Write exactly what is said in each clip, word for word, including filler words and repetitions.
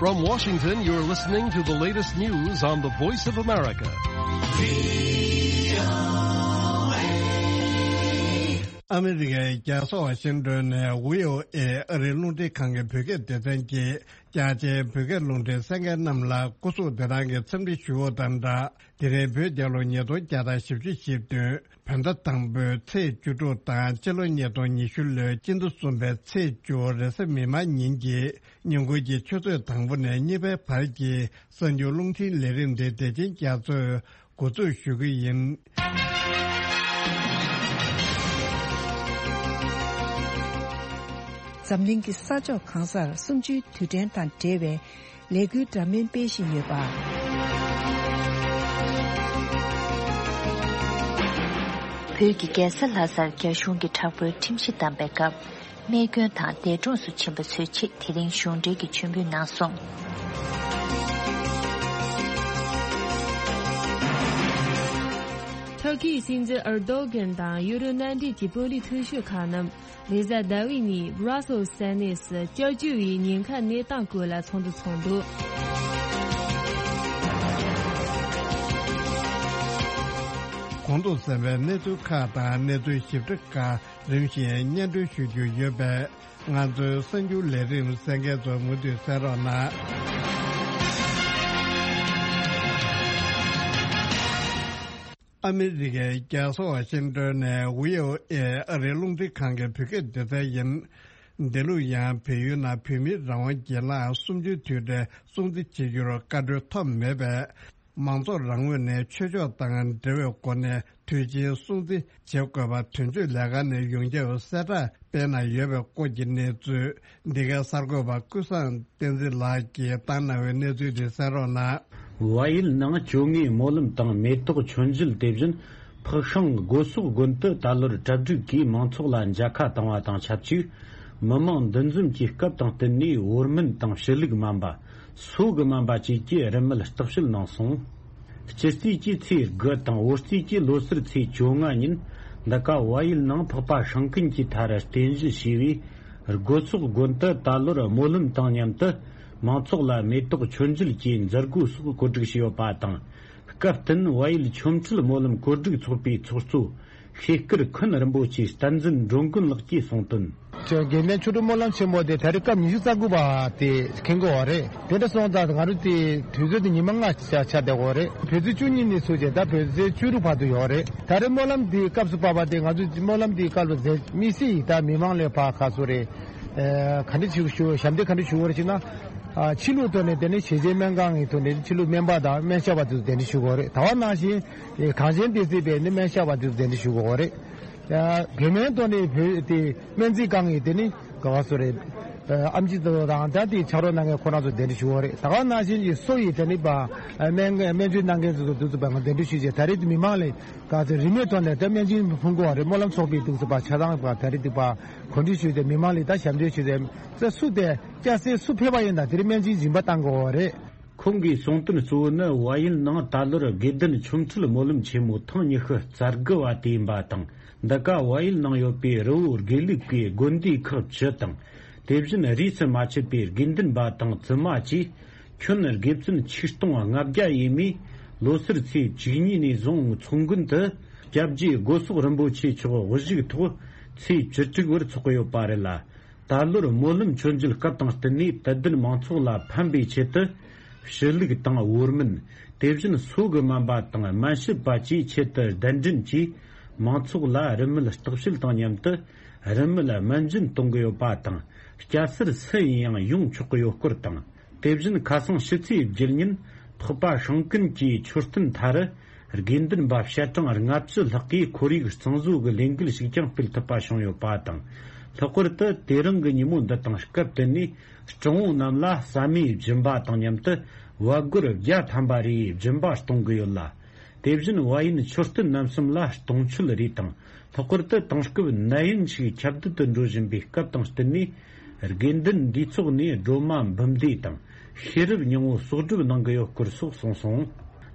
From Washington, you're listening to the latest news on the Voice of America. ཨ་མི་རི་ཀའི་རྒྱལ་ས་ཝ་ཤིང་ཏོན་ནས་བྷི་ཨོ་ཨེ་ཨ་རིའི་རླུང་འཕྲིན་ཁང་གི་བོད་སྐད་སྡེ་ཚན་གྱིས་རྒྱ་ཆེའི་བོད་སྐད་རླུང་འཕྲིན་གསན་མཁན་རྣམས་ལ་སྐུ་གཟུགས་བདེ་ཐང་གི་འཚམས་འདྲི་ཞུ་བ་དང་སྦྲགས། དེ་རིང་བོད་རྒྱལ་ལོ་ཉིས་སྟོང་བརྒྱ་དང་བཞི་བཅུ་ཞེ་བདུན་བོད་ཟླ་དང་པོའི་ཚེས་བཅུ་དྲུག་དང་སྤྱི་ལོ་ཉིས་སྟོང་ཉི་ཤུ་ལོའི་སྤྱི་ཟླ་གསུམ་པའི་ཚེས་བཅུ་རེས་གཟའ་མིག་དམར་ཉིན་གྱི་ཉིན་གུང་གི་ཆུ་ཚོད་དང་པོ་ནས་གཉིས་པའི་བར་གྱི་གསར་འགྱུར་རླུང་འཕྲིན་ལས་རིམ་འདི་བདེ་ཆེན་རྒྱ་མཚོས་འགོ་འཛུགས་ཞུ་གི་ཡིན། འཛམ་གླིང་གི་ས་ཕྱོགས་གང་སར་གསུམ་བཅུའི་དུས་དྲན་དང་འབྲེལ་བའི་ལས་འགུལ་འདྲ་མིན་སྤེལ་བཞིན་ཡོད་པ། བོད་ཀྱི་རྒྱལ་ས་ལྷ་སར་རྒྱ་གཞུང་གིས་དྲག་པོའི་ཁྲིམས་གཞི་བསྡམས་པའི་སྐབས། རྨས་སྐྱོན་དང་འདས་གྲོངས་སུ་ཕྱིན་པ་ཚོའི་ཆེད་དེ་རིང་གཞུང་འབྲེལ་གྱི་མཆོད་འབུལ་གནང་སོང་། ཐུར་ཁེའི་སྲིད་འཛིན་ཨར་དོ་གྷན་དང་ཡུ་རོབ་མནའ་འབྲེལ་གྱི་དཔོན་རིགས་མཐོ་ཤོས་ཁག་རྣམས་རེས་གཟའ་ཟླ་བའི་ཉིན་Brussels་ས་གནས་སུ་བསྐྱར་བཅོས་པའི་ཉེན་ཁ་གནས་སྟངས་སྐོར་ལ་ཚོགས་འདུ་ཚོགས་འདུག། གོང་དུ་གསན་པའི་གནས་ཚུལ་ཁག་དང་གནས་ཚུལ་ཞིབ་ཕྲ་ཁག་རིམ་བཞིན་སྙན་སྒྲོན་ཞུ་རྒྱུ་ཡོད་པས། ང་ཚོའི་གསར་འགྱུར་ལས་རིམ་གསན་མཁན་ཚོ་མུ་མཐུད་གསན་རོགས་གནང་། ཨ་མི་རི་ཀའི་རྒྱལ་ས་ཝ་ཤིང་ཏོན་ནས་བྷི་ཨོ་ཨེ་ཨ་རིའི་རླུང་འཕྲིན་ཁང་གི་བོད་སྐད་སྡེ་ཚན་ཡིན། འདི་ལོ་ཡང་བལ་ཡུལ་ནང་བོད་མིའི་རང་དབང་སྒེར་ལངས་གསུམ་བཅུའི་དུས་དྲན་སྲུང་བརྩི་བྱེད་རྒྱུར་བཀའ་འཁྲོལ་ཐོབ་མེད་པས། མང་ཚོགས་རང་ངོས་ནས་ཆོས་ཕྱོགས་དང་འབྲེལ་བའི་སྒོ་ནས་དུས་ཆེན་སྲུང་བརྩི་བྱེད་དགོས་པ་དོན་གཅོད་ལས་ཁང་ནས་ཡོངས་ཁྱབ་གསལ་བསྒྲགས་སྤེལ་གནང་ཡོད་པའི་སྐོར་གྱི་གནས་ཚུལ། འདི་གའི་གསར་འགོད་པ་ཀུན་བཟང་བསྟན་འཛིན་ལགས་ཀྱིས་བཏང་གནང་བའི་གནས་ཚུལ་དེ་གསན་རོགས་གནང་། བལ་ཡུལ་ནང་བཅོ་ལྔའི་སྨོན་ལམ་དང་མེ་ཏོག་མཆོད་མཇལ། དེ་བཞིན་ཕག་ཤང་སྒོ་ཟོག་དགོན་དུ་ད་ལོར་གྲ་སྒྲིག་གིས་མང་ཚོགས་ལ་མཇལ་ཁ་བཏང་བ་དང་ཆབས་ཅིག། མི་མང་འདུ་འཛོམས་ཀྱི་སྐབས་དང་བསྟུན་ནས་བོར་སྨན་དང་ཞུ་ལུག་མ་འབའ། སོ་གི་མ་འབའ་བཅས་ཀྱི་རིན་མེད་བརྟག་དཔྱད་གནང་སོང་། སྤྱི་རྩིས་ཀྱི་ཚེས་དགུ་དང་བོད་རྩིས་ཀྱི་ལོ་སར་ཚེས་བཅོ་ལྔ་ཉིན། འདི་ག་བལ་ཡུལ་ནང་འཕགས་པ་སྲང་ཀུན་གྱི་མཐར་རྟེན་གཞི་བྱས་པའི་སྒོ་ཟོག་དགོན་དུ་ད་ལོར་སྨོན་ལམ་དང་མཉམ་དུ་མང་ཚོགས་ལ་མེ་ཏོག་མཆོད་མཇལ་གྱི་མཛད་སྒོ་སོགས་གོ་སྒྲིག་བྱས་ཡོད་པ་དང་། སྐབས་བསྟུན་བལ་ཡུལ་ཆོ་འཕྲུལ་སྨོན་ལམ་གོ་སྒྲིག་ཚོགས་པའི་ཚོགས་གཙོ་ཤེས་དཀར་ཁུན་རིན་པོ་ཆེ་བསྟན་འཛིན་འགྲོ་མགོན་ལགས་ཀྱིས་གསུངས་དོན། དགེ་ལྡན་ཆོ་འཕྲུལ་སྨོན་ལམ་ཆེན་མོ་དེ་ད་རེས་སྐབས་ཉི་ཤུ་རྩ་དགུ་པ་དེ་འཁེལ་གྱི་ཡོད་རེད། དེ་འདྲ་སོང་ཙང་ང་རང་དེ་དུས་ཚོད་དེ་ཉི་མ་ལྔ་ཆ་ཆ་བསྡད་ཡོད་རེད། བོད་ཚེས་བཅུ་གཉིས་ནས་ཚུགས་བྱས་ད་བོད་ཚེས་བཅུ་དྲུག་བར་དུ་ཡོད་རེད། ད་རེས་སྨོན་ལམ་དེའི་སྐབས་སུ་བབས་པ་དེ་ང་ཚོ་སྨོན་ལམ་དེའི་སྐབས་ལ་མཛད་མི་སྲིད་ད་མི་མང་ལས་ཕར་ཁ་སོ་རེད། ཨ་ག་འདྲ་ཞིག་ཞུ་ཞབས་འདེགས་ག་འདྲ་ཞུ་བ་རེད་ཅེ་ན། ཨ་ཕྱི་ལུགས་ཐོག་ནས་དེ་ནས་ཞེ་ཆེན་སྨན་ཁང་གི་ཐོག་ནས་ཕྱི་ལུགས་སྨན་པ་དང་སྨན་ཞབས་པ་དེ་ཚོ་གདན་འདྲེན་ཞུ་དགོས་རེད། ད་ག་ནང་བཞིན་གངས་ཅན་བདེ་སྲིད་པས་ནི་སྨན་ཞབས་པ་དེ་ཚོ་གདན་འདྲེན་ཞུ་དགོས་རེད། ཨ་བོད་སྨན་ཐོག་ནས་བོད་དེ་སྨན་རྩིས་ཁང་གི་དེ་ནི་ག་བ་སོ་རེད། ཨ་ཨེམ་ཆི་དེ་ཚོ་དང་ད་དེ་ཕྱག་རོགས་གནང་མཁན་ཁོ་རང་ཚོ་གདན་འདྲེན་ཞུ་དགོས་རེད། ད་ག་ནང་བཞིན་གྱི་སོ་ཡི་དེ་ནི་པ་སྨན་སྨན་བཅོས་གནང་མཁན་ཚོ་དེ་ཚོ་པ་ང་གདན་འདྲེན་ཞུ་བྱས་ད་རེས་དེ་མི་མང་ལས་ག་ཚོད་རིན་མེད་ཐོག་ནས་ད་སྨན་བཅོས་ཕུལ་དགོས་རེད། སྨོན་ལམ་ཚོགས་པའི་དེ་ཚོ་པ་ཆ་ཚང་པ་ད་རེས་དེ་པ་གོ་སྒྲིག་ཞུས་ཏེ་མི་མང་ལ་ད་ཞབས་འདེགས་ཞུས་ཏེ་ས་སུ་དེ་སྐྱ་སེར་སུ་ཕེབས་པ་ཡིན་ད་དེ་རིང་སྨན་བཅོས་སྦྱིན་པ་བཏང་དགོས་པ་རེད། ཁོང་གིས་གསུངས་དོན་གཙོ་བོ་ནི་བལ་ཡུལ་ནང་ད་ལོར་དགེ་ལྡན་ཆོ་འཕྲུལ་སྨོན་ལམ་ཆེན་མོ་ཐེངས་ཉི་ཤུ་རྩ་དགུ་བ་དེ་ཡིན་པ་དང་། འདི་ག་བལ་ཡུལ་ནང་ཡོད་པའི་རི་བོ་དགེ་ལུགས་པའི་དགོན་སྡེ་ཁག་བཅུ་དང་། དེ་བཞིན་རིས་སུ་མ་ཆད་པའི་དགེ་འདུན་པ་དང་བཙུན་མ་བཅས་ཁྱོན་དགེ་བཙུན་ཆིག་སྟོང་ལྔ་བརྒྱ་ཡས་མས་ལོ་སར་ཚེས་བཅུ་གཉིས་ནས་བཟུང་མཚོ་དགོན་དུ་སྐྱབས་རྗེ་སྒོ་ཟོག་རིན་པོ་ཆེ་མཆོག་དབུ་བཞུགས་ཐོག་ཚེས་བཅུ་དྲུག་བར་འཚོགས་ཀྱི་ཡོད་པ་རེད་ལ། ད་ལོར་སྨོན་ལམ་མཆོད་མཇལ་སྐབས་དང་བསྟུན་ནས་དད་ལྡན་མང་ཚོགས་ལ་ཕན་པའི་ཆེད་དུ་ཞུ་ལུག་དང་བོར་སྨན། དེ་བཞིན་སོ་གི་སྨན་པ་དང་སྨན་ཞབས་པ་བཅས་ཆེད་དུ་གདན་འདྲེན་གྱིས་མང་ཚོགས་ལ་རིན་མེད་བརྟག་དཔྱད་དང་མཉམ་དུ་རིན་མེད་སྨན་སྦྱིན་གཏོང་གི་ཡོད་པ་དང་། སྐྱ་སེར་སུ་ཡིན་ཡང་ཡོང་ཆོག་གི་ཡོད་སྐོར་དང་། དེ་བཞིན་ཁ་སང་ཕྱི་ཚེས་བརྒྱད་ཉིན་འཕགས་པ་སྲང་ཀུན་གྱི་མཆོད་རྟེན་མཐར་དགེ་འདུན་པ་ཞལ་གྲངས་ལྔ་བཅུ་ལྷག་གིས་ཁོར་ཡུག་གཙང་བཟོ་གི་ལས་འགུལ་ཞིག་ཀྱང་སྤེལ་ཐུབ་པ་བྱུང་ཡོད་པ་དང་། ལྷག་པར་དུ་དེ་རིང་གི་ཉིན་མོ་འདི་དང་སྐབས་བསྟུན་ནས་སྤྲང་བོ་རྣམས་ལ་ཟ་མའི་སྦྱིན་པ་དང་མཉམ་དུ་བ་སྒོར་བརྒྱ་ཐམ་པ་རེའི་སྦྱིན་པ་གཏོང་གི་ཡོད་ལ། དེ་བཞིན་བལ་ཡུལ་མཆོད་རྟེན་རྣམ་གསུམ་ལ་གཏོང་མཆོད་རེ་དང་། ལྷག་པར་དུ་དེང་སྐབས་ནད་ཡམས་ཤིག་ཁྱབ་གདལ་དུ་འགྲོ་བཞིན་པའི་སྐབས་དང་བསྟུན་ནས། དགེ་འདུན་འདུས་ཚོགས་ནས་སྒྲོལ་མ་འབུམ་སྡེ་དང་ཤེས་རབ་སྙིང་པོ་གསོག་སྒྲུབ་གནང་གི་ཡོད་སྐོར་སོགས་གསུངས་སོང་།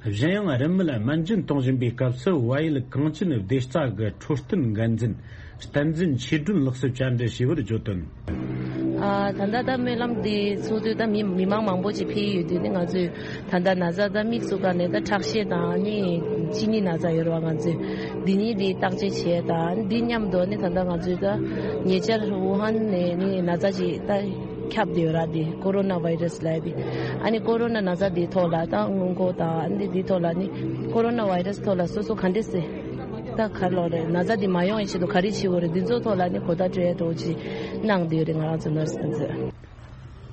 གཞན་ཡང་རིན་མེད་སྨན་སྦྱིན་གཏོང་བཞིན་པའི་སྐབས་སུ་བལ་ཡུལ་གངས་ཅན་བདེ་རྩ་གི་འཕྲོད་བསྟེན་འགན་འཛིན་བསྟན་འཛིན་ཆོས་སྒྲོན་ལགས་སུ་བཅར་འདྲི་ཞུས་པར་བརྗོད་དོན། ཨ། ད་ལྟ་ད་སྨོན་ལམ་འདི་ཚོགས་དུས་ད་མི་མི་མང་མང་པོ་ཅིག་ཕེབས་ཡོད་དུས་ནི། ང་ཚོས་ད་ལྟ་ན་ཚ་ད་དམིགས་སུ་བཀར་ནས་ད་ཁྲག་ཤེད་དང་ནི་གཅིན་སྙི་ན་ཚ་ཡོད་རེད་བ། ང་ཚོས་འདི་གཉིས་འདི་བརྟག་དཔྱད་བྱས་དང་། འདི་མཉམ་དུ་ནི་ད་ལྟ་ང་ཚོས་ད་ཉེ་ཆར་ཝུ་ཧན་ནས་ནི་ན་ཚ་ཅིག་ད་ཁྱབ་བསྡད་ཡོད་ར། འདི་ཀོ་རོ་ན་བྷའི་རས་ལབ་ཡ་འདི། ཨ་ནི་ཀོ་རོ་ན་ན་ཚ་འདིའི་ཐོག་ལ་ད་སྔོན་འགོག་དང་འདི་འདིའི་ཐོག་ལ་ནི་ཀོ་རོ་ན་བྷའི་རས་ཐོག་ལ་སོ་སོ་ག་འདྲས་སེ། ད་ག་ལོག་རེད། ན་ཚ་འདི་མ་ཡོང་ཡའི་ཆེད་དུ་ག་རེ་བྱེད་དགོས་རེད། འདི་ཚོའི་ཐོག་ལ་ནི་གོ་བརྡ་སྤྲོད་ཡ་འདྲ་བོ་ཅིག་གནང་བསྡད་ཡོད་རེད། ང་རང་ཚོ་ནར་སི་ཕན་ཚོས།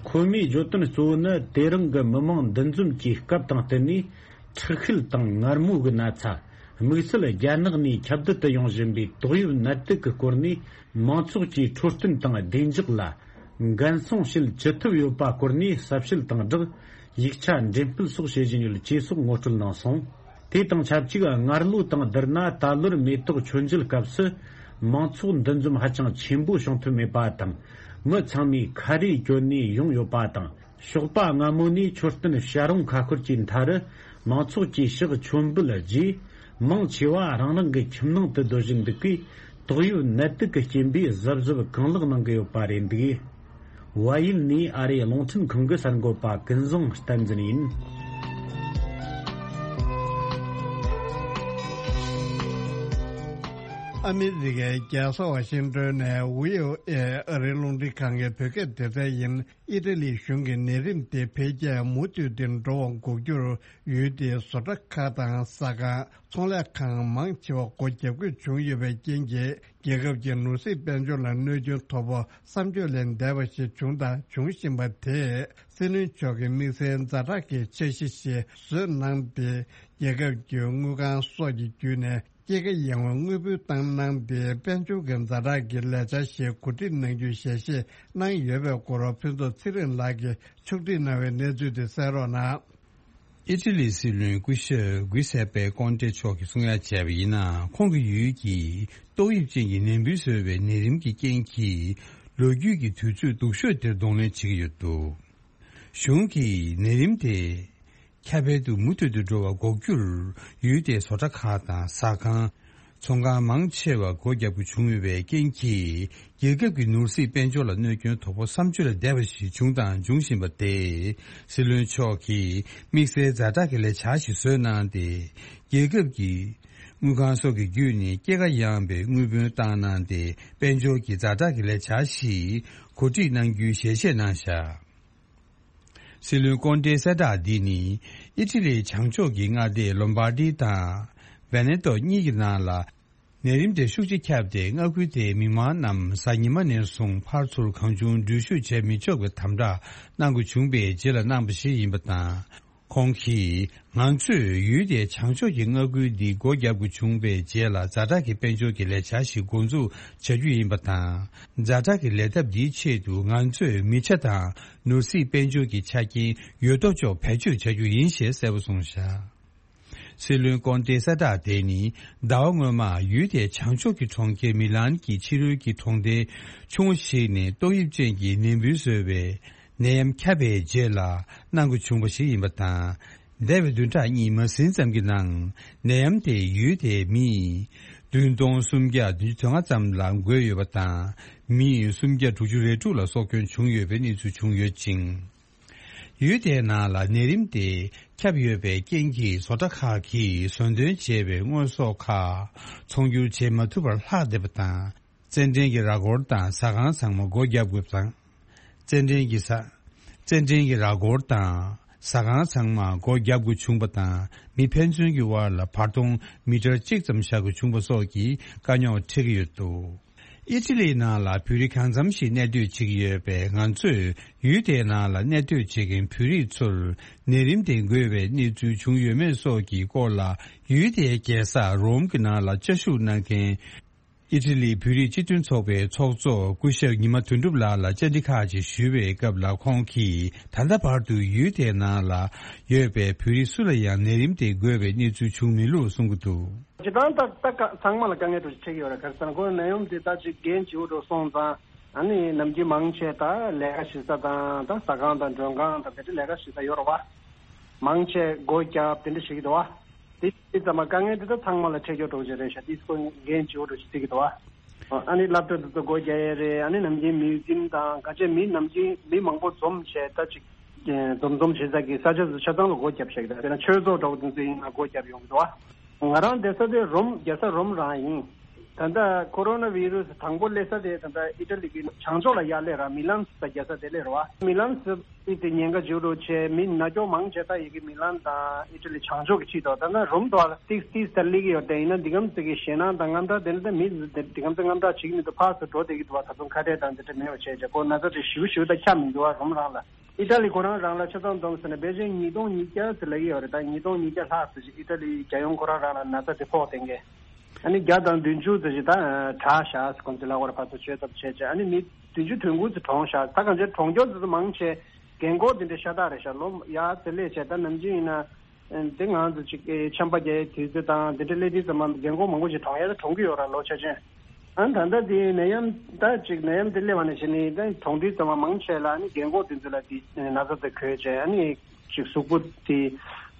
ཁོ་མོས་བརྗོད་དོན་གཙོ་བོ་ནི། དེ་རིང་གི་མི་མང་འདུ་འཛོམས་ཀྱི་སྐབས་དང་བསྟུན་ནས། མཁྲིས་ཤུལ་དང་ངར་མོ་གི་ན་ཚ། དམིགས་བསལ་རྒྱ་ནག་ནས་ཁྱབ་གདལ་དུ་ཡོང་བཞིན་པའི་ཏོག་དབྱིབས་ནད་དུག་གི་སྐོར་ནས། མང་ཚོགས་ཀྱི་འཕྲོད་བསྟེན་དང་བདེ་འཇགས་ལ་འགན་སྲུང་བྱེད་ཅི་ཐུབ་ཡོད་པ་སྐོར་ནས་ཟབ་ཞིབ་དང་སྦྲགས། ཡིག་ཆ་འགྲེམས་སྤེལ་སོགས་བྱེད་བཞིན་ཡོད་ཅེས་སོགས་ངོ་སྤྲོད་གནང་སོང་། དེ་དང་ཆབས་ཅིག་སྔར་ལོ་དང་བསྡུར་ན། ད་ལོར་མེ་ཏོག་མཆོད་མཇལ་སྐབས་སུ་མང་ཚོགས་འདུ་འཛོམས་ཧ་ཅང་ཆེན་པོ་བྱུང་ཐུབ་མེད་པ་དང་། མི་ཚང་མས་ཁ་རས་གྱོན་ནས་ཡོང་ཡོད་པ་དང་། ཞོགས་པ་སྔ་མོ་ནས་མཆོད་རྟེན་བྱ་རུང་ཁ་ཤོར་གྱི་མཐའ་རུ་མང་ཚོགས་ཀྱིས་ཕྱག་མཆོད་འབུལ་རྗེས། མང་ཆེ་བ་རང་རང་གི་ཁྱིམ་ནང་དུ་སྡོད་བཞིན་འདུག་གས། ཏོག་དབྱིབས་ནད་དུག་གི་རྐྱེན་པས་གཟབ་གཟབ་གང་ལེགས་གནང་གི་ཡོད་པ་རེད་འདུག། ཝཱ་ཡུལ་ནས་ཨ་རིའི་རླུང་འཕྲིན་ཁང་གི་གསར་འགོད་པ་ཀུན་བཟང་བསྟན་འཛིན་ཡིན། ཨ་མི་རི་ཀའི་རྒྱལ་ས་ཝ་ཤིང་ཏོན་ནས་ཝི་ཨོ་ཨེ་ཨ་རིའི་རླུང་འཕྲིན་ཁང་གི་བོད་སྐད་སྡེ་ཚན་ཡིན། ཨི་ཊ་ལི་གཞུང་གིས་ནད་རིམས་དེ་འཕེལ་རྒྱས་མུ་མཐུད་དེ་འགྲོ་བ་འགོག་རྒྱུར། ཡུལ་དེའི་བཟོ་གྲྭ་ཁག་དང་ཟ་ཁང་། ཚོང་ལས་ཁང་མང་ཆེ་བ་སྒོ་བརྒྱབ་དགོས་བྱུང་ཡོད་པའི་རྐྱེན་གྱིས། རྒྱལ་ཁབ་ཀྱི་ནོར་སྲིད་དཔལ་འབྱོར་ལ་གནོད་སྐྱོན་དོ་ཕོག་བསམ་བརྗོད་ལས་འདས་པ་ཞིག་བྱུང་དང་འབྱུང་བཞིན་པ་དེས། སྲིད་བློན་མཆོག་གིས་དམིགས་བསལ་ཛ་དྲག་གི་འཆར་གཞི་ཞིག་བཟོས་གནང་སྟེ། རྒྱལ་ཁབ་ཀྱི་དངུལ་ཁང་སོགས་ཀྱི་བརྒྱུད་ནས། སྐྱེད་ཀ་ཡངས་པའི་དངུལ་འབུལ་བཏང་གནང་སྟེ། དཔལ་འབྱོར་གྱི་ཛ་དྲག་གི་ལས་འཆར་ཞིག་གོ་སྒྲིག་གནང་རྒྱུའི་ཞལ་བཞེས་གནང་ཡོད་པའི་སྐོར། ཕུན་ཚོགས་ཚེ་རིང་ལགས་ཀྱིས་ཕྱོགས་སྒྲིག་གནང་བའི་གནས་ཚུལ་དེ་གསན་རོགས་གནང་། ཨི་ཊ་ལིའི་སྲིད་བློན་སྐུ་ཞབས་གུས་སེ་པེ་ཀོན་ཏེ་མཆོག་གིས་གསུང་ཡ་བྱས་པ་ཡིན་ན། ཁོང་གི་ཡུལ་གྱིས་ཏོག་དབྱིབས་ཅན་གྱི་ནད་འབུ་བཟོས་པའི་ནད་རིམས་ཀྱི་རྐྱེན་གྱིས། ལོ་རྒྱུས་ཀྱི་དུས་ཚོད་སྡུག་ཤོས་དེར་གདོང་ལེན་བྱེད་ཀྱི་ཡོད་འདུག། གཞུང་གིས་ནད་རིམས་དེ་ཁྱབ་སྤེལ་དུ་མུ་མཐུད་དུ་འགྲོ་བ་འགོག་རྒྱུར། ཡུལ་དེའི་བཟོ་གྲྭ་ཁག་དང་ཟ་ཁང་། ཚོང་ཁང་མང་ཆེ་བ་སྒོ་བརྒྱབ་དགོས་བྱུང་ཡོད་པའི་རྐྱེན་གྱིས། རྒྱལ་ཁབ་ཀྱི་ནོར་སྲིད་དཔལ་འབྱོར་ལ་གནོད་སྐྱོན་དོ་ཕོག་བསམ་བརྗོད་ལས་འདས་པ་ཞིག་བྱུང་དང་འབྱུང་བཞིན་པ་དེས། སྲིད་བློན་མཆོག་གིས་དམིགས་བསལ་ཛ་དྲག་གི་ལས་འཆར་ཞིག་བཟོས་གནང་སྟེ། རྒྱལ་ཁབ་ཀྱི་དངུལ་ཁང་སོགས་ཀྱི་བརྒྱུད་ནས་སྐྱེད་ཀ་ཡངས་པའི་དངུལ་བུན་བཏང་གནང་སྟེ། དཔལ་འབྱོར་གྱི་ཛ་དྲག་གི་ལས་འཆར་ཞིག་གོ་སྒྲིག་གནང་རྒྱུའི་ཞལ་བཞེས་གནང་བཞག། སྲིད་བློན་ཀོན་ཏེའི་གསལ་བསྒྲགས་འདི་ནི། ཨི་ཊ་ལིའི་བྱང་ཕྱོགས་ཀྱི་མངའ་སྡེ་ལོམ་བར་ཏི་དང་། ཝེ་ནེ་ཏོ་གཉིས་ཀྱི་ནང་ལ། ནད་རིམས་དེ་ཤུགས་ཆེ་ཁྱབ་སྟེ། མངའ་ཁུལ་དེའི་མི་མང་རྣམས་གཟའ་ཉི་མ་ནས་བཟུང་ཕར་ཚུར་གང་བྱུང་འགྲུལ་བཞུད་བྱེད་མི་ཆོག་པའི་དམ་བསྒྲགས་གནང་དགོས་བྱུང་བའི་རྗེས་ལ་གནང་པ་ཞིག་ཡིན་པ་དང་། ཁོང་གིས། ང་ཚོས་ཡུལ་དེའི་བྱང་ཕྱོགས་ཀྱི་མངའ་ཁུལ་འདི་སྒོ་བརྒྱབ་དགོས་བྱུང་བའི་རྗེས་ལ། ཛ་དྲག་གི་དཔལ་འབྱོར་གྱི་ལས་འཆར་ཞིག་འགོ་འཛུགས་བྱ་རྒྱུ་ཡིན་པ་དང་། ཛ་དྲག་གི་ལས་ཐབས་འདིའི་ཆེད་དུ། ང་ཚོས་མི་ཆ་དང་ནོར་སྲིད་དཔལ་འབྱོར་གྱི་ཆ་རྐྱེན་ཡོད་དོ་ཅོག་བེད་སྤྱོད་བྱ་རྒྱུ་ཡིན་ཞེས་གསལ་པོ་གསུངས་བཞག། སྲིད་བློན་ཀོན་ཏེའི་གསལ་བསྒྲགས་དེ་ནི། ཟླ་བ་སྔོན་མ་ཡུལ་དེའི་བྱང་ཕྱོགས་ཀྱི་གྲོང་ཁྱེར་མི་ལན་གྱི་ཕྱི་རོལ་གྱི་གྲོང་སྡེ་ཆུང་ངུ་ཞིག་ནས་ཏོག་དབྱིབས་ཅན་གྱི་ནད་འབུ་བཟོས་པའི་ནད་ཡམས་ཁྱབ་པའི་རྗེས་ལ་གནང་དགོས་བྱུང་བ་ཞིག་ཡིན་པ་དང་། འདས་པའི་བདུན་ཕྲག་གཉིས་མ་ཟིན་ཙམ་གྱི་ནང་ནད་ཡམས་དེས་ཡུལ་དེའི་མི་བདུན་སྟོང་སུམ་བརྒྱ་བདུན་ཅུ་དོན་ལྔ་ཙམ་ལ་འགོས་ཡོད་པ་དང་། མི་སུམ་བརྒྱ་དྲུག་ཅུ་རེ་དྲུག་ལ་སྲོག་སྐྱོན་བྱུང་ཡོད་པའི་གནས་ཚུལ་བྱུང་ཡོད་ཅིང་། ཡུལ་དེའི་ནང་ལ་ནད་རིམས་དེ་ཁྱབ་ཡོད་པའི་རྐྱེན་གྱིས། བཟོ་གྲྭ་ཁག་གིས་ཟོན་ཐོན་བྱས་པའི་དངོས་ཟོག་ཁག་ཚོང་སྒྱུར་བྱེད་མ་ཐུབ་པར་ལྷག་བསྡད་པ་དང་། རྩེད་འགྲན་གྱི་ར་སྐོར་དང་ཟ་ཁང་ཚང་མ་སྒོ་བརྒྱབ་དགོས་པ་དང་། རྩེད་འགྲན་གྱི་ས། རྩེད་འགྲན་གྱི་ར་སྐོར་དང་ཟ་ཁང་ཚང་མ་སྒོ་བརྒྱབ་དགོས་བྱུང་བ་དང་། མི་ཕན་ཚུན་གྱི་དབར་ལ་བར་སྟོང་མི་ཊར་གཅིག་ཙམ་བཞག་དགོས་བྱུང་བ་སོགས་ཀྱི་དཀའ་རྙོག་འཕྲད་ཀྱི་ཡོད་འདུག། ཨི་ཊ་ལིའི་ནང་ལ་བོད་རིགས་གང་འཚམ་ཞིག་གནས་སྡོད་བྱེད་ཀྱི་ཡོད་པས། ང་ཚོས་ཡུལ་དེའི་ནང་ལ་གནས་སྡོད་བྱེད་མཁན་བོད་རིགས་ཚོར་ནད་རིམས་དེ་འགོས་པའི་གནས་ཚུལ་བྱུང་ཡོད་མེད་སོགས་ཀྱི་སྐོར་ལ། ཡུལ་དེའི་རྒྱལ་ས་རོམ་གྱི་ནང་ལ་བཅའ་བཞུགས་གནང་མཁན་ཨི་ཊ་ལིའི་བོད་རིགས་སྤྱི་མཐུན་ཚོགས་པའི་ཚོགས་གཙོ་སྐུ་ཞབས་ཉི་མ་དོན་གྲུབ་ལགས་ལ་བཅར་འདྲི་ཁག་ཅིག་ཞུས་པའི་སྐབས་ལ། ཁོང་གིས་ད་ལྟ་བར་དུ་ཡུལ་དེའི་ནང་ལ་ཡོད་པའི་བོད་རིགས་སུ་ལ་ཡང་ནད་རིམས་དེ་འགོས་པའི་གནས་ཚུལ་བྱུང་མེད་ལུགས་གསུང་གི་འདུག། སྤྱིར་བཏང་ད་ད་ཀ་ཚང་མ་ལ་དཀའ་ངལ་འདྲ་ཞིག་འཕྲད་ཀྱི་ཡོད་རེད། ག་རེ་ཟེར་ན་ཁོ་ནད་ཡམས་དེ་ད་ཅིག་འགན་ལྗིད་པོ་འདྲ་སོང་ཙང་། ཨ་ནི་ནམ་རྒྱུན་མང་ཆེ་ད་ལས་ཀ་བྱེད་ས་དང་ད་ཟ་ཁང་དང་མགྲོན་ཁང་དང་དེ་འདྲ་ལས་ཀ་བྱེད་ས་ཡོད་རེད་བ། མང་ཆེ་སྒོ་བརྒྱབ་དེ་འདྲ་བྱེད་ཀྱི་འདུག་བ། དེ་དེ་ཙམ་མ་དཀའ་ངལ་དེ་ད་ཚང་མ་ལ་འཕྲད་རྒྱུ་འདྲ་ཅིག་རེད་ཤག། དེ་ཁོ་འགན་ལྗིད་པོ་འདྲ་ཞིག་བརྩི་གི་འདུག་བ། ཨ་ནི་སློབ་གྲྭ་དེ་ཚོ་སྒོ་རྒྱག་ཡས་རེད། ཨ་ནི་ནམ་རྒྱུན་མིའུ་ཛིམ་དང་ག་ཅེ་མི་ནམ་རྒྱུན་མི་མང་པོ་འཛོམས་བྱས་ད་ཅིག་འཛོམས་འཛོམས་བྱེད་ས་གི་ས་ཆ་ཚོ་ཆ་ཚང་ལ་སྒོ་བརྒྱབ་བཞག་གི་རེད། དཔེར་ན་ཆོས་ཚོགས་འདྲ་བོ་དེ་ཚོ་ཡིན་ན་སྒོ་བརྒྱབ་ཡོང་གི་འདུག་བ། ང་རང་བསྡད་ས་དེ་རོམ། རྒྱལ་ས་རོམ་རང་ཡིན། ད་ལྟ་ཁོ་རོ་ན་བི་རུ་སི་དང་པོ་སླེབས་ས་དེ་ད་ལྟ་ཨི་ཊ་ལི་གི་བྱང་ཕྱོགས་ལ་ཡར་སླེབས་ར། མི་ལན་ཟེར་རྒྱལ་ས་དེ་སླེབས་ར་བ། མི་ལན་ཟེར་ཨི་དེ་ཉེན་ཁ་ཆེ་རུ་ཆེ། མི་ན་གྱོང་མང་ཆེ་ད་ཡི་གེ་མི་ལན་དང་ཨི་ཊ་ལི་བྱང་ཕྱོགས་ཀྱི་ཆེད་དུ། ད་ལྟ་རོམ་དུ་ཏིག་ཏིག་ད་སླེབས་ཀྱི་ཡོད་དེ། ཡིན་ན་འདི་གམ་ཚིག་གི་ཞེད་སྣང་དང་དངངས་སྐྲག་དེ་འདྲ་ད་མི་འདི་གམ་ཚིག་དངངས་སྐྲག་བྱེད་ཀྱི་མི་འདུག་ཕར་ཚུར་འགྲོ་བསྡད་ཀྱི་འདུག་བ། ད་དུང་ཁ་བྲལ་དང་འདི་འདྲ་མེད་པ་བྱས་བྱས་ཁོ་ན་ཚ་དེ་ཞིབ་ཞིབ་ད་ཁྱབ་མི་འདུག་བ། རོམ་རང་ལ། ཨི་ཊ་ལི་ཁོ་རང་རང་ལ་ཆ་ཚང་བསྡོམས་ཟེར་ན་ཕལ་ཆེར་ཉིས་སྟོང་ཉིས་བརྒྱ་ཙམ་ལབ་ཀྱི་ཡོད་རེད། ད་ཉིས་སྟོང་ཉིས་བརྒྱ་ལྷག་ཙམ་ཞིག་ཨི་ཊ་ལི་རྒྱལ་ཡོངས་ཁོ་རང་རང་ལ་ན་ཚ་དེ་ཕོག་བསྡད་མཁན། ཨ་ནི་བརྒྱ་དང་བདུན་ཅུ་ཙམ་ཞིག་ད་དྲག་ཤག་ཟེར་ཁོང་ཚོས་ལབ་ཀྱི་རེད། ཕར་ཚུར་བཅོས་ཐབས་བྱས་བྱས། ཨ་ནི་མི་བདུན་ཅུ་དོན་དགུ་ཙམ་གྲོངས་ཤག་ད་གང་ཅི་གྲོངས་མཁན་ཙམ་ཙམ་མང་ཆེ་རྒན་འཁོགས་དེ་འདྲ་ཤ་སྟག་རེད་ཤག་ལོ་ཡར་ཙམ་སླེབས་བྱས། ད་ནམ་རྒྱུན་ཡིན་ན་དེ་ང་ཚོ་ཅིག་འཆམ་པ་རྒྱག་ཡའི་དུས་ཚོད་དང་དེ་འདྲ་སླེབས་དུས་ཙམ་པ་རྒན་འཁོགས་མང་པོ་ཞིག་གྲོངས་ཡ་ད་གྲོངས་ཀྱི་ཡོད་ར། ལོ་ཆ་ཆེན། ཨ་ནི་ད་ལྟ་དེ་ནད་ཡམས་ད་ཅིག་ནད་ཡམས་དེ་སླེབས་པ་ནས་བྱས་ནས་ད་གྲོངས་དུས་ཙམ་པ་མང་ཆེ་ལ་ཨ་ནི་རྒན་འཁོགས་དེ་ཚོ་ལ་དེ་ན་ཚ་དེ་འགོས་བྱས། ཨ་ནི་ཅིག་གཟུགས་པོ་དེ་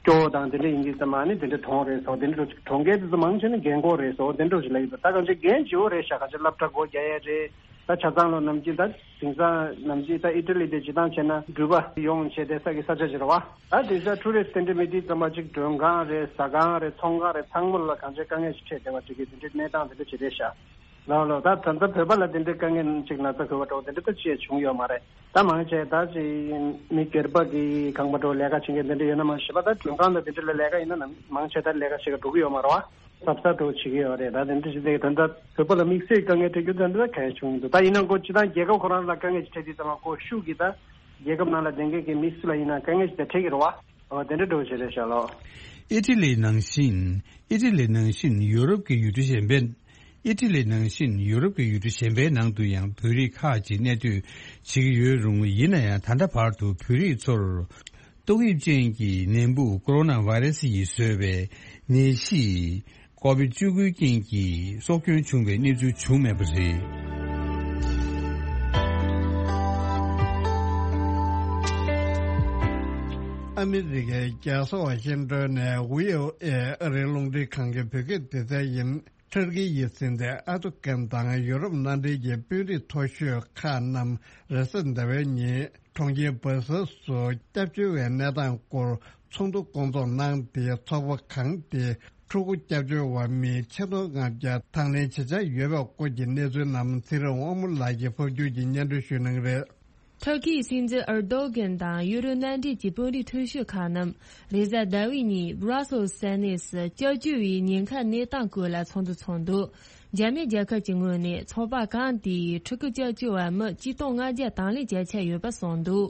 སྐྱོ་བོ་དང་དེ་འདྲ་ཡིན་དུས་ཙམ་པ་ཨ་ནི་དེ་འདྲ་གྲོངས་རེད་ཟེར། དེ་འདྲ་གྲོངས་མཁན་དེ་ཚོ་མང་ཆེ་ནི་རྒན་འཁོགས་རེད་ཟེར། དེ་འདྲ་ཞིག་ལབ་ཡོད། ད་གང་ཅི་འགན་ལྗིད་པོ་རེད་ཤག་གང་ཅི་སློབ་གྲྭ་སྒོ་རྒྱག་ཡས་རེད། ད་ཆ་ཚང་ལོ་ནམ་རྒྱུན་ད་དེང་སང་ནམ་རྒྱུན་ད་ཨི་ཊ་ལི་དེ་སྤྱིར་བཏང་བྱས་ན་འགྲུལ་པ་ཡོང་བྱས་བསྡད་ས་གི་ས་ཆ་ཞིག་རེད་བ། ད་དེང་སང་ཊུ་རི་སི་ཊི་དེ་འདྲ་མེད་དུས་ཙམ་པ་ཅིག་མགྲོན་ཁང་རེད། ཟ་ཁང་རེད། ཚོང་ཁང་རེད། ཚང་མ་ལ་གང་ཅི་དཀའ་ངལ་ཞིག་འཕྲད་བསྡད་པ་ཅིག་གི་དེ་འདྲའི་གནས་སྟངས་དེ་འདྲ་ཅིག་རེད་ཤག་ལགས། ལགས། ད་ད་ལྟ་བོད་པ་ལ་དེ་འདྲའི་དཀའ་ངལ་ཅིག་ན་ཚ་འགོས་པ་འདྲ་བོ་དེ་འདྲ་ད་ཅི་ཡང་བྱུང་ཡོད་མ་རེད། ད་མང་ཆེ་ད་ཅིག་མི་སྒེར་པ་གི་ཁང་པ་འདྲ་བོ་ལས་ཀ་བྱེད་མཁན་དེ་འདྲ་ཡོད་ན་མང་ཆེ་བ། ད་མགྲོན་ཁང་དང་དེ་འདྲ་ལ་ལས་ཀ་ཡིན་ན་མང་ཆེ་ད་ལས་ཀ་བྱེད་ག་འགྲོ་གི་ཡོད་མ་རེད་བ། གཟབ་གཟབ་འདྲ་བོ་བྱེད་ཀྱི་ཡོད་རེད། ད་དེ་འདྲ་བྱེད་དུས་ད་ལྟ་བོད་པ་ལ་དམིགས་བསལ་དཀའ་ངལ་འཕྲད་རྒྱུ་ད་ལྟ་གང་ཡང་བྱུང་མི་འདུག་ད་ཡིན་ན་ཁོ་སྤྱིར་བཏང་རྒྱལ་ཁབ་ཁོ་རང་ལ་དཀའ་ངལ་ཅིག་འཕྲད་དུས་ཙམ་པ་ཁོ་ཤུགས་ཀྱིས་ད་རྒྱལ་ཁབ་ནང་ལ་བསྡད་མཁན་གྱི་མི་སུ་ལ་ཡིན་ན་དཀའ་ངལ་ཅིག་ད་འཕྲད་ཀྱི་རེད་བ། འོ་དེ་འདྲ་འདྲ་བོ་ཞིག་རེད་ཤག་ལགས། ཨི་ཊ་ལི་ནང་བཞིན། ཨི་ཊ་ལི་ནང་བཞིན་ཡུ་རོབ་ཀྱི་ཡུལ་གྲུ་གཞན་པའི། ཨི་ཊ་ལི་ནང་བཞིན་ཡུ་རོབ་ཀྱི་ཡུལ་གྲུ་གཞན་པའི་ནང་དུ་ཡང་བོད་རིགས་ཁག་ཅིག་གནས་སྡོད་བྱེད་ཀྱི་ཡོད་རུང་། ཡིན་ན་ཡང་ད་ལྟ་བར་དུ་བོད་རིགས་ཚོར་ཏོག་དབྱིབས་ཅན་གྱི་ནད་འབུ་ཀོ་རོ་ན་བྷའི་རེ་སི་ཡིས་བཟོས་པའི་ནད་གཞི་ཀོ་བིད་བཅུ་དགུའི་རྐྱེན་གྱིས་སྲོག་སྐྱོན་བྱུང་བའི་གནས་ཚུལ་བྱུང་མེད་པ་རེད། ཨ་མི་རི་ཀའི་རྒྱལ་ས་ཝ་ཤིང་ཏོན་ནས་ཝི་ཨོ་ཨེ་ཨ་རིའི་རླུང་འཕྲིན་ཁང་གི་བོད་སྐད་སྡེ་ཚན་ཡིན། ཊར་ཀི་ཡི་སྲིད་འཛིན་ཨར་ཏོ་ཀན་དང་ཡུ་རོབ་མནའ་འབྲེལ་གྱི་དཔོན་རིགས་མཐོ་ཤོས་ཁག་རྣམས་རེས་གཟའ་ཟླ་བའི་ཉིན་གྲོང་ཁྱེར་སྦར་སེལ་སུ་སྐྱབས་བཅོལ་བའི་གནས་སྟངས་སྐོར་ཚོགས་འདུ་སྐོང་ཚོགས་གནང་སྟེ། ཚོགས་པ་གང་དེས་ཕྲུ་གུ་སྐྱབས་བཅོལ་བ་མི་ཆིག་སྟོང་ལྔ་བརྒྱ་དང་ལེན་བྱེད་འཆར་ཡོད་པའི་སྐོར་གྱི་གནས་ཚུལ་རྣམས་ཚེ་རིང་དབང་མོ་ལགས་ཀྱིས་ཕབ་སྒྱུར་གྱིས་སྙན་སྒྲོན་ཞུ་གནང་གི་རེད། ཐུར་ཁེའི་སྲིད་འཛིན་ཨར་དོ་གན་དང་ཡུ་རོབ་མནའ་འབྲེལ་གྱི་དཔོན་རིགས་མཐོ་ཤོས་ཁག་རྣམས་རེས་གཟའ་ཟླ་བའི་ཉིན་བྷ་ར་སེལ་ས་གནས་སུ་སྐྱབས་བཅོལ་བའི་ཉེན་ཁ་གནས་སྟངས་སྐོར་ལ་ཚོགས་འདུ་ཚོགས་འདུག་འཇར་མན་རྒྱལ་ཁབ་ཀྱི་ངོས་ནས་ཚོགས་པ་གང་དེས་ཕྲུ་གུ་སྐྱབས་བཅོལ་བ་མི་གཅིག་སྟོང་ལྔ་བརྒྱ་དང་ལེན་བྱ་འཆར་ཡོད་པ་གསུངས་འདུག་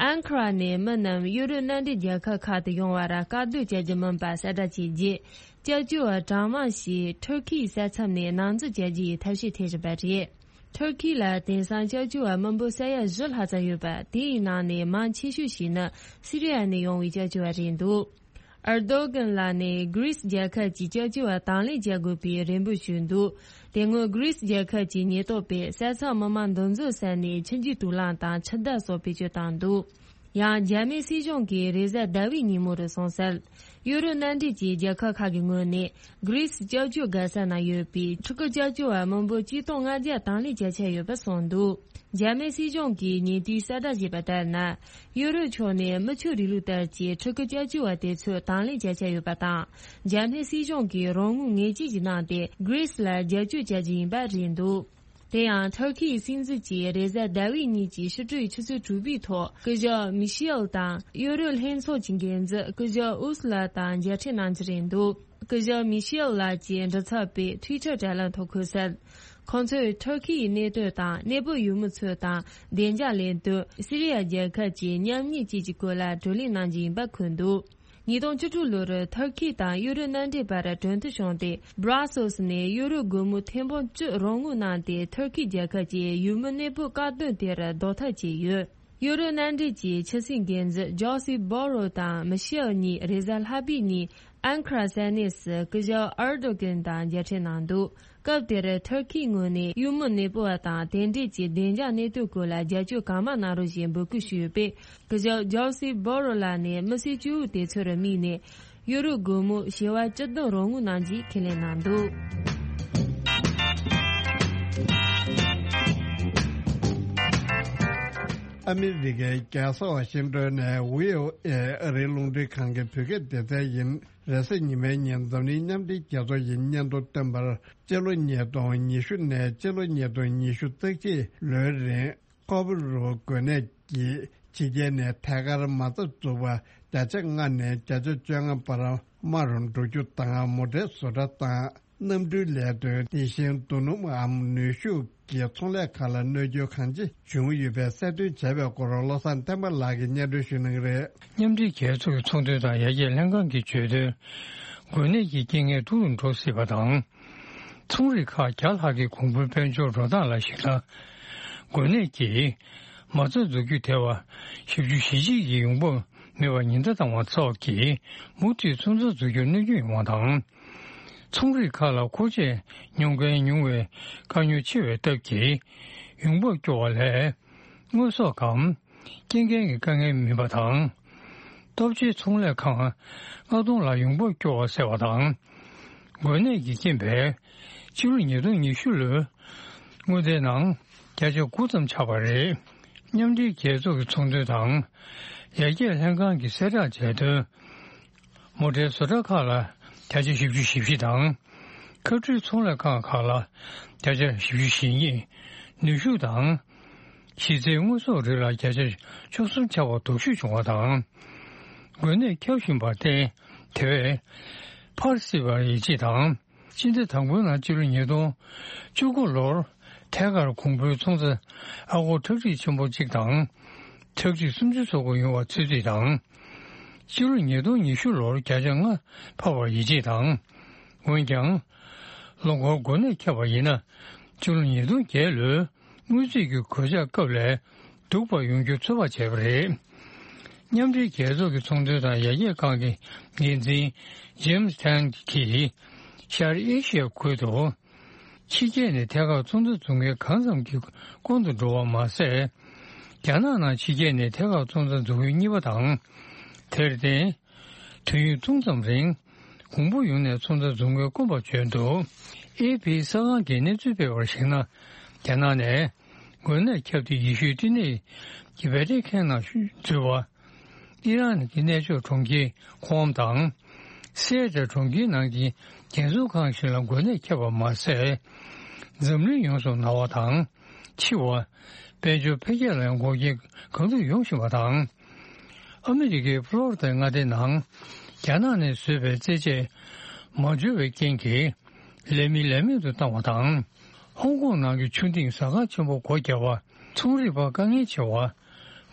ཨན་ཁ་ར་ནས་མི་རྣམས་ཡུ་རོབ་མནའ་འབྲེལ་རྒྱལ་ཁབ་ཁག་ཏུ་ཡོང་བར་བཀག་སྡོམ་བྱ་རྒྱུ་མིན་པ་གསལ་བསྒྲགས་བྱས་རྗེས། སྐྱབས་བཅོལ་བ་གྲངས་མང་ཞིག་ཐུར་ཁེའི་ས་མཚམས་ནས་ནང་འཛུལ་བྱ་རྒྱུ་ཡི་ཐབས་ཤེས་འཐེན་བཞིན་པ་རེད། ཐུར་ཁེ་ལ་དེང་སང་སྐྱབས་བཅོལ་བ་མི་འབོར་ས་ཡ་བཞི་ལྷག་ཙམ་ཡོད་པ། དེའི་ནང་ནས་མང་ཆེ་ཤོས་ཤིག་ནི་སི་རི་ཡ་ནས་ཡོང་བའི་སྐྱབས་བཅོལ་བ་རེད་འདུག་ཨར་དོ་གན་ལགས་ནས་གྷི་རིས་རྒྱལ་ཁབ་ཀྱི་སྐྱབས་བཅོལ་བ་དང་ལེན་བྱ་དགོས་པའི་རེ་འབོད་ཞུས་འདུག་དེ་སྔོན་གྷི་རིས་རྒྱལ་ཁབ་ཀྱི་ཉེན་རྟོག་པས་ས་མཚམས་མི་མང་འདུ་འཛོམས་ས་ནས་ཆུ་འགྱུར་དུག་རླངས་དང་ཆུ་རྡུལ་སོགས་བེད་སྤྱོད་བཏང་འདུག་ཡང་འཇར་མན་སྲིད་གཞུང་གིས་རེས་གཟའ་ཟླ་བའི་ཉིན་མོ་རུ་སོང་གསལ། ཡུ་རོབ་མནའ་འབྲེལ་གྱི་རྒྱལ་ཁབ་ཁག་གི་ངོས་ནས་གྷི་རིས་སྐྱབས་བཅོལ་དགའ་ས་ན་ཡོད་པའི་ཕྲུ་གུ་སྐྱབས་བཅོལ་བ་མི་འབོར་གཅིག་སྟོང་ལྔ་བརྒྱ་དང་ལེན་བྱ་འཆར་ཡོད་པ་གསུངས་འདུག་འཇར་མན་སྲིད་གཞུང་གིས་ཉེ་དུས་གསལ་བསྒྲགས་བྱས་པ་ལྟར་ན། ཡུ་རོབ་ཕྱོགས་ནས་མི་ཆོས་རིང་ལུགས་ལྟར་གྱི་ཕྲུ་གུ་སྐྱབས་བཅོལ་བ་དེ་ཚོ་དང་ལེན་བྱ་འཆར་ཡོད་པ་དང་། འཇར་མན་སྲིད་གཞུང་གིས་རོགས་དངུལ་ངེས་ཅན་ཞིག་གནང་སྟེ་གྷི་རིས་ལ་རྒྱབ་སྐྱོར་བྱ་རྒྱུ་ཡིན་པ་རེད་འདུག་དེ་ཡང་ཐུར་ཁེའི་སྲིད་འཛིན་གྱིས་རེས་གཟའ་ཟླ་བའི་ཉིན་གྱི་ཕྱི་དྲོའི་ཆུ་ཚོད་དྲུག་པའི་ཐོག་སྐུ་ཞབས་མི་ཤེལ་དང་ཡུ་རོབ་ལྷན་ཚོགས་ཀྱི་འགན་འཛིན་སྐུ་ཞབས་ཨུ་སུ་ལ་དང་མཇལ་འཕྲད་གནང་རྒྱུ་རེད་འདུག་སྐུ་ཞབས་མི་ཤེལ་ལགས་ཀྱིས་མགྲིན་ཚབ་པའི་ཊུའི་ཊར་དྲ་ལམ་ཐོག་འཁོད་གསལ། ཁོང་ཚོས་ཐུར་ཁེའི་གནད་དོན་དང་གནས་སྤོ་ཡུལ་མི་ཚོ་དང་བདེ་འཇགས་ལས་དོན། སི་རི་ཡ་རྒྱལ་ཁབ་ཀྱི་མཉམ་ཉིད་བཅས་ཀྱི་སྐོར་ལ་བགྲོ་གླེང་གནང་རྒྱུ་ཡིན་པ་འཁོད་འདུག་ཉིས་སྟོང་བཅུ་དྲུག་ལོར་ཐུར་ཁེ་དང་ཡུ་རོབ་མནའ་འབྲེལ་བར་གྲོས་མཐུན་བྱུང་སྟེ། སྦྲ་སེལ་སི་ནས་ཡུ་རོབ་སྒོར་མོ་ཐེར་འབུམ་བཅུ་རོགས་དངུལ་གནང་སྟེ། ཐུར་ཁེ་རྒྱལ་ཁབ་ཀྱིས་ཡུལ་མི་གནས་སྤོ་བཀག་སྡོམ་དེར་ཟློག་ཐབས་བྱས་ཡོད། ཡུ་རོབ་མནའ་འབྲེལ་གྱི་ཕྱི་སྲིད་འགན་འཛིན་ཇོ་སེ་བྷོ་རོ་དང་མི་ཤེལ་གཉིས་རེས་གཟའ་ལྷག་པའི་ཉིན་ཨན་ཁ་ར་ས་གནས་སུ་སྐུ་ཞབས་ཨར་དོ་གན་དང་མཇལ་འཕྲད་གནང་འདུག་སྐབས་དེར་ཐུར་ཁེའི་ངོས་ནས་ཡུལ་མི་གནས་སྤོ་བ་དང་དེ་འབྲེལ་གྱི་བདེ་འཇགས་གནད་དོན་སྐོར་ལ་རྒྱབ་སྐྱོར་གང་མང་གནང་རོགས་ཞེས་འབོད་སྐུལ་ཞུས་ཡོད་པས། སྐུ་ཞབས་ཇོ་སེ་བྷོ་རོ་ལགས་ནས་མི་སེར་བཅུ་དྲུག་དེ་ཚོར་དམིགས་ནས་ཡུ་རོ་སྒོར་མོ་བྱེ་བ་བཅུ་བདུན་རོགས་དངུལ་གནང་རྒྱུའི་ཁས་ལེན་གནང་འདུག་ཨ་མི་རི་ཀའི་རྒྱལ་ས་ཝ་ཤིང་ཏོན་ནས་བྷི་ཨོ་ཨེ་ཨ་རིའི་རླུང་འཕྲིན་ཁང་གི་བོད་སྐད་སྡེ་ཚན་ཡིན། རེས་གཟའ་ཉི་མའི་ཉིན་འཛམ་གླིང་མཉམ་འབྲེལ་རྒྱལ་ཚོགས་ཀྱིས་སྙན་ཐོ་བཏོན་པར། སྤྱི་ལོ་ཉིས་སྟོང་ཉི་ཤུ་ནས་སྤྱི་ལོ་ཉིས་སྟོང་ཉི་ཤུ་རྩ་གཅིག་ལོའི་རིང་ཁོ་པ་རུ་འགོས་ནད་ཀྱིས་ཕྱི་རྒྱལ་ནས་ཐད་ཀར་མ་རྩ་འཛུགས་པ་བརྒྱ་ཆ་ལྔ་ནས་བརྒྱ་ཆ་བཅོ་ལྔ་བར་དམའ་རུ་འགྲོ་རྒྱུ་དང་། མོ་ཊའི་བཟོ་གྲྭ་དང་། གནམ་གྲུའི་ལས་དོན། དེ་བཞིན་རྡོ་སྣུམ་འམ་ནུས་ཤུགས་ཀྱི་ཚོང་ལས་ཁག་ལ་གནོད་སྐྱོན་གང་ཆེ་བྱུང་ཡོད་པའི་གསལ་སྟོན་བྱས་པའི་སྐོར་བློ་བཟང་བསྟན་པ་ལགས་ཀྱིས་སྙན་སྒྲོན་ཞུ་གནང་གི་རེད། མཉམ་འབྲེལ་རྒྱལ་ཚོགས་ཀྱི་ཚོང་དོན་དང་ཡར་རྒྱས་ལྷན་ཁང་གིས་བརྗོད་དོན། འགོས་ནད་ཀྱི་རྐྱེན་ངན་སྡུག་རུ་འགྲོ་སྲིད་པ་དང་། ཚོང་རིགས་ཁག་བརྒྱ་ལྷག་གི་གོང་བུའི་དཔལ་འབྱོར་འགྲོ་སྟངས་ལ་གཞིགས་ན། འགོས་ནད་ཀྱིས་མ་རྩ་འཛུགས་རྒྱུ་དེ་བ་བཞི་བཅུ་ཞེ་གཅིག་གི་ཡོང་འབབ་མེད་པར་ཉེན་བརྡ་བཏང་བ་སོགས་ཀྱིས་མུ་མཐུད་ཚོང་རྩ་འཛུགས་རྒྱུར་གནོད་སྐྱོན་ཡོང་བ་དང་། ཚོང་རིགས་ཁག་ལ་མཁོ་ཆས་ཉོ་མཁན་ཉུང་བའི་དཀའ་རྙོག་ཆེ་བའི་སྟབས་ཀྱིས་ཡོང་འབབ་སྐྱོ་བ་ལས། དངོས་ཟོག་གམ་སྐྱེལ་མཁན་གྱི་དཀའ་ངལ་མིན་པ་དང་། སྟོབས་ཆེའི་ཚོང་ལས་ཁང་ལྔ་སྟོང་ལ་ཡོང་འབབ་སྐྱོ་བ་སེལ་བ་དང་། འགོས་ནད་ཀྱི་རྐྱེན་པས་ཕྱི་ལོ་ཉིས་སྟོང་ཉི་ཤུ་ལོའི་དངུལ་རྩའི་ནང་བརྒྱ་ཆ་དགུ་ཙམ་ཆག་པ་རེད། མཉམ་འབྲེལ་རྒྱལ་ཚོགས་ཀྱི་ཚོང་དོན་དང་ཡར་རྒྱས་ལྷན་ཁང་གིས་གསལ་བསྒྲགས་བྱས་དོན། མོ་ཊའི་བཟོ་གྲྭ་ཁག་ལ་བརྒྱ་ཆ་བཞི་བཅུ་ཞེ་བཞི་དང་། ཁ་འཕྲུལ་ཚོང་ལས་ཁང་ཁག་ལ་བརྒྱ་ཆ་བཞི་བཅུ་ཞེ་གཉིས། ནུས་ཤུགས་དང་གཞི་རྩའི་དངོས་ཟོག་རིགས་ལ་བརྒྱ་ཆ་བཅུ་གསུམ་ཆག་པ་སྡུག་ཤོས་བྱུང་བ་དང་། འགོས་ནད་ཁྱབ་བཞིན་པར་བརྟེན་དེ་བས་འཕར་སྲིད་པར་ཡིད་ཆེས་དང་། སྤྱི་ཟླ་དང་པོའི་ནང་ཕྱི་ལོ་ཉིས་སྟོང་བཅུ་དགུ་ལོར་ཐད་ཀར་གོང་བུའི་ཚོང་རྩ་ཨ་སྒོར་ཁྲག་ཁྲིག་ཆེན་པོ་གཅིག་དང་། ཁྲག་ཁྲིག་སུམ་ཅུ་སོ་དགུ་ཡོང་བ་ཚོད་རྩིས་དང་། ཕྱི་ལོ་ཉིས་སྟོང་ཉི་ཤུ་ལོར་བརྒྱ་ཆ་ལྔ་འཕར་བར་ཡིད་ཆེས་དང་། འོན་ཀྱང་། ལོ་འཁོར་འགོས་ནད་ཁྱབ་པ་ཡིན་ན། ཕྱི་ལོ་ཉིས་སྟོང་བརྒྱད་ལོའི་དངུལ་རྩིས་ཀྱི་གོད་ཆག་སྐབས་ལས་སྡུག་པ་ཡོང་རྒྱུ་ཚོད་དཔག་བྱས་པ་རེད། མཉམ་འབྲེལ་རྒྱལ་ཚོགས་ཀྱི་ཚོང་དོན་དང་ཡར་རྒྱས་ཁང་གི་འགན་འཛིན་ཇེམ་སི་ཐན་གྱིས་ཤར་ཨེ་ཤི་ཡ་ཁུལ་དུ། ཕྱི་རྒྱལ་ནས་ཐད་ཀར་ཚོང་རྩ་འཛུགས་མཁན་གང་ཙམ་གྱི་སྐོང་དུ་འགྲོ་བ་མ་ཟད། རྒྱ་ནག་ནང་ཕྱི་རྒྱལ་ནས་ཐད་ཀར་ཚོང་རྩ་འཛུགས་མཁན་གཉིས་པ་དང་། དེར་བརྟེན། དུས་ཡུན་ཐུང་ཙམ་རིང་། གོང་བུ་ཡོང་ནས་ཚོང་རྩ་འཛུགས་མཁན་དཀོན་པ་བྱོན་འདུག་ཨེ་ཕི་གསར་ཁང་གིས་གནས་ཚུལ་སྤེལ་བར་གཞིགས་ན། རྒྱ་ནག་ནས་འགོས་ནད་ཁྱབ་སྟེ་ཡེ་ཤུའི་བསྟི་གནས་ཀྱི་བྷེ་ཏི་ཁན་ནང་འཛུལ་བ། ཨི་རན་གྱི་གནས་མཆོག་གྲོང་ཁྱེར་ཁོམ་དང་། སེ་ཨེ་ཏྲ་གྲོང་ཁྱེར་ནང་གི་རྒྱལ་སྲུང་ཁང་ཞིག་ལ་འགོས་ནད་ཁྱབ་པ་མ་ཟད། འཛམ་གླིང་ཡོངས་སུ་ན་བ་དང་། འཆི་བ། དཔལ་འབྱོར་འཕེལ་རྒྱས་ལ་ཡང་འགོག་རྐྱེན་གང་ཐུབ་ཡོང་བཞིན་པ་དང་། ཨ་མི་རི་ཀའི་ཕློ་རི་དའི་མངའ་སྡེའི་ནང་རྒྱ་ནག་ནས་བཟོས་པའི་རྩེད་ཆས་མ་འབྱོར་བའི་རྐྱེན་གྱིས། ལས་མི་ལས་མེད་དུ་བཏང་བ་དང་། ཧོང་ཀོང་ནང་གི་ཆུ་ལྡིང་ཟ་ཁང་ཆེན་པོ་སྒོ་བརྒྱབ་པ། ཚོང་རིག་པ་དཀའ་ངལ་ཆེ་བ།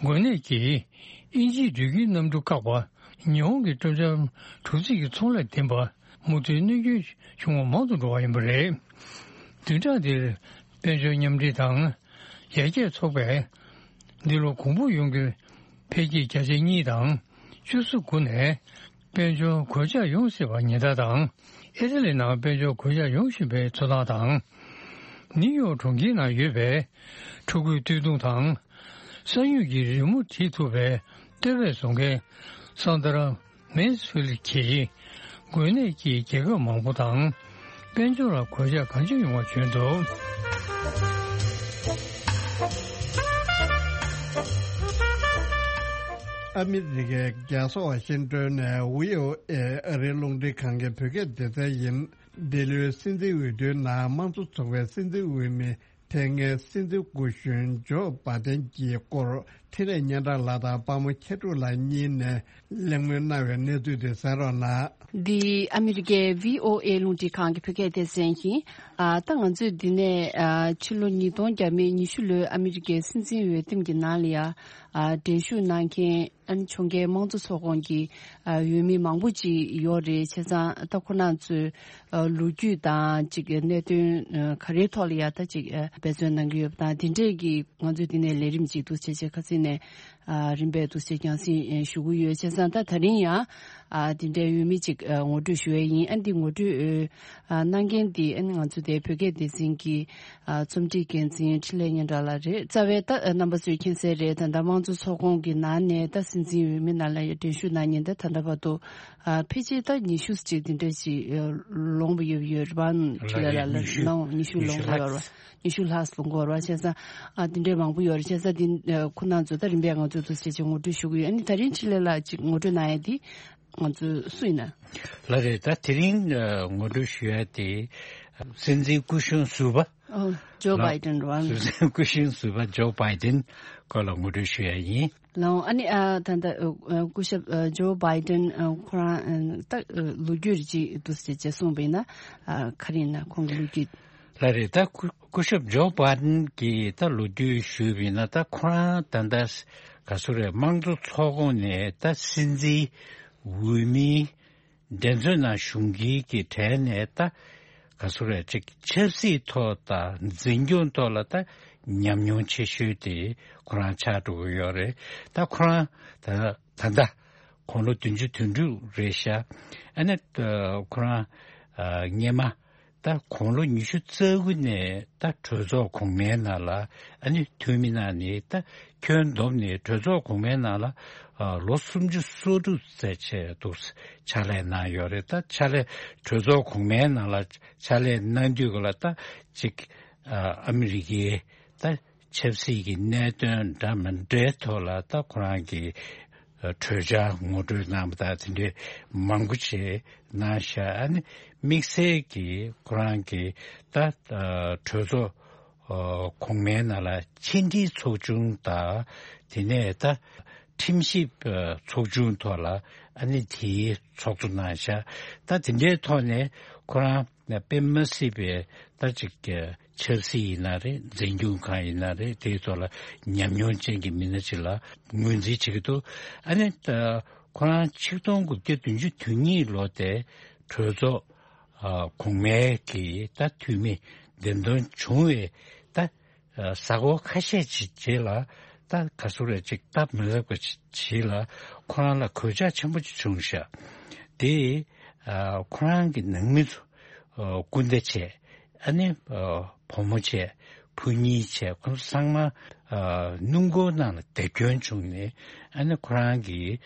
འགོས་ནད་ཀྱིས་དབྱིན་ཇིའི་འགྲུལ་སྐྱེལ་གནམ་གྲུ་བཀག་པ། ཉི་ཧོང་གི་སྤྲོ་འཆམ་གྲུ་གཟིངས་ཀྱི་ཚོང་ལས་བདེན་པ། མུ་མཐུད་གནོད་སྐྱོན་བྱུང་བ་མང་དུ་འགྲོ་བ་ཡིན་པ་རེད། བདུན་ཕྲག་འདིར་དཔལ་འབྱོར་མཉམ་འབྲེལ་དང་ཡར་རྒྱས་ཚོགས་པས། འདི་ལོ་གོང་བུ་ཡོང་རྒྱུའི་འཕེལ་རྒྱས་བརྒྱ་ཆ་གཉིས་དང་བཅུ་གསུམ་དགུ་ནས། དཔལ་འབྱོར་གོད་ཆག་ཡོང་སྲིད་པར་ཉེན་བརྡ་དང་། ཨི་ཊ་ལི་ནང་དཔལ་འབྱོར་གོད་ཆག་ཡོང་བཞིན་པའི་འཚོ་སྟངས་དང་། ནིའུ་ཡོག་གྲོང་ཁྱེར་ནང་ཡོད་པའི་ཕྲུ་གུའི་སྟོད་ཐུང་དང་། ས་ཡོམ་གྱི་རི་མོ་བྲིས་ཐུབ་པའི་ལྟེ་བས་བཟོ་མཁན་སན་དར་མེན་སི་ཕིལ་གྱིས། འགོས་ནད་ཀྱིས་རྒྱལ་ཁབ་མང་པོ་དང་། དཔལ་འབྱོར་ལ་གོད་ཆག་གང་ཅི་ཡོང་བ་བྱོན་འདུག་ཨ་མི་རི་ཀའི་རྒྱལ་ས་ཝ་ཤིང་ཏོན་ནས་བྷི་ཨོ་ཨེ་ཨ་རིའི་རླུང་འཕྲིན་ཁང་གི་བོད་སྐད་སྡེ་ཚན་ཡིན། འདི་ལོའི་སྲིད་འཛིན་འོས་བསྡུའི་ནང་དམངས་གཙོ་ཚོགས་པའི་སྲིད་འཛིན་འོས་མི་དེ་སྔའི་སྲིད་འཛིན་སྐུ་གཞོན་ཇོ་བྷ་དན་གྱི་སྐོར་འཕྲིན་ལས་སྙན་གྲགས་ལགས་དང་དཔའ་མོ་མཁས་གྲུབ་ལགས་གཉིས་ནས་གླེང་མོལ་གནང་བའི་གནས་ཚུལ་དེ་གསན་རོགས་གནང་། འདི་ཨ་མི་རི་ཀའི་བྷི་ཨོ་ཨེ་རླུང་འཕྲིན་ཁང་གི་བོད་སྐད་སྡེ་ཚན་ཡིན། ཨ། ད་ང་ཚོས་འདི་ནས། ཨ། ཕྱི་ལོ་ཉིས་སྟོང་བརྒྱ་མེད་ཉི་ཤུ་ལོའི་ཨ་མི་རི་ཀའི་སྲིད་འཛིན་འོས་འདེམས་ཀྱི་ནང་ལ་ཡ། ཨ། འགྲན་ཞུགས་གནང་མཁན། ཨ་ནི་ཕྱོགས་འགལ་དམངས་གཙོ་ཚོགས་ཁོངས་ཀྱི། ཨ། འོས་མི་མང་པོ་ཅིག་ཡོད་རེད། བྱས་ཙང་ད་ཁོ་རང་ཚོའི། ཨ། ལོ་རྒྱུས་དང་ཅིག་གནད་དོན། ཨ། ག་རེའི་ཐོག་ལ་ཡ་ད་ཅིག་ཨ། འབད་བརྩོན་གནང་གི་ཡོད་པ་དང་། དེ་འདྲས་ཀྱི་ང་ཚོས་འདི་ནས་ལས་རིམ་ཅིག་འདུག་བྱས་བྱས་ཁ་སང་ནས། ཨ་རིམ་པས་འདུག་སེ་རྒྱང་སྲིང་ཨེ་ཞུ་གི་ཡོད། བྱས་ཙང་ད་ད་རིང་ཡང་ཨ་དེ་འདྲའི་འོས་མི་ཅིག་ཨ་ངོ་སྤྲོད་ཞུ་ཡས་ཡིན། ཨ་འདི་ངོ་སྤྲོད་ཨ་གནང་མཁན་འདི་ཨ་ནི་ང་ཚོ་དེ་བོད་སྐད་སྡེ་ཚན་གྱི་ཨ་རྩོམ་སྒྲིག་འགན་འཛིན་འཕྲིན་ལས་སྙན་གྲགས་ལགས་རེད། རྩ་བའི་ད་ཨ་རྣམ་པ་ཚོས་མཁྱེན་གསལ་རེད། ད་ལྟ་དམངས་གཙོ་ཚོགས་ཁོངས་ཀྱི་ནང་ནས་ད་སྲིད་འཛིན་འོས་མི་ནང་ལ་ཡང་འགྲན་ཞུགས་གནང་མཁན་ད་ད་ལྟ་བར་དུ་ཨ་ཕལ་ཆེར་ད་ཉི་ཤུ་ཅིག་འདི་འདྲ་ཅིག་ཨ་ལོངས་པ་ཡོད་ཡོད་རེད་པ། འཕྲིན་ལས་ལགས་ལ་ཉི་ཤུ་ནང་ཉི་ཤུ་ཉི་ཤུ་ལོངས་པ་ཡོད་རེད་པ། ལྷག་ཉི་ཤུ་ལྷག་ཙམ་འགོར་བ་བྱས་ཙང་། ཨ་དེ་འདྲའི་མང་པོ་ཡོད་རེད། བྱས་ཙང་དེ་ཨ་ཁོ་རང་ཚོ་ད་རིམ་པས་ང་ཚོ་འདུག་སེ་ཅིག་ངོ་སྤྲོད་ཞུ་གི་ཡོད། ཨ་ནི་ད་རིང་འཕྲིན་ལས་ལགས་ཅིག་ངོ་སྤྲོད་གནང་ཡས་དེ་ང་ཚོ་སུ་ཡིན་ན། ལགས་རེད། ད་དེ་རིང་ཨ་ངོ་སྤྲོད་ཞུ་ཡས་དེ་སྲིད་འཛིན་སྐུ་གཞོན་ཟུར་པ། ཨོ་ཇོ་ལགས། བྷའི་ཌེན་རེད་པ། སྲིད་འཛིན་སྐུ་གཞོན་ཟུར་པ་ཇོ་བྷའི་ཌེན་སྐོར་ལ་ངོ་སྤྲོད་ཞུ་ཡས་ཡིན། ལགས། ཨ་ནི་ཨ་ད་ལྟ་ཨ་སྐུ་ཞབས་ཨ་ཇོ་བྷའི་ཌེན་ཨ་ཁོ་རང་ཨ་ད་ཨ་ལོ་རྒྱུས་ཅིག་འདུག་སེ་ཅིག་གསུངས་པ་ཡིན་ན་ཨ་ག་རེ་ཡིན་ན་ཁོང་གི་ལོ་རྒྱུས། ལགས་རེད། ད་སྐུ་སྐུ་ཞབས་ཇོ་བྷའི་ཌེན་གྱི་ད་ལོ་རྒྱུས་ཞུས་པ་ཡིན་ན། ད་ཁོ་རང་ད་ལྟ་ག་ཚོད་རེད། དམངས་གཙོ་ཚོགས་ཁོངས་ནས་ད་སྲིད་འཛིན་འོས་མིའི་འགྲན་རྩོད་ནང་ཞུགས་མཁན་གྱི་གྲས་ནས་ད་ག་ཚོད་རེད། ཅིག་ཆབ་སྲིད་ཐོག་དང་འཛིན་སྐྱོང་ཐོག་ལ་ད་ཉམས་མྱོང་ཆེ་ཤོས་དེ་ཁོ་རང་ཆགས་འགྲོ་གི་ཡོད་རེད། ད་ཁོ་རང་ད་ད་ལྟ་དགུང་ལོ་བདུན་ཅུ་དོན་དྲུག་རེད་ཤག་ཨ་ནི་ཁོ་རང་སྔས་མ་ད་དགུང་ལོ་ཉི་ཤུ་རྩ་དགུ་ནས་ད་གྲོས་ཚོགས་གོང་མའི་ནང་ལ་ཨ་ནི་འཐུས་མི་གནང་ནས། ད་ཁྱོན་བསྡོམས་ནས་གྲོས་ཚོགས་གོང་མའི་ནང་ལ་ལོ་སུམ་ཅུ་སོ་དྲུག་ཙམ་བྱས་འདུག་ཕྱག་ལས་གནང་ཡོད་རེད། ད་ཕྱག་ལས་གྲོས་ཚོགས་གོང་མའི་ནང་ལ་ཕྱག་ལས་གནང་དུས་ག་ལ་ད་ཅིག་ཨ་མི་རི་ཀའི་ད་ཆབ་སྲིད་ཀྱི་གནད་དོན་འདྲ་མི་འདྲའི་ཐོག་ལ་ད་ཁོ་རང་གིས་གྲོས་འཆར་ངོ་སྤྲོད་གནང་པ་དང་དེ་འདྲའི་མང་པོ་བྱས་གནང་ཤག་ཨ་ནི་དམིགས་བསལ་གྱིས་ཁོ་རང་གིས་ད་གྲོས་ཚོགས་གོང་མའི་ནང་ལ་ཕྱི་འབྲེལ་ཚོགས་ཆུང་དང་། དེ་ནས་ད་ཁྲིམས་ཞིབ་ཚོགས་ཆུང་ཐོག་ལ་ཨ་ནི་དེའི་ཚོགས་གཙོ་གནང་ཤག་ད་དེ་འདྲའི་ཐོག་ནས་ཁོ་རང་དཔེ་མ་སྲིད་པའི་ད་ཅིག་ཆབ་སྲིད་ཡིན་ན་རེད། འཛིན་སྐྱོང་ཁང་ཡིན་ན་རེད། དེའི་ཐོག་ལ་ཉམས་མྱོང་ཅན་གྱི་མི་སྣ་ཅིག་ལ་ངོས་འཛིན་བྱེད་ཀྱི་འདུག་ཨ་ནི་ད་ཁོ་རང་ཆིག་སྟོང་དགུ་བརྒྱ་བདུན་ཅུ་དོན་གཉིས་ལོ་དེ་གྲོས་ཚོགས་གོང་མའི་གི་ད་འཐུས་མི་འདེམས་ཐོན་བྱུང་བའི་ད་གཟའ་འཁོར་ཁ་ཤས་ཅིག་རྗེས་ལ། ད་ག་ཚོད་རེད། ཅིག་སྟབས་མི་ལེགས་པ་ཅིག་རྗེས་ལ་ཁོ་རང་ལ་གོད་ཆག་ཆེན་པོ་ཅིག་བྱུང་ཤག་དེ་ཁོ་རང་གི་ནང་མི་ཚོ་སྐུ་ཟླ་བྱས། ཨ་ནི་བུ་མོ་བྱས། བུ་གཉིས་བྱས། ཁོ་ཚོ་ཚང་མ་སྣུམ་འཁོར་ནང་ལ་བརྡབ་སྐྱོན་བྱུང་ནས། ཨ་ནི་ཁོ་རང་གི་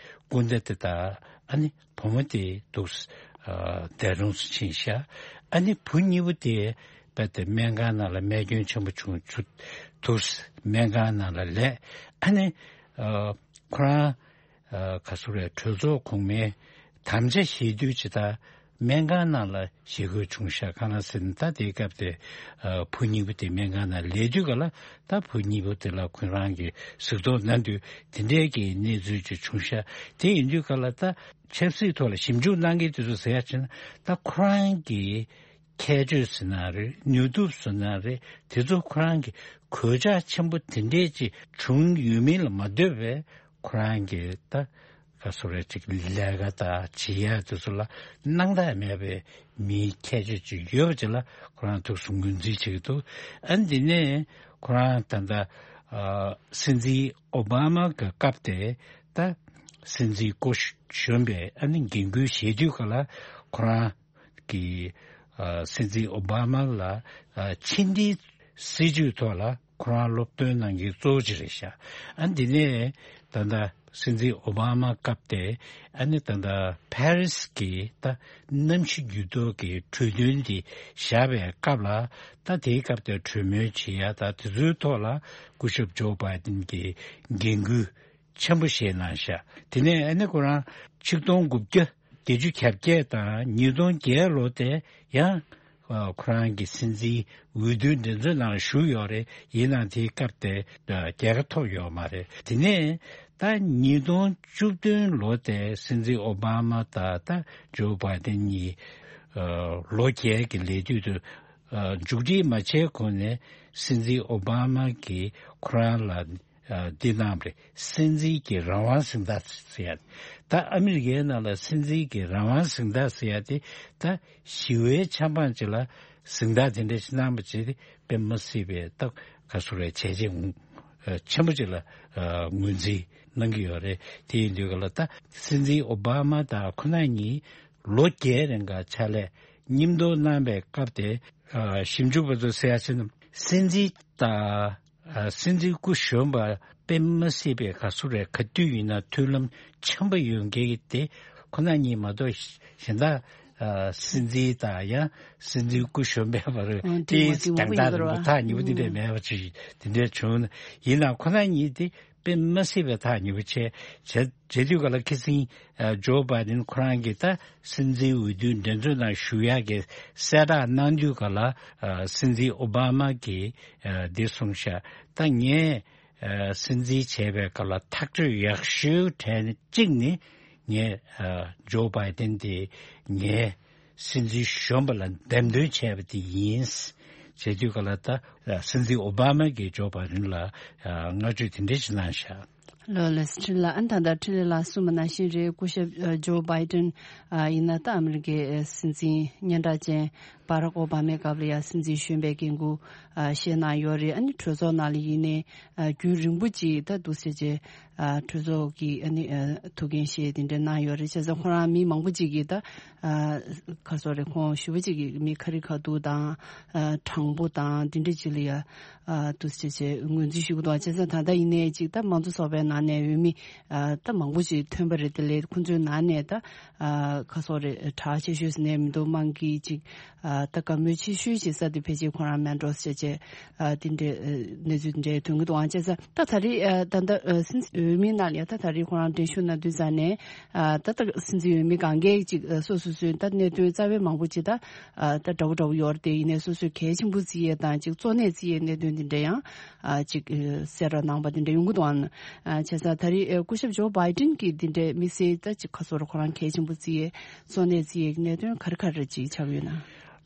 སྐུ་ཟླ་དེ་དང་ཨ་ནི་བུ་མོ་དེ་འདུག་སེ་འདས་གྲོངས་སུ་ཕྱིན་ཤག་ཨ་ནི་བུ་གཉིས་པོ་དེ་རྦད་དེ་སྨན་ཁང་ནང་ལ་རྨས་སྐྱོན་ཆེན་པོ་བྱུང་ཚུལ་འདུག་སེ་སྨན་ཁང་ནང་ལ་ལས། ཨ་ནི་ཁོ་རང་ག་ཚོད་རེད། གྲོས་ཚོགས་གོང་མའི་དམ་བཅའ་བཞེས་དུས་ཇི་ལྟར་སྨན་ཁང་ནང་ལ་བཞེས་དགོས་བྱུང་ཤག་གང་ལ་ཟེར་ན། ད་དེའི་སྐབས་དེ་བུ་གཉིས་པོ་དེ་སྨན་ཁང་ནང་ལས་དུས་ག་ལ། ད་བུ་གཉིས་པོ་དེ་ལ་ཁོ་རང་གིས་གཟིགས་རྟོག་གནང་དུས་དེ་འདྲའི་གི་གནས་ཚུལ་ཅིག་བྱུང་ཤག་དེ་ཡིན་དུས་ག་ལ་ད་ཆབ་སྲིད་ཐོག་ལ་ཞིབ་འཇུག་གནང་མཁན་དེ་ཚོ་ཟེར་ཡ་ཅིག་ན། ད་ཁོ་རང་གི་ཁྱད་ཆོས་ཟེར་ན་རེད། ནུས་སྟོབས་ཟེར་ན་རེད། དེ་ཚོ་ཁོ་རང་གི་གོད་ཆག་ཆེན་པོ་དེ་འདྲས་ཅིག་བྱུང་ཡོད་མིན་ལ་མ་ལྟོས་པའི་ཁོ་རང་གི་ད་ག་སོ་རེ་ཅིག་ལས་ཀ་དང་བྱེད་ཡ་དེ་ཚོ་ལ་སྣང་དག་མེད་པའི་མིའི་ཁྱད་ཆོས་ཅིག་ཡོད་པ་ཅིག་ལ་ཁོ་རང་ཐུགས་སུ་ངོས་འཛིན་བྱེད་ཀྱི་འདུག་ཨ་འདི་ནས་ཁོ་རང་ད་ལྟ་ཨ་སྲིད་འཛིན་ཨོ་བྷ་མ་གི་སྐབས་དེ་ད་སྲིད་འཛིན་སྐུ་གཞོན་པའི་ཨ་ནི་འགན་ཁུར་བཞེས་དུས་ག་ལ་ཁོ་རང་གི་ཨ་སྲིད་འཛིན་ཨོ་བྷ་མ་ལ་ཨ་ཕྱི་འབྲེལ་སྲིད་ཇུས་ཐོག་ལ་ཁོ་རང་སློབ་སྟོན་གནང་མཁན་གཙོ་བོ་ཅིག་རེད་ཤག་ཨ་འདི་ནས་ད་ལྟ་སྲིད་འཛིན་ཨོ་བྷ་མ་སྐབས་དེ་ཨ་ནི་ད་ལྟ་ཕ་རི་སི་གི་ད་གནམ་གཤིས་འགྱུར་ལྡོག་གི་གྲོས་མཐུན་དེ་བཞག་པའི་སྐབས་ལ། ད་དེའི་སྐབས་དེ་གྲོས་མོལ་བྱེད་ཡ་ད་དེ་ཚོའི་ཐོག་ལ་སྐུ་ཞབས་ཇོ་བྷའི་ཏིན་གྱིས་འགན་ཁུར་ཆེན་པོ་བཞེས་གནང་ཤག་དེ་ནས་ཨ་ནི་ཁོ་རང་ཆིག་སྟོང་དགུ་བརྒྱ་བརྒྱད་ཅུ་གྱ་བརྒྱད་དང་ཉིས་སྟོང་བརྒྱད་ལོ་དེ་ཡང་ཁོ་རང་གི་སྲིད་འཛིན་འོས་བསྡུའི་འགྲན་རྩོད་ནང་ཞུགས་ཡོད་རེད། ཡིན་ནའང་དེའི་སྐབས་དེ་རྒྱལ་ཁ་ཐོབ་ཡོད་མ་རེད། དེ་ནས་ད་ཉིས་སྟོང་བཅུ་བདུན་ལོ་དེ་སྲིད་འཛིན་ཨོ་བྷ་མ་དང་ད་ཇོ་བྷའི་ཏིན་གཉིས་ལོ་བརྒྱད་ཀྱི་ལས་དུས་དུ་མཇུག་སྒྲིལ་མ་བྱས་གོང་ནས་སྲིད་འཛིན་ཨོ་བྷ་མ་གིས་ཁོ་རང་ལ་ཨ་འདི་གནང་བ་རེད། སྲིད་འཛིན་གྱི་རང་དབང་གཟེངས་རྟགས་ཟེར་ཡ། ད་ཨ་མི་རི་ཀའི་ནང་ལ་སྲིད་འཛིན་གྱི་རང་དབང་གཟེངས་རྟགས་ཟེར་ཡ་དེ་ད་ཞི་བའི་ཆབ་འབངས་ཅིག་ལ་གཟེངས་རྟགས་དེ་འདྲ་ཞིག་གནང་བ་བྱས་ཏེ་དཔེ་མ་སྲིད་པའི་ད་ག་སུ་རེ་བྱས་རྗེས་ ཨ་ཆེན་པོ་ཅིག་ལ་ཨ་ངོས་འཛིན་གནང་གི་ཡོད་རེད། དེ་ཡིན་དུས་ག་ལ་ད་སྲིད་འཛིན་ཨོ་བྷ་མ་དང་ཁོ་ན་གཉིས་ལོ་བརྒྱད་རིང་ག་ཕྱག་ལས་མཉམ་དུ་གནང་པའི་སྐབས་དེ་ཨ་ཞིབ་འཇུག་པ་ཚོས་ཟེར་ཡ་ཟེར་ན། སྲིད་འཛིན་དང་ཨ་སྲིད་འཛིན་སྐུ་གཞོན་པ་དཔེ་མ་སྲིད་པའི་ག་ཚོད་རེད། ག་དུས་ཡིན་ན་མཐུན་ལམ་འཆམ་པོ་ཡོད་མཁན་གྱི་དེ་ཁོ་ན་གཉིས་མ་གཏོགས་གཞན་དག་ཨ་སྲིད་འཛིན་དང་ཡང་སྲིད་འཛིན་སྐུ་གཞོན་པའི་བར་ཨང་དེའི་གྲོས་མོལ་རྒྱང་ཐག་རིང་པོ་ཐག་ཉེ་པོ་དེ་འདྲ་མེད་པ་ཅིག་དེ་འདྲ་བྱུང་ན། ཡིན་ནའང་ཁོ་ན་གཉིས་དེ་དཔེ་མ་སྲིད་པའི་ཐག་ཉེ་པོ་བྱས་བྱས་བྱས་དུས་ག་ལ་ཁ་སང་ཨ་ཇོ་བྷའི་ཌེན་ཁོ་རང་གིས་ད་སྲིད་འཛིན་འོས་བསྡུའི་འགྲན་རྩོད་ནང་ཞུགས་ཡག་གི་གསལ་བསྒྲགས་གནང་དུས་ག་ལ་ཨ་སྲིད་འཛིན་ཨོ་བྷ་མ་གིས་ཨ་འདི་གསུངས་ཤག་ད་ངས་ཨ་སྲིད་འཛིན་བྱས་པའི་སྐབས་ལ་ཐག་གཅོད་ཡག་ཤོས་གྲས་གཅིག་ནི་ངས་ཨ་ཇོ་བྷའི་ཌེན་དེ་ངའི་སྲིད་འཛིན་གཞོན་པ་ལ་འདེམས་ཐོན་བྱས་པ་དེ་ཡིན། བྱེད་དུས་ག་ལ་ད་ཨ་སྲིད་འཛིན་ཨོ་བྷ་མ་གིས་ཇོ་བྷའི་ཌེན་ལ་ཨ་བསྔགས་བརྗོད་དེ་འདྲ་ཞིག་གནང་ཤག་ལོ་ལེགས་འཕྲིན་ལགས། ཨ་ནི་ད་ལྟ་འཕྲིན་ལས་ལགས་གསུངས་པ་ནང་བཞིན་རེད། སྐུ་ཞབས་ཨ་ཇོ་བྷའི་ཌེན་ཨ་ཡིན་ན་ད་ཨ་མི་རི་ཀའི་ཨ་སྲིད་འཛིན་སྙན་གྲགས་ཅན་བྷ་རག་ཨོ་བྷ་མའི་སྐབས་ལ་ཡང་སྲིད་འཛིན་གཞོན་པའི་འགན་ཁུར་ཨ་བཞེས་གནང་ཡོད་རེད། ཨ་ནི་གྲོས་ཚོགས་ནང་ལ་ཡིན་ནའི་ཨ་རྒྱུན་རིང་པོ་ཅིག་ད་འདུག་སེ་བྱས་ཨ་གྲོས་ཚོགས་ཀྱི་ཨ་ནི་ཨ་ཐུགས་འགན་བཞེས་དེ་འདྲ་གནང་ཡོད་རེད། བྱས་ཙང་ཁོ་རང་མི་མང་པོ་ཅིག་གིས་ད་ཨ་ཁ་སོ་རེ་ཁོང་ཞུ་བ་ཅིག་གིས་མི་ཁ་རི་ཁ་ཐུག་དང་ཨ་དྲང་པོ་དང་དེ་འདྲ་ཅིག་ལ་ཡ་ཨ་འདུག་སེ་བྱས་ངོས་འཛིན་ཞུ་གི་འདུག་བྱས་ཙང་ད་ལྟ་ཡིན་ནའི་ཅིག་ད་མང་གཙོ་ཚོགས་པའི་ནང་ནས་འོས་མི་ཨ་ད་མང་པོ་ཅིག་ཐོན་པ་རེད། དེ་ལས་ཁོང་ཚོའི་ནང་ནས་ད་ཨ་ཁ་སོ་རེ་གྲགས་ཆེ་ཤོས་ཟེར་ནས་མི་འདུག་དམངས་ཀྱི་ཅིག་ཨ་ད་བཀའ་མོལ་ཆེ་ཤོས་ཅིག་ས་དེ་ཕལ་ཆེར་ཁོ་རང་མེན་ཌོས་བྱས་བྱས་ཨ་དེ་འདྲའི་ཨ་གནས་ཚུལ་དེ་འདྲའི་ཐོན་གི་འདུག་ཨང་། བྱས་ཙང་ད་ད་རེས་ཨ་ད་ད་ཨ་སྲིད་འཛིན་འོས་མི་ནང་ནས་ད་ད་རེས་ཁོ་རང་འགྲན་ཞུགས་གནང་དུས་ཙང་ནས་ཨ་ད་ད་སྲིད་འཛིན་འོས་མི་གང་གས་ཅིག་ཨ་སོ་སོ་སོའི་ད་གནད་དོན་རྩ་བའི་མང་པོ་ཅིག་ད་ཨ་ད་འདྲ་བོ་འདྲ་བོ་ཡོད་རེད། དེ་ཡིན་ནའི་སོ་སོའི་གལ་ཆེན་པོ་བརྩི་ཡས་དང་ཅིག་གཙོ་གནད་བརྩི་ཡས་གནད་དོན་དེ་འདྲ་ཡང་ཨ་ཅིག་ཨ་གསལ་བསྒྲགས་གནང་པ་དེ་འདྲ་ཡོང་གི་འདུག་ཨང་། ཨ་བྱས་ཙང་ད་རེས་ཨ་སྐུ་ཞབས་ཇོ་བྷའི་ཌེན་གྱིས་དེ་འདྲའི་དམིགས་བསལ་ད་ཅིག་ཁ་སོ་རེ་ཁོ་རང་གལ་ཆེན་པོ་བརྩི་ཡས་གཙོ་གནད་བརྩི་ཡས་གནད་དོན་ག་རེ་ག་རེ་ཅིག་ཆགས་ཡོད་ན།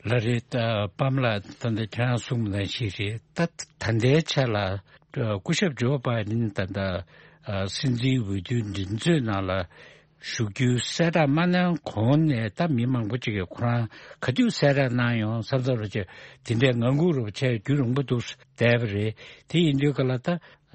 ལགས་རེད། ད་པམ་ལགས་ད་ལྟ་ཁྱེད་རང་གསུངས་པ་ནང་བཞིན་རེད། ད་ད་ལྟའི་ཆ་ལ་སྐུ་ཞབས་ཇོ་བྷའི་ཌེན་ད་ལྟ་ཨ་སྲིད་འཛིན་འོས་བསྡུའི་འགྲན་རྩོད་ནང་ལ་ཞུགས་རྒྱུའི་གསལ་བསྒྲགས་མ་གནང་གོང་ནས་ད་མི་མང་པོ་ཅིག་གིས་ཁོ་རང་ག་དུས་གསལ་བསྒྲགས་གནང་ཡོང་བསམ་བསམ་རེ་བྱས་དེ་འདྲའི་ངང་སྒུག་རེ་བྱས་རྒྱུན་རིང་པོ་འདུག་བསྡད་པ་རེད། དེ་ཡིན་དུས་ག་ལ་ད་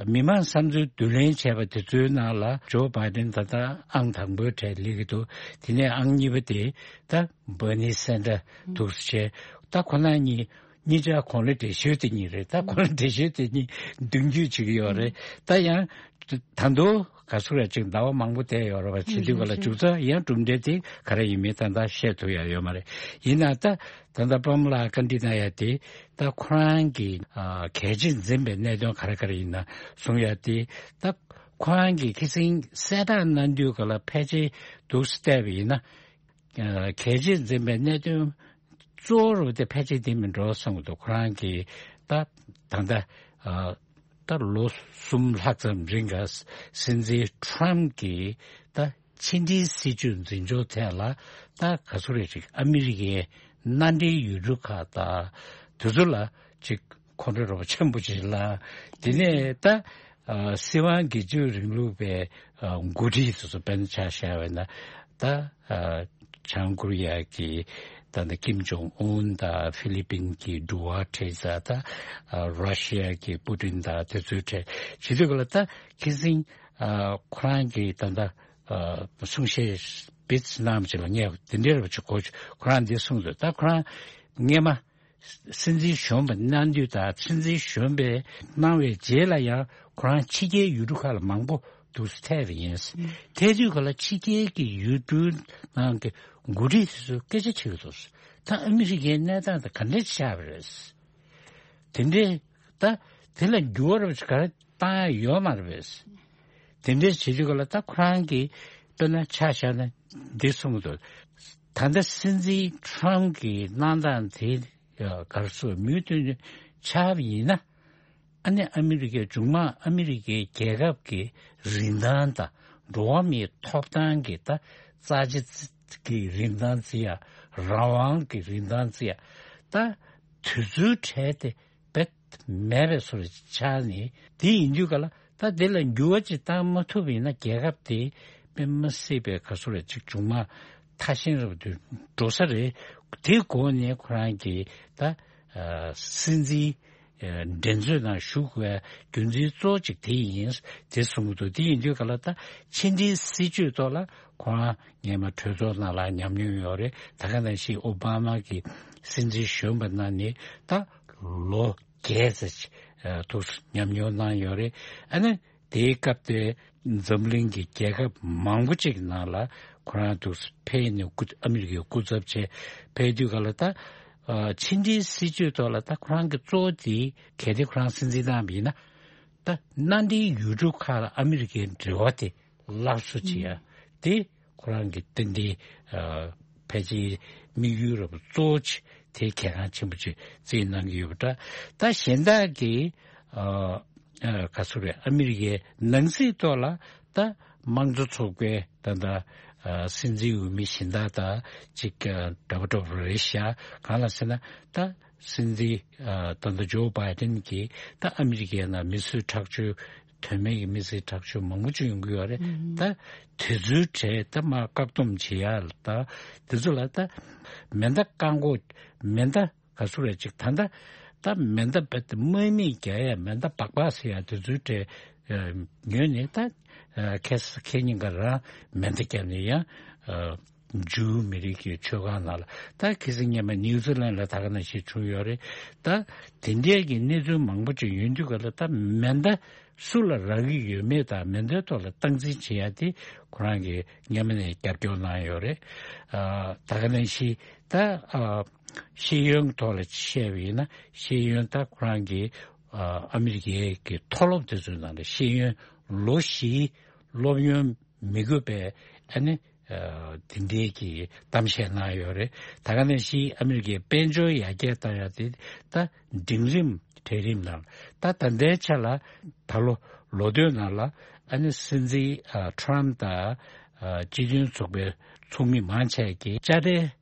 མི་མང་བསམ་ཚུལ་བསྡུ་ལེན་བྱས་པ་དེ་ཚོའི་ནང་ལ་ཇོ་བྷའི་ཌེན་ད་ལྟ་ཨང་དང་པོའི་གྲས་སླེབས་ཀྱི་འདུག་དེ་ནས་ཨང་གཉིས་པ་དེ་ད་བྷར་ནི་སན་ཌར་འདུག་སེ་བྱས། ད་ཁོ་རང་གཉིས་གཉིས་ཆ་གོང་ལ་འགྲན་ཞུགས་དེ་གཉིས་རེད། ད་གོང་ལ་འགྲན་ཞུགས་དེ་གཉིས་མདུན་སྐྱོད་བྱེད་ཀྱི་ཡོད་རེད། ད་ཡང་ད་དུང་ག་ཚོད་རེ་ཅིག་ཟླ་བ་མང་པོ་བསྡད་ཡོད་རེད་པ། བྱེད་དུས་ག་ལ་མཇུག་རྩ་ཡང་གྲུབ་འབྲས་དེ་ག་རེ་ཡིན་མིན་ད་ལྟ་བཤད་ཐུབ་ཡ་ཡོད་མ་རེད། ཡིན་ན་ད་ད་ལྟ་པམ་ལགས་བཀའ་འདྲི་གནང་ཡ་དེ་ད་ཁོ་རང་གིས་ཨ་གལ་ཆེ་འཛིན་པའི་གནད་དོན་ག་རེ་ག་རེ་ཡིན་ན་གསུང་ཡ་དེ་ད་ཁོ་རང་གིས་ཁ་སང་གསལ་བསྒྲགས་གནང་དུས་ག་ལ་ཕལ་ཆེར་འདུག་སེ་བལྟས་པ་ཡིན་ན། ཨ་གལ་ཆེ་འཛིན་པའི་གནད་དོན་གཙོ་བོ་རུ་དེ་ཕལ་ཆེར་དེ་མིན་འགྲོ་གསུངས་འདུག་ཁོ་རང་གིས་ད་ད་ལྟ་ཨ་ད་ལོ་གསུམ་ལྷག་ཙམ་རིང་ག་སྲིད་འཛིན་ཊམ་གྱིས་ད་ཕྱི་འབྲེལ་སྲིད་ཇུས་འཛིན་སྐྱོང་ཐད་ལ་ད་ག་ཚོད་རེ་ཅིག་ཨ་མི་རི་ཀའི་མནའ་འབྲེལ་ཡུལ་གྲུ་ཁག་དང་དེ་ཚོ་ལ་ཅིག་ཁོང་ཁྲོ་རོགས་ཆེན་པོ་ཅིག་ལ། དེ་ནས་ད་ཨ་སྲིད་དབང་སྒེར་གཅོད་རིང་ལུགས་པའི་ཨ་འགོ་ཁྲིད་དེ་ཚོ་དཔེར་ན་ཆ་བཞག་པ་ཡིན་ན་ད་ཨ་བྱང་ཀོ་རི་ཡ་གི་ད་ནི་ཀིམ་ཇོང་ཨུན་དང་ཧྥི་ལི་པིན་གྱི་ཌུ་ཝ་ཊེ་ཟེར་ད་ཨ་ར་ཤི་ཡ་གི་པུ་ཏིན་དང་དེ་ཚོའི་གྲས་བྱེད་དུས་ག་ལ་ད་ཁ་སང་ཨ་ཁོ་རང་གི་ད་ད་ཨ་གསུང་བཤད་སྦིས་གནང་བ་ཅིག་ལ་ངས་དེ་འདྲའི་རེ་བ་ཅིག་གོ། ཁོ་རང་འདི་གསུངས་འདུག་ད་ཁོ་རང་སྔས་མ་སྲིད་འཛིན་གཞོན་པ་གནང་དུས་དང་སྲིད་འཛིན་གཞོན་པའི་གནང་བའི་རྗེས་ལ་ཡང་ཁོ་རང་ཕྱི་རྒྱལ་ཡུལ་གྲུ་ཁག་ལ་མང་པོ་འདུག་སེ་ཐད་པ་ཡིན། ཐད་དུས་ག་ལ་ཕྱི་རྒྱལ་གྱི་ཡུལ་གྲུའི་ནང་གི་འགོ་ཁྲིད་དེ་ཚོས་སྐད་ཆ་དྲིས་ཀྱི་འདུག་ད་ཨ་མི་རི་ཀའི་གནས་སྟངས་དེ་ག་འདྲས་ཆགས་པ་རེད། དེ་འདྲས་ད་དེ་ལ་འགྱུར་བ་རབ་ཅིག་ག་རེ་བཏང་ཡ་ཡོད་མ་རེད་པས། དེ་འདྲས་བྱེད་དུས་ག་ལ་ད་ཁོ་རང་གིས་དཔེར་ན་ཆ་བཞག་ན་འདི་གསུངས་འདུག་ད་ལྟ་སྲིད་འཛིན་ཊམ་གྱི་གནང་སྟངས་དེ་ག་རེ་ཟེར་མུ་མཐུད་ཆགས་པ་ཡིན་ན། ཨ་ནི་ཨ་མི་རི་ཀའི་མཇུག་མ་ཨ་མི་རི་ཀའི་རྒྱལ་ཁབ་ཀྱི་རིན་ཐང་དང་འགྲོ་བ་མིའི་ཐོབ་ཐང་གི་ད་རྩ་ཆེ་གི་རིན་ཐང་བརྩི་ཡ། རང་དབང་གི་རིན་ཐང་བརྩི་ཡ། ད་དུས་ཚོད་བྲལ་ཏེ་རྦད་མེད་པའི་བཟོ་འདྲ་ཆགས་ནས། དེ་ཡིན་དུས་ག་ལ་ད་དེ་ལ་འགྱུར་བ་ཅིག་བཏང་མ་ཐུབ་པ་ཡིན་ན་རྒྱལ་ཁབ་དེ་དཔེ་མ་སྲིད་པའི་ག་ཚོད་རེ་ཅིག་མཇུག་མ་ཐ་ཞན་རུ་འགྲོ་ས་རེད། དེ་སྒོ་ནས་ཁོ་རང་གིས་ད་ཨ་སྲིད་འཛིན་ འགྲན་རྩོད་ནང་ཞུགས་དགོས་རྒྱུ་མཚན་གཙོ་བོ་གཅིག་དེ་ཡིན། དེ་གསུང་གི་འདུག་དེ་ཡིན་དུས་ག་ལ་ད་ཕྱི་འབྲེལ་སྲིད་ཇུས་ཐོག་ལ་ཁོ་རང་སྔོན་མ་གྲོས་ཚོགས་ནང་ལ་ཉམས་མྱོང་ཡོད་རེད། ད་ག་ནང་བཞིན་ཨོ་བྷ་མ་གི་སྲིད་འཛིན་གཞོན་པ་གནང་ནས་ད་ལོ་བརྒྱད་ཙམ་ཐུགས་སུ་ཉམས་མྱོང་གནང་ཡོད་རེད། ཨ་ནི་དེའི་སྐབས་དེ་འཛམ་གླིང་གི་རྒྱལ་ཁབ་མང་པོ་ཅིག་ནང་ལ་ཁོ་རང་ཐུགས་སུ་ཕེབས་ནས་སྐུ་ཨ་མི་རི་ཀའི་སྐུ་ཚབ་བྱས་ཕེབས་དུས་ག་ལ་ད་ཕྱི་འབྲེལ་སྲིད་ཇུས་ཐོག་ལ་ད་ཁོ་རང་གི་གཙོ་བོ་དེ་གལ་ཏེ་ཁོ་རང་སྲིད་འཛིན་གནང་བ་ཡིན་ན། ད་མནའ་འབྲེལ་ཡུལ་གྲུ་ཁག་ལ་ཨ་མི་རི་ཀའི་འབྲེལ་བ་དེ་སླར་གསོ་བྱེད་ཡ་དེ་ཁོ་རང་གི་ཏན་ཏན་ཕལ་ཆེར་དམིགས་ཡུལ་རབ་གཙོ་བོ་ཆེ་དེ་གལ་འགངས་ཆེན་པོ་ཅིག་བརྩིས་གནང་གི་ཡོད་པ་འདྲ། ད་གཞན་དག་གི་ག་ཚོད་རེད། ཨ་མི་རི་ཀའི་ནང་སྲིད་ཐོག་ལ་ད་དམངས་གཙོ་ཚོགས་པའི་ད་ལྟ་སྲིད་འཛིན་འོས་མི་གཞན་དག་དང་ཅིག་འདྲ་པོ་འདྲ་པོ་རེད་ཤག་གང་ལ་ཟེར་ན་ད་སྲིད་འཛིན་ད་ལྟ་ཇོ་བྷའི་ཏིན་གྱིས་ད་ཨ་མི་རི་ཀའི་ནང་མི་གསོད་ཁྲག་སྦྱོར་དོན་མེད་ཀྱི་མི་གསོད་ཁྲག་སྦྱོར་མང་པོ་ཅིག་ཡོང་གི་ཡོད་རེད། ད་དེ་ཚོའི་གྲས་ད་མར་བཀག་སྡོམ་བྱེད་ཡ་ལ་ད་དེ་ཚོ་ལ་ད་མེ་མདའ་བཀག་འགོག་མེ་མདའ་ག་ཚོད་རེད་ཅིག་ད་ལྟ་ད་མེ་མདའ་རྦད་དེ་དམག་མི་རྒྱག་ཡ་མེ་མདའ་སྦག་སྦག་ཟེར་ཡ་དེ་ཚོའི་གྲས་ཉོས་ནས་ད་ཁ་སང་ཁ་ཉིན་ག་རང་མེ་མདའ་བརྒྱབ་ནས་ཡང་ཇུའུ་མི་རིགས་ཀྱི་ཆོས་ཁང་ནང་ལ་ད་ཁ་སང་སྔོན་མ་ནིའུ་ཛི་ལན་ལ་ད་ག་ནང་བཞིན་བྱུང་ཡོད་རེད། ད་དེ་འདྲའི་གི་གནས་ཚུལ་མང་པོ་ཅིག་ཡོང་དུས་ག་ལ་ད་མེ་མདའ་སུ་ལ་རག་གི་ཡོད་མེད་དང་མེ་མདའི་ཐོག་ལ་སྟངས་འཛིན་བྱེད་ཡ་དེ་ཁོ་རང་གིས་སྔོན་མ་ནས་རྒྱབ་སྐྱོར་གནང་ཡོད་རེད། ཨ་ད་ག་ནང་བཞིན་ད་ཨ་ཤེས་ཡོན་ཐོག་ལ་བཤད་པ་ཡིན་ན་ཤེས་ཡོན་ད་ཁོ་རང་གིས་ཨ་ཨ་མི་རི་ཀའི་གི་མཐོ་སློབ་དེ་ཚོའི་ནང་ལ་ཤེས་ཡོན་ལོ་བཞིའི་སློབ་ཡོན་མི་དགོས་པའི་ཨ་ནི་ཨ་དེ་འདྲའི་གི་གཏམ་བཤད་གནང་ཡོད་རེད། ད་ག་ནང་བཞིན་ཨ་མི་རི་ཀའི་དཔལ་འབྱོར་ཡར་རྒྱས་བཏང་ཡ་དེ་ད་འབྲིང་རིམ་གྲལ་རིམ་ནང་ད་ད་ལྟའི་ཆ་ལ་ད་ལོ་ལོ་སྟོད་ནང་ལ་ཨ་ནི་སྲིད་འཛིན་ཨ་ཁྲམ་དང་ཨ་སྤྱི་མཐུན་ཚོགས་པའི་ཚོགས་མི་མང་ཆེ་གིས་དཔྱ་ཁྲལ་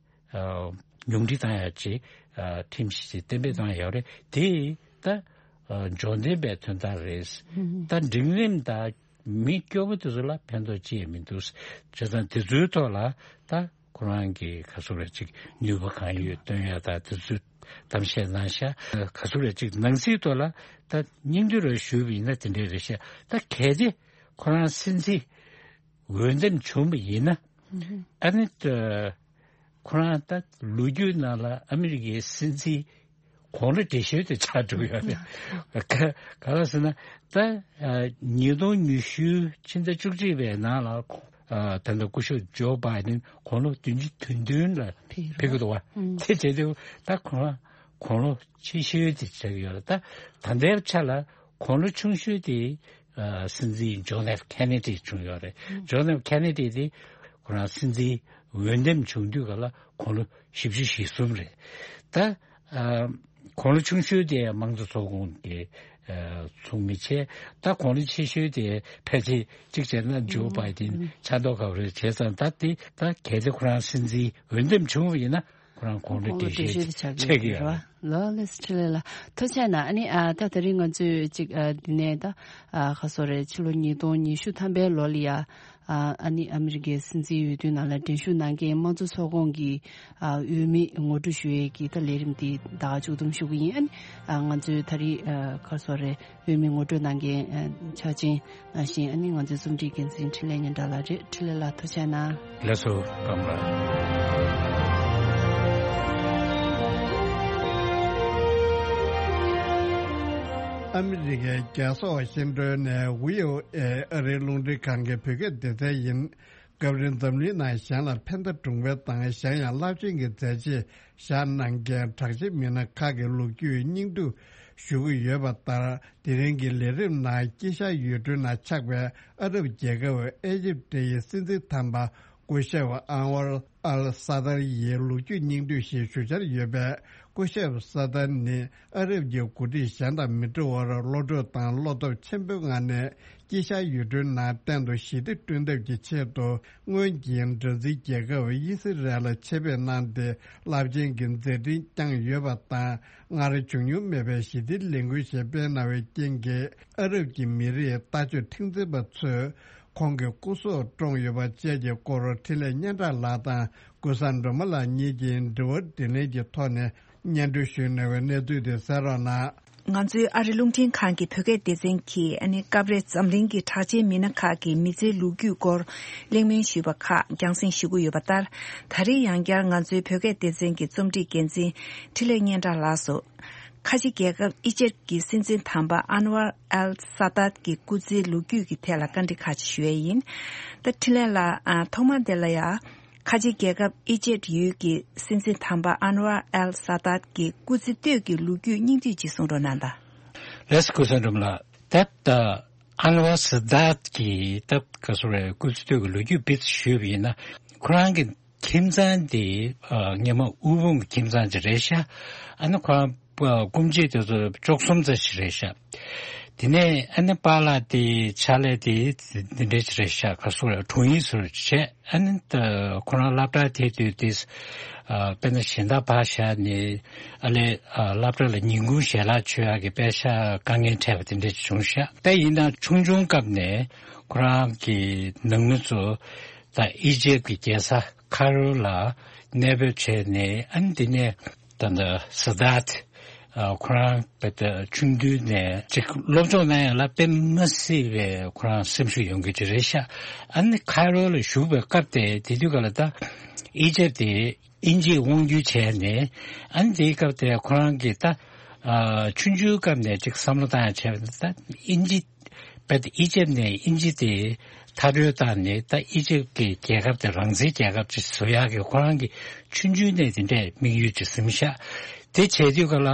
ཨ་ཉུང་འཕྲི་བཏང་ཡ་ཅིག་ཨ་ཁྲིམས་གཞི་ཅིག་གཏན་འབེབས་བཏང་ཡོད་རེད། དེ་ད་ཨ་འབྱོར་ལྡན་པའི་དོན་དག་རེད། ད་འབྲིང་རིམ་དང་མི་སྐྱོ་པོ་དེ་ཚོ་ལ་ཕན་ཐོགས་ཅི་ཡང་མི་འདུག་བྱས་ཙང་དེ་ཚོའི་ཐོག་ལ་ད་ཁོ་རང་གི་ག་ཚོད་རེད་ཅིག་ནུས་པ་གང་ཡོད་སྟོན་ཡ་ད་དེ་ཚོའི་གཏམ་བཤད་གནང་ཤག་ག་ཚོད་རེད་ཅིག་ནང་སྲིད་ཐོག་ལ་ད་སྙིང་བསྡུས་རེ་ཞུས་པ་ཡིན་ན་དེ་འདྲས་རེད་ཤག་ད་གལ་ཏེ་ཁོ་རང་སྲིད་འཛིན་འོས་འདེམས་བྱུང་བ་ཡིན་ན་ཨ་ནི་ད་ཁོ་རང་ད་ལོ་རྒྱུས་ནང་ལ་ཨ་མི་རི་ཀའི་སྲིད་འཛིན་གོང་ལ་བགྲེས་ཤོས་དེ་ཆགས་འགྲོ་གི་ཡོད་རེད། ག་ག་རེ་ཟེར་ན་ད་ཨ་ཉིས་སྟོང་ཉི་ཤུ་ཕྱི་ཟླ་བཅུ་གཅིག་པའི་ནང་ལ་ཁོ་ཨ་ད་ལྟ་སྐུ་ཞབས་ཇོ་བྷའི་ཌེན་གོང་ལོ་བདུན་ཅུ་དོན་བདུན་ལ་ཕེབས་ཀྱི་འདུག་བ། དེ་བྱས་དུས་ད་ཁོ་རང་གོང་ལོ་ཆེ་ཤོས་དེ་ཆགས་ཀྱི་ཡོད་རེད། ད་ད་ལྟའི་ཆ་ལ་གོང་ལོ་ཆུང་ཤོས་དེ་ཨ་སྲིད་འཛིན་ཇོན་ཨེཕ་ཁེ་ནེ་ཌི་བྱུང་ཡོད་རེད། ཇོན་ཨེཕ་ཁེ་ནེ་ཌི་དེ་ཁོ་རང་སྲིད་འཛིན་འོས་འདེམས་བྱུང་དུས་ག་ལ་གོང་ལོ་བཞི་བཅུ་ཞེ་གསུམ་རེད། ད་ཨ་གོང་ལོ་ཆུང་ཤོས་དེ་དམངས་གཙོ་ཚོགས་ཁོངས་ཀྱི་ཨ་ཚོགས་མི་བྱས། ད་གོང་ལོ་ཆེ་ཤོས་དེ་ཕལ་ཆེར་གཅིག་བྱས་ན་ཇོ་བྷའི་ཌེན་ཆགས་མདོག་ཁ་པོ་རེད། བྱས་ཙང་ད་དེ་ད་གལ་ཏེ་ཁོ་རང་སྲིད་འཛིན་འོས་འདེམས་བྱུང་བ་ཡིན་ན་ཁོ་རང་གོང་ལོ་བགྲེས་ཤོས་ཆགས་ཀྱི་ཡོད་རེད་བ། ལགས་ལགས་སོ། འཕྲིན་ལས་ལགས་ཐུགས་རྗེ་གནང་། ཨ་ནི་ཨ་ད་དེ་རིང་ང་ཚོས་ཅིག་ཨ་འདི་ནས་ད་ཨ་ག་ཚོད་རེད། ཕྱི་ལོ་ཉིས་སྟོང་ཉི་ཤུ་ཐམ་པའི་ལོ་ལ་ཡ་ཨ་ཨ་ནི་ཨ་མི་རི་ཀའི་སྲིད་འཛིན་འོས་བསྡུ་ནང་ལ་འགྲན་ཞུགས་གནང་མཁན་དམངས་གཙོ་ཚོགས་ཁོངས་ཀྱི་ཨ་འོས་མི་ངོ་སྤྲོད་ཞུ་ཡས་ཀྱི་ད་ལས་རིམ་འདི་ད་ག་མཇུག་བསྡོམས་ཞུ་གི་ཡིན། ཨ་ནི་ཨ་ང་ཚོའི་ད་རེས་ཨ་ག་ཚོད་རེད། འོས་མི་ངོ་སྤྲོད་གནང་མཁན་ཨ་ཆ་ཅན་ནང་བཞིན་ཨ་ནི་ང་ཚོའི་རྩོམ་སྒྲིག་འགན་འཛིན་འཕྲིན་ལས་ཉི་སྒྲོན་ལགས་རེད། འཕྲིན་ལས་ལགས་ཐུགས་རྗེ་གནང་། ལགས་སོ། སྐམ་ལགས། ཨ་མི་རི་ཀའི་རྒྱལ་ས་ཝ་ཤིང་ཏོན་ནས་ཝི་ཨོ་ཨེ་ཨ་རིའི་རླུང་འཕྲིན་ཁང་གི་བོད་སྐད་སྡེ་ཚན་ཡིན། སྐབས་རེ་འཛམ་གླིང་ནང་གཞན་ལ་ཕན་བདེ་སྒྲུང་བའི་དང་གཞན་ཡང་རླབས་ཆེན་གྱི་མཛད་རྗེས་བཞག་གནང་མཁན་གྲགས་ཆེ་མི་སྣ་ཁག་གི་ལོ་རྒྱུས་སྙིང་བསྡུས་ཞུ་གི་ཡོད་པ་ལྟར། དེ་རིང་གི་ལས་རིམ་ནང་དཀྱིལ་ཤར་ཡུལ་གྲུའི་ནང་ཆགས་པའི་ཨ་རབ་རྒྱལ་ཁབ་ཨེ་ཇིབ་ཡི་སྲིད་འཛིན་དམ་པ་སྐུ་ཞབས་ཨན་ཝར་ཨལ་ས་ཏར་ཡི་ལོ་རྒྱུས་སྙིང་བསྡུས་ཤིག་ཞུ་འཆར་ཡོད་པས། སྐུ་ཞབས་ས་ཏར་ནི་ཨ་རབ་ཀྱི་འགོ་ཁྲིད་གཞན་དང་མི་འདྲ་བར་བློ་གྲོས་དང་བློ་སྟོབས་ཆེན་པོའི་ངང་ནས་དཀྱིལ་ཤར་ཡུལ་གྲུའི་ནང་གཏན་དུ་ཞི་བདེ་བསྐྲུན་ཐབས་ཀྱི་ཆེད་དུ། སྔོན་གྱི་འདྲ་འཛིན་རྒྱལ་ཁབ་ཨི་སི་རལ་ལ་ཆེད་ཕེབས་གནང་སྟེ་རླབས་ཆེན་གྱི་མཛད་འཕྲིན་བསྐྱངས་ཡོད་པ་དང་། སྔར་བྱུང་མྱོང་མེད་པའི་ཞི་བདེའི་ལས་འགུལ་ཞིག་སྤེལ་གནང་བའི་རྐྱེན་གྱིས། ཨ་རབ་ཀྱི་མི་རིགས་ལྟ་སྤྱོད་མཁྲེགས་འཛིན་པ་ཚོས་ཁོང་གི་སྐུ་སྲོག་བཀྲོངས་ཡོད་པ་བཅས་ཀྱི་སྐོར་འཕྲིན་ལས་སྙན་གྲགས་ལགས་དང་ཀུན་བཟང་སྒྲོལ་མ་ལགས་གཉིས་ཀྱིས་འདྲི་བ་དྲིས་ལན་གྱི་ཐོག་ནས་སྙན་སྒྲོན་ཞུས་གནང་བའི་གནས་ཚུལ་དེ་གསན་རོགས་གནང་། ང་ཚོའི་ཨ་རི་རླུང་འཕྲིན་ཁང་གི་བོད་སྐད་སྡེ་ཚན་གྱིས་ཨ་ནི་སྐབས་རེ་འཛམ་གླིང་གི་གྲགས་ཅན་མི་སྣ་ཁག་གི་མི་ཚེའི་ལོ་རྒྱུས་སྐོར་གླེང་མོལ་ཞུས་པ་ཁག་རྒྱང་སྲིང་ཞུ་གི་ཡོད་པ་ལྟར། ད་རེས་ཡང་བསྐྱར་ང་ཚོའི་བོད་སྐད་སྡེ་ཚན་གྱི་རྩོམ་སྒྲིག་འགན་འཛིན་འཕྲིན་ལས་སྙན་གྲགས་ལགས་སུ། ཁ་ཆེ་རྒྱལ་ཁབ་ཨི་ཇེབ་ཀྱི་སྲིད་འཛིན་དམ་པ་ཨན་ཝར་ཨལ་ས་དཱད་ཀྱི་སྐུ་ཚེའི་ལོ་རྒྱུས་ཀྱི་ཐད་ལ་བཀའ་འདྲི་ཁག་ཅིག་ཞུ་ཡས་ཡིན། ད་འཕྲིན་ལས་ལགས། ཨ། ཐོག་མ་དེ་ལ་ཡང་ཁ་ཆེ་རྒྱལ་ཁབ་ཨི་ཇེབ་ཡུལ་གྱི་སྲིད་འཛིན་དམ་པ་ཨན་ཝར་ཨལ་ས་དཱད་ཀྱི་སྐུ་ཚེ་སྟོད་ཀྱི་ལོ་རྒྱུས་སྙིང་བསྡུས་ཅིག་གསུང་རོགས་གནང་དང་། ལགས་སོ། སྐུ་གཟུགས་བཟང་། ད་ལྟ་ཨན་ཝར་ས་དཱད་ཀྱི་ད་ག་ཟེར་རེད། སྐུ་ཚེ་སྟོད་ཀྱི་ལོ་རྒྱུས་སྤེལ་ཞུས་པ་ཡིན་ན། ཁོ་རང་གི་ཁྱིམ་ཚང་དེ་ཨ་སྔོན་མ་དབུལ་ཕོངས་ཀྱི་ཁྱིམ་ཚང་ཅིག་རེད་ཤག་ཨ་ནི་ཁོ་རང་སྐུ་མཆེད་དེ་ཚོ་བཅུ་གསུམ་ཙམ་ཞིག་རེད་ཤག་དེ་ནས་ཨ་ནི་པཱ་ལགས་དེ་ཕྱག་ལས་དེ་འདི་འདྲ་ཅིག་རེད་ཤག་ག་ཟེར་རེད། དྲུང་ཡིག་ཟུར་བྱས། ཨ་ནི་ད་ཁོ་རང་སློབ་གྲྭ་དེ་དུས་དེ་ཨ་དཔེར་ན་གཞན་དག་ཕར་བཞག་ནས་ཨ་ལས་ཨ་སློབ་གྲྭ་ལ་ཉིན་གུང་ཞལ་ལག་མཆོད་ཡག་གི་པེ་ཤག་དཀའ་ངལ་འཕྲད་པ་དེ་འདྲ་ཅིག་བྱུང་ཤག་ད་ཡིན་ན་ཆུང་ཆུང་སྐབས་ནས་ཁོ་རང་གི་ནང་མི་ཚོ་ད་ཨི་ཇེབ་ཀྱི་རྒྱལ་ས་ཁ་རོ་ལ་གནས་སྤོས་བྱས་ནས། ཨ་ནི་དེ་ནས་ད་ལྟ་ས་དཱད་ཨ་ཁོ་རང་དཔེ་ད་ཆུང་དུས་ནས་ཅིག་སློབ་སྦྱོང་གནང་ཡག་ལ་དཔེ་མི་སྲིད་པའི་ཁོ་རང་སེམས་ཤུགས་ཡོང་གི་ཅིག་རེད་ཤག་ཨ་ནི་ཁ་རོ་ལ་བཞུགས་པའི་སྐབས་དེ། དེ་དུས་ག་ལ་ད་ཨི་ཇེབ་དེ་དབྱིན་ཇིས་དབང་བསྒྱུར་བྱས་ནས། ཨ་ནི་དེའི་སྐབས་དེ་ཁོ་རང་གིས་ད་ཨ་ཆུང་ཆུང་སྐབས་ནས་ཅིག་བསམ་བློ་བཏང་ཡག་བྱས་པ་ད་དབྱིན་ཇི་བས་ཨི་ཇེབ་ནས་དབྱིན་ཇི་དེ་མཐར་སྐྲོད་བཏང་ནས། ད་ཨི་ཇེབ་ཀྱི་རྒྱལ་ཁབ་དེ་རང་བཙན་རྒྱལ་ཁབ་ཅིག་བཟོ་ཡག་གི་ཁོ་རང་གི་ཆུང་ཆུང་ནས་དེ་འདྲའི་དམིགས་ཡུལ་ཅིག་ཟིན་ཤག་དེ་བྱས་དུས་ག་ལ་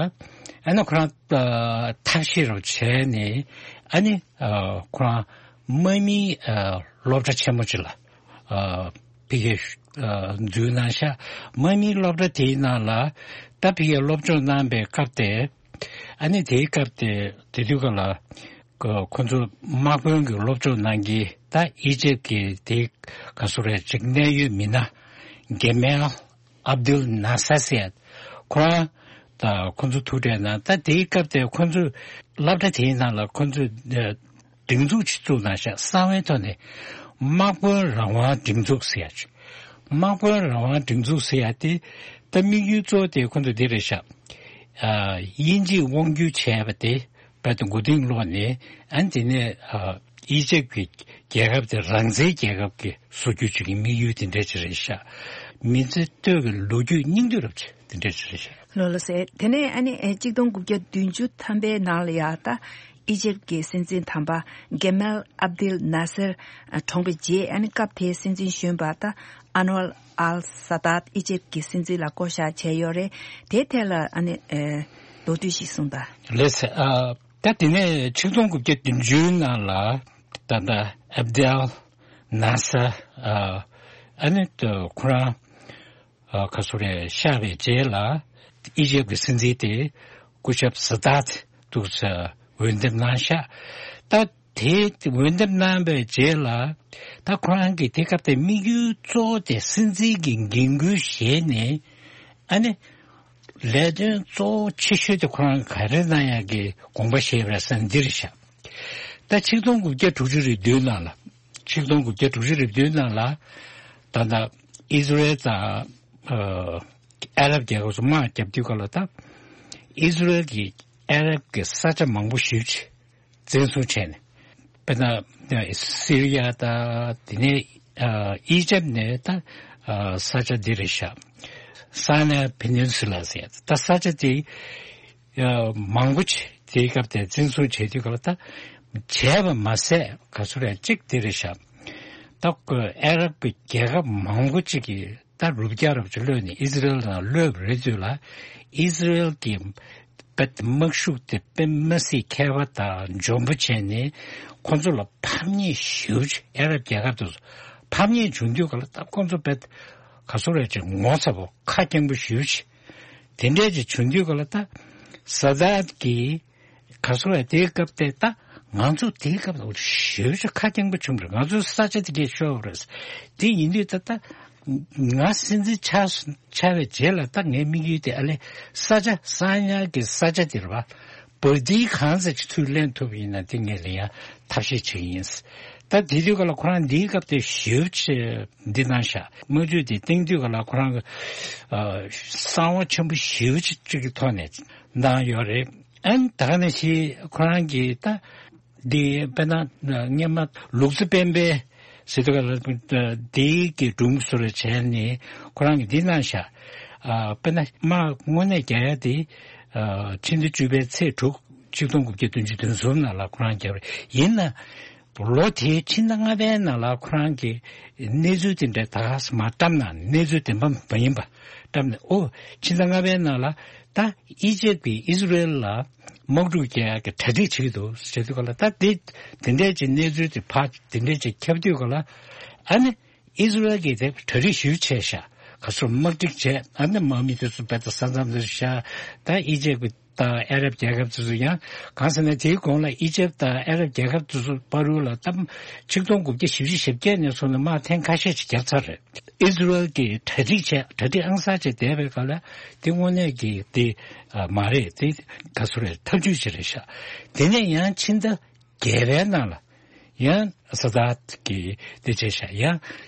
ཨ་ནི་ཁོ་རང་ཨ་ཐབས་ཤེས་རོགས་བྱས་ནས། ཨ་ནི་ཨ་ཁོ་རང་དམག་མིའི་ཨ་སློབ་གྲྭ་ཆེན་མོ་ཅིག་ལ་ཨ་ཕ་གིར་ཨ་འཛུལ་གནང་ཤག་དམག་མིའི་སློབ་གྲྭ་དེའི་ནང་ལ་ད་ཕ་གིར་སློབ་སྦྱོང་གནང་པའི་སྐབས་དེ། ཨ་ནི་དེའི་སྐབས་དེ་དེ་དུས་ག་ལ་ཁོ་ཁོ་ཚོ་དམག་དཔོན་གྱི་སློབ་སྦྱོང་གནང་གི། ད་ཨི་ཇེབ་ཀྱི་དེ་ག་ཟེར་རེད། ཅིག་གནད་ཡོད་མི་སྣ་གེ་མལ་ཨབ་དུལ་ནཱ་སར་ཟེར་ཡ་ཁོ་རང་ད་ཁོ་ཚོ་ཐུག་འཕྲད་གནང་། ད་དེའི་སྐབས་དེ་ཁོ་ཚོ་སློབ་གྲྭ་དེའི་ནང་ལ་ཁོ་ཚོས་སྒྲིག་འཛུགས་ཅིག་བཙུགས་གནང་ཤག་གསང་བའི་ཐོག་ནས་དམག་དཔོན་རང་དབང་སྒྲིག་འཛུགས་ཟེར་ཡ་ཅིག་དམག་དཔོན་རང་དབང་སྒྲིག་འཛུགས་ཟེར་ཡ་དེ་ད་དམིགས་ཡུལ་གཙོ་བོ་དེ་ཁོ་ཚོ་འདི་རེད་ཤག་ཨ་དབྱིན་ཇིས་དབང་བསྒྱུར་བྱས་པ་དེ་རྦད་དེ་མགོ་རྟིང་སློག་ནས། ཨ་ནི་དེ་ནས་ཨ་ཨི་ཇེབ་ཀྱི་རྒྱལ་ཁབ་དེ་རང་བཙན་རྒྱལ་ཁབ་ཀྱི་བཟོ་རྒྱུ་ཅིག་གི་དམིགས་ཡུལ་དེ་འདྲ་ཅིག་རེད་ཤག་མི་ཚེ་སྟོད་ཀྱི་ལོ་རྒྱུས་སྙིང་བསྡུས་རབ་ཅིག་དེ་འདྲ་ཅིག་རེད་ཤག་ལགས་ལགས་སོ། དེ་ནས་ཨ་ནི་ཨེ་གཅིག་སྟོང་དགུ་བརྒྱ་བདུན་ཅུ་ཐམ་པའི་ནང་ལ་ཡ་ད་ཨི་ཇེབ་ཀྱི་སྲིད་འཛིན་དམ་པ་གེ་མལ་ཨབ་དིལ་ནཱ་སེར་ཨ་གྲོངས་པའི་རྗེས། ཨ་ནི་སྐབས་དེའི་སྲིད་འཛིན་གཞོན་པ་ད་ཨན་ཝར་ཨལ་ས་དཱད་ཨི་ཇེབ་ཀྱི་སྲིད་འཛིན་ལ་བསྐོ་བཞག་བྱས་ཡོད་རེད། དེའི་ཐད་ལ་ཨ་ནི་ཨེ་མདོར་བསྡུས་ཤིག་གསུངས་དང་། ལགས་སོ། ཨ་ད་དེ་ནས་ཆིག་སྟོང་དགུ་བརྒྱ་བདུན་ཅུའི་ནང་ལ་ད་ལྟ་ཨབ་དིལ་ནཱ་སར་ཨ་ཨ་ནི་ད་ཁོ་རང་ཨ་ག་ཟེར་རེད། གཤེགས་པའི་རྗེས་ལ་ཨི་ཇེབ་ཀྱི་སྲིད་འཛིན་དེ་སྐུ་ཞབས་ས་དཱད་འདུག་ས་འོས་འདེམས་གནང་ཤག་ད་དེ་འོས་འདེམས་གནང་བའི་རྗེས་ལ་ད་ཁོ་རང་གིས་དེ་སྐབས་དེ་དམིགས་ཡུལ་གཙོ་བོ་དེ་སྲིད་འཛིན་གྱི་འགན་ཁུར་བཞེས་ནས། ཨ་ནི་ལས་དོན་གཙོ་བོ་ཆེ་ཤོས་དེ་ཁོ་རང་ག་རེ་གནང་ཡག་གི་དགོངས་པ་བཞེས་པ་རེད་ཟེར་ན་འདི་རེད་ཤག་ད་ཆིག་སྟོང་དགུ་བརྒྱ་དྲུག་ཅུ་རེ་བདུན་ནང་ལ། ཆིག་སྟོང་དགུ་བརྒྱ་དྲུག་ཅུ་རེ་བདུན་ནང་ལ་ད་ལྟ་ཨི་ཟི་རེལ་དང་ཨ་ཨ་རབ་རྒྱལ་ཁབ་ཚོ་དམག་བརྒྱབ་དུས་སྐབས་ལ། ད་ཨི་ཟི་རེལ་གྱིས་ཨ་རབ་ཀྱི་ས་ཆ་མང་པོ་ཞེ་པོ་ཅིག་བཙན་བཟུང་བྱས་ནས། དཔེར་ན་སི་རི་ཡ་དང་། དེ་ནས་ཨ་ཨི་ཇེབ་ནས་ད་ཨ་ས་ཆ་འདི་རེད་ཤག་སཱ་ནའི་ཕེ་ནིན་སུ་ལ་ཟེར། ད་ས་ཆ་དེ་ཨ་མང་པོ་ཅིག་དེའི་སྐབས་དེ་བཙན་བཟུང་བྱས་དུས་སྐབས་ལ། ད་བྱས་པ་མ་ཟད་ག་ཟེར་རེད། གཅིག་དེ་རེད་ཤག་ད་ཨ་རབ་ཀྱི་རྒྱལ་ཁབ་མང་པོ་ཅིག་གིས་ད་རུ་བརྒྱ་རུ་ཅིག་གློད་ནས་ཨི་ཟི་རེལ་ནང་གློད་པ་རེད་དུས་ལ། ཨི་ཟི་རེལ་གྱི་དཔེ་དམག་ཤུགས་དེ་དཔེ་མི་སྲིད་མཁས་པ་དང་འཇོན་པོ་བྱས་ནས་ཁོང་ཚོ་ལ་ཕམ་ཉེས་ཞེ་པོ་ཅིག་ཨ་རབ་རྒྱལ་ཁབ་དེ་ཚོ་ཕམ་ཉེས་བྱུང་དུས་སྐབས་ལ། ད་ཁོང་ཚོ་དཔེ་ག་ཟེར་རེད། ཅིག་ངོ་ཚ་པོ་ཁ་སྐྱེངས་པོ་ཞེ་པོ་ཅིག་དེ་འདྲས་ཅིག་བྱུང་དུས་སྐབས་ལ། ད་ས་དཱད་ཀྱིས་ག་ཟེར་རེད། དེའི་སྐབས་དེ་ད་ང་ཚོ་དེའི་སྐབས་ལ་ཞེ་པོ་ཅིག་ཁ་སྐྱེངས་པོ་བྱུང་བ་རེད། ང་ཚོའི་ས་ཆ་དེ་གས་ཤོར་བ་རེད། དེ་ཡིན་དུས་ད་ད་ང་སྲིད་འཛིན་ཆགས་ཆགས་པའི་རྗེས་ལ། ད་ངའི་དམིགས་ཡུལ་དེ་ཨ་ལས་ས་ཆ་གསང་ཉུལ་གྱི་ས་ཆ་དེ་རེད་པ། བར་དེའི་གང་ཙམ་ཅིག་ཚུར་ལེན་ཐུབ་པ་ཡིན་ན་དེ་ངས་ལེན་ཡ་ཐབས་ཤེས་བྱེད་ཀྱི་ཡིན། ད་དེ་དུས་སྐབས་ལ་ཁོ་རང་འདིའི་སྐབས་དེ་ཞེ་པོ་ཅིག་འདི་གནང་ཤག་དམག་འཁྲུག་དེ་སྟེང་དུས་སྐབས་ལ་ཁོ་རང་གི་ཨ་གསང་བ་ཆེན་པོ་ཞེ་པོ་ཅིག་ཅིག་གི་ཐོག་ནས་གནང་ཡོད་རེད། ཨན་ད་ག་ནང་བཞིན་ཁོ་རང་གིས་ད་འདི་དཔེར་ན་སྔོན་མ་ལུག་རྫི་སྤེན་པའི་ཟེར་དུས་ག་ལ་འདི་གི་སྒྲུང་བཟོ་རེ་བྱས་ནས་ཁོ་རང་གིས་འདི་གནང་ཤག་ཨ་དཔེར་ན་དམག་དངོས་གནས་རྒྱག་ཡ་དེ་ཨ་ཕྱི་ཟླ་བཅུ་པའི་ཚེས་དྲུག་ཆིག་སྟོང་དགུ་བརྒྱ་བདུན་ཅུ་དོན་གསུམ་ནང་ལ་ཁོ་རང་རྒྱབ་རེད། ཡིན་ན་ལོ་དེའི་ཕྱི་ཟླ་ལྔ་པའི་ནང་ལ་ཁོ་རང་གིས་གནས་ཚུལ་དེ་འདྲ་ད་ག་སེ་མར་བཀྲམ་ན་གནས་ཚུལ་བདེན་པ་མ་ཡིན་པ་བཀྲམ་ནས། ཨོ་ཕྱི་ཟླ་ལྔ་པའི་ནང་ལ་ད་ཨི་ཇེབ་ཀྱིས་ཨི་ཟི་རེལ་ལ་དམག་འཁྲུག་རྒྱག་ཡག་གི་གྲ་སྒྲིག་བྱེད་ཀྱི་འདུག་ཟེར་དུས་ག་ལ། ད་དེ་དེ་འདྲས་ཀྱི་གནས་ཚུལ་དེ་ཕར་དེ་འདྲས་ཀྱི་ཁྱབ་དུས་ག་ལ། ཨ་ནི་ཨི་ཟི་རེལ་གྱིས་དེ་གྲ་སྒྲིག་ཞུ་བྱས་ཤག་ག་ཚོད་དམག་སྒྲིག་བྱས། ཨ་ནི་དམག་མི་དེ་ཚོ་བེད་ད་ས་མཚམས་དེ་ཚོ་བཞག་ད་ཨི་ཇེབ་ཀྱི་དང་ཨ་རབ་རྒྱལ་ཁབ་དེ་ཚོ་ཡང་གང་ཟེར་ན་དེའི་གོང་ལ་ཨི་ཇེབ་དང་ཨ་རབ་རྒྱལ་ཁབ་དེ་ཚོ་བར་དུ་ལ་ད་ཆིག་སྟོང་དགུ་བརྒྱ་བཞི་བཅུ་ཞེ་བརྒྱད་ནས་བཟུང་ནས་དམག་ཐེངས་ཁ་ཤས་ཅིག་བརྒྱབ་ཚར་རེད། ཨི་ཟི་རེལ་གྱིས་གྲ་སྒྲིག་བྱས། གྲ་སྒྲིག་ཨང་གསར་བྱས་བསྡད་པའི་སྐབས་ལ་དེ་དངོས་གནས་ཀྱི་དེ་ཨ་མ་རེད། དེ་ག་ཚོད་རེད། ཐབས་ཇུས་ཅིག་རེད་ཤག་དེ་ནས་ཡང་ཕྱི་ཟླ་བརྒྱད་པའི་ནང་ལ་ཡང་ས་དཱད་ཀྱིས་དེ་བྱས་ཤག་ཡང་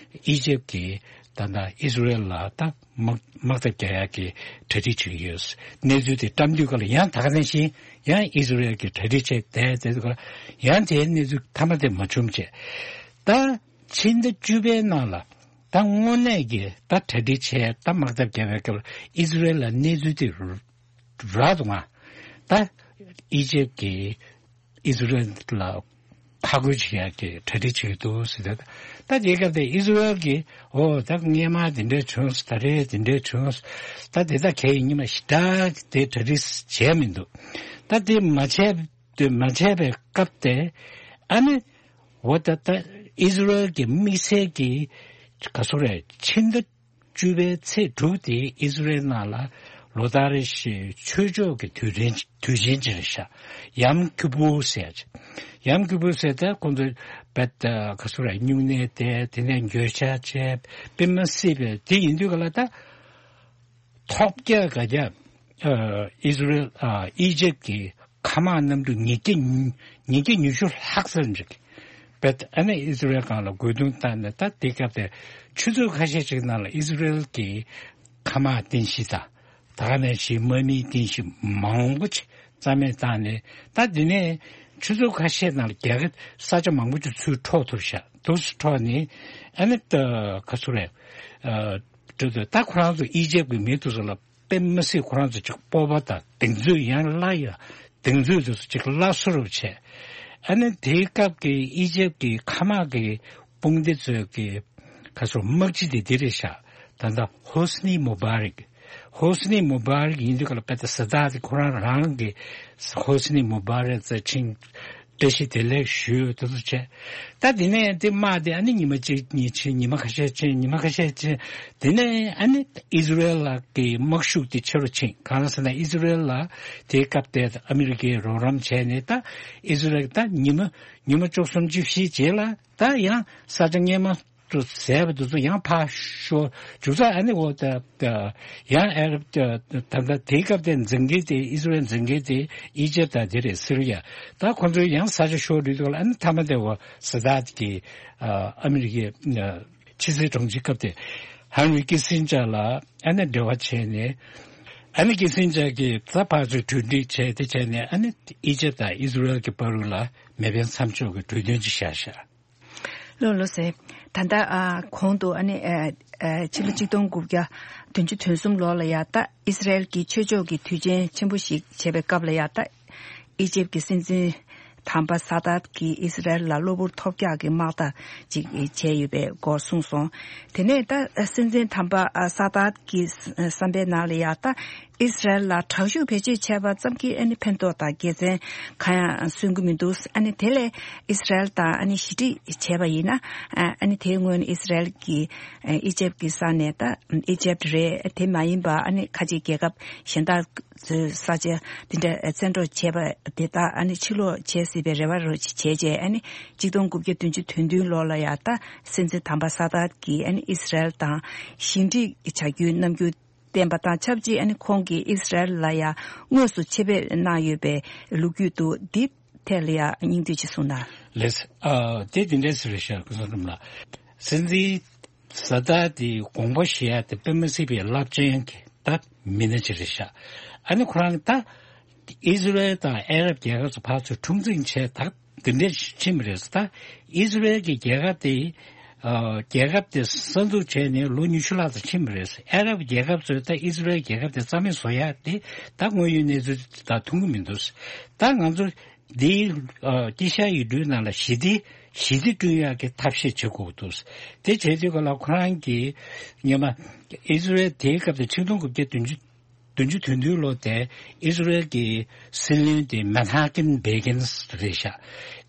ཨི་ཇེབ་ཀྱིས་ད་ལྟ་ཨི་ཟི་རེལ་ལ་ད་དམག་དམག་འཐབ་རྒྱག་ཡག་གི་གྲ་སྒྲིག་བྱེད་ཀྱི་ཡོད། གནས་ཚུལ་དེ་བཀྲམ་དུས་ག་ལ་ཡང་ད་ག་ནང་བཞིན་ཡང་ཨི་ཟི་རེལ་གྱིས་གྲ་སྒྲིག་བྱས་བསྡད་བསྡད་དུས་ག་ལ་ཡང་དེའི་གནས་ཚུལ་མཐའ་མ་དེ་མ་བྱུང་བྱས། ད་ཕྱི་ཟླ་བཅུ་པའི་ནང་ལ་ད་དངོས་གནས་ཀྱི་ད་གྲ་སྒྲིག་བྱས། ད་དམག་འཐབ་རྒྱག་པའི་སྐབས་ལ་ཨི་ཟི་རེལ་ལ་གནས་ཚུལ་དེ་རག་འདུག་ང་། ད་ཨི་ཇེབ་ཀྱིས་ཨི་ཟི་རེལ་ལ་ཕར་རྒོལ་བྱེད་ཡག་གི་གྲ་སྒྲིག་བྱེད་ཀྱི་འདུག་ཟེར་ཏེ། ད་དེའི་སྐབས་དེ་ཨི་ཟི་རེལ་གྱིས་ཨོ་ད་སྔོན་མ་དེ་འདྲ་བྱུང་། ད་རེས་དེ་འདྲ་བྱུང་། ད་དེ་ད་གས་ཡིན་ཉི་མ་ཞེ་དྲག་དེ་གྲ་སྒྲིག་བྱས་མི་འདུག་ད་དེ་མ་བྱས་དེ་མ་བྱས་པའི་སྐབས་དེ་ཨ་ནི་འོ་ད་ད་ཨི་ཟི་རེལ་གྱི་དམིགས་བསལ་གྱི་ག་ཚོད་རེད། ཕྱི་ཟླ་བཅུ་པའི་ཚེས་དྲུག་དེ་ཨི་ཟི་རེལ་ནང་ལ་ལོ་ལྟར་རེ་བཞིན་ཆོས་ཕྱོགས་ཀྱི་དུས་དྲན་དུས་ཆེན་ཅིག་རེད་ཤག་ཡམ་ཀི་པུར་ཟེར་ཡ་ཅིག་ཡམ་ཀི་པུར་ཟེར་ད་ཁོང་ཚོས་བེད་ག་ཚོད་རེད། སྨྱུང་གནས་བསྡད། དེ་ནས་འགྱོད་བཤགས་བྱས། དཔེ་མི་སྲིད་པའི་དེ་ཡིན་དུས་ག་ལ་ད་ཐོབ་རྒྱག་ག་རྒྱ་ཨི་ཟི་རེལ་ཨི་ཇེབ་ཀྱི་མཁའ་དམག་གནམ་གྲུ་ཉིས་བརྒྱ་ཉིས་བརྒྱ་ཉི་ཤུ་ལྷག་ཙམ་ཅིག་བེད་ཨ་ནི་ཨི་ཟི་རེལ་སྒང་ལ་རྒོལ་རྡུང་བཏང་ནས། ད་དེ་སྐབས་དེ་ཆུ་ཚོད་ཁ་ཤས་ཅིག་ནང་ལ་ཨི་ཟི་རེལ་གྱི་མཁའ་དམག་རྟེན་གཞི་དང་ད་ག་ནང་བཞིན་དམག་མིའི་རྟེན་གཞི་མང་པོ་ཅིག་རྩ་མེད་བཏང་ནས། ད་དེ་ནས་ཆུ་ཚོད་ཁ་ཤས་ནང་ལ་རྒྱ་གར་ས་ཆ་མང་པོ་ཅིག་ཚུར་འཕྲོག་ཐུབ་ཤག་དུས་སུ་འཕྲོག་ནས་ཨ་ནི་ད་ག་ཚོད་རེད། ཨ་འགྲོ་དུས་ད་ཁོ་རང་ཚོ་ཨི་ཇེབ་ཀྱི་མི་དེ་ཚོ་ལ་དཔེ་མི་སྲིད་ཁོ་རང་ཚོ་ཅིག་སྤོབས་པ་དང་གདེང་ཚོད། ཡང་སླར་ཡང་གདེང་ཚོད་དེ་ཚོ་ཅིག་སླར་གསོ་རུ་བྱས། ཨ་ནི་དེའི་སྐབས་ཀྱི་ཨི་ཇེབ་ཀྱི་མཁའ་དམག་གི་དཔུང་སྡེ་ཚོའི་གི་ག་ཚོད་དམག་སྤྱི་དེ་འདི་རེད་ཤག་ད་ལྟ་ཧོ་སི་ནི་མུ་བྷ་རིག་ཧོ་སི་ནི་མུ་བྷ་རིག་ཡིན་དུས་ག་ལ་བེད་ད་ས་དཱད་དེ་ཁོ་རང་རང་གི་ཧོ་སི་ནི་མུ་བྷ་རིག་རྩ་ཆེན་བཀྲ་ཤིས་བདེ་ལེགས་ཞུ་དེ་ཚོ་བྱས། ད་དེ་ནས་དེ་དམག་དེ་ཨ་ནི་ཉི་མ་གཅིག་གཉིས་ཕྱིན། ཉི་མ་ཁ་ཤས་ཕྱིན། ཉི་མ་ཁ་ཤས་ཕྱིན། དེ་ནས་ཨ་ནི་ཨི་ཟི་རེལ་ལ་གི་དམག་ཤུགས་དེ་ཆེ་རུ་ཕྱིན། གང་ཟེར་ན་ཨི་ཟི་རེལ་ལ་དེའི་སྐབས་དེ་ཨ་མི་རི་ཀས་རོགས་རམ་བྱས་ནས། ད་ཨི་ཟི་རེལ་ད་ཉི་མ་ཉི་མ་བཅུ་གསུམ་བཅུ་བཞིའི་རྗེས་ལ་ད་ཡང་ས་ཆ་སྔོན་མ་དུ་ཟས་པ་དེ་ཚོ་ཡང་ཕར་ཤོར། མཇུག་ཚར་ཨ་ནི་འོ་ད་ད་ཡང་ཨ་རབ་ད་ད་དེའི་སྐབས་དེ་འཛིང་མཁན་དེ་ཨི་ཟི་རེལ་འཛིང་མཁན་དེ་ཨི་ཇེབ་དང་དེ་རེད། སི་རི་ཡ། ད་ཁོ་ཚོས་ཡང་ས་ཆ་ཤོར་དུས་ལ་ཨ་ནི་མཐའ་མ་དེ་འོ་ས་དཱད་ཀྱིས་ཨ་ཨ་མི་རི་ཀའི་ཕྱི་སྲིད་དྲུང་ཆེ་སྐབས་དེ་ཧན་རི་ཀི་སིན་ཇར་ལ་ཨ་ནི་འབྲེལ་བ་བྱས་ནས། ཨ་ནི་ཀི་སིན་ཇར་གྱིས་ད་ཕར་ཚུར་གྲོས་འདྲི་བྱས་དེ་བྱས་ནས་ཨ་ནི་ཨི་ཇེབ་དང་ཨི་ཟི་རེལ་གྱི་བར་དུ་ལ་མེ་འཕེན་མཚམས་འཇོག་གི་གྲོས་མཐུན་ཅིག་བཞག་ཤག་ལགས་ལགས་སེ། ད་ལྟ་ཨ་གོང་དུ་ཨ་ནི་ཨ་ཨ་ཕྱི་ལོ་ཆིག་སྟོང་དགུ་བརྒྱ་བདུན་ཅུ་དོན་གསུམ་ལོ་ལ་ཡ་ད་ཨི་སི་རལ་གྱི་ཆོས་ཕྱོགས་ཀྱི་དུས་ཆེན་ཆེན་པོ་ཞིག་བྱེད་པའི་སྐབས་ལ་ཡ་ད་ཨི་ཇེབ་ཀྱི་སྲིད་འཛིན་དམ་པ་ས་དཱད་ཀྱིས་ཨི་སི་རལ་ལ་གློ་བུར་ཐོལ་རྒྱག་གི་དམག་རྟགས་ཅིག་བྱས་ཡོད་པའི་སྐོར་གསུངས་སོང་། དེ་ནས་ད་སྲིད་འཛིན་དམ་པ་ཨ་ས་དཱད་ཀྱི་བསམ་པའི་ནང་ལ་ཡ་ད་ཨི་སི་རལ་ལ་དྲག་ཤུགས་བེད་སྤྱོད་བྱས་པ་ཙམ་གྱིས་ཨ་ནི་ཕན་ཐོགས་དང་དགེ་མཚན་གང་ཡང་སོན་གྱི་མི་འདུག་ཨ་ནི་དེ་ལས་ཨི་སི་རལ་དང་ཨ་ནི་ཞི་འགྲིག་བྱས་པ་ཡིན་ན། ཨ་ནི་དེའི་སྔོན་ཨི་སི་རལ་གྱིས་ཨི་ཇེབ་ཀྱི་ས་ནས་ད་ཨི་ཇེབ་རེད། དེ་མ་ཡིན་པ་ཨ་ནི་ཁ་ཆེ་རྒྱལ་ཁབ་གཞན་དག་ཚོའི་ས་ཆ་དེ་འདྲ་བཙན་འཕྲོག་བྱས་པ་དེ་དག་ཨ་ནི་ཕྱིར་སློག་བྱེད་སྲིད་པའི་རེ་བ་རོ་ཅིག་བྱས་རྗེས། ཨ་ནི་ཆིག་སྟོང་དགུ་བརྒྱ་བདུན་ཅུ་དོན་བདུན་ལོ་ལ་ཡ་ད་སྲིད་འཛིན་དམ་པ་ས་དཱད་ཀྱིས་ཨ་ནི་ཨི་སི་རལ་དང་ཞི་འགྲིག་བྱ་རྒྱུའི་རྣམ་འགྱུར་བསྟན་པ་དང་ཆབས་ཅིག་ཨ་ནི་ཁོང་གིས་ཨི་སི་རལ་ལ་ཡང་དངོས་སུ་ཆེད་ཕེབས་གནང་ཡོད་པའི་ལོ་རྒྱུས་འདུག་འདི་ཐད་ལ་ཡང་སྙིང་བསྡུས་ཅིག་གསུངས་དང་། ལགས། ཨ་དེ་འདི་འདྲས་ཟེར་རེད་ཤག་སྐུ་ཚང་འཛོམས་ལགས། སྲིད་འཛིན་ས་དཱད་དེ་དགོངས་པ་བཞེས་ཡ་དེ་དཔེ་མི་སྲིད་པའི་རླབས་ཆེན་གྱི་ད་མི་སྣ་ཅིག་རེད་ཤག་ཨ་ནི་ཁོ་རང་ད་ ཨི་ཟི་རེལ་དང་ཨ་རབ་རྒྱལ་ཁབ་ཚོ་ཕར་ཚུར་འཁྲུག་འཛིང་བྱས་ད་འདི་འདྲས་ཕྱིན་པ་རེད། ད་ཨི་ཟི་རེལ་གྱི་རྒྱལ་ཁབ་དེ་ཨ་རྒྱལ་ཁབ་དེ་གསར་འཛུགས་བྱས་ནས་ལོ་ཉི་ཤུ་ལྷག་ཙམ་ཕྱིན་པ་རེད། ཨ་རབ་རྒྱལ་ཁབ་ཚོས་ད་ཨི་ཟི་རེལ་རྒྱལ་ཁབ་དེ་རྩ་མེད་བཟོ་ཡག་དེ་ད་དངོས་ཡོད་གནས་ཚུལ་དེ་ད་མཐོང་གི་མི་འདུག་ད་ང་ཚོ་འདིའི་ཨ་དཀྱིལ་ཤར་ཡུལ་གྲུའི་ནང་ལ་ཞི་བདེ་ཞི་བདེ་བསྐྲུན་ཡག་གི་ཐབས་ཤེས་བྱེད་དགོས་འདུག་དེ་བྱེད་དུས་ག་ལ་ཁོ་རང་གིས་སྔོན་མ་ཨི་ཟི་རེལ་དེའི་སྐབས་དེ་ཆིག་སྟོང་དགུ་བརྒྱ་བདུན་ཅུ་བདུན་ཅུ་དོན་བདུན་ལོ་དེ་ཨི་ཟི་རེལ་གྱི་སྲིད་བློན་དེ་མན་ཧ་ཀིན་བྷེ་གིན་རེད་ཤག་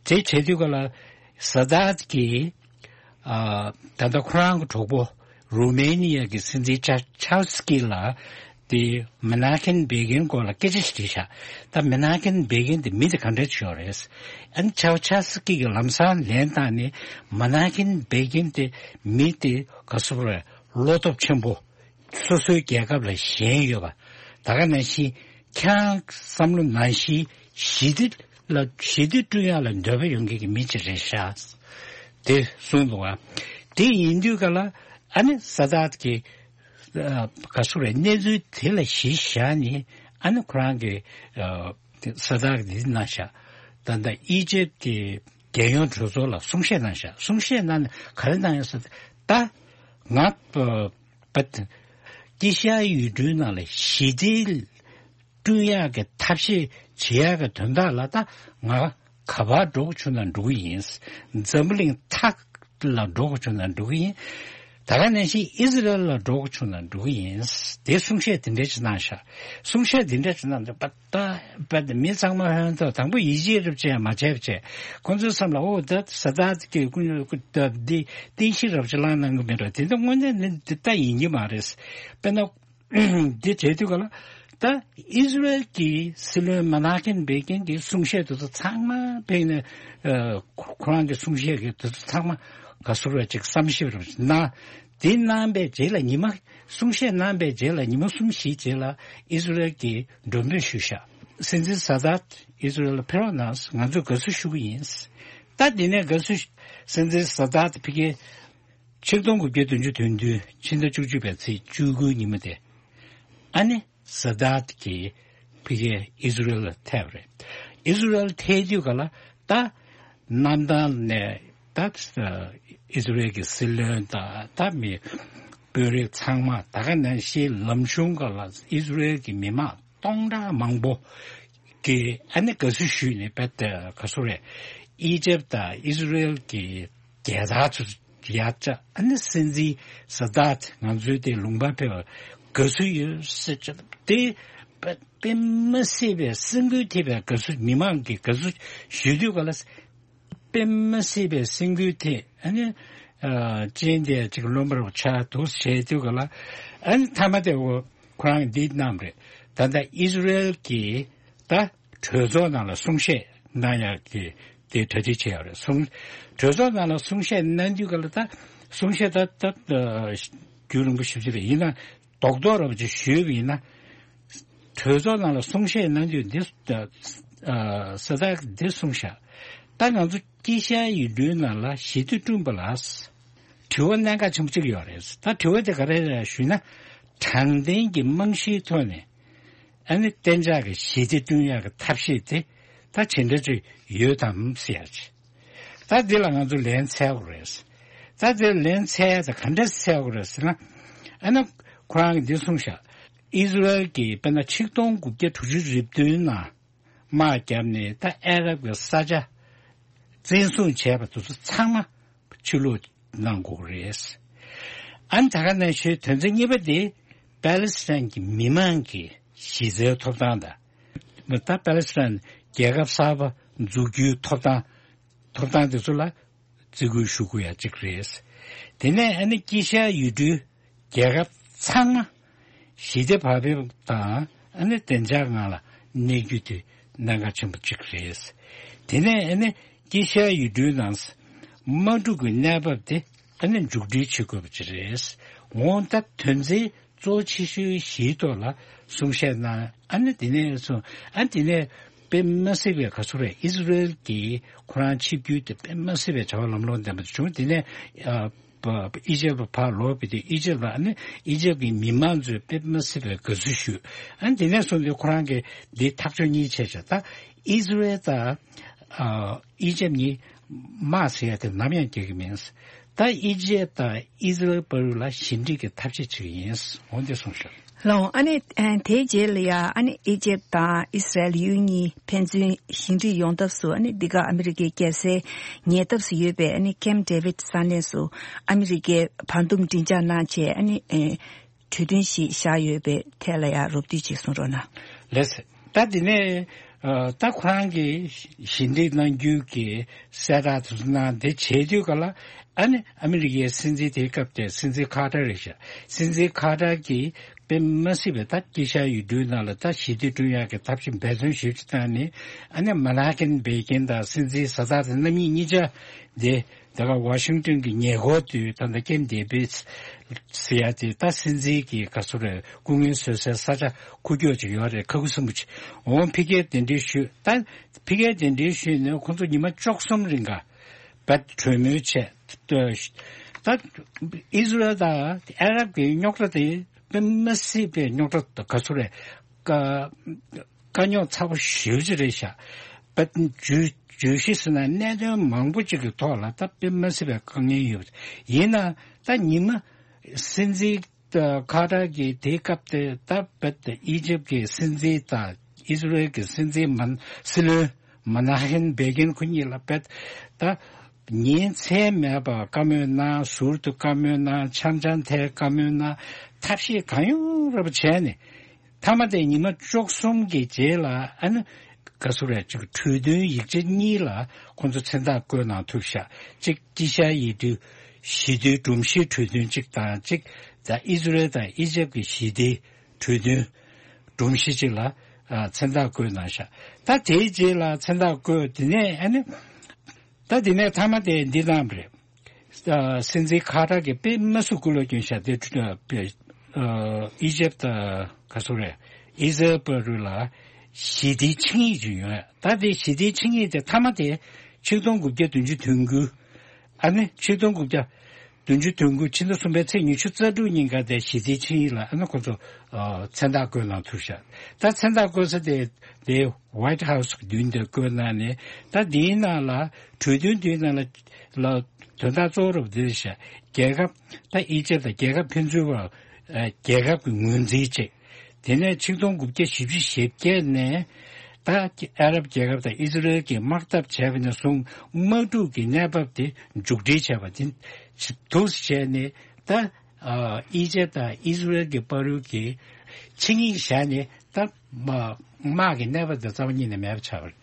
དེ་བྱེད་དུས་ག་ལ་ས་དཱད་ཀྱིས་ཨ་ད་ལྟ་ཁོ་རང་གི་གྲོགས་པོ་རུ་མེ་ནི་ཡ་གི་སྲིད་འཛིན་ཆ་ཆཱལ་སི་ཀི་ལ་དེ་མན་ཧ་ཀིན་བྷེ་གིན་སྐོར་ལ་སྐད་ཆ་ཞིག་དྲིས་ཤག་ད་མན་ཧ་ཀིན་བྷེ་གིན་དེ་མི་དེ་ག་འདྲ་ཅིག་ཡོད་རེད། ཨ་ནི་ཆཱལ་ཆཱལ་སི་ཀི་གི་ལམ་སང་ལན་བཏང་ནས་མན་ཧ་ཀིན་བྷེ་གིན་དེ་མི་དེ་ག་སུ་རེད། བློ་སྟོབས་ཆེན་པོ། སོ་སོའི་རྒྱལ་ཁབ་ལ་ཞེན་ཡོད་པ། ད་ག་ནང་བཞིན་ཁྱེད་རང་བསམ་བློ་ནང་བཞིན་ཞི་བདེ་ལ་ཞི་བདེ་བསྐྲུན་ཡག་ལ་འདོད་པ་ཡོད་མཁན་གྱི་མི་ཅིག་རེད་ཤག་དེ་གསུངས་འདུག་བ། དེ་ཡིན་དུས་ག་ལ་ཨ་ནི་ས་དཱད་ཀྱིས་ཨ་ག་སུ་རེད། གནས་ཚུལ་དེ་ལ་གཞི་བཞག་ནས་ཨ་ནི་ཁོ་རང་གིས་ཨ་ས་དཱད་ཀྱིས་འདི་གནང་ཤག་ད་ལྟ་ཨི་ཇེབ་ཀྱི་རྒྱལ་ཡོངས་གྲོས་ཚོགས་ལ་གསུང་བཤད་གནང་ཤག་གསུང་བཤད་གནང་ནས་ག་རེ་གནང་ཡོད་ཟེར་ད་ང་ཨ་པ་དཀྱིལ་ཤར་ཡུལ་གྲུའི་ནང་ལ་ཞི་བདེ་བསྐྲུན་ཡག་གི་ཐབས་ཤེས་བྱེད་ཡག་གི་དོན་དག་ལ་ད་ང་ག་པར་འགྲོ་དགོས་བྱུང་ན་འགྲོ་གི་ཡིན། འཛམ་བུ་གླིང་མཐའ་ལ་འགྲོ་དགོས་བྱུང་ན་འགྲོ་གི་ཡིན། ད་ག་ནང་བཞིན་ཨི་ཟི་རལ་ལ་འགྲོ་དགོས་བྱུང་ན་འགྲོ་གི་ཡིན། དེ་གསུང་བཤད་དེ་འདྲ་ཅིག་གནང་ཤག་གསུང་བཤད་དེ་འདྲ་ཅིག་གནང་དུས་པ་ད་པ་དེ་མི་ཚང་མ་ཧོན་ཐོག་དང་པོ་ཡིད་ཆེས་རབས་ཅན་མ་བྱས་པ་བྱས་ཁོང་ཚོའི་བསམ་ལ་ཨོ་ད་ས་དཱད་ཀྱི་ཀུན་སློང་ཀུན་ད་འདི་རྟེན་གཞི་རབ་ཅིག་བླངས་གནང་གི་མེད་འགྲོ། དེ་འདྲ་དངོས་གནས་ནི་འདི་ལྟ་ཡིན་གྱི་མ་རེད། དཔེར་ན། འདི་བྱེད་དུས་ག་ལ། ད་ཨི་ཟི་རེལ་གྱི་སྲིད་བློན་མན་ཧ་ཀིན་བྷེ་གིན་གྱི་གསུང་བཤད་དེ་ཚོ་ཚང་མ་ཕེབས་ནས་ཨ་ཁོ་ཁོ་རང་གི་གསུང་བཤད་ཀྱི་དེ་ཚོ་ཚང་མ་ག་ཟེར་བ་ཅིག་བསམ་ཞིབ་རེ་གནང་། དེ་གནང་པའི་རྗེས་ལ་ཉི་མ་གསུང་བཤད་གནང་པའི་རྗེས་ལ་ཉི་མ་གསུམ་བཞིའི་རྗེས་ལ་ཨི་ཟི་རེལ་གྱིས་མགྲོན་འབོད་ཞུས་ཤག་སྲིད་འཛིན་ས་དཱད་ཨི་ཟི་རེལ་ལ་ཕེབས་རོགས་གནང་། ང་ཚོས་དགའ་བསུ་ཞུ་གི་ཡིན། ད་དེ་ནས་དགའ་བསུ་སྲིད་འཛིན་ས་དཱད་ཕ་གིའི་ཆིག་སྟོང་དགུ་བརྒྱ་བདུན་ཅུ་དོན་བདུན་ཕྱི་ཟླ་བཅུ་གཅིག་པའི་ཚེས་བཅུ་དགུའི་ཉིན་མོ་དེ། ཨ་ནི་ས་དཱད་ཀྱིས་ཕ་གིའི་ཨི་ཟི་རེལ་ལ་ཐེབས་རེད། ཨི་ཟི་རེལ་ཐེབས་དུས་ག་ལ་ད་གནམ་ཐང་ནས་ད་ཨི་ཟི་རེལ་གྱི་སྲིད་བློན་དང་ད་མི་དཔོན་རིགས་ཚང་མ་ད་ག་ནང་བཞིན་ལམ་གཞུང་ག་ལ་ཨི་ཟི་རེལ་གྱི་མི་མང་སྟོང་ཕྲག་མང་པོ་གིས་ཨ་ནི་དགའ་བསུ་ཞུས་ནས་བེད་ག་སུ་རེད། ཨི་ཇེབ་དང་ཨི་ཟི་རེལ་གྱི་རྒྱལ་དར་ཚོ་ཡར་བཅག་ཨ་ནི་སྲིད་འཛིན་ས་དཱད་ང་ཚོའི་དེ་ལུང་པ་ཕེབས་པར་དགའ་བསུ་ཡོད་ཟེར་བྱས་དེ་དཔེ་དཔེ་མི་སྲིད་པའི་སེམས་འགུལ་ཐེབས་པའི་དགའ་བསུ་མི་མང་གིས་དགའ་བསུ་ཞུ་དུས་ག་ལ་དཔེ་མི་སྲིད་པའི་སེམས་འགུལ་ཐེབས་ཨ་ནི་ཨ་ཅན་དེ་ཅིག་རློན་པར་ཆགས་འདུག་བྱས་དུས་ག་ལ་ཨ་ནི་མཐའ་མ་དེ་འོ་ཁོ་རང་འདི་གནང་རེད། ད་ལྟ་ཨི་ཟི་རེལ་གྱིས་ད་གྲོས་ཚོགས་ནང་ལ་གསུང་བཤད་གནང་ཡག་གི་དེ་གྲ་སྒྲིག་བྱས་ཡོད་རེད། གསུང་གྲོས་ཚོགས་ནང་ལ་གསུང་བཤད་གནང་དུས་ག་ལ་ད་གསུང་བཤད་ད་ད་རྒྱུན་རིང་པོ་ཞེ་པོ་ཅིག་རེད། ཡིན་ན་རྡོག་རྡོག་ར་བ་ཅིག་ཞུས་པ་ཡིན་ན་གྲོས་ཚོགས་ནང་ལ་གསུང་བཤད་གནང་དུས་འདི་ས་དཱད་འདི་གསུངས་ཤག་ད་ང་ཚོ་དཀྱིལ་ཤར་ཡུལ་གྲུའི་ནང་ལ་ཞི་བདེ་བསྐྲུན་པ་ལ་དྲི་བ་གནད་འགག་ཆེན་པོ་གཅིག་ཡོད་རེད། ད་དྲི་བ་དེ་ག་རེ་རེད་ཞུས་ན། དྲང་བདེན་གྱི་རྨང་གཞིའི་ཐོག་ནས་ཨ་ནི་གཏན་འཇགས་ཀྱི་ཞི་བདེ་བསྐྲུན་ཡག་གི་ཐབས་ཤེས་དེ་ད་ཇི་འདྲ་ཅིག་ཡོད་དམ་ཟེར་ཡག་ཅིག་ད་འདི་ལ་ང་ཚོ་ལན་འཚོལ་དགོས་རེད། ད་འདི་ལན་འཚོལ་ཡག་དེ་ག་འདྲ་འཚོལ་དགོས་རེད་ཟེར་ན། ཨ་ནི་ཁོ་རང་གིས་འདི་གསུངས་ཤག་ཨི་ཟི་རེལ་གྱིས་དཔེར་ན་ཆིག་སྟོང་དགུ་བརྒྱ་དྲུག་ཅུ་རེ་བདུན་ནང་དམག་བརྒྱབ་ནས་ད་ཨ་རབ་ཀྱི་ས་ཆ་བཙན་བཟུང་བྱས་པ་དེ་ཚོ་ཚང་མ་ཕྱིར་སློག་གནང་དགོས་རེད། ཨ་ནི་ད་ག་ནང་བཞིན་དོན་ཚན་གཉིས་པ་དེ་པ་ལི་སི་ཐན་གྱི་མི་མང་གི་གཞི་རྩའི་ཐོབ་ཐང་དང་། ད་པ་ལི་སི་ཐན་རྒྱལ་ཁབ་གསར་པ་འཛུགས་རྒྱུའི་ཐོབ་ཐང་ཐོབ་ཐང་དེ་ཚོ་ལ་བརྩི་བཀུར་ཞུ་དགོས་ཡ་གཅིག་རེད། དེ་ནས་ཨ་ནི་དཀྱིལ་ཤར་ཡུལ་གྲུའི་རྒྱལ་ཁབ་ཚང་མ་ཞི་བདེ་བག་ཕེབས་དང་ཨ་ནི་བདེ་འཇགས་ངང་ལ་གནས་རྒྱུ་དེ་གནད་འགག་ཆེན་པོ་གཅིག་རེད། དེ་ནས་ཨ་ནི་དཀྱིལ་ཤར་ཡུལ་གྲུའི་ནང་དམག་འཁྲུག་གི་གནས་བབ་དེ་ཨ་ནི་མཇུག་སྒྲིལ་བྱེད་དགོས་པ་ཅིག་རེད། འོང་ད་དོན་ཚན་གཙོ་ཆེ་ཤོས་བཞིའི་ཐོག་ལ་གསུང་བཤད་གནང་། ཨ་ནི་དེ་ནས་སོང་ཨ་ནི་དེ་ནས་དཔེ་མ་སྲིད་པའི་ག་ཚོད་རེད། ཨི་ཟི་རེལ་གྱིས་ཁོ་རང་ཆིབས་བསྒྱུར་དེ་དཔེ་མ་སྲིད་པའི་བྱ་བ་ལམ་ལྷོང་ལྡན་པ་བྱུང་། དེ་ནས་ཨ་ པ་ཨི་ཇེབ་ཕར་ལོག་པའི་དུས་ཨི་ཇེབ་ལ་ཨ་ནི་ཨི་ཇེབ་ཀྱི་མི་མང་ཚོས་དཔེ་མི་སྲིད་པའི་དགའ་བསུ་ཞུས། ཨ་ནི་དེ་ནས་བཟུང་སྟེ་ཁོ་རང་གིས་འདི་ཐག་གཅོད་གཉིས་བྱས་བྱས། ད་ཨི་ཟི་རེལ་དང་ཨ་ཨི་ཇེབ་གཉིས་དམག་ཟེར་ཡ་དེ་ནམ་ཡང་རྒྱག་གི་མིན། ད་ཨི་ཇེབ་དང་ཨི་ཟི་རེལ་བར་ལ་ཞི་འགྲིག་གི་ཐབས་ཤེས་བྱེད་ཀྱི་ཡིན། འོ་འདི་གསུངས་ཤག། ལགས་འོང་། ཨ་ནི་ཨ་དེའི་རྗེས་ལ་ཡ་ཨ་ནི་ཨི་ཇེབ་དང་ཨི་སི་རལ་ཡུལ་གཉིས་ཕན་ཚུན་ཞི་འགྲིག་ཡོང་ཐབས་སུ་ཨ་ནི་འདི་ག་ཨ་མི་རི་ཀའི་རྒྱལ་སའི་ཉེ་འདབས་སུ་ཡོད་པའི་ཨ་ནི་ཀེམ་ཌེ་བིད་ས་གནས་སུ་ཨ་མི་རི་ཀའི་བར་འདུམ་མགྲིན་ཚབ་གནང་བྱས་ཨ་ནི་ཨེ་གྲོས་མཐུན་ཞིག་བཞག་ཡོད་པའི་ཐད་ལ་ཡ་རོབ་བསྡུས་ཅིག་གསུང་རོགས་གནང་། ལགས་སོ། ད་དེ་ནས་ཨ་ད་ཁོ་རང་གིས་ཞི་འགྲིག་གནང་རྒྱུ་གི་གསལ་བསྒྲགས་དེ་ཚོ་གནང་། དེ་བྱེད་དུས་ག་ལ་ཨ་ནི་ཨ་མི་རི་ཀའི་སྲིད་འཛིན་དེའི་སྐབས་དེ་སྲིད་འཛིན་ཁ་ཏར་རེད་ཤག། སྲིད་འཛིན་ཁ་ཏར་གྱིས་དཔེ་མ་སྲིད་པའི་ད་དཀྱིལ་ཤར་ཡུལ་གྲུའི་ནང་ལ་ད་ཞི་བདེ་བསྐྲུན་ཡག་གི་ཐབས་ཤེས་འབད་བརྩོན་ཞེ་པོ་ཅིག་བཏང་ནས། ཨ་ནི་མན་ཧ་ཀེན་བྷེ་ཀིན་དང་སྲིད་འཛིན་ཟ་དྷ་ཏ་རྣམ་གཉིས་གཉིས་ཆ་དེ་དེ་ག་ཝ་ཤིང་ཏོན་གྱི་ཉེ་འཁོར་དུ་ད་ལྟ་ཀེམ་ཌེ་བིད་ཟེར་ཡ་དེ་ད་སྲིད་འཛིན་གྱི་ག་ཚོད་རེད། སྐུ་ངལ་གསོ་སའི་ས་ཆ་ཁུག་ཀྱོག་ཅིག་ཡོད་རེད། ཁ་ཁུ་སིམ་པོ་ཅིག། འོང་ཕ་གིར་གདན་འདྲེན་ཞུས། ད་ཕ་གིར་གདན་འདྲེན་ཞུས་ནས་ཁོང་ཚོ་ཉི་མ་བཅུ་གསུམ་རིང་ག་བད་གྲོས་མོལ་བྱས། ད་ཨི་ཟི་རལ་དང་ཨ་རབ་ཀྱི་རྙོག་དྲ་དེ་དཔེ་མ་སྲིད་པའི་རྙོག་དྲ་ག་ཚོད་རེད། དཀའ་རྙོག་ཚ་པོ་ཞེ་པོ་ཅིག་རེད་ཤག། བད་བརྗོད་བརྗོད་གཞི་ཟེར་ན་གནད་དོན་མང་པོ་ཅིག་གི་ཐོག་ལ་ད་དཔེ་མ་སྲིད་པའི་དཀའ་ངལ་ཡོད་པ་ཡིན་ན། ད་ཉི་མ་སྲིད་འཛིན་ཁ་ཏར་གྱིས་དེའི་སྐབས་དེ་ད་བད་ཨི་ཇེབ་ཀྱི་སྲིད་འཛིན་དང་ཨི་ཟི་རེལ་གྱི་སྲིད་འཛིན་མན་སྲིད་བློན་མན་ཧ་ཧེན་བྷེ་གིན་ཁོ་གཉིས་ལ་བད་ད་ཉིན་མཚན་མེད་པར་བཀའ་མོལ་གནང་། ཟུར་དུ་བཀའ་མོལ་གནང་། འཆམ་འཆམ་ཐལ་བཀའ་མོལ་གནང་། ཐབས་ཤེས་གང་ཡོང་རབ་བྱས་ནས། མཐའ་མ་དེ་ཉི་མ་བཅུ་གསུམ་གྱི་རྗེས་ལ་ཨ་ནི་ག་ཚོད་རེད། ཅིག་གྲོས་མཐུན་ཡིག་ཆ་གཉིས་ལ་ཁོང་ཚོ་མཚན་རྟགས་བཀོད་གནང་ཐུབ་ཤག། གཅིག་དཀྱིལ་ཤར་ཡུལ་གྲུའི་ཞི་བདེའི་སྒྲོམ་གཞིའི་གྲོས་མཐུན་གཅིག་དང་། གཅིག་ད་ཨི་ཟི་རེལ་དང་ཨི་ཇེབ་ཀྱི་ཞི་བདེའི་གྲོས་མཐུན་སྒྲོམ་གཞི་གཅིག་ལ་ཨ་མཚན་རྟགས་བཀོད་གནང་ཤག། ད་དེའི་རྗེས་ལ་མཚན་རྟགས་བཀོད། དེ་ནས་ཨ་ནི་ད་དེ་ནས་མཐའ་མ་དེ་འདི་གནང་བ་རེད། ཨ་སྲིད་འཛིན་ཁ་ཏར་གྱིས་དཔེ་མ་སྲིད་སྐུ་ལོ་སྐྱོན་ཤག། དེ་ཨ་ཨི་ཇེབ་དང་ག་ཚོད་རེད། ཨི་ཟི་རལ་བར་ལ་ཞི་བདེའི་ཆིངས་ཡིག་ཅིག་ཡོད། ད་དེ་ཞི་བདེའི་ཆིངས་ཡིག་དེ་མཐའ་མ་དེ་ཆིག་སྟོང་དགུ་བརྒྱ་བདུན་ཅུ་དོན་དགུ། ཨ་ནི་ཆིག་སྟོང་དགུ་བརྒྱ་བདུན་ཅུ་དོན་དགུ་ཕྱི་ཟླ་གསུམ་པའི་ཚེས་ཉི་ཤུ་རྩ་དྲུག་ཉིན་ཀ་དེ་ཞི་བདེའི་ཆིངས་ཡིག་ལ་ཨ་ནི་ཁོ་ཚོ་ཨ་མཚན་རྟགས་བཀོད་གནང་ཐུབ་ཤག། ད་མཚན་རྟགས་བཀོད་ས་དེ་དེ་ཝའིཊ་ཧའུ་སི་གི་མདུན་དེར་བཀོད་གནང་ནས། ད་འདིའི་ནང་ལ་གྲོས་མཐུན་འདིའི་ནང་ལ་ལ་དོན་དག་གཙོ་བོ་རུ་འདི་རེད་ཤག། རྒྱལ་ཁབ་ད་ཨི་ཇེབ་དང་རྒྱལ་ཁབ་ཕན་ཚུན་བར་ཨ་རྒྱལ་ཁབ་ཀྱི་ངོས་འཛིན་བྱས། དེ་ནས་ཆིག་སྟོང་དགུ་བརྒྱ་བཞི་བཅུ་ཞེ་བརྒྱད་ནས་ད་ཨ་རབ་རྒྱལ་ཁབ་དང་ཨི་ཟི་རེལ་གྱིས་དམག་འཐབ་བྱས་པ་ནས་བཟུང་དམག་འཁྲུག་གི་གནས་བབ་དེ་མཇུག་སྒྲིལ་བྱས་པ་དེ་འདུག་སེ་བྱས་ནས། ད་ཨ་ཨི་ཇེབ་དང་ཨི་ཟི་རེལ་གྱི་བར་དུ་གི་ཆིངས་ཡིག་བཞག་ནས། ད་དམག་དམག་གི་གནས་བབ་དེ་རྩ་བ་ཉིད་ནས་མེད་པ་ཆགས་པ་རེད།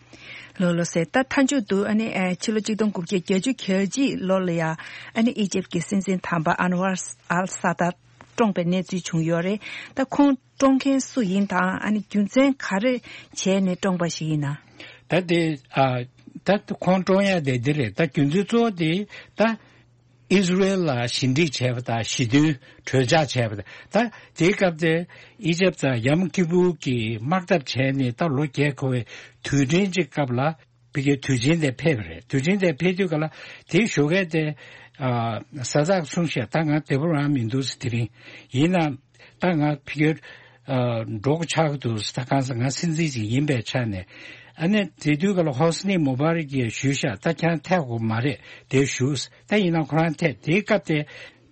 ལགས་ལགས་སོ། ད་མཐའ་མཇུག་ཏུ་ཨ་ནི་ཨ་ཕྱི་ལོ་ཆིག་སྟོང་དགུ་བརྒྱ་བརྒྱད་ཅུ་གྱ་གཅིག་ལོ་ལ་ཡ་ཨ་ནི་ཨི་ཇེབ་ཀྱི་སྲིད་འཛིན་དམ་པ་ཨན་ཝར་ཨལ་ས་ཏཱ་བཀྲོངས་པའི་གནས་ཚུལ་བྱུང་ཡོད་རེད། ད་ཁོང་བཀྲོངས་མཁན་སུ་ཡིན་དང་། ཨ་ནི་རྒྱུ་མཚན་ག་རེ་བྱས་ནས་བཀྲོངས་པ་ཞིག་ཡིན་ན། ད་དེ་ཨ་ད་ཁོང་བཀྲོངས་ཡ་དེ་འདི་རེད། ད་རྒྱུ་མཚན་གཙོ་བོ་དེ་ད་ཨི་ཟི་རེལ་ལ་ཞི་འགྲིག་བྱས་པ་དང་། ཞི་མཐུན་གྲོས་འཆར་བྱས་པ་དང་། ད་དེའི་སྐབས་དེ་ཨི་ཇེབ་དང་ཡམ་ཀི་པུར་གྱི་དམག་འཐབ་བྱས་ནས་ད་ལོ་བརྒྱད་འཁོར་བའི་དུས་དྲན་གྱི་སྐབས་ལ་ཕ་གིའི་དུས་ཆེན་དེ་ཕེབས་པ་རེད། དུས་ཆེན་དེ་ཕེབས་དུས་ག་ལ་དེའི་ཞོགས་ཀས་དེ་ཨ་ས་ཛག་གསུངས་ཤག། ད་ང་བདེ་པོ་རང་མི་འདུག་ཟེར། དེ་རིང་ཡིན་ན་ད་ང་ཕ་གིར་ཨ་འགྲོ་དགོས་ཆགས་ཀྱི་འདུག་ཟེར། ད་གང་ཟེར་ང་སྲིད་འཛིན་ཅིག་ཡིན་པའི་ཆ་ནས། ཨ་ནི་དེ་དུས་ག་ལ་ཧོ་སི་ནི་མུ་བྷ་རག་གིས་ཞུས་ཤག། ད་ཁྱེད་རང་ཐད་དགོས་མ་རེད། དེ་བཞུགས། ད་ཡིན་ན་ཁོ་རང་ཐད། དེའི་སྐབས་དེ་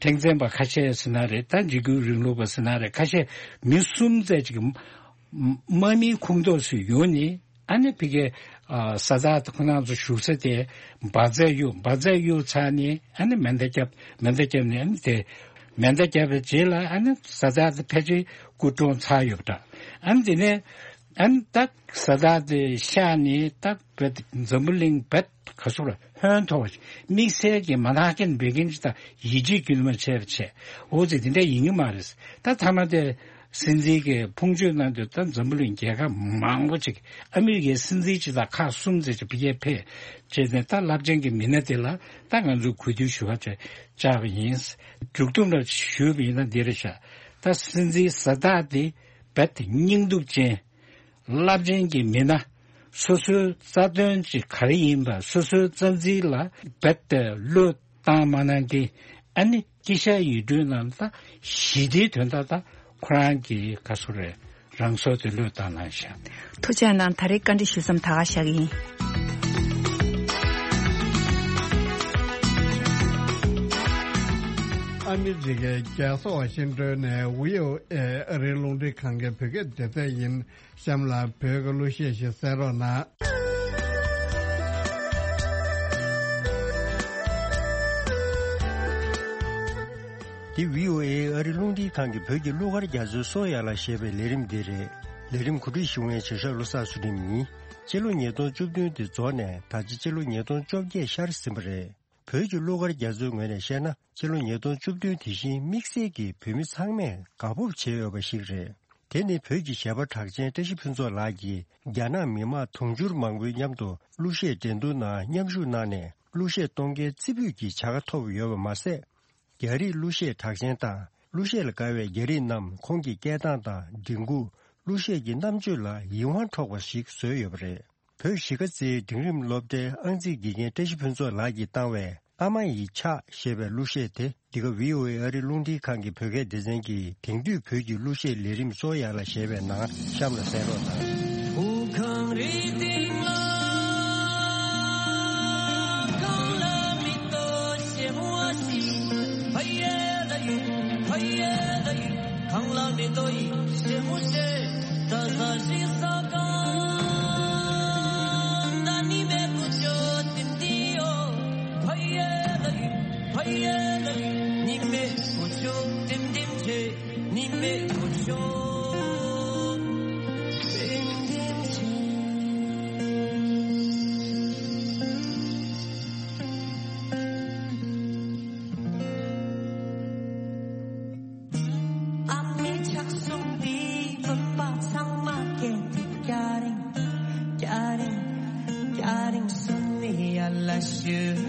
ཁྲེང་ཙེན་པ་ཁ་ཤས་ཟེར་ན་རེད། ད་འཇིགས་སྐུལ་རིང་ལུགས་པ་ཟེར་ན་རེད། ཁ་ཤས་མི་གསུམ་ཙམ་ཅིག་དམག་མིའི་ཁོངས་གཏོགས་སུ་ཡོང་ནས། ཨ་ནི་ཕ་གིའི་ཨ་ས་ཛག་ཁོ་རང་ཚོ་བཞུགས་ས་དེ་འབར་རྫས་གཡུགས། འབར་རྫས་གཡུགས་ཚར་ནས་ཨ་ནི་མེ་མདའ་བརྒྱབ། མེ་མདའ་བརྒྱབ་ནས་ཨ་ནི་དེ་མེ་མདའ་བརྒྱབ་པའི་རྗེས་ལ་ཨ་ནི་ས་ཛག་དེ་ཕལ་ཆེར་སྐུ་གྲོངས་ཚར་ཡོད་པ་འདྲ། ཨ་ནི་དེ་ནས་ཨ་ནི་ད་ས་ཛག་དེ་གཤེགས་ནས་ད་བད་འཛམ་བུ་གླིང་བད་ག་ཚོད་ལ་ཧོན་ཐོར་བ་ཞིག། དམིགས་བསལ་གྱི་མན་ཧ་ཀེན་བྷེ་ཀིན་ཅིག་དང་ཡིད་ཆེས་རྒྱུན་མ་ཆད་པ་བྱས། འོ་ཙི་དེ་འདྲ་ཡིན་གྱི་མ་རེད། ད་མཐའ་མ་དེ་སྲིད་འཛིན་གྱིས་ཕུང་མཆོད་གནང་དུས་ད་འཛམ་བུ་གླིང་རྒྱལ་ཁབ་མང་པོ་ཅིག། ཨ་མི་རི་ཀའི་སྲིད་འཛིན་ཅིག་དང་ཁག་གསུམ་ཙམ་ཅིག་ཕ་གིར་ཕེབས་བྱས་ནས། ད་རླབས་ཆེན་གྱི་མི་སྣ་དེ་ལ་ད་ང་ཚོས་གུས་འདུད་ཞུ་བ་བྱས་བཅར་བ་ཡིན། མཇུག་སྡོམ་ལ་ཞུས་པ་ཡིན་ན་འདི་རེད་ཤག། ད་སྲིད་འཛིན་ས་ཛག་དེ་རྦད་དེ་སྙིང་སྡུག་ཅན། རླབས་ཆེན་གྱི་མི་སྣ། སོ་སོའི་རྩ་དོན་ཅིག་ག་རེ་ཡིན་པ། སོ་སོའི་རྩ་འཛིན་ལ་རྦད་དེ་བློས་བཏང་མ་གནང་མཁན། ཨ་ནི་དཀྱིལ་ཤར་ཡུལ་གྲུའི་ནང་ད་ཞི་བདེའི་དོན་དག་ད་ཁོ་རང་གི་ག་སོ་རེད། རང་སོར་དུ་བློས་བཏང་གནང་ཤག་ཐུགས་རྗེ་གནང་། ད་རེས་བཀའ་འདྲི་ཞུ་མཚམས་ད་ག་བཞག་གི་ཡིན། ཨ་མི་རི་ཀའི་རྒྱལ་ས་ཝ་ཤིང་ཏོན་ནས་བྷི་ཨོ་ཨེ་ཨ་རིའི་རླུང་འཕྲིན་ཁང་གི་བོད་སྐད་སྡེ་ཚན་ཡིན། གཤམ་ལ་བོད་ཀྱི་གླུ་གཞས་ཤིག་གསན་རོགས་གནང་། འདི་བྷི་ཨོ་ཨེ་ཨ་རིའི་རླུང་འཕྲིན་ཁང་གི་བོད་ཀྱི་གླུ་གར་རྒྱ་མཚོའི་སོ་ཡ་ལ་ཞེས་པའི་ལས་རིམ་འདི་རེད། ལས་རིམ་གོ་སྒྲིག་ཞུ་མཁན་བྱེད་ཤག་བློ་བཟང་ཚུལ་ཁྲིམས་ཡིན། སྤྱི་ལོ་ཉིས་སྟོང་བཅུ་བདུན་དེ་རྫོགས་ནས་ད་ཆ་སྤྱི་ལོ་ཉིས་སྟོང་བཅོ་བརྒྱད་ཤར་ཟིན་པ་རེད། བོད་ཀྱི་གླུ་གར་རྒྱ་མཚོའི་ངོས་ནས་བཤད་ན། ཕྱི་ལོ་ཉིས་སྟོང་བཅུ་བདུན་དེ་བཞིན་དམིགས་བསལ་གྱིས་བོད་མི་ཚང་མས་དགའ་སྤོབས་བྱེད་འོས་པ་ཞིག་རེད། དེ་ནི་བོད་ཀྱི་གཞས་པ་གྲགས་ཅན་བཀྲ་ཤིས་ཕུན་ཚོགས་ལགས་ཀྱིས་རྒྱ་ནག་མི་དམངས་དུང་ཕྱུར་མང་པོའི་མཉམ་དུ་གླུ་གཞས་འགྲན་བསྡུར་ནང་མཉམ་ཞུགས་གནང་ནས་གླུ་གཞས་གཏོང་མཁན་རྩེ་ཕུད་ཀྱི་བྱ་དགའ་ཐོབ་ཡོད་པ་མ་ཟད། རྒྱ་རིགས་གླུ་གཞས་གྲགས་ཅན་དང་གླུ་གཞས་ལ་དགའ་བའི་རྒྱ་རིགས་རྣམས་ཁོང་གི་སྐད་གདངས་དང་མགྲིན་ཁུག་གླུ་གཞས་ཀྱི་རྣམ་དཔྱོད་ལ་ཡིད་དབང་འཕྲོག་པ་ཞིག་བཟོས་ཡོད་པ་རེད། བོད་གཞིས་ཀ་རྩེའི་འབྲིང་རིམ་སློབ་གྲྭའི་ཨང་རྩིས་དགེ་རྒན་བཀྲ་ཤིས་ཕུན་ཚོགས་ལགས་ཀྱིས་བཏང་བའི་ཨ་མ་ཡི་ཕྱག་ཞེས་པའི་གླུ་གཞས་དེ་འདི་ག་བྷི་ཨོ་ཨེ་ཨ་རིའི་རླུང་འཕྲིན་ཁང་གི་བོད་སྐད་སྡེ་ཚན་གྱི་དེང་དུས་བོད་ཀྱི་གླུ་གཞས་ལས་རིམ་གཙོ་ཡ་ལ་ཞེས་པའི་ནང་གཤམ་ལ་གསན་རོགས་གནང་། བོད་ཁམས་རི་སྟེང་ལ་གངས་ལ་མེ་ཏོག་ཞིམ་པོ་ཞིག་ཕ་ཡེ་ལ་ཡུ་ཕ་ཡེ་ལ་ཡུ། གངས་ལ་མེ་ཏོག་ཡིད་ཞིམ་མོ་ཞིག་ད་ས་ཞིག་ས་གང་ད་ནི་མེ་ཀུ་ཅོ་ཏིམ་ཏིམ་ཡོ། ཕ་ཡེ་ལ་ཡུ་ཕ་ཡེ་ལ་ཡུ། ནི་མེ་ཀུ་ཅོ་ཏིམ་ཏིམ་ཆེ། ནི་མེ་ཀུ་ཅོ་ཏིམ་ཏིམ་ཆེ། ཨ་མའི་ཕྱག་ཟུང་འདིས་བུམ་པ་ཚང་མ་སྐྱེལ་ཏེ། སྐྱ་རེངས་སྐྱ་རེངས་སྐྱ་རེངས་སུམ་ནི་ཡར་ལ་ཞུ།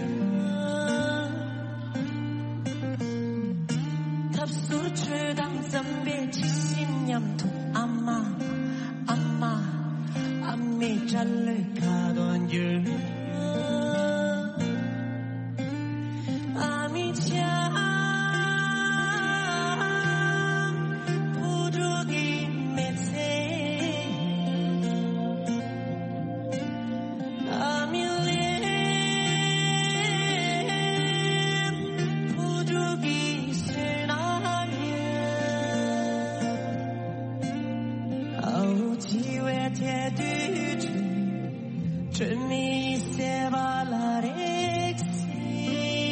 ཐབ་ཟུར་ཁྲོད་དང་འཛམ་བུའི་འཁྲི་ཤིང་མཉམ་དུ། ཨ་མ་ཨ་མ་ཨ་མའི་སྐྲ་ལོའི་ཁ་དོག་འགྱུར། ཨ་མའི་ལྕམ་བུ་ཕྲུག་གི་མི་ཚེ། ཨ་མའི་ལས་བུ་ཕྲུག་གི་སེམས་ནང་ཡོད། ཨ་འུ་འཆི་བའི་ཐལ་རྡུལ་ཁྲོད། དྲི་མེད་ཟེར་བ་ལ་རེག་སྲིད།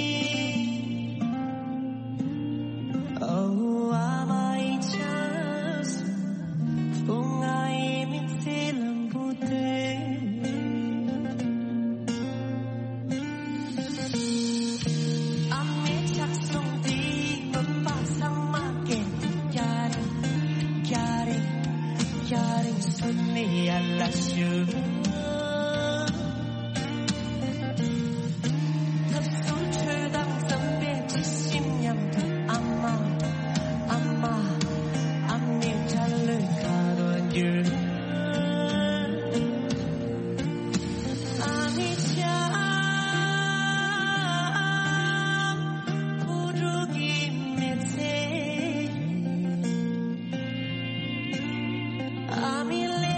ཨོ་ཨ་མ་ཡི་ཕྱག་སོ། ཨོ་ང་ཡི་མི་ཚེ་ལམ་བུ་དེ། ཨ་མའི་ཕྱག་ཟུང་འདིས་བུམ་པ་ཚང་མ་སྐྱེལ་ཏེ། སྐྱ་རེངས་སྐྱ་རེངས་སྐྱ་རེངས་སུམ་ནི་ཡར་ལ་ཞུ། ཐབ་ཟུར་ཁྲོད་དང་འཛམ་བུའི་འཁྲི་ཤིང་མཉམ་དུ། ཨ་མ་ཨ་མ་ཨ་མའི་སྐྲ་ལོའི་ཁ་དོག་འགྱུར། ཨ་མའི་ལྕམ་བུ་ཕྲུག་གི་མི་ཚེ། ཨ་མའི་ལས་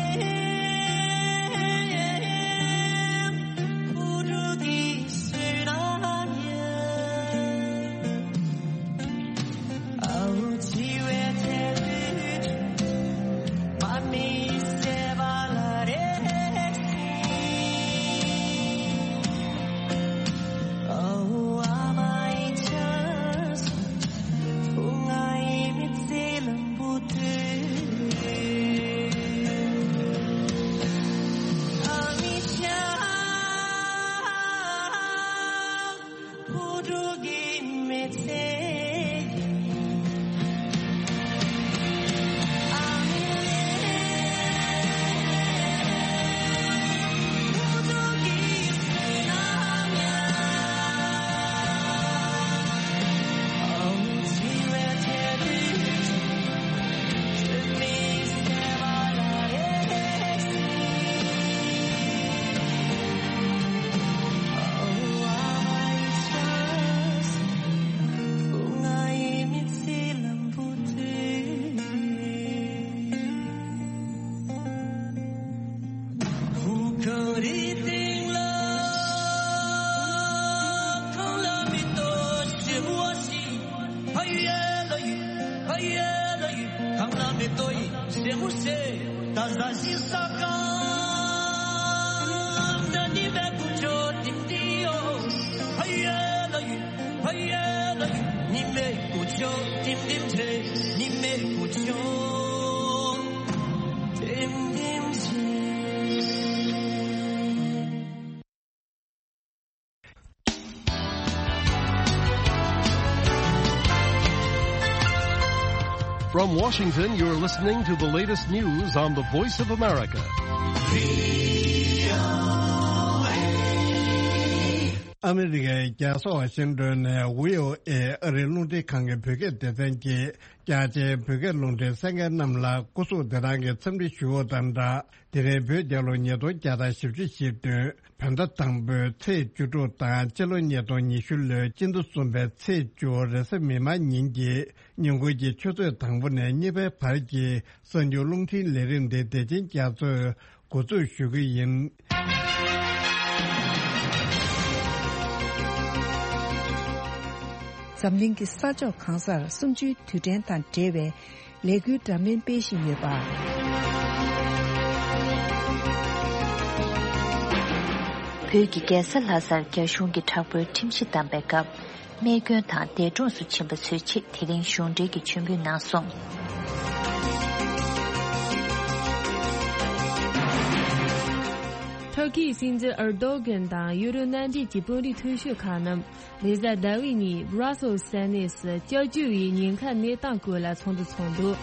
From Washington, you're listening to the latest news on the Voice of America. ཨ་མི་རི་ཀའི་རྒྱལ་ས་ཝ་ཤིང་ཏོན་ནས་ཝི་ཨོ་ཨེ་ཨ་རིའི་རླུང་འཕྲིན་ཁང་གི་བོད་སྐད་སྡེ་ཚན་གྱིས་རྒྱ་ཆེའི་བོད་སྐད་རླུང་འཕྲིན་གསན་མཁན་རྣམས་ལ་སྐུ་གཟུགས་བདེ་ཐང་གི་འཚམས་འདྲི་ཞུ་བ་དང་སྦྲགས། དེ་རིང་བོད་རྒྱལ་ལོ་ཉིས་སྟོང་བརྒྱ་དང་བཞི་བཅུ་ཞེ་བདུན། བོད་ཟླ་དང་པོའི་ཚེས་བཅུ་དྲུག་དང་། སྤྱི་ལོ་ཉིས་སྟོང་ཉི་ཤུ་ལོའི་སྤྱི་ཟླ་གསུམ་པའི་ཚེས་བཅུ་རེས་གཟའ་མིག་དམར་ཉིན་གྱི་ཉིན་གུང་གི་ཆུ་ཚོད་དང་པོ་ནས་གཉིས་པའི་བར་གྱི་གསར་འགྱུར་རླུང་འཕྲིན་ལས་རིམ་འདི་བདེ་ཆེན་རྒྱ་མཚོས་འགོ་འཛུགས་ཞུ་གི་ཡིན། འཛམ་གླིང་གི་ས་ཕྱོགས་གང་སར་གསུམ་བཅུའི་དུས་དྲན་དང་འབྲེལ་བའི་ལས་འགུལ་འདྲ་མིན་སྤེལ་བཞིན་ཡོད་པ། བོད་ཀྱི་རྒྱལ་ས་ལྷ་སར་རྒྱ་གཞུང་གིས་དྲག་པོའི་ཁྲིམས་གཞི་བསྡམས་པའི་སྐབས། རྨས་སྐྱོན་དང་འདས་གྲོངས་སུ་ཕྱིན་པ་ཚོའི་ཆེད་དེ་རིང་གཞུང་འབྲེལ་གྱི་མཆོད་འབུལ་གནང་སོང་། ཐུར་ཁེའི་སྲིད་འཛིན་ཨར་དོ་གྷན་དང་ཡུ་རོབ་མནའ་འབྲེལ་གྱི་དཔོན་རིགས་མཐོ་ཤོས་ཁག་རྣམས། རེས་གཟའ་ཟླ་བའི་ཉིན་Brussels ས་གནས་སུ་སྐྱབས་བཅོལ་བའི་ཉེན་ཁ་གནས་སྟངས་སྐོར་ལ་ཚོགས་འདུ་ཚོགས་འདུག།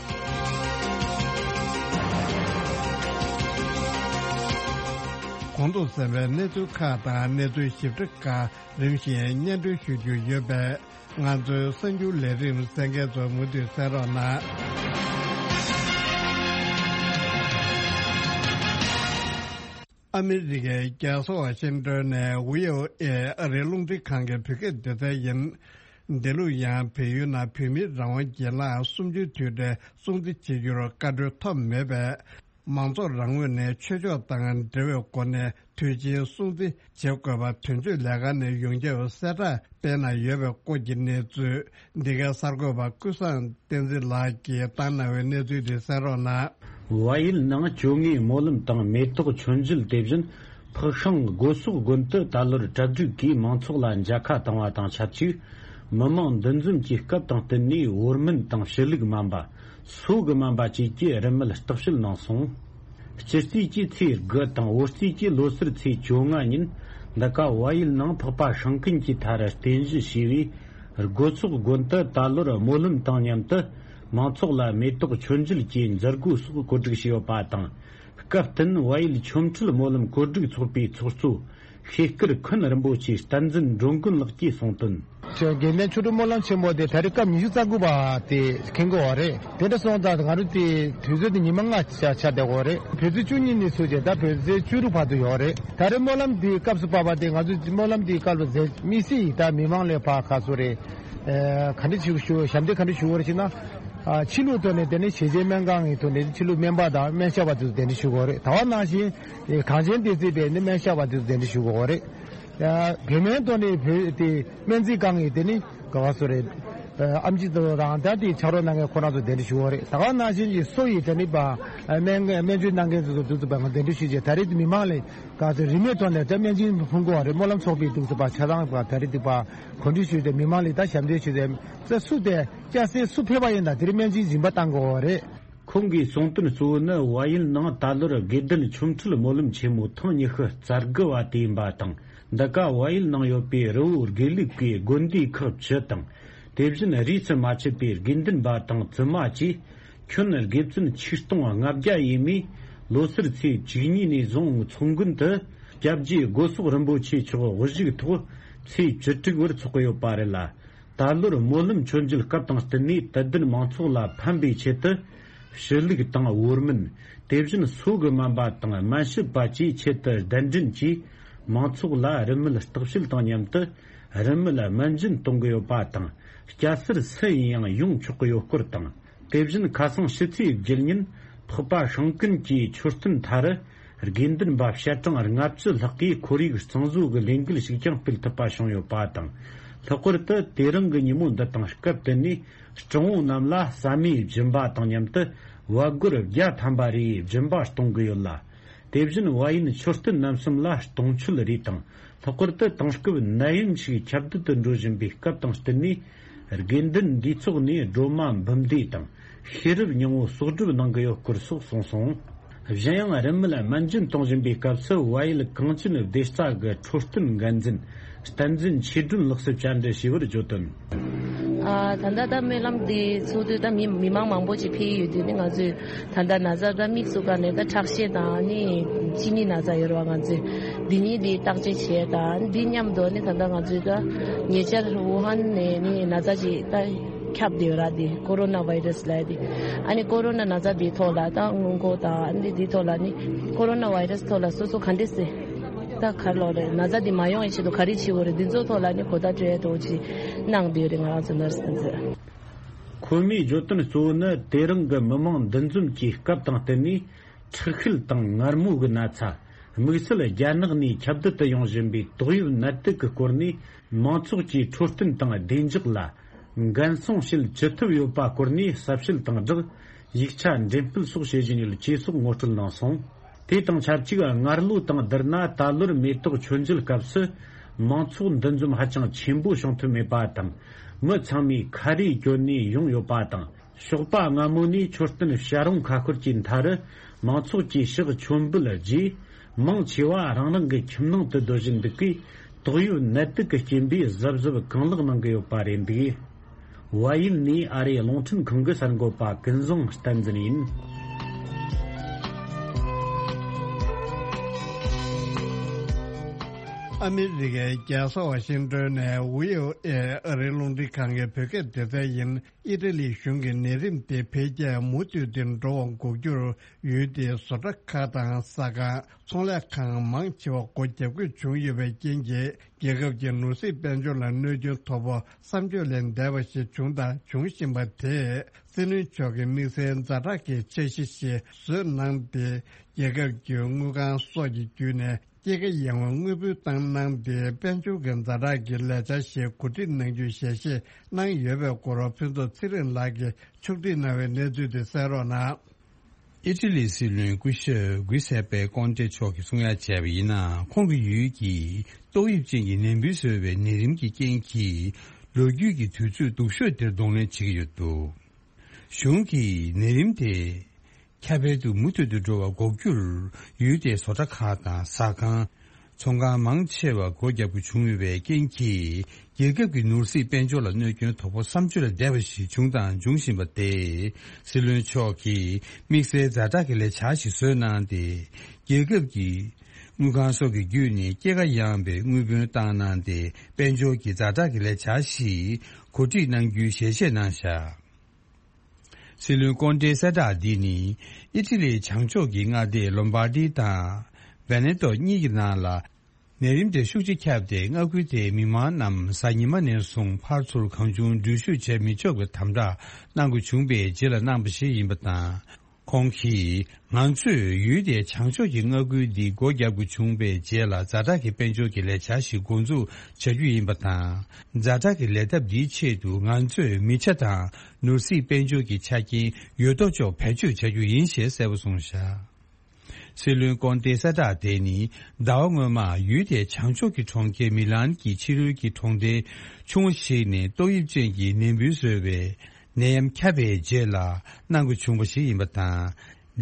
གོང་དུ་གསན་པའི་གནས་ཚུལ་ཁག་དང་གནས་ཚུལ་ཞིབ་ཕྲ་ཁག་རིམ་བཞིན་སྙན་སྒྲོན་ཞུ་རྒྱུ་ཡོད་པས། ང་ཚོའི་གསར་འགྱུར་ལས་རིམ་གསན་མཁན་ཚོ་མུ་མཐུད་གསན་རོགས་གནང་། ཨ་མི་རི་ཀའི་རྒྱལ་ས་ཝ་ཤིང་ཏོན་ནས་ཝི་ཨོ་ཨེ་ཨ་རིའི་རླུང་འཕྲིན་ཁང་གི་བོད་སྐད་སྡེ་ཚན་ཡིན། འདི་ལོ་ཡང་བལ་ཡུལ་ནང་བོད་མིའི་རང་དབང་སྒེར་ལངས་གསུམ་བཅུའི་དུས་དྲན་སྲུང་བརྩི་བྱེད་རྒྱུར་བཀའ་འཁྲོལ་ཐོབ་མེད་པས། མང་ཚོགས་རང་ངོས་ནས་ཆོས་ཕྱོགས་དང་འབྲེལ་བའི་སྒོ་ནས་དུས་ཆེན་སྲུང་བརྩི་བྱེད་དགོས་པ་དོན་གཅོད་ལས་ཁང་ནས་ཡོངས་ཁྱབ་གསལ་བསྒྲགས་སྤེལ་གནང་ཡོད་པའི་སྐོར་གྱི་གནས་ཚུལ། འདི་གའི་གསར་འགོད་པ་ཀུན་བཟང་བསྟན་འཛིན་ལགས་ཀྱིས་བཏང་གནང་བའི་གནས་ཚུལ་འདི་གསན་རོགས་གནང་། བལ་ཡུལ་ནང་བཅོ་ལྔའི་སྨོན་ལམ་དང་མེ་ཏོག་མཆོད་མཇལ། དེ་བཞིན་ཕག་ཤང་སྒོ་ཟོག་དགོན་དུ་ད་ལོར་གྲ་སྒྲིག་གིས་མང་ཚོགས་ལ་མཇལ་ཁ་བཏང་བ་དང་ཆབས་ཅིག། མི་མང་འདུ་འཛོམས་ཀྱི་སྐབས་དང་བསྟུན་ནས་བོར་སྨན་དང་ཞུ་ལུག་སྨན་པ། སོ་གི་སྨན་པ་བཅས་ཀྱིས་རིན་མེད་བརྟག་དཔྱད་གནང་སོང་། སྤྱི་རྩིས་ཀྱི་ཚེས་དགུ་དང་བོད་རྩིས་ཀྱི་ལོ་སར་ཚེས་བཅོ་ལྔ་ཉིན། འདི་ག་བལ་ཡུལ་ནང་འཕགས་པ་སྲང་ཀུན་གྱི་མཐར་རྟེན་གཞི་བྱས་པའི་སྒོ་ཟོག་དགོན་དུ་ད་ལོར་སྨོན་ལམ་དང་མཉམ་དུ་མང་ཚོགས་ལ་མེ་ཏོག་མཆོད་མཇལ་གྱི་མཛད་སྒོ་སོགས་གོ་སྒྲིག་བྱས་ཡོད་པ་དང་། སྐབས་བསྟུན་བལ་ཡུལ་ཆོ་འཕྲུལ་སྨོན་ལམ་གོ་སྒྲིག་ཚོགས་པའི་ཚོགས་གཙོ་ཤེས་དཀར་ཁུན་རིན་པོ་ཆེ་བསྟན་འཛིན་འགྲོ་མགོན་ལགས་ཀྱིས་གསུངས་དོན། དགེ་ལྡན་ཆོ་འཕྲུལ་སྨོན་ལམ་ཆེན་མོ་དེ་ད་རེས་སྐབས་ཉི་ཤུ་རྩ་དགུ་པ་དེ་འཁེལ་གྱི་ཡོད་རེད། དེ་འདྲ་སོང་ཙང་ང་རང་དེ་དུས་ཚོད་དེ་ཉི་མ་ལྔ་ཆ་ཆ་བསྡད་ཡོད་རེད། བོད་ཚེས་བཅུ་གཉིས་ནས་ཚུགས་བྱས་ད་བོད་ཚེས་བཅུ་དྲུག་བར་དུ་ཡོད་རེད། ད་རེས་སྨོན་ལམ་དེའི་སྐབས་སུ་བབས་པ་དེ་ང་ཚོ་སྨོན་ལམ་དེའི་སྐབས་ལ་མཛད་དམིགས་བསལ་ཡིན་ད་མི་མང་ལ་ཕར་ཁ་གསོ་རེད། ཨ་ག་འདྲ་ཞིག་ཞུ་ཞབས་འདེགས་ག་འདྲ་ཞུ་དགོས་རེད་ཅེ་ན། ཨ་ཕྱི་ལུགས་ཐོག་ནས་དེ་ནི་ཞལ་ཆད་སྨན་ཁང་གི་ཐོག་ནས་ཕྱི་ལུགས་སྨན་པ་དང་སྨན་ཞབས་པ་དེ་ཚོ་གདན་འདྲེན་ཞུ་དགོས་རེད། ད་བ་ནང་བཞིན་གངས་ཅན་བདེ་སྐྱིད་པའི་ནི་སྨན་ཞབས་པ་དེ་ཚོ་གདན་འདྲེན་ཞུ་དགོས་རེད། ཡ་བོད་སྨན་ཐོག་ནས་བོད་དེ་སྨན་རྩིས་ཁང་གི་དེ་ནི་ག་བ་སོ་རེད། ཨ་ཨེམ་ཆི་དེ་ཚོ་དང་ད་དེ་ཕྱག་རོགས་གནང་མཁན་ཁོ་རང་ཚོ་གདན་འདྲེན་ཞུ་དགོས་རེད། ད་བ་ནང་བཞིན་གྱི་སོ་ཡི་དེ་ནི་པ་སྨན་སྨན་བཅོས་གནང་མཁན་ཚོ་དེ་ཚོ་པ་ང་གདན་འདྲེན་ཞུ་བྱས་ད་རེས་མི་མང་ལ་ག་ཚོད་རིན་མེད་ཐོག་ནས་ད་སྨན་སྦྱིན་ཕུལ་དགོས་རེད། སྨོན་ལམ་ཚོགས་པའི་དེ་ཚོ་པ་ཆ་ཚང་པ་ད་རེས་དེ་པ་གོ་སྒྲིག་ཞུས་ཏེ་མི་མང་ལ་ད་ཞབས་འདེགས་ཞུས་ཏེ་ས་སུ་དེ་སྐྱ་སེར་སུ་ཕེབས་པ་ཡིན་ན་དེར་སྨན་སྦྱིན་རིན་པ་བཏང་དགོས་པ་རེད། ཁོང་གིས་གསུངས་དོན་གཙོ་བོ་ནི་བལ་ཡུལ་ནང་ད་ལོར་དགེ་ལྡན་ཆོ་འཕྲུལ་སྨོན་ལམ་ཆེན་མོ་ཐེངས་ཉི་ཤུ་རྩ་དགུ་བ་དེ་ཡིན་པ་དང་། འདི་ག་བལ་ཡུལ་ནང་ཡོད་པའི་རི་བོ་དགེ་ལུགས་ཀྱི་དགོན་སྡེ་ཁག་བཅུ་དང་། དེ་བཞིན་རིས་སུ་མ་ཆད་པའི་དགེ་འདུན་པ་དང་བཙུན་མ་བཅས་ཁྱོན་དགེ་བཙུན་ཆིག་སྟོང་ལྔ་བརྒྱ་ཡས་མས་ལོ་སར་ཚེས་བཅུ་གཉིས་ནས་བཟུང་མཚོ་དགོན་དུ་སྐྱབས་རྗེ་སྒོ་ཟོག་རིན་པོ་ཆེ་མཆོག་དབུ་བཞུགས་ཐོག་ཚེས་བཅུ་དྲུག་བར་འཚོགས་ཀྱི་ཡོད་པ་རེད་ལ། ད་ལོར་སྨོན་ལམ་མཆོད་མཇལ་སྐབས་དང་བསྟུན་ནས་དད་ལྡན་མང་ཚོགས་ལ་ཕན་པའི་ཆེད་དུ་ཞུ་ལུག་དང་བོར་སྨན། དེ་བཞིན་སོ་གི་སྨན་པ་དང་སྨན་ཞབས་པ་བཅས་ཆེད་དུ་གདན་འདྲེན་གྱིས་མང་ཚོགས་ལ་རིན་མེད་བརྟག་དཔྱད་དང་མཉམ་དུ་རིན་མེད་སྨན་སྦྱིན་གཏོང་གི་ཡོད་པ་དང་། སྐྱ་སེར་སུ་ཡིན་ཡང་ཡོང་ཆོག་གི་ཡོད་སྐོར་དང་། དེ་བཞིན་ཁ་སང་ཕྱི་ཚེས་བརྒྱད་ཉིན་འཕགས་པ་སྲང་ཀུན་གྱི་མཆོད་རྟེན་མཐའ་རུ་དགེ་འདུན་པ་ཞལ་གྲངས་ལྔ་བཅུ་ལྷག་གིས་ཁོར་ཡུག་གཙང་བཟོ་གི་ལས་འགུལ་ཞིག་ཀྱང་སྤེལ་ཐུབ་པ་བྱུང་ཡོད་པ་དང་ ལྷག་པར་དུ་དེ་རིང་གི་ཉིན་མོ་འདི་དང་སྐབས་དེ་ནས་སྤྲང་བོ་རྣམས་ལ་ཟ་མའི་སྦྱིན་པ་དང་མཉམ་དུ་བལ་སྒོར་བརྒྱ་ཐམ་པ་རེའི་སྦྱིན་པ་གཏོང་གི་ཡོད་ལ། དེ་བཞིན་བལ་ཡུལ་མཆོད་རྟེན་རྣམ་གསུམ་ལ་གཏོང་མཆོད་རེ་དང་། ལྷག་པར་དུ་དེང་སྐབས་ནད་ཡམས་ཤིག་ཁྱབ་གདལ་དུ་འགྲོ་བཞིན་པའི་སྐབས་དང་བསྟུན་ནས། དགེ་འདུན་འདུས་ཚོགས་ནས་སྒྲོལ་མ་འབུམ་སྡེ་དང་ཤེས་རབ་སྙིང་པོ་གསོག་སྒྲུབ་གནང་གི་ཡོད་སྐོར་སོགས་གསུངས་སོང་། གཞན་ཡང་རིན་མེད་སྨན་སྦྱིན་གཏོང་བཞིན་པའི་སྐབས་སུ་བལ་ཡུལ་གངས་ཅན་བདེ་རྩ་གི་འཕྲོད་བསྟེན་འགན་འཛིན་བསྟན་འཛིན་ཆོས་སྒྲོན་ལགས་སུ་བཅར་འདྲི་ཞུས་པར་བརྗོད་དོན། ཨ། ད་ལྟ་ད་སྨོན་ལམ་འདི་ཚོགས་དུས་ད་མི་མི་མང་མང་པོ་ཅིག་ཕེབས་ཡོད་དུས་ནི། ང་ཚོས་ད་ལྟ་ན་ཚ་ད་དམིགས་སུ་བཀར་ནས་ད་ཁྲག་ཤེད་དང་ནི་ཅི་ནི་ན་ཚ་ཡོད་རེད་བ། ང་ཚོས་འདི་གཉིས་འདི་བརྟག་དཔྱད་བྱས་དང་། འདི་མཉམ་དུ་ནི་ད་ལྟ་ང་ཚོས་ད་ཉེ་ཆར་ཝུ་ཧན་ནས་ནི་ན་ཚ་ཅིག་ད་ཁྱབ་བསྡད་ཡོད་ར། འདི་ཀོ་རོ་ན་བྷའི་རེ་སི་ལབ་ཡ་འདི། ཨ་ནི་ཀོ་རོ་ན་ན་ཚ་འདིའི་ཐོག་ལ་ད་སྔོན་འགོག་དང་ཨ་ནི་འདིའི་ཐོག་ལ་ནི་ཀོ་རོ་ན་བྷའི་རེ་སི་ཐོག་ལ་སོ་སོ་ག་འདྲས་སེ་ད་ག་རེ་ལབ་རེད། ན་ཚ་འདི་མ་ཡོང་བའི་ཆེད་དུ་ག་རེ་བྱེད་དགོས་རེད། འདི་ཚོའི་ཐོག་ལ་ནི་གོ་བརྡ་སྤྲོད་ཡ་འདྲ་བོ་ཅིག་གནང་བསྡད་ཡོད་རེད། ང་རང་ཚོ་ནར་སི་དེ་ཚོས། ཁོ་མོས་བརྗོད་དོན་གཙོ་བོ་ནི། དེ་རིང་གི་མི་མང་འདུ་འཛོམས་ཀྱི་སྐབས་དང་བསྟུན་ནས། མཁྲེགས་ཤལ་དང་ངར་མོ་གི་ན་ཚ། དམིགས་བསལ་རྒྱ་ནག་ནས་ཁྱབ་གདལ་དུ་ཡོང་བཞིན་པའི་ཏོག་དབྱིབས་ནད་དུག་གི་སྐོར་ནས། མང་ཚོགས་ཀྱི་འཕྲོད་བསྟེན་དང་བདེ་འཇགས་ལ་འགན་སྲུང་བྱེད་ཅི་ཐུབ་ཡོད་པ་སྐོར་ནས་ཟབ་བཤད་དང་སྦྲགས། ཡིག་ཆ་འགྲེམས་སྤེལ་སོགས་བྱེད་བཞིན་ཡོད་ཅེས་སོགས་ངོ་སྤྲོད་གནང་སོང་། དེ་དང་ཆབས་ཅིག་སྔར་ལོ་དང་བསྡུར་ན། ད་ལོར་མེ་ཏོག་མཆོད་མཇལ་སྐབས་སུ་མང་ཚོགས་འདུ་འཛོམས་ཧ་ཅང་ཆེན་པོ་བྱུང་ཐུབ་མེད་པ་དང་། མི་ཚང་མས་ཁ་རས་གྱོན་ནས་ཡོང་ཡོད་པ་དང་། ཞོགས་པ་སྔ་མོ་ནས་མཆོད་རྟེན་བྱ་རུང་ཁ་ཤོར་གྱི་མཐའ་རུ་མང་ཚོགས་ཀྱིས་ཕྱག་མཆོད་འབུལ་རྗེས། མང་ཆེ་བ་རང་རང་གི་ཁྱིམ་ནང་དུ་སྡོད་བཞིན་འདུག་གས། ཏོག་དབྱིབས་ནད་དུག་གི་རྐྱེན་པས་གཟབ་གཟབ་གང་ལེགས་གནང་གི་ཡོད་པ་རེད་འདུག། བལ་ཡུལ་ནས་ཨ་རིའི་རླུང་འཕྲིན་ཁང་གི་གསར་འགོད་པ་ཀུན་བཟང་བསྟན་འཛིན་ཡིན། ཨ་མི་རི་ཀའི་རྒྱལ་ས་ཝ་ཤིང་ཏོན་ནས་བྷི་ཨོ་ཨེ་ཨ་རིའི་རླུང་འཕྲིན་ཁང་གི་བོད་སྐད་སྡེ་ཚན་ཡིན། ཨི་ཊ་ལི་གཞུང་གིས་ནད་རིམས་དེ་འཕེལ་རྒྱས་མུ་མཐུད་དེ་འགྲོ་བ་འགོག་རྒྱུར། ཡུལ་དེའི་བཟོ་གྲྭ་ཁག་དང་ཟ་ཁང་། ཚོང་ལས་ཁང་མང་ཆེ་བ་སྒོ་བརྒྱབ་དགོས་བྱུང་ཡོད་པའི་རྐྱེན་གྱིས། རྒྱལ་ཁབ་ཀྱི་ནོར་སྲིད་དཔལ་འབྱོར་ལ་གནོད་སྐྱོན་དོ་ཕོག་བསམ་བརྗོད་ལས་འདས་པ་ཞིག་བྱུང་དང་འབྱུང་བཞིན་པ་དེས། སྲིད་བློན་མཆོག་གིས་དམིགས་བསལ་ཛ་དྲག་གི་འཆར་གཞི་ཞིག་བཟོས་གནང་སྟེ། རྒྱལ་ཁབ་ཀྱི་དངུལ་ཁང་སོགས་ཀྱི་བརྒྱུད་ནས། སྐྱེད་ཀ་ཡངས་པའི་དངུལ་བུན་བཏང་གནང་སྟེ། དཔལ་འབྱོར་གྱི་ཛ་དྲག་གི་ལས་འཆར་ཞིག་གོ་སྒྲིག་གནང་རྒྱུའི་ཞལ་བཞེས་གནང་ཡོད་པའི་སྐོར། ཕུན་ཚོགས་ཚེ་རིང་ལགས་ཀྱིས་ཕྱོགས་སྒྲིག་གནང་བའི་གནས་ཚུལ་དེ་གསན་རོགས་གནང་། ཨི་ཊ་ལིའི་སྲིད་བློན་སྐུ་ཞབས་གུས་སེ་པེ་ཀོན་ཏེ་མཆོག་གིས་གསུང་ཡ་བྱས་པ་ཡིན་ན། ཁོང་གི་ཡུལ་གྱིས་ཏོག་དབྱིབས་ཅན་གྱི་ནད་འབུ་བཟོས་པའི་ནད་རིམས་ཀྱི་རྐྱེན་གྱིས། ལོ་རྒྱུས་ཀྱི་དུས་ཚོད་སྡུག་ཤོས་དེར་གདོང་ལེན་བྱེད་ཀྱི་ཡོད་འདུག། གཞུང་གིས་ནད་རིམས་དེ་ཁྱབ་སྤེལ་དུ་མུ་མཐུད་དུ་འགྲོ་བ་འགོག་རྒྱུར། ཡུལ་དེའི་བཟོ་གྲྭ་ཁག་དང་ཟ་ཁང་། ཚོང་ཁང་མང་ཆེ་བ་སྒོ་བརྒྱབ་དགོས་བྱུང་ཡོད་པའི་རྐྱེན་གྱིས། རྒྱལ་ཁབ་ཀྱི་ནོར་སྲིད་དཔལ་འབྱོར་ལ་གནོད་སྐྱོན་དོ་ཕོག་བསམ་བརྗོད་ལས་འདས་པ་ཞིག་བྱུང་དང་འབྱུང་བཞིན་པ་སྟེ། སྲིད་བློན་མཆོག་གིས་དམིགས་བསལ་ཛ་དྲག་གི་ལས་འཆར་ཞིག་བཟོས་གནང་སྟེ། རྒྱལ་ཁབ་ཀྱི་དངུལ་ཁང་སོགས་ཀྱི་བརྒྱུད་ནས། སྐྱེད་ཀ་ཡངས་པའི་དངུལ་བུན་བཏང་གནང་སྟེ། དཔལ་འབྱོར་གྱི་ཛ་དྲག་གི་ལས་འཆར་ཞིག་གོ་སྒྲིག་གནང་རྒྱུའི་ཞལ་བཞེས་གནང་བཞག། སྲིད་བློན་ཀོན་ཏེའི་གསལ་བསྒྲགས་འདི་ནི། ཨི་ཊ་ལིའི་བྱང་ཕྱོགས་ཀྱི་མངའ་སྡེ་ལོམ་བྷར་ཌི་དང་ཝེ་ནེ་ཏོ་གཉིས་ཀྱི་ནང་ལ། ནད་རིམས་དེ་ཤུགས་ཆེ་ཁྱབ་སྟེ། མངའ་ཁུལ་དེའི་མི་མང་རྣམས་གཟའ་ཉི་མ་ནས་བཟུང་ཕར་ཚུར་གང་བྱུང་འགྲུལ་བཞུད་བྱེད་མི་ཆོག་པའི་དམ་བསྒྲགས་གནང་དགོས་བྱུང་བའི་རྗེས་ལ་གནང་པ་ཞིག་ཡིན་པ་དང་། ཁོང་གིས། ང་ཚོས་ཡུལ་དེའི་བྱང་ཕྱོགས་ཀྱི་མངའ་ཁུལ་འདི་སྒོ་བརྒྱབ་དགོས་བྱུང་བའི་རྗེས་ལ། ཛ་དྲག་གི་དཔལ་འབྱོར་གྱི་ལས་འཆར་ཞིག་འགོ་འཛུགས་བྱ་རྒྱུ་ཡིན་པ་དང་། ཛ་དྲག་གི་ལས་ཐབས་འདིའི་ཆེད་དུ། ང་ཚོས་མི་ཆ་དང་ནོར་སྲིད་དཔལ་འབྱོར་གྱི་ཆ་རྐྱེན་ཡོད་དོ་ཅོག་བེད་སྤྱོད་བྱ་རྒྱུ་ཡིན་ཞེས་གསལ་པོ་གསུངས་བཞག། སྲིད་བློན་ཀོན་ཏེའི་གསལ་བསྒྲགས་དེ་ནི། ཟླ་བ་སྔོན་མ་ཡུལ་དེའི་བྱང་ཕྱོགས་ཀྱི་གྲོང་ཁྱེར་མི་ལན་གྱི་ཕྱི་རོལ་གྱི་གྲོང་སྡེ་ཆུང་ངུ་ཞིག་ནས་ཏོག་དབྱིབས་ཅན་གྱི་ནད་འབུ་བཟོས་པའི་ནད་ཡམས་ཁྱབ་པའི་རྗེས་ལ་གནང་དགོས་བྱུང་བ་ཞིག་ཡིན་པ་དང་།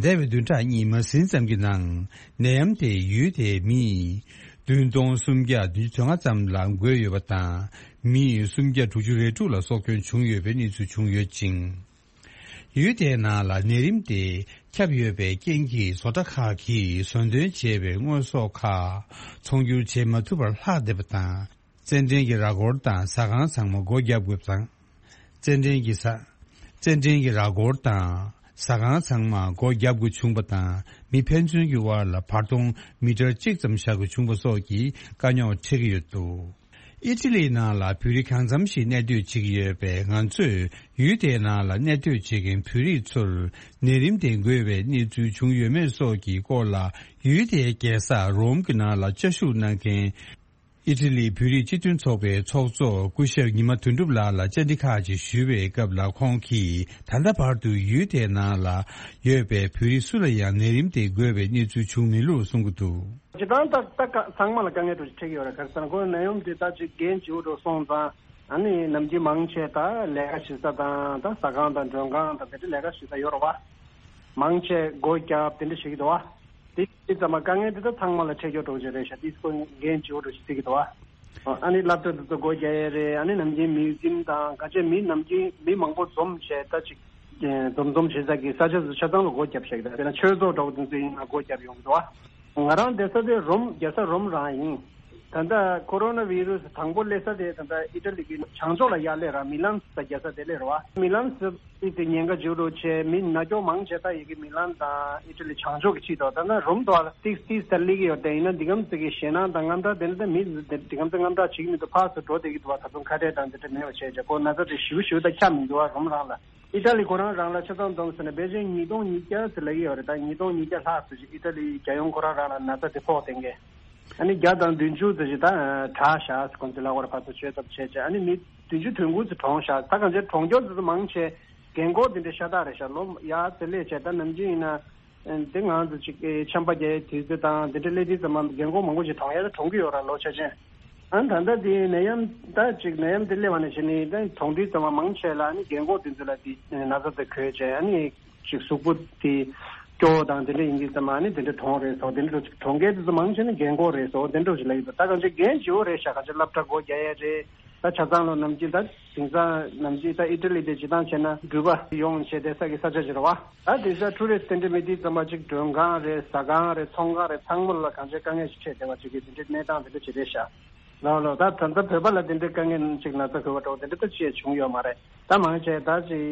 འདས་པའི་བདུན་ཕྲག་གཉིས་མ་ཟིན་ཙམ་གྱི་ནང་། ནད་ཡམས་དེས་ཡུལ་དེའི་མི་བདུན་སྟོང་སུམ་བརྒྱ་བདུན་ཅུ་དོན་ལྔ་ཙམ་ལ་འགོས་ཡོད་པ་དང་། མི་སུམ་བརྒྱ་དྲུག་ཅུ་རེ་དྲུག་ལ་སྲོག་སྐྱོན་བྱུང་ཡོད་པའི་གནས་ཚུལ་བྱུང་ཡོད་ཅིང་། ཡུལ་དེའི་ནང་ལ་ནད་རིམས་དེ་ཁྱབ་ཡོད་པའི་རྐྱེན་གྱིས། བཟོ་གྲྭ་ཁག་གིས་བཟོ་འདོན་བྱས་པའི་དངོས་ཟོག་ཁག་ཚོང་སྒྱུར་བྱེད་མ་ཐུབ་པར་ལྷག་བསྡད་པ་དང་། རྩེད་འགྲན་གྱི་ར་སྐོར་དང་ཟ་ཁང་ཚང་མ་སྒོ་བརྒྱབ་དགོས་པ་དང་། རྩེད་འགྲན་གྱི་ས། རྩེད་འགྲན་གྱི་ར་སྐོར་དང་ཟ་ཁང་ཚང་མ་སྒོ་བརྒྱབ་དགོས་བྱུང་བ་དང་། མི་ཕན་ཚུན་གྱི་དབར་ལ་བར་སྟོང་མི་ཊར་གཅིག་ཙམ་བཞག་དགོས་བྱུང་བ་སོགས་ཀྱི་དཀའ་རྙོག་འཕྲད་ཀྱི་ཡོད་འདུག། ཨི་ཊ་ལིའི་ནང་ལ་བོད་རིགས་གང་འཚམ་ཞིག་གནས་སྡོད་བྱེད་ཀྱི་ཡོད་པས། ང་ཚོས་ཡུལ་དེའི་ནང་ལ་གནས་སྡོད་བྱེད་མཁན་བོད་རིགས་ཚོར་ནད་རིམས་དེ་འགོས་པའི་གནས་ཚུལ་བྱུང་ཡོད་མེད་སོགས་ཀྱི་སྐོར་ལ། ཡུལ་དེའི་རྒྱལ་ས་རོམ་གྱི་ནང་ལ་བཅའ་བཞུགས་གནང་མཁན་ ཨི་ཊ་ལིའི་བོད་རིགས་སྤྱི་མཐུན་ཚོགས་པའི་ཚོགས་གཙོ་སྐུ་ཞབས་ཉི་མ་དོན་གྲུབ་ལགས་ལ་བཅར་འདྲི་ཁག་ཅིག་ཞུས་པའི་སྐབས་ལ། ཁོང་གིས་ད་ལྟ་བར་དུ་ཡུལ་དེའི་ནང་ལ་ཡོད་པའི་བོད་རིགས་སུ་ལ་ཡང་ནད་རིམས་དེ་འགོས་པའི་གནས་ཚུལ་བྱུང་མེད་ལུགས་གསུང་གི་འདུག། སྤྱིར་བཏང་ད་ད་ག་ཚང་མ་ལ་དཀའ་ངལ་འདྲ་ཅིག་འཕྲད་ཀྱི་ཡོད་རེད། ག་རེ་ཟེར་ན་ཁོ་ནད་ཡམས་འདི་ད་ཅིག་རྒན་བྱིའུ་འགྲོ་སོང་ཙང་ཨ་ནི་ནམ་རྒྱུན་མང་ཆེ་ད་ལས་ཀ་བྱེད་ས་དང་ད་ཟ་ཁང་དང་མགྲོན་ཁང་དང་དེ་འདྲ་ལས་ཀ་བྱེད་ས་ཡོད་རེད་བ། མང་ཆེ་སྒོ་བརྒྱབ་དེ་འདྲ་བྱེད་ཀྱི་འདུག་བ། དེ་དེ་ཙམ་མ་དཀའ་ངལ་འདི་ད་ཚང་མ་ལ་འཕྲད་ཀྱི་འགྲོ་གི་རེད་ཤག། དེ་ཁོ་རྒན་བྱིའུ་འགྲོ་ཞིག་བརྩི་གི་འདུག་བ། ཨ་ནི་སློབ་གྲྭ་དེ་ཚོ་སྒོ་རྒྱག་ཡས་རེད། ཨ་ནི་ནམ་རྒྱུན་མིའུ་ཛིམ་དང་ག་ཅེ་མི་ནམ་རྒྱུན་མི་མང་པོ་འཛོམས་བྱས་ད་ཅིག་འཛོམས་འཛོམས་བྱེད་ས་གི་ས་ཆ་ཚོ་ཆ་ཚང་ལ་སྒོ་བརྒྱབ་བཞག་གི་འདུག། དཔེར་ན་ཆོས་ཚོགས་འདྲ་བོ་དེ་ཚོ་ཡིན་ན་སྒོ་བརྒྱབ་ཡོང་གི་འདུག་བ། ང་རང་བསྡད་ས་དེ་རོམ་རྒྱལ་ས་རོམ་རང་ཡིན། ད་ལྟ་ཀོ་རོ་ན་བི་རུ་སི་དང་པོ་སླེབས་ས་དེ་ད་ལྟ་ཨི་ཊ་ལི་གི་བྱང་ཕྱོགས་ལ་ཡར་སླེབས་ར་མི་ལན་ཟེར་རྒྱལ་ས་དེ་སླེབས་ར་བ། མི་ལན་ཟེར་དེ་ཉེན་ཁ་ཆེ་རུ་ཆེ། མི་ན་གྱོང་མང་ཆེ་ད་ཡི་གེ་མི་ལན་དང་ཨི་ཊ་ལི་བྱང་ཕྱོགས་ཀྱི་ཆེད་དུ་ད་ལྟ་རོམ་དུ་ལ་ཏིག་ཏིག་ད་སླེབས་ཀྱི་ཡོད། དེ་ཡིན་ན་འདི་གམ་ཟེར་གི་ཞེད་སྣང་དང་དངངས་སྐྲག་དེ་འདྲ་ད་མི་འདི་གམ་ཟེར་དངངས་སྐྲག་བྱེད་ཀྱི་མི་འདུག། ཕར་ཚུར་འགྲོ་བསྡད་ཀྱི་འདུག་བ། ད་དུང་ཁ་བྲལ་དང་འདི་འདྲ་མེད་པ་བྱས་བྱས་ཁོ་ན་ཚ་དེ་ཞེ་པོ་ཞེ་པོ་ད་ཁྱབ་མི་འདུག་བ། རོམ་རང་ལ། ཨི་ཊ་ལི་ཁོ་རང་རང་ལ་ཆ་ཚང་བསྡོམས་ཟེར་ན་ཕལ་ཆེར་ཉིས་སྟོང་ཉིས་བརྒྱ་ཟེར་ལབ་ཀྱི་ཡོད་རེད། ད་ཉིས་སྟོང་ཉིས་བརྒྱ་ལྷག་ཙམ་ཞིག་ཨི་ཊ་ལིའི་རྒྱལ་ཡོངས་ཁོ་རང་རང་ལ་ན་ཚ་དེ་ཕོག་བསྡད་མཁན། ཨ་ནི་བརྒྱ་དང་བདུན་ཅུ་ཙམ་ཞིག་ད་དྲག་ཤག་ཟེར་ཁོང་ཚོས་ལབ་ཀྱི་ཡོད་རེད། ཕར་ཚུར་བཅོས་ཐབས་བྱས་བྱས་ཨ་ནི་མི་བདུན་ཅུ་དོན་དགུ་ཙམ་གྲོངས་ཤག། ད་གང་ཅི་གྲོངས་མཁན་དེ་ཚོ་མང་ཆེ་རྒན་འཁོགས་དེ་འདྲ་ཤ་སྟག་རེད་ཤག། ལོ་ཡར་ཙམ་སླེབས་བྱས་ད་ནམ་རྒྱུན་ཡིན་ན་འདི་ང་ཚོ་ཅིག་ཆམ་པ་རྒྱག་ཡས་དུས་ཚོད་དང་དེ་འདྲ་སླེབས་དུས་ཙམ་པ་རྒན་འཁོགས་མང་པོ་ཞིག་གྲོངས་ཡས་ད་གྲོངས་ཀྱི་ཡོད་རེད། ལོ་ཆ་ཆེན། ཨ་ནི་ད་ལྟ་དེ་ནད་ཡམས་ད་ཅིག་ནད་ཡམས་དེ་སླེབས་པ་ནས་བྱས་ནས་ད་གྲོངས་དུས་ཙམ་པ་མང་ཆེ་ལ་ཨ་ནི་རྒན་འཁོགས་དེ་ཚོ་ལ་དེ་ན་ཚ་དེ་འགོས་བྱས་ཨ་ནི་ཅིག་གཟུགས་པོ་དེ་སྐྱོ་བོ་དང་དེ་འདྲ་ཡིན་དུས་ཙམ་པ་ཨ་ནི་དེ་འདྲ་གྲོངས་རེད་སོ། དེ་འདྲ་ཅིག་གྲོངས་མཁན་དེ་ཚོ་མང་ཆེ་ནི་རྒན་འཁོགས་རེད་སོ། དེ་འདྲ་ཅིག་ལབ་ཡོད་འདུག། ད་གང་ཅི་རྒན་བྱིའུ་རེད་ཤག། གང་ཅི་སློབ་གྲྭ་སྒོ་རྒྱག་ཡས་རེད། ད་ཆ་ཚང་ལོ་ནམ་རྒྱུན་ད་དེང་སང་ནམ་རྒྱུན་ད་ཨི་ཊ་ལི་དེ་སྤྱིར་བཏང་བྱས་ན་འགྲུལ་པ་ཡོང་བྱས་བསྡད་ས་གི་ས་ཆ་ཅིག་རེད་བ། ད་དེང་སང་ཊུ་རི་སི་དེ་འདྲ་མེད་དུས་ཙམ་པ་ཅིག་མགྲོན་ཁང་རེད། ཟ་ཁང་རེད། ཚོང་ཁང་རེད། ཚང་མ་ལ་གང་ཅི་དཀའ་ངལ་ཞིག་འཕྲད་བསྡད་པ་ཅིག་གི་དེ་འདྲའི་གནས་སྟངས་དེ་འདྲ་ཅིག་རེད་ཤག། ལགས་ལགས། ད་ད་ལྟ་བོད་པ་ལ་དེ་འདྲའི་དཀའ་ངལ་ཅིག་ན་ཚ་འགོས་པ་འདྲ་བོ་དེ་འདྲ་ད་ཅི་ཡང་བྱུང་ཡོད་མ་རེད། ད་མང་ཆེ་ད་ཅིག་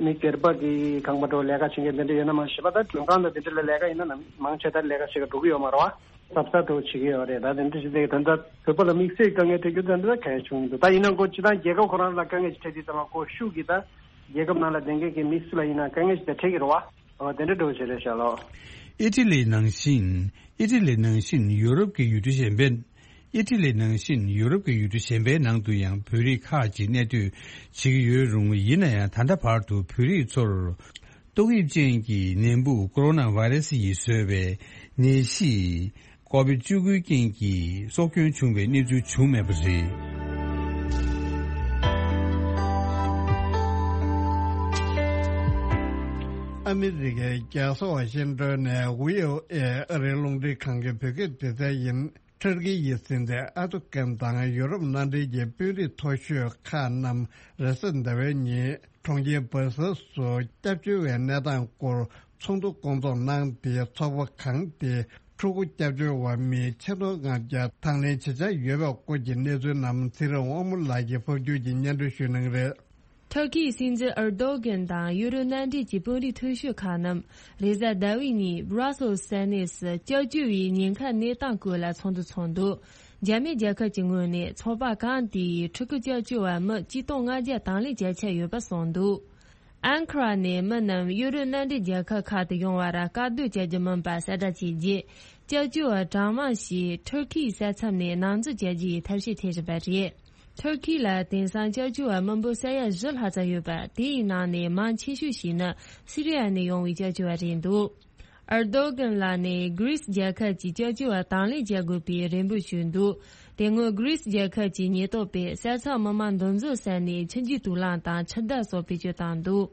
མི་སྒེར་པ་གི་ཁང་པ་འདྲ་བོ་ལས་ཀ་བྱེད་མཁན་དེ་འདྲ་ཡོད་ན་མ་གཞི་པ་ད་མགྲོན་ཁང་དང་དེ་འདྲ་ལ་ལས་ཀ་ཡིན་ན་ནམ་མང་ཆེ་ད་ལས་ཀ་བྱེད་ག་འགྲོ་གི་ཡོད་མ་རེད་བ། གཟབ་གཟབ་འདྲ་བོ་བྱེད་ཀྱི་ཡོད་རེད། ད་དེ་འདྲ་བྱེད་དེ་ད་ལྟ་བོད་པ་ལ་དམིགས་བསལ་དཀའ་ངལ་འཕྲད་རྒྱུ་ད་འདི་ད་གལ་བྱུང་མི་འདུག། ད་ཡིན་ན་ཁོ་སྤྱིར་བཏང་རྒྱལ་ཁབ་ཁོ་རང་ལ་དཀའ་ངལ་ཞིག་འཕྲད་དུས་ཙམ་པ་ཁོ་ཤུགས་ཀྱིས་ད་རྒྱལ་ཁབ་ནང་ལ་བསྡད་མཁན་གྱི་མི་སུ་ལ་ཡིན་ན་དཀའ་ངལ་ཞིག་ད་འཕྲད་ཀྱི་རེད་བ། འོ་དེ་འདྲ་འདྲ་བོ་བྱེད་རེད་ཤག་ལགས། ཨི་ཊ་ལི་ནང་བཞིན། ཨི་ཊ་ལི་ནང་བཞིན་ཡུ་རོབ་ཀྱི་ཡུལ་གྲུ་གཞན་པའི། ཨི་ཊ་ལི་ནང་བཞིན་ཡུ་རོབ་ཀྱི་ཡུལ་གྲུ་གཞན་པའི་ནང་དུ་ཡང་བོད་རིགས་ཁག་ཅིག་གནས་སྡོད་བྱེད་ཀྱི་ཡོད་རུང་། ཡིན་ན་ཡང་ད་ལྟ་བར་དུ་བོད་རིགས་ཚོར་ཏོག་དབྱིབས་ཅན་གྱི་ནད་འབུ་ཀོ་རོ་ན་བྷའི་རེ་སི་ཡིས་བཟོས་པའི་ནད་གཞི་ཀོ་བིད་བཅུ་དགུའི་རྐྱེན་གྱིས་སྲོག་སྐྱོན་བྱུང་བའི་གནས་ཚུལ་བྱུང་མེད་པ་རེད། ཨ་མི་རི་ཀའི་རྒྱལ་ས་ཝ་ཤིང་ཏོན་ནས་བྷི་ཨོ་ཨེ་ཨ་རིའི་རླུང་འཕྲིན་ཁང་གི་བོད་སྐད་སྡེ་ཚན་ཡིན། ཐུར་ཁི་ཡི་སྲིད་འཛིན་ཨར་དོ་གྷན་དང་ཡུ་རོབ་མནའ་འབྲེལ་གྱི་དཔོན་རིགས་མཐོ་ཤོས་ཁག་རྣམས་རེས་གཟའ་ཟླ་བའི་ཉིན་གྲོང་ཁྱེར་སྦར་སེལ་སུ་སྐྱབས་བཅོལ་བའི་གནས་སྟངས་སྐོར་ཚོགས་འདུ་སྐོང་ཚོགས་གནང་སྟེ། ཚོགས་པ་གང་དེས་ཕྲུ་གུ་སྐྱབས་བཅོལ་བ་མི་ཆིག་སྟོང་ལྔ་བརྒྱ་དང་ལེན་བྱེད་འཆར་ཡོད་པའི་སྐོར་གྱི་གནས་ཚུལ་རྣམས་ཚེ་རིང་དབང་མོ་ལགས་ཀྱིས་ཕབ་སྒྱུར་གྱིས་སྙན་སྒྲོན་ཞུ་གནང་གི་རེད། ཐུར་ཁིའི་སྲིད་འཛིན་ཨར་དོ་གྷན་དང་ཡུ་རོབ་མནའ་འབྲེལ་གྱི་དཔོན་རིགས་མཐོ་ཤོས་ཁག་རྣམས་རེས་གཟའ་ཟླ་བའི་ཉིན་སྦྲ་སེལ་ས་གནས་སུ་སྐྱབས་བཅོལ་བའི་ཉེན་ཁ་གནས་སྟངས་སྐོར་ལ་ཚོགས་འདུ་ཚོགས་འདུག། རྒྱ་མི་རྒྱལ་ཁབ་ཀྱི་ངོས་ནས་ཚོགས་པ་གང་དེ་ཡིས་ཕྲུ་གུ་སྐྱབས་བཅོལ་བ་མི་གཅིག་སྟོང་ལྔ་བརྒྱ་དང་ལེན་བྱ་འཆར་ཡོད་པ་གསུངས་འདུག། ཨན་ཁ་ར་ནས་མི་རྣམས་ཡུ་རོབ་མནའ་འབྲེལ་རྒྱལ་ཁབ་ཁག་ཏུ་ཡོང་བར་དཀའ་སྡུག་བྱ་རྒྱུ་མིན་པ་གསལ་བསྒྲགས་བྱས་རྗེས། སྐྱབས་བཅོལ་བ་གྲངས་མང་ཞིག་ཐུར་ཁིའི་ས་མཚམས་ནས་ནང་འཛུལ་བྱ་རྒྱུའི་ཐབས་ཤེས་འཐེན་བཞིན་པ་རེད། ཐུར་ཁི་ལ་དེང་སང་སྐྱབས་བཅོལ་བ་མི་འབོར་ས་ཡ་བཞི་ལྷག་ཙམ་ཡོད་པ། དེའི་ནང་ནས་མང་ཆེ་ཤོས་ཤིག་ནི་སི་རི་ཡ་ནས་ཡོང་བའི་སྐྱབས་བཅོལ་བ་རེད་འདུག། ཨར་དོ་གྷན་ལགས་ནས་གྷི་རིས་རྒྱལ་ཁབ་ཀྱི་སྐྱབས་བཅོལ་བ་དང་ལེན་བྱ་དགོས་པའི་རེ་འབོད་ཞུས་འདུག། དེ་སྔོན་གྷི་རིས་རྒྱལ་ཁབ་ཀྱི་ཉེན་རྟོག་པས་ས་མཚམས་མི་མང་འདུ་འཛོམས་ས་ནས་ཆུ་འགྱེལ་དུག་རླངས་དང་ཆུ་རྡུལ་སོགས་བེད་སྤྱོད་བཏང་འདུག།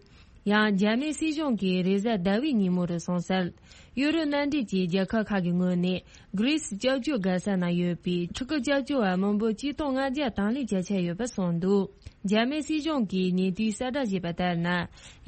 ཡང་རྒྱ་མིའི་སྲིད་གཞུང་གིས་རེས་གཟའ་ཟླ་བའི་ཉིན་མོ་རུ་གསུངས་གསལ། ཡུ་རོབ་མནའ་འབྲེལ་གྱི་རྒྱལ་ཁབ་ཁག་གི་ངོས་ནས་གྷི་རིས་སྐྱབས་བཅོལ་དགའ་ས་ན་ཡོད་པའི་ཕྲུ་གུ་སྐྱབས་བཅོལ་བ་མི་འབོར་གཅིག་སྟོང་ལྔ་བརྒྱ་དང་ལེན་བྱ་འཆར་ཡོད་པ་གསུངས་འདུག། རྒྱ་མིའི་སྲིད་གཞུང་གིས་ཉེ་དུས་གསལ་བསྒྲགས་བྱས་པ་ལྟར་ན།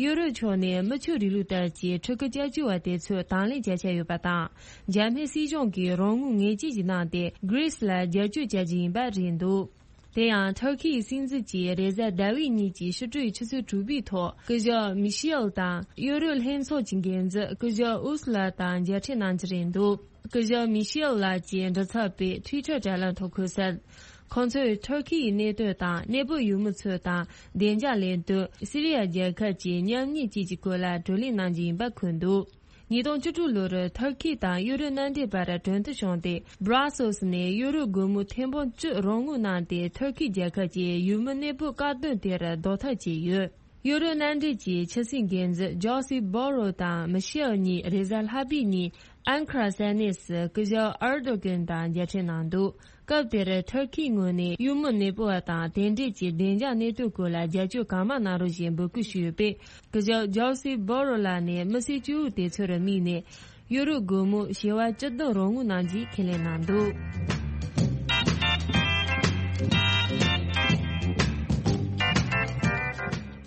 ཡུ་རོབ་ཕྱོགས་ནས་མི་ཆོས་རིང་ལུགས་ལྟར་གྱི་ཕྲུ་གུ་སྐྱབས་བཅོལ་བ་དེ་ཚོ་དང་ལེན་བྱ་འཆར་ཡོད་པ་དང་། རྒྱ་མིའི་སྲིད་གཞུང་གིས་རོགས་དངུལ་ངེས་ཅན་ཞིག་གནང་སྟེ་གྷི་རིས་ལ་རྒྱབ་སྐྱོར་བྱ་རྒྱུ་ཡིན་པ་རེད་འདུག། དེ་ཡང་ཐུར་ཁེའི་སྲིད་འཛིན་གྱིས་རེས་གཟའ་ཟླ་བའི་ཉིན་གྱི་ཕྱི་དྲོའི་ཆུ་ཚོད་དྲུག་པའི་ཐོག་སྐུ་ཞབས་མི་ཤེལ་དང་ཡུ་རོབ་ལྷན་ཚོགས་ཀྱི་འགན་འཛིན་སྐུ་ཞབས་ཨུ་སུ་ལ་དང་མཇལ་འཕྲད་གནང་རྒྱུ་རེད་འདུག། སྐུ་ཞབས་མི་ཤེལ་ལགས་ཀྱིས་འབྲི་ཚབ་པའི་ཊུའི་ཊར་དྲ་ལམ་ཐོག་འཁོད་གསལ། ཁོང་ཚོས་ཐུར་ཁེའི་གནད་དོན་དང་གནས་སྤོ་ཡུལ་མི་ཚོ་དང་བདེ་འཇགས་ལས་དོན། སི་རི་ཡ་རྒྱལ་ཁབ་ཀྱི་ཉམས་ཉེས་བཅས་ཀྱི་སྐོར་ལ་བགྲོ་གླེང་གནང་རྒྱུ་ཡིན་པ་འཁོད་འདུག། ཉིས་སྟོང་བཅུ་དྲུག་ལོར་ཐུར་ཁི་དང་ཡུ་རོབ་མནའ་འབྲེལ་བར་གྲོས་མཐུན་བྱུང་སྟེ། སྦྲ་སེལ་སི་ནས་ཡུ་རོབ་སྒོར་མོ་ཐེར་འབུམ་བཅུ་རོགས་དངུལ་གནང་སྟེ། ཐུར་ཁི་རྒྱལ་ཁབ་ཀྱིས་ཡུལ་མི་གནས་སྤོ་བཀག་སྡོམ་དེར་ཟློག་ཐབས་བྱས་ཡོད། ཡུ་རོབ་མནའ་འབྲེལ་གྱི་ཕྱི་སྲིད་འགན་འཛིན་ཇོ་སི་བྷོ་རོ་དང་མི་ཤེལ་གཉིས་རེས་གཟའ་ལྷག་པའི་ཉིན་ཨན་ཁ་ར་ས་གནས་སུ་སྐུ་ཞབས་ཨར་དོ་གན་དང་མཇལ་འཕྲད་གནང་འདུག་སྐབས་དེར་ཐུར་ཁིའི་ངོས་ནས་ཡུལ་མི་གནས་སྤོ་བ་དང་དེ་འབྲེལ་གྱི་བདེ་འཇགས་གནས་སྟངས་སྐོར་ལ་རྒྱབ་སྐྱོར་གང་མང་གནང་རོགས་ཞེས་འབོད་སྐུལ་ཞུས་ཡོད་པས། སྐུ་ཞབས་ཇོ་སི་བྷོ་རོ་ལགས་ནས་མི་སེར་སྐྱོ་བོ་དེ་ཚོར་དམིགས་ནས་ཡུ་རོབ་སྒོར་མོ་བྱེ་བ་བཅུ་བདུན་རོགས་དངུལ་གནང་རྒྱུའི་ཁས་ལེན་གནང་འདུག་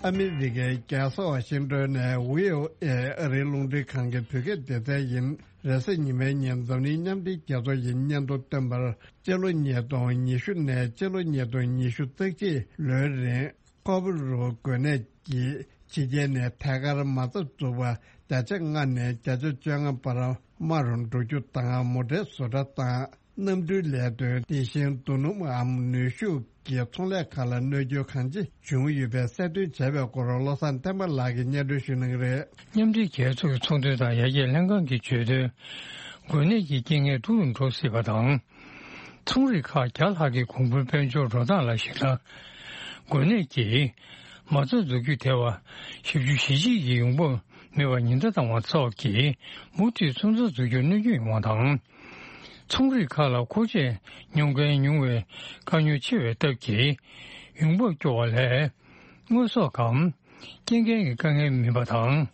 ཨ་མི་རི་ཀའི་རྒྱལ་ས་ཝ་ཤིང་ཏོན་ནས་བྷི་ཨོ་ཨེ་ཨ་རིའི་རླུང་འཕྲིན་ཁང་གི་བོད་སྐད་སྡེ་ཚན་ཡིན། རེས་གཟའ་ཉི་མའི་ཉིན་འཛམ་གླིང་མཉམ་འབྲེལ་རྒྱལ་ཚོགས་ཀྱི་སྙན་ཐོ་བཏོན་པར། སྤྱི་ལོ་ཉིས་སྟོང་ཉི་ཤུ་ནས་སྤྱི་ལོ་ཉིས་སྟོང་ཉི་ཤུ་རྩ་གཅིག་ལོའི་རིང་ཀོ་པ་རུ་འགོས་ནད་ཀྱིས་ཕྱི་རྒྱལ་ནས་ཐད་ཀར་མ་རྩ་འཛུགས་པ་བརྒྱ་ཆ་ལྔ་ནས་བརྒྱ་ཆ་བཅོ་ལྔ་བར་དམའ་རུ་འགྲོ་རྒྱུ་དང་། མོ་ཊའི་བཟོ་གྲྭ་དང་གནམ་གྲུའི་ལས་དོན། དེ་བཞིན་རྡོ་སྣུམ་འམ་ནུས་ཤུགས་ཀྱི་ཚོང་ལས་ཁག་ལ་གནོད་སྐྱོན་གང་ཆེ་བྱུང་ཡོད་པའི་གསལ་སྟོན་བྱས་པའི་སྐོར་བློ་བཟང་བསྟན་པ་ལགས་ཀྱིས་སྙན་སྒྲོན་ཞུ་གནང་གི་རེད། མཉམ་འབྲེལ་རྒྱལ་ཚོགས་ཀྱི་ཚོང་དོན་དང་ཡར་རྒྱས་ལྷན་ཁང་གིས་བརྗོད་དོན། འགོས་ནད་ཀྱི་རྐྱེན་ངན་སྡུག་རུ་འགྲོ་སྲིད་པ་དང་། ཚོང་རིགས་ཁག་བརྒྱ་ལྷག་གི་གོང་བུའི་དཔལ་འབྱོར་འགྲོ་སྟངས་ལ་གཞིགས་ན། འགོས་ནད་ཀྱིས་མ་རྩ་འཛུགས་རྒྱུ་དེ་བ་བཞི་བཅུ་ཞེ་གཅིག་གི་ཡོང་འབབ་མེད་པར་ཉེན་བརྡ་བཏང་བ་སོགས་ཀྱིས་མུ་མཐུད་ཚོང་རྩ་འཛུགས་རྒྱུར་གནོད་སྐྱོན་ཡོང་བ་དང་། ཚོང་རིགས་ཁག་ལ་མཁོ་ཆས་ཉོ་མཁན་ཉུང་བའི་དཀའ་རྙོག་ཆེ་བའི་སྟབས་ཀྱིས་ཡོང་འབབ་སྐྱོ་བ་ལས་དངོས་ཟོག་གམ་སྐྱེལ་མཁན་གྱི་དཀའ་ངལ་མིན་པ་དང་།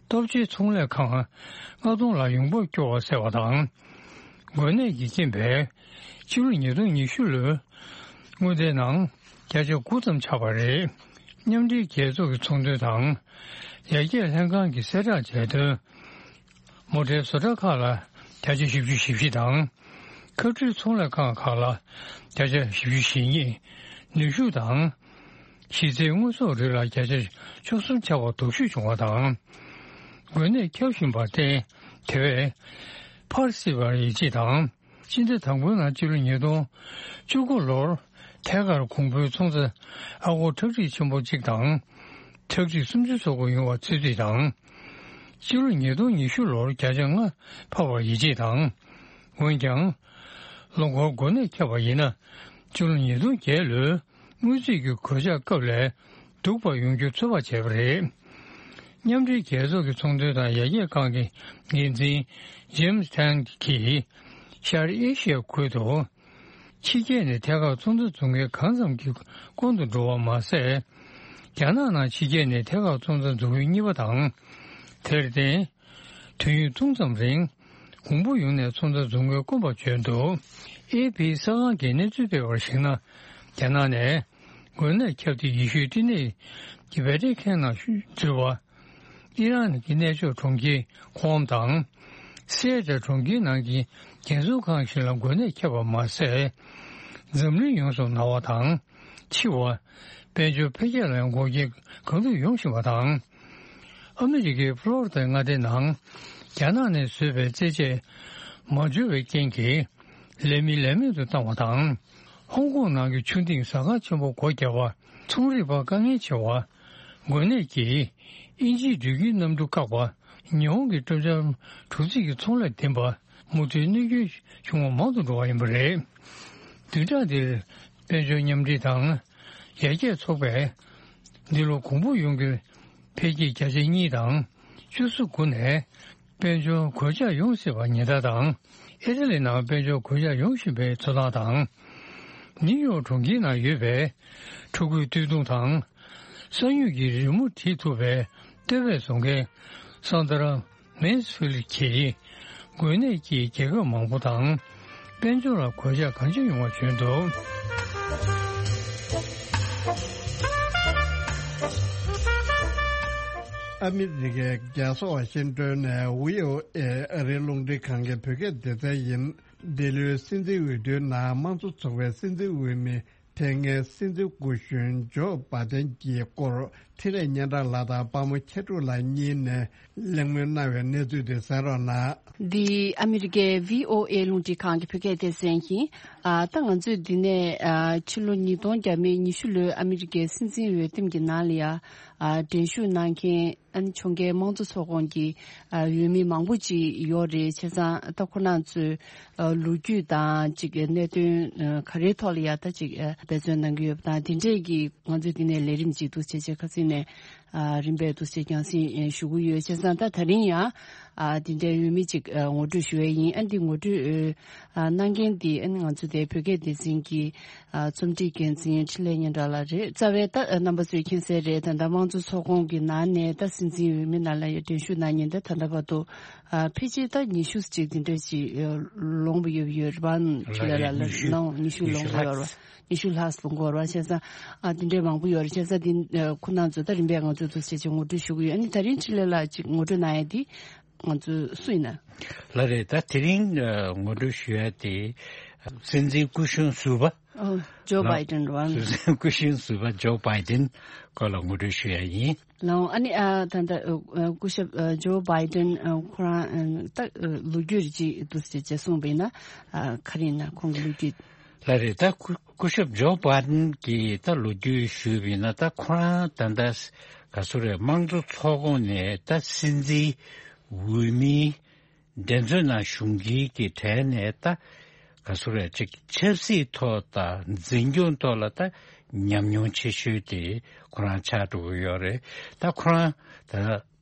སྟོབས་ཆེའི་ཚོང་ལས་ཁང་ལྔ་སྟོང་ལ་ཡོང་འབབ་སྐྱོ་བ་བསལ་བ་དང་། འགོས་ནད་ཀྱི་རྐྱེན་པས་ཕྱི་ལོ་ཉིས་སྟོང་ཉི་ཤུ་ལོའི་དངུལ་རྩའི་ནང་བརྒྱ་ཆ་དགུ་ཙམ་ཆག་པ་རེད། མཉམ་འབྲེལ་རྒྱལ་ཚོགས་ཀྱི་ཚོང་དོན་དང་ཡར་རྒྱས་ལྷན་ཁང་གིས་གསལ་བསྒྲགས་བྱས་དོན། མོ་ཊའི་བཟོ་གྲྭ་ཁག་ལ་བརྒྱ་ཆ་བཞི་བཅུ་ཞེ་བཞི་དང་། ཁ་ཕྲལ་ཚོང་ལས་ཁང་ཁག་ལ་བརྒྱ་ཆ་བཞི་བཅུ་ཞེ་གཉིས། ནུས་ཤུགས་དང་། གཞི་རྩའི་དངོས་ཟོག་རིགས་ལ་བརྒྱ་ཆ་བཅུ་གསུམ་ཆག་པ་སྡུག་ཤོས་བྱུང་བ་དང་། འགོས་ནད་ཁྱབ་བཞིན་པར་བརྟེན་དེ་བས་འཕར་སྲིད་པར་ཡིད་ཆེས་དང་། སྤྱི་ཟླ་དང་པོའི་ནང་སྤྱི་ལོ་ཉིས་སྟོང་བཅུ་དགུ་ལོར་ཐད་ཀར་གོང་བུའི་ཚོང་རྩ་ཨ་སྒོར་ཁྲག་ཁྲིག་ཆེན་པོ་གཅིག་དང་ཁྲག་ཁྲིག་སུམ་ཅུ་སོ་དགུ་ཡོང་བ་ཚོད་རྩིས་དང་། སྤྱི་ལོ་ཉིས་སྟོང་ཉི་ཤུ་ལོར་བརྒྱ་ཆ་ལྔ་འཕར་བར་ཡིད་ཆེས་དང་། འོན་ཀྱང་། ལོ་འཁོར་འགོས་ནད་ཁྱབ་པ་ཡིན་ན་སྤྱི་ལོ་ཉིས་སྟོང་བརྒྱད་ལོའི་དངུལ་རྩིས་ཀྱི་གོད་ཆག་སྐབས་ལས་སྡུག་པ་ཡོང་རྒྱུ་ཚོད་དཔག་བྱས་པ་རེད། མཉམ་འབྲེལ་རྒྱལ་ཚོགས་ཀྱི་ཚོང་དོན་དང་ཡར་རྒྱས་ཁང་གི་འགན་འཛིན་ཇེམ་སི་ཐན་གྱིས་ཤར་ཨེ་ཤི་ཡ་ཁུལ་དུ་ཕྱི་རྒྱལ་ནས་ཐད་ཀར་ཚོང་རྩ་འཛུགས་མཁན་གང་ཙམ་གྱི་སྐོང་དུ་འགྲོ་བ་མ་ཟད། རྒྱ་ནག་ནང་ཕྱི་རྒྱལ་ནས་ཐད་ཀར་ཚོང་རྩ་འཛུགས་མཁན་གཉིས་པ་དང་། དེར་བརྟེན། དུས་ཡུན་ཐུང་ཙམ་རིང་། གོང་བུ་ཡོང་ནས་ཚོང་རྩ་འཛུགས་མཁན་དཀོན་པ་བྱོན་འདུག་ཨེ་ཕི་གསར་ཁང་གིས་གནས་ཚུལ་སྤེལ་བར་གཞིགས་ན། རྒྱ་ནག་ནས་འགོས་ནད་ཁྱབ་སྟེ་ཡེ་ཤུའི་སྐྲན་ནད་ཀྱི་བྷེ་ཏྲི་ཁེན་ནང་འཛུལ་བ། ཨི་རན་གྱི་གནས་མཆོག་གྲོང་ཁྱེར་ཁོམ་དང་། སེ་ཨེ་ཏྲ་གྲོང་ཁྱེར་ནང་གི་རྒན་གསོ་ཁང་ཞིག་ལ་འགོས་ནད་ཁྱབ་པ་མ་ཟད། འཛམ་གླིང་ཡོངས་སུ་ན་བ་དང་། འཆི་བ། དཔལ་འབྱོར་འཕེལ་རྒྱས་ལ་འགོག་རྐྱེན་གང་ཐུབ་ཡོང་བཞིན་པ་དང་། ཨ་མི་རི་ཀའི་ཕློ་རི་དཱའི་མངའ་སྡེའི་ནང་། རྒྱ་ནག་ནས་བཟོས་པའི་རྩེད་ཆས་མ་འབྱོར་བའི་རྐྱེན་གྱིས། ལས་མི་ལས་མེད་དུ་བཏང་བ་དང་། ཧོང་ཀོང་ནང་གི་ཆུ་ལྡིང་ཟ་ཁང་ཆེན་པོ་སྒོ་བརྒྱབ་པ། ཚོང་རིག་པ་དཀའ་ངལ་ཆེ་བ། འགོས་ནད་ཀྱིས་དབྱིན་ཇིའི་འགྲུལ་སྐྱེལ་གནམ་གྲུ་བཀག་པ། ཉི་ཧོང་གི་སྤྲོ་འཆམ་གྲུ་རྩིས་ཀྱི་ཚོང་ལས་འདེམས་པ། མུ་མཐུད་གནོད་སྐྱོན་བྱུང་བ་མང་དུ་འགྲོ་བ་ཡིན་པ་རེད། བདུན་ཕྲག་འདིར་དཔལ་འབྱོར་མཉམ་འབྲེལ་དང་ཡར་རྒྱས་ཚོགས་པས། འདི་ལོ་གོང་བུ་ཡོང་རྒྱུའི་འཕེལ་རྒྱས་བརྒྱ་ཆ་གཉིས་དང་བཅུ་གསུམ་དགུ་ནས། དཔལ་འབྱོར་གོད་ཆག་ཡོང་སྲིད་པ་ཉེན་བརྡ་དང་། ཨི་ཊ་ལི་ནང་དཔལ་འབྱོར་གོད་ཆག་ཡོང་བཞིན་པའི་འཚོ་སྟངས་དང་། ནིའུ་ཡོག་གྲོང་ཁྱེར་ནང་ཡོད་པའི་ཕྲུ་གུའི་སྟོད་ཐུང་དང་། ས་སྨྱུག་གི་རི་མོ་བྲིས་ཐུབ་པའི་སྟོད་སྦས་བཟོ་མཁན་སན་དྲ་མེན་སི་ཕིལ་གྱིས། འགོས་ནད་ཀྱིས་རྒྱལ་ཁབ་མང་པོ་དང་། དཔལ་འབྱོར་ལ་གོད་ཆག་གང་ཆེ་ཡོང་བ་བྱོན་འདུག་ཨ་མི་རི་ཀའི་རྒྱལ་ས་ཝ་ཤིང་ཏོན་ནས་བྷི་ཨོ་ཨེ་ཨ་རིའི་རླུང་འཕྲིན་ཁང་གི་བོད་སྐད་སྡེ་ཚན་ཡིན། འདི་ལོའི་སྲིད་འཛིན་འོས་བསྡུའི་ནང་དམངས་གཙོ་ཚོགས་པའི་སྲིད་འཛིན་འོས་མི་ཕེབས་མཁན་སྲིད་འཛིན་སྐུ་གཞོན་ཇོ་བྷ་དན་གྱི་སྐོར་ འཕྲིན་ལས་སྙན་གྲགས་ལགས་དང་དཔའ་མོ་མཁྱེན་གྲུབ་ལགས་གཉིས་ནས་གླེང་མོལ་གནང་བའི་གནས་ཚུལ་དེ་གསན་རོགས་གནང་། འདི་ཨ་མི་རི་ཀའི་ཝི་ཨོ་ཨེ་རླུང་འཕྲིན་ཁང་གི་བོད་སྐད་སྡེ་ཚན་ཡིན། ཨ་ད་ང་ཚོས་འདི་ནས་ཨ་ཕྱི་ལོ་ཉིས་སྟོང་བརྒྱ་མེད་ཉི་ཤུ་ལོའི་ཨ་མི་རི་ཀའི་སྲིད་འཛིན་འོས་འདེམས་ཀྱི་ནང་ལ་ཡ་ཨ་འགྲན་ཞུགས་གནང་མཁན། ཨ་ནི་ཕྱོགས་འགལ་དམངས་གཙོ་ཚོགས་ཁོངས་ཀྱི་ཨ་འོས་མི་མང་པོ་ཅིག་ཡོད་རེད། བྱས་ཙང་ད་ཁོ་རང་ཚོའི་ཨ་ལོ་རྒྱུས་དང་ཅིག་གནད་དོན་ཨ་ག་རེའི་ཐོག་ལ་ཡ་ད་ཅིག་ཨ་འབད་བརྩོན་གནང་གི་ཡོད་པ་དང་། དེ་འདྲས་ཀྱི་ང་ཚོས་འདི་ནས་ལས་རིམ་ཅིག་འདུག་བྱས་བྱས་ཁ་སང་ནས་ཨ་རིམ་པས་འདུག་བྱས་རྒྱང་སྲིང་ཨ་ཞུ་གི་ཡོད། བྱས་ཙང་ད་ད་རིང་ཡང་ཨ་འདི་འདྲའི་འོས་མི་ཅིག་ཨ་ངོ་སྤྲོད་ཞུ་ཡས་ཡིན། ཨ་འདི་ངོ་སྤྲོད་ཨ་གནང་མཁན་འདི་ཨ་ནི་ང་ཚོ་དེ་བོད་སྐད་སྡེ་ཚན་གྱི་ཨ་རྩོམ་སྒྲིག་འགན་འཛིན་འཕྲིན་ལས་སྙན་གྲགས་ལགས་རེད། རྩ་བའི་ད་ཨ་རྣམ་པ་ཚོས་མཁྱེན་གསལ་རེད། ད་ལྟ་དམངས་གཙོ་ཚོགས་ཁོངས་ཀྱི་ནང་ནས་ད་སྲིད་འཛིན་འོས་མི་ནང་ལ་ཡ་འགྲན་ཞུགས་གནང་མཁན་ད་ད་ལྟ་བར་དུ་ཨ་ཕལ་ཆེར་ད་ཉི་ཤུ་ཅིག་འདི་འདྲ་ཅིག་ཨ་ལོངས་པ་ཡོད་ཡོད་རེད་པ། འཕྲིན་ལས་ལགས་ལ་ཉི་ཤུ་ནང་ཉི་ཤུ་ཉི་ཤུ་ལོངས་པ་ཡོད་རེད་པ། ལྷག་ཉི་ཤུ་ལྷག་ཙམ་འགོར་བ། བྱས་ཙང་ཨ་དེ་འདྲའི་མང་པོ་ཡོད་རེད། བྱས་ཙང་དེ་ཨ་ཁོ་རང་ཚོ་ད་རིམ་པས་ང་ཚོ་འདུག་བྱས་བྱས་ངོ་སྤྲོད་ཞུ་གི་ཡོད། ཨ་ནི་ད་རིང་འཕྲིན་ལས་ལགས་ཅིག་ངོ་སྤྲོད་གནང་ཡ་དེ་ང་ཚོ་སུ་ཡིན་ན། ལགས་རེད། ད་དེ་རིང་ཨ་ངོ་སྤྲོད་ཞུ་ཡ་དེ་སྲིད་འཛིན་སྐུ་གཞོན་ཟུར་པ། ཨོ་ཇོ་ལགས། བྷའི་ཌེན་རེད་པ། སྲིད་འཛིན་སྐུ་གཞོན་ཟུར་པ་ཇོ་བྷའི་ཌེན་སྐོར་ལ་ངོ་སྤྲོད་ཞུ་ཡ་ཡིན། ལགས་འོང་། ཨ་ནི་ཨ་ད་ལྟ་ཨ་སྐུ་ཞབས་ཨ་ཇོ་བྷའི་ཌེན་ཨ་ཁོ་རང་ཨ་ད་ཨ་ལོ་རྒྱུས་རེ་ཅིག་འདུག་སེ་བྱས་གསུངས་པ་ཡིན་ན་ཨ་ག་རེ་ཡིན་ན་ཁོང་གི་ལོ་རྒྱུས། ལགས་རེད། ད་སྐུ་སྐུ་ཞབས་ཇོ་བྷའི་ཌེན་གྱི་ད་ལོ་རྒྱུས་ཞུས་པ་ཡིན་ན། ད་ཁོ་རང་ད་ལྟ་ག་ཚོད་རེད། དམངས་གཙོ་ཚོགས་ཁོངས་ནས་ད་སྲིད་འཛིན་འོས་མིའི་འགྲན་རྩོད་ནང་ཞུགས་མཁན་གྱི་གྲས་ནས་ད་ག་ཚོད་རེད། ཅིག་ཆབ་སྲིད་ཐོག་དང་འཛིན་སྐྱོང་ཐོག་ལ་ད་ཉམས་མྱོང་ཆེ་ཤོས་དེ་ཁོ་རང་ཆགས་འགྲོ་གི་ཡོད་རེད། ད་ཁོ་རང་ད་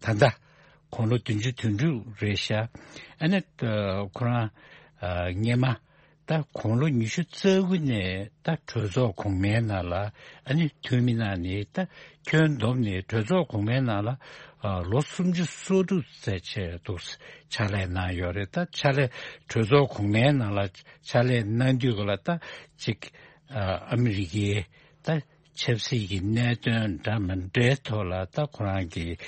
ད་ལྟ་དགུང་ལོ་བདུན་ཅུ་དོན་དྲུག་རེད་ཤག་ཨ་ནི་ད་ཁོ་རང་ཨ་སྔོན་མ་ད་དགུང་ལོ་ཉི་ཤུ་རྩ་དགུ་ནས་ད་གྲོས་ཚོགས་གོང་མའི་ནང་ལ་ཨ་ནི་འཐུས་མི་གནང་ནས། ད་ཁྱོན་བསྡོམས་ནས་གྲོས་ཚོགས་གོང་མའི་ནང་ལ་ཨ་ལོ་སུམ་ཅུ་སོ་དྲུག་ཙམ་བྱས་འདུག་ཕྱག་ལས་གནང་ཡོད་རེད། ད་ཕྱག་ལས་གྲོས་ཚོགས་གོང་མའི་ནང་ལ་ཕྱག་ལས་གནང་དུས་ག་ལ་ད་ཅིག་ཨ་ཨ་མི་རི་ཀའི་ད་ཆབ་སྲིད་ཀྱི་གནད་དོན་འདྲ་མི་འདྲའི་ཐོག་ལ་ད་ཁོ་རང་གིས་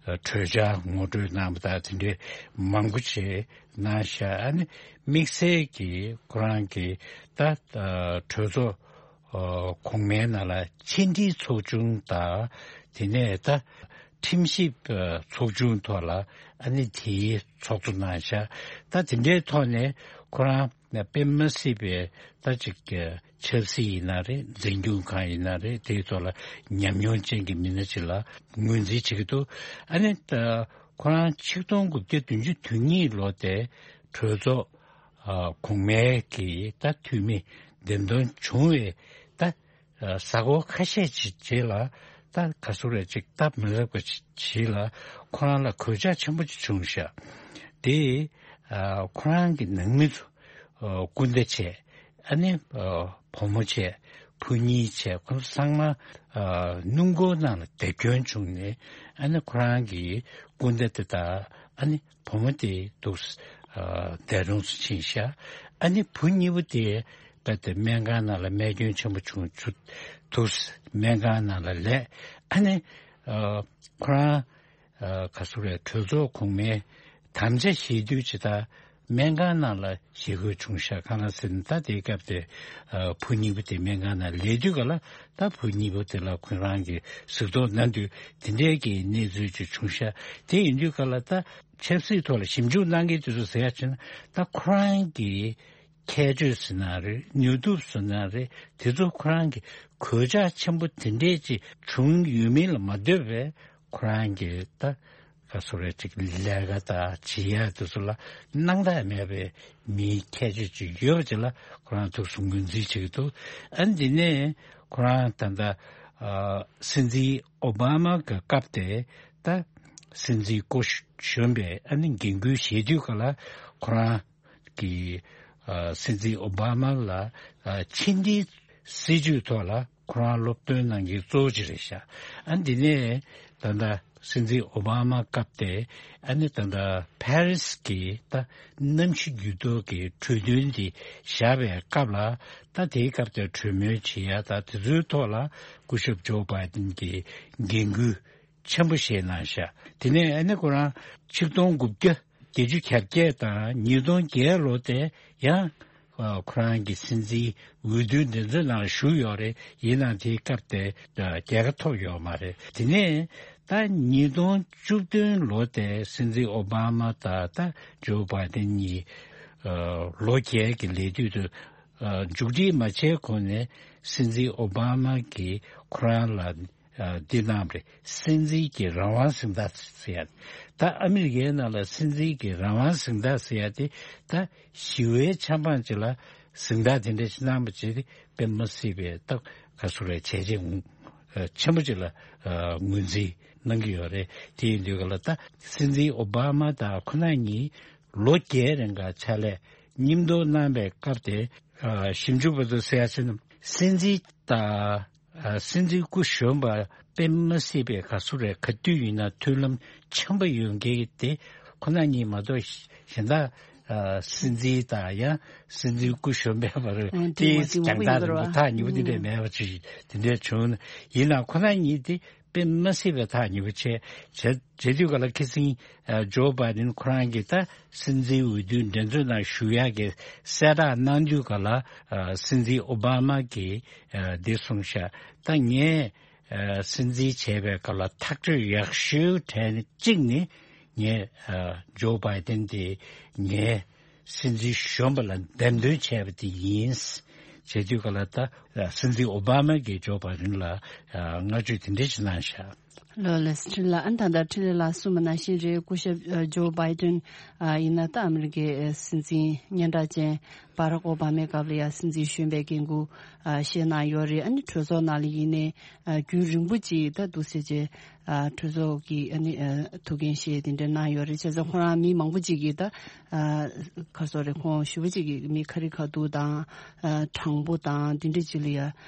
ཨ་གྲོས་འཆར་ངོ་སྤྲོད་གནང་བ་དང་དེ་འདྲའི་མང་པོ་ཞིག་གནང་ཤག་ཨ་ནི་དམིགས་བསལ་གྱིས་ཁོ་རང་གིས་ད་ཨ་གྲོས་ཚོགས་ཨ་གོང་མའི་ནང་ལ་ཕྱི་འབྲེལ་ཚོགས་ཆུང་དང་། དེ་ནས་ད་ཁྲིམས་ཞིབ་ཨ་ཚོགས་ཆུང་ཐོག་ལ་ཨ་ནི་དེའི་ཚོགས་གཙོ་གནང་ཤག་ད་དེ་འདྲའི་ཐོག་ནས་ཁོ་རང་དཔེ་མ་སྲིད་པའི་ད་ཅིག་ཆབ་སྲིད་ཡིན་ན་རེད། འཛིན་སྐྱོང་ཁང་ཡིན་ན་རེད། དེའི་ཐོག་ལ་ཉམས་མྱོང་ཅན་གྱི་མི་སྣ་ཅིག་ལ་ངོས་འཛིན་བྱེད་ཀྱི་འདུག་ཨ་ནི་ད་ཁོ་རང་ཆིག་སྟོང་དགུ་བརྒྱ་བདུན་ཅུ་དོན་གཉིས་ལོ་དེ་གྲོས་ཚོགས་ཨ་གོང་མའི་གི་ད་འཐུས་མི་འདེམས་ཐོན་བྱུང་བའི་ད་ཨ་གཟའ་འཁོར་ཁ་ཤས་ཅིག་རྗེས་ལ་ད་ག་ཟེར་རེད། ཅིག་སྟབས་མི་ལེགས་པ་ཅིག་ལ་ཁོ་རང་ལ་གོད་ཆག་ཆེན་པོ་ཅིག་བྱུང་ཤག་དེ་ཨ་ཁོ་རང་གི་ནང་མི་ཚོ་ཨ་སྐུ་ཟླ་བྱས། ཨ་ནི་ཨ་བུ་མོ་བྱས། བུ་གཉིས་བྱས། ཁོ་ཚོ་ཚང་མ་ཨ་སྣུམ་འཁོར་ནང་ལ་རྡེབ་སྐྱོན་བྱུང་ནས། ཨ་ནི་ཁོ་རང་གི་སྐུ་ཟླ་དེ་དང་ཨ་ནི་བུ་མོ་དེ་འདུག་ཨ་འདས་གྲོངས་སུ་ཕྱིན་ཤག་ཨ་ནི་བུ་གཉིས་པོ་དེ་རྦད་དེ་སྨན་ཁང་ནང་ལ་རྨས་སྐྱོན་ཆེན་པོ་བྱུང་བྱུང་འདུག་སྨན་ཁང་ནང་ལ་ལས། ཨ་ནི་ཨ་ཁོ་རང་ཨ་ག་ཟེར་རེད། གྲོས་ཚོགས་གོང་མའི་དམ་བཅའ་བཞེས་དུས་ཇི་ལྟར་སྨན་ཁང་ནང་ལ་བཞེས་དགོས་བྱུང་ཤག་གང་ལ་ཟེར་ན། ད་དེའི་སྐབས་དེ་ཨ་བུ་གཉིས་པོ་དེ་སྨན་ཁང་ནང་ལས་དུས་ག་ལ་ད་བུ་གཉིས་པོ་དེ་ལ་ཁོ་རང་གིས་གཟིགས་རྟོག་གནང་དུས་དེ་འདྲའི་གི་གནས་ཚུལ་ཅིག་བྱུང་ཤག་དེ་ཡིན་དུས་ག་ལ་ད་ཆབ་སྲིད་ཐོག་ལ་ཞིབ་འཇུག་གནང་མཁན་དེ་ཚོ་ཟེར་ཡ་བྱས་ན། ད་ཁོ་རང་གི་ཁྱད་ཆོས་ཟེར་ན་རེད། ནུས་སྟོབས་ཟེར་ན་རེད། དེ་ཚོ་ཁོ་རང་གི་གོད་ཆག་ཆེན་པོ་དེ་འདྲས་ཅིག་བྱུང་ཡོད་མིན་ལ་མ་ལྟོས་པའི་ཁོ་རང་གི་ད་ག་ཟེར་རེད། ཅིག་ལས་ཀ་དང་བྱེད་ཡ་དེ་ཚོ་ལ་སྣང་དག་མེད་པའི་མིའི་ཁྱད་ཆོས་ཅིག་ཡོད་པ་ཅིག་ལ་ཁོ་རང་ཐུགས་སུ་ངོས་འཛིན་བྱེད་ཀྱི་འདུག་ཨ་འདི་ནས་ཁོ་རང་ད་ལྟ་ཨ་སྲིད་འཛིན་ཨོ་བྷ་མ་གི་སྐབས་དེ་ད་སྲིད་འཛིན་སྐུ་གཞོན་པའི་ཨ་ནི་འགན་ཁུར་བཞེས་དུས་ག་ལ་ཁོ་རང་གི་ཨ་སྲིད་འཛིན་ཨོ་བྷ་མ་ལ་ཨ་ཕྱི་འབྲེལ་སྲིད་ཇུས་ཐོག་ལ་ཁོ་རང་སློབ་སྟོན་གནང་མཁན་གཙོ་བོ་ཅིག་རེད་ཤག་ཨ་འདི་ནས་ད་ལྟ་སྲིད་འཛིན་ཨོ་བྷ་མ་སྐབས་དེ་ཨ་ནི་ད་ལྟ་ཕ་རི་སི་གི་ད་གནམ་གཤིས་འགྱུར་ལྡོག་གི་གྲོས་མཐུན་འདི་བཞག་པའི་སྐབས་ལ། ད་དེའི་སྐབས་དེ་གྲོས་མོལ་བྱེད་ཡ་ད་དེ་ཚོའི་ཐོག་ལ་སྐུ་ཞབས་ཇོ་བྷའི་ཌེན་གྱིས་འགན་ཁུར་ཆེན་པོ་བཞེས་གནང་ཤག་དེ་ནས་ཨ་ནི་ཁོ་རང་ཆིག་སྟོང་དགུ་བརྒྱ་བརྒྱད་ཅུ་གྱ་བརྒྱད་དང་ཉིས་སྟོང་བརྒྱད་ལོ་དེ་ཡང་ ཨ་ཁོ་རང་གི་སྲིད་འཛིན་འོས་བསྡུའི་འགྲན་རྩོད་ནང་ཞུགས་ཡོད་རེད། ཡིན་ནའང་དེའི་སྐབས་དེ་ཨ་རྒྱལ་ཁ་ཐོབ་ཡོད་མ་རེད། དེ་ནས་ད་ཉིས་སྟོང་བཅུ་བདུན་ལོ་དེ་སྲིད་འཛིན་ཨོ་བྷ་མ་དང་ད་ཇོ་བྷའི་ཏན་གཉིས་ཨ་ལོ་བརྒྱད་ཀྱི་ལས་དུས་དུ་ཨ་མཇུག་སྒྲིལ་མ་བྱས་གོང་ནས་སྲིད་འཛིན་ཨོ་བྷ་མ་གིས་ཁོ་རང་ལ་ཨ་འདི་གནང་བ་རེད། སྲིད་འཛིན་གྱི་རང་དབང་གཟེངས་རྟགས་ཟེར་ཡ། ད་ཨ་མི་རི་ཀའི་ནང་ལ་སྲིད་འཛིན་གྱི་རང་དབང་གཟེངས་རྟགས་ཟེར་ཡ་དེ་ད་ཞི་བའི་ཆབ་འབངས་ཅིག་ལ་གཟེངས་རྟགས་དེ་འདྲ་ཞིག་གནང་བ་བྱས་ཏེ་དཔེ་མ་སྲིད་པའི་ད་ག་ཚོད་རེད་བྱས་རྗེས་ངོ་ཆེན་པོ་ཅིག་ལ་ངོས་འཛིན་གནང་གི་ཡོད་རེད། དེ་ཡིན་དུས་ག་ལ་ད་སྲིད་འཛིན་ཨོ་བྷ་མ་དང་ཁོ་ན་གཉིས་ལོ་བརྒྱད་རིང་ག་ཕྱག་ལས་མཉམ་དུ་གནང་བའི་སྐབས་དེ་ཞིབ་འཇུག་པ་ཚོ་ཟེར་ཡ་ཕྱིན་ན་སྲིད་འཛིན་དང་། ཨ་སྲིད་འཛིན་སྐུ་གཞོན་པ་དཔེ་མ་སྲིད་པའི་ག་ཚོད་རེད། ག་དུས་ཡིན་ན་མཐུན་ལམ་འཆམ་པོ་ཡོད་མཁན་དེ་ཁོ་ན་གཉིས་མ་གཏོགས་གཞན་དག་ཨ་སྲིད་འཛིན་དང་ཡང་སྲིད་འཛིན་སྐུ་གཞོན་པའི་བར་ཨ་དེ་དེའི་མ་དེ་རྒྱང་ཐག་མང་པོ་ཡོད་རེད་པ། ཐག་ཉེ་པོ་དེ་འདྲས་ཨ་མེད་པ་ཅིག་དེ་འདྲས་བྱུང་། ཡིན་ནའང་ཁོ་ན་གཉིས་དེ་དཔེ་མ་སྲིད་པའི་ཐག་ཉེ་པོ་བྱས་བྱས་བྱས་དུས་ག་ལ་ཁ་སང་ཨ་ཇོ་བྷའི་ཏན་ཁོ་རང་གིས་ད་སྲིད་འཛིན་འོས་བསྡུའི་འགྲན་རྩོད་ནང་ཞུགས་ཡག་གི་གསལ་བསྒྲགས་གནང་དུས་ག་ལ་ཨ་སྲིད་འཛིན་ཨོ་བྷ་མ་གིས་ཨ་འདི་གསུངས་ཤག་ད་ངས་ཨ་སྲིད་འཛིན་བྱས་པའི་སྐབས་ལ་ཐག་གཅོད་ཡག་ཤོས་གྲས་ནི་གཅིག་ནི་ངས་ཨ་ཇོ་བྷའི་ཏན་དེ་ངས་སྲིད་འཛིན་གཞོན་པ་ལ་འདེམས་ཐོན་བྱས་པ་དེ་ཡིན། བྱས་དུས་ག་ལ་ད་སྲིད་འཛིན་ཨོ་བྷ་མ་གིས་ཇོ་བྷའི་ཏན་ལ་ཨ་བསྔགས་བརྗོད་དེ་འདྲ་ཞིག་གནང་ཤག་ལགས་ལགས་སོ། འཕྲིན་ལས་ལགས། ཨ་ནི་ད་ལྟ་འཕྲིན་ལས་ལགས་གསུངས་པ་ནང་བཞིན་རེད། སྐུ་ཞབས་ཨ་ཇོ་བྷའི་ཏན་ཨ་ཡིན་ན་ད་ཨ་མི་རི་ཀའི་ཨ་སྲིད་འཛིན་སྙན་གྲགས་ཅན་བྷ་རག་ཨོ་བྷ་མའི་སྐབས་ལ་ཡང་སྲིད་འཛིན་གཞོན་པའི་འགན་ཁུར་ཨ་བཞེས་གནང་ཡོད་རེད། ཨ་ནི་གྲོས་ཚོགས་ནང་ལ་ཡིན་ནའི་ཨ་རྒྱུན་རིང་པོ་ཅིག་ད་འདུག་སེ་བྱས་ཨ་གྲོས་ཚོགས་ཀྱི་ཨ་ནི་ཨ་ཐུགས་འགན་བཞེས་དེ་འདྲ་གནང་ཡོད་རེད། བྱས་ཙང་ཁོ་རང་མི་མང་པོ་ཅིག་གིས་ད་ཨ་ག་སོ་རེད། ཁོང་ཞུ་བ་ཅིག་གིས་མི་ཁ་རི་ཁ་ཐུག་དང་ཨ་དྲང་པོ་དང་དེ་འདྲ་ཅིག་ལ་ཡ།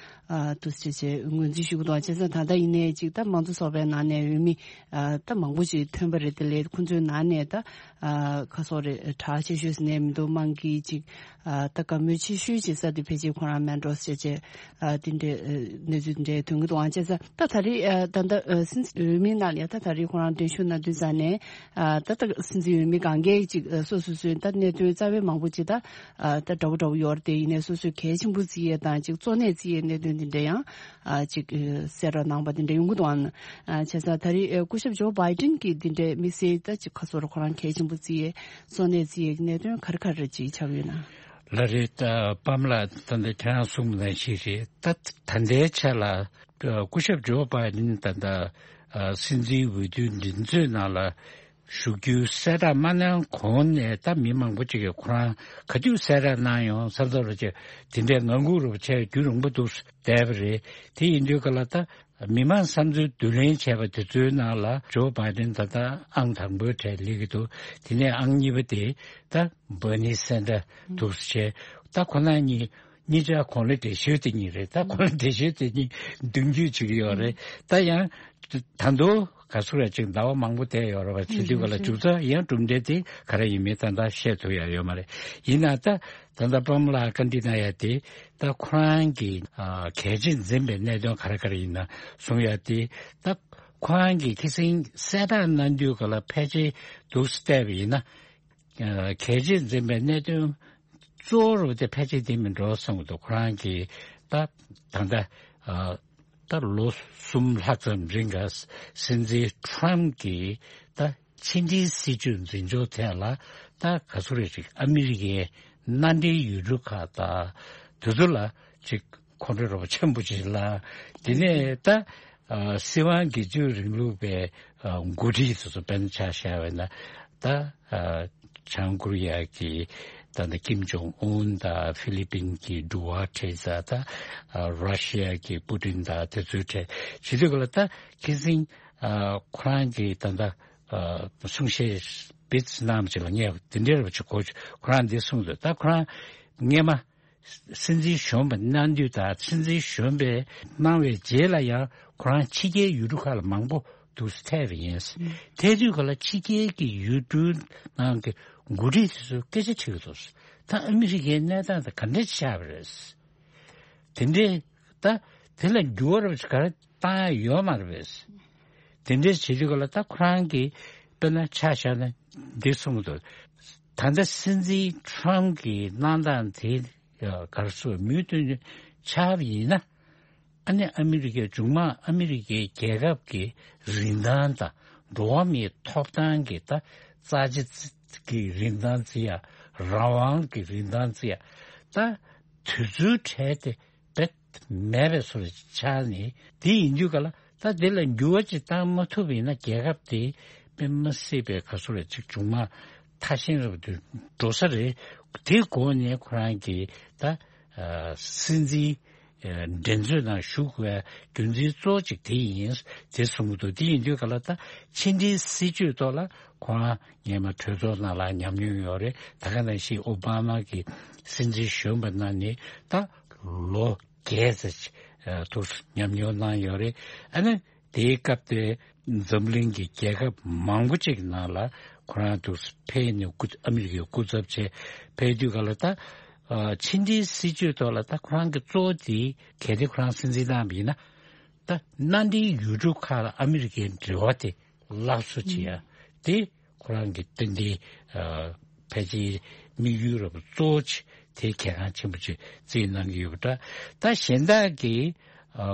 ཨ་འདུག་སེ་བྱས་ངོས་འཛིན་ཞུ་གི་འདུག་བྱས་ཙང་ད་ལྟ་ཡིན་ནའི་ཅིག་ད་མང་གཙོ་ཚོགས་པའི་ནང་ནས་འོས་མི་ཨ་ད་མང་པོ་ཅིག་ཐོན་པ་རེད། དེ་ལས་ཁོང་ཚོའི་ནང་ནས་ད་ཨ་ཁ་སོ་རེ་གྲགས་ཆེ་ཤོས་ཟེར་ནས་མི་འདུག་དམངས་ཀྱི་ཅིག་ཨ་ད་བཀའ་མོལ་ཆེ་ཤོས་ཅིག་ས་དེ་ཕལ་ཆེར་ཁོ་རང་མན་ཌོས་བྱས་བྱས་ཨ་དེ་འདྲའི་ཨ་གནས་ཚུལ་དེ་འདྲའི་ཐོན་གི་འདུག་བྱས་ཙང་ད་ད་རེས་ཨ་ད་ད་ཨ་སྲིད་འཛིན་འོས་མིའི་ནང་ལ་ཡ་ད་ད་རེས་ཁོ་རང་གདན་ཞུ་གནང་དུས་ཙང་ནས་ཨ་ད་ད་སྲིད་འཛིན་འོས་མི་གང་གས་ཅིག་ཨ་སོ་སོ་སོའི་ད་གནད་དོན་རྩ་བའི་མང་པོ་ཅིག་ད། ཨ་ད་འདྲ་བོ་འདྲ་བོ་ཡོད་རེད་དེ། ཡིན་ནའི་སོ་སོའི་གལ་ཆེན་པོ་བརྩི་ཡས་དང་ཅིག་གཙོ་གནད་བརྩི་ཡས་གནད་དོན་འདི་འདྲ་ཡང་ཨ་ཅིག་ཨ་གསལ་བསྒྲགས་གནང་པ་འདི་འདྲ་ཡོང་གི་འདུག་ཨང་། ཨ་བྱས་ཙང་ད་རེས་ཨ་སྐུ་ཞབས་ཇོ་བྷའི་ཏིན་གྱིས་འདི་འདྲའི་དམིགས་བསལ་ད་ཅིག་ག་ཚོད་རེད། ཁོ་རང་གལ་ཆེན་པོ་བརྩི་ཡས་གཙོ་གནད་བརྩི་ཡས་ཀྱི་གནད་དོན་ག་རེ་ག་རེ་ཅིག་ཆགས་ཡོད་ན། ལགས་རེད། ད་པཱ་མ་ལགས་ད་ལྟ་ཁྱེད་རང་གསུངས་པ་ནང་བཞིན་རེད། ད་ད་ལྟའི་ཆ་ལ་ཨ་སྐུ་ཞབས་ཇོ་བྷའི་ཏིན་ད་ལྟ་ཨ་སྲིད་འཛིན་འོས་བསྡུའི་འགྲན་རྩོད་ནང་ལ། ཞུགས་རྒྱུའི་གསལ་བསྒྲགས་མ་གནང་གོང་ནས་ད་མི་མང་པོ་ཅིག་གིས་ཁོ་རང་ག་དུས་གསལ་བསྒྲགས་གནང་ཡོང་བསམ་བསམ་རོ་ཅིག་དེ་འདྲའི་ངང་སྒུག་རུ་བྱས་རྒྱུན་རིང་པོ་འདུག་བསྡད་པ་རེད། དེ་ཡིན་དུས་ག་ལ་ད་མི་མང་བསམ་ཚུལ་བསྡུ་ལེན་བྱས་པ་དེ་ཚོའི་ནང་ལ་ཇོ་བྷའི་ཏིན་ད་ལྟ་ཨང་དང་པོའི་གྲས་སླེབས་ཀྱི་འདུག་དེ་ནས་ཨང་གཉིས་པ་དེ་ད་བྷར་ནི་སན་ཌར་འདུག་བྱས། ད་ཁོ་ན་གཉིས་གཉིས་ཆ་གོང་ལ་འགྲེལ་བཤད་དེ་གཉིས་རེད། ད་གོང་ལ་འགྲེལ་བཤད་དེ་གཉིས་མདུན་སྐྱོད་བྱེད་ཀྱི་ཡོད་རེད། ད་ཡང་ད་དུང་ག་ཚོད་རེད་ཅིག་ཟླ་བ་མང་པོ་བསྡད་ཡོད་རེད་པ། བྱེད་དུས་ག་ལ་མཇུག་རྩ་ཡང་གྲུབ་འབྲས་དེ་ག་རེ་ཡིན་མིན་ད་ལྟ་བཤད་ཐུབ་ཡ་ཡོད་མ་རེད། ཡིན་ན་ད་ད་ལྟ་པཱ་མ་ལ་བཀའ་འདྲི་གནང་ཡ་དེ་ད་ཁོ་རང་གི་ཨ་གལ་ཆེ་འཛིན་པའི་གནད་དོན་ག་རེ་ག་རེ་ཡིན་ན་གསུང་ཡ་དེ་ད་ཁོ་རང་གི་ཁ་སང་གསལ་བསྒྲགས་གནང་དུས་ག་ལ་ཕལ་ཆེར་འདུག་སེ་བལྟས་པ་ཡིན་ན། གལ་ཆེ་འཛིན་པའི་གནད་དོན་གཙོ་བོ་རུ་དེ་ཕལ་ཆེར་དེ་མིན་འགྲོ་བསམ་གྱི་འདུག་ཁོ་རང་གིས་ད་ད་ལྟ་ད་ལོ་གསུམ་ལྷག་ཙམ་རིང་ག་སྲིད་འཛིན་ཁྲོམ་གྱིས་ད་ཕྱི་འབྲེལ་སྲིད་ཇུས་འཛིན་སྐྱོང་ཐད་ལ་ད་ག་ཚོད་རེ་ཞིག་ཨ་མི་རི་ཀའི་མནའ་འབྲེལ་ཡུལ་གྲུ་ཁག་དང་དེ་ཚོ་ལ་ཅིག་ཁོང་ཁྲོ་རོགས་ཆེན་པོ་ཅིག་ལ། དེ་ནས་ད་ཨ་སྲིད་དབང་སྒེར་གཅོད་རིང་ལུགས་པའི་ཨ་འགོ་ཁྲིད་དེ་ཚོ་དཔེར་ན་ཆ་བཞག་པ་ཡིན་ན་ད་ཨ་བྱང་ཀོ་རི་ཡ་གི་ད་ལྟ་ཀིམ་ཇོང་ཨུན་དང་ཧྥི་ལི་པིན་གྱི་ཌུ་ཝ་ཁྲེ་ཛ་དང་ཨ་ར་ཤི་ཡ་གི་པུ་ཏིན་དང་དེ་ཚོའི་གྲས་བྱེད་དུས་ག་ལ་ད་ཁ་སང་ཨ་ཁོ་རང་གིས་ད་ལྟ་ཨ་གསུང་བཤད་སྤེལ་གནང་བ་ཅིག་ལ་ངས་དེ་འདྲའི་རེ་བ་ཅིག་གོ། ཁོ་རང་འདི་གསུངས་འདུག་ད་ཁོ་རང་སྔས་མ། སྲིད་འཛིན་གཞོན་པ་གནང་དུས་དང་སྲིད་འཛིན་གཞོན་པས་གནང་བའི་རྗེས་ལ་ཡང་ཁོ་རང་ཕྱི་རྒྱལ་ཡུལ་གྲུ་ཁག་ལ་མང་པོ་འདུག་སེ་ཐད་པ་ཡིན། ཐད་དུས་ག་ལ་ཕྱི་རྒྱལ་གྱི་ཡུལ་གྲུའི་ནང་གི་འགོ་ཁྲིད་དེ་ཚོས་སྐད་ཆ་དྲིས་ཀྱི་འདུག་ད་ཨ་མི་རི་ཀའི་གནས་སྟངས་དེ་ག་འདྲ་ཆགས་པ་རེད། དེ་འདྲའི་ད་དེ་ལ་འགྱུར་བ་རབ་ཅིག་ག་རེ་བཏང་ཡ་ཡོད་མ་རེད་པས། དེ་འདྲའི་བྱེད་དུས་ག་ལ་ད་ཁོ་རང་གིས་དཔེར་ན་ཆ་བཞག་ན་འདི་གསུངས་འདུག་ད་ལྟ་སྲིད་འཛིན་ཁྲོམ་གྱི་གནང་སྟངས་དེ་ ག་རེ་ཟེར་མུས་མཐུན་ཆགས་པ་ཡིན་ན། ཨ་ནི་ཨ་མི་རི་ཀའི་མཇུག་མ་ཨ་མི་རི་ཀའི་རྒྱལ་ཁབ་ཀྱི་རིན་ཐང་དང་འགྲོ་བ་མིའི་ཐོབ་ཐང་གི་ད་རྩ་ཆེ་གི་རིན་ཐང་བརྩི་ཡ། རང་དབང་གི་རིན་ཐང་བརྩི་ཡ། ད་དེ་ཚོའི་གྲས་དེ་རྦད་མེད་པའི་བཟོ་འདྲ་ཆགས་ནས། དེ་ཡིན་དུས་ག་ལ་ད་དེ་ལ་འགྱུར་བ་ཅིག་བཏང་མ་ཐུབ་པ་ཡིན་ན། རྒྱལ་ཁབ་དེ་དཔེ་མ་སྲིད་པའི་ག་ཚོད་རེ་ཅིག་མཇུག་མ་ཐ་ཞན་རབ་ཏུ་འགྲོ་ས་རེད། དེ་སྒོ་ནས་ཁོ་རང་གིས་ད་ཨ་སྲིད་འཛིན་ཨ་འགྲན་རྩོད་ནང་ཞུགས་པའི་རྒྱུ་མཚན་གཙོ་བོ་གཅིག་དེ་ཡིན། དེ་གསུང་གི་འདུག་དེ་ཡིན་དུས་ག་ལ་ད་ཕྱི་འབྲེལ་སྲིད་ཇུས་ཐོག་ལ་ཁོ་རང་སྔོན་མ་གྲོས་ཚོགས་ནང་ལ་ཉམས་མྱོང་ཡོད་རེད། ད་ག་ནང་བཞིན་ཨོ་བྷ་མ་གི་སྲིད་འཛིན་གཞོན་པ་གནང་ནས་ད་ལོ་བརྒྱད་ཙམ་ཨ་ཐུགས་ཉམས་མྱོང་གནང་ཡོད་རེད། ཨ་ནི་དེའི་སྐབས་དེ་འཛམ་གླིང་གི་རྒྱལ་ཁབ་མང་པོ་ཅིག་ནང་ལ་ཁོ་རང་ཐུགས་ཕེབས་ནས་སྐུ་ཨ་མི་རི་ཀའི་སྐུ་ཚབ་བྱས་ཕེབས་དུས་ག་ལ་ད་ཨ་ཕྱི་འབྲེལ་སྲིད་ཇུས་ཐོག་ལ་ད་ཁོ་རང་གི་གཙོ་བོ་དེ་གལ་ཏེ་ཁོ་རང་སྲིད་འཛིན་གནང་བ་ཡིན་ན། ད་མནའ་འབྲེལ་ཡུལ་གྲུ་ཁག་ལ་ཨ་མི་རི་ཀའི་འབྲེལ་བ་དེ་སླར་གསོ་བྱེད་ཡ་དེ་ཁོ་རང་གི་ཏན་ཏན་ཨ་ཕལ་ཆེར་དམིགས་ཡུལ་རབ་གཙོ་བོ་ཆེ་དེ་གལ་འགངས་ཆེན་པོ་ཆེ་བརྩིས་གནང་གི་ཡོད་པ་འདྲ། ད་གཞན་དག་གི་ཨ་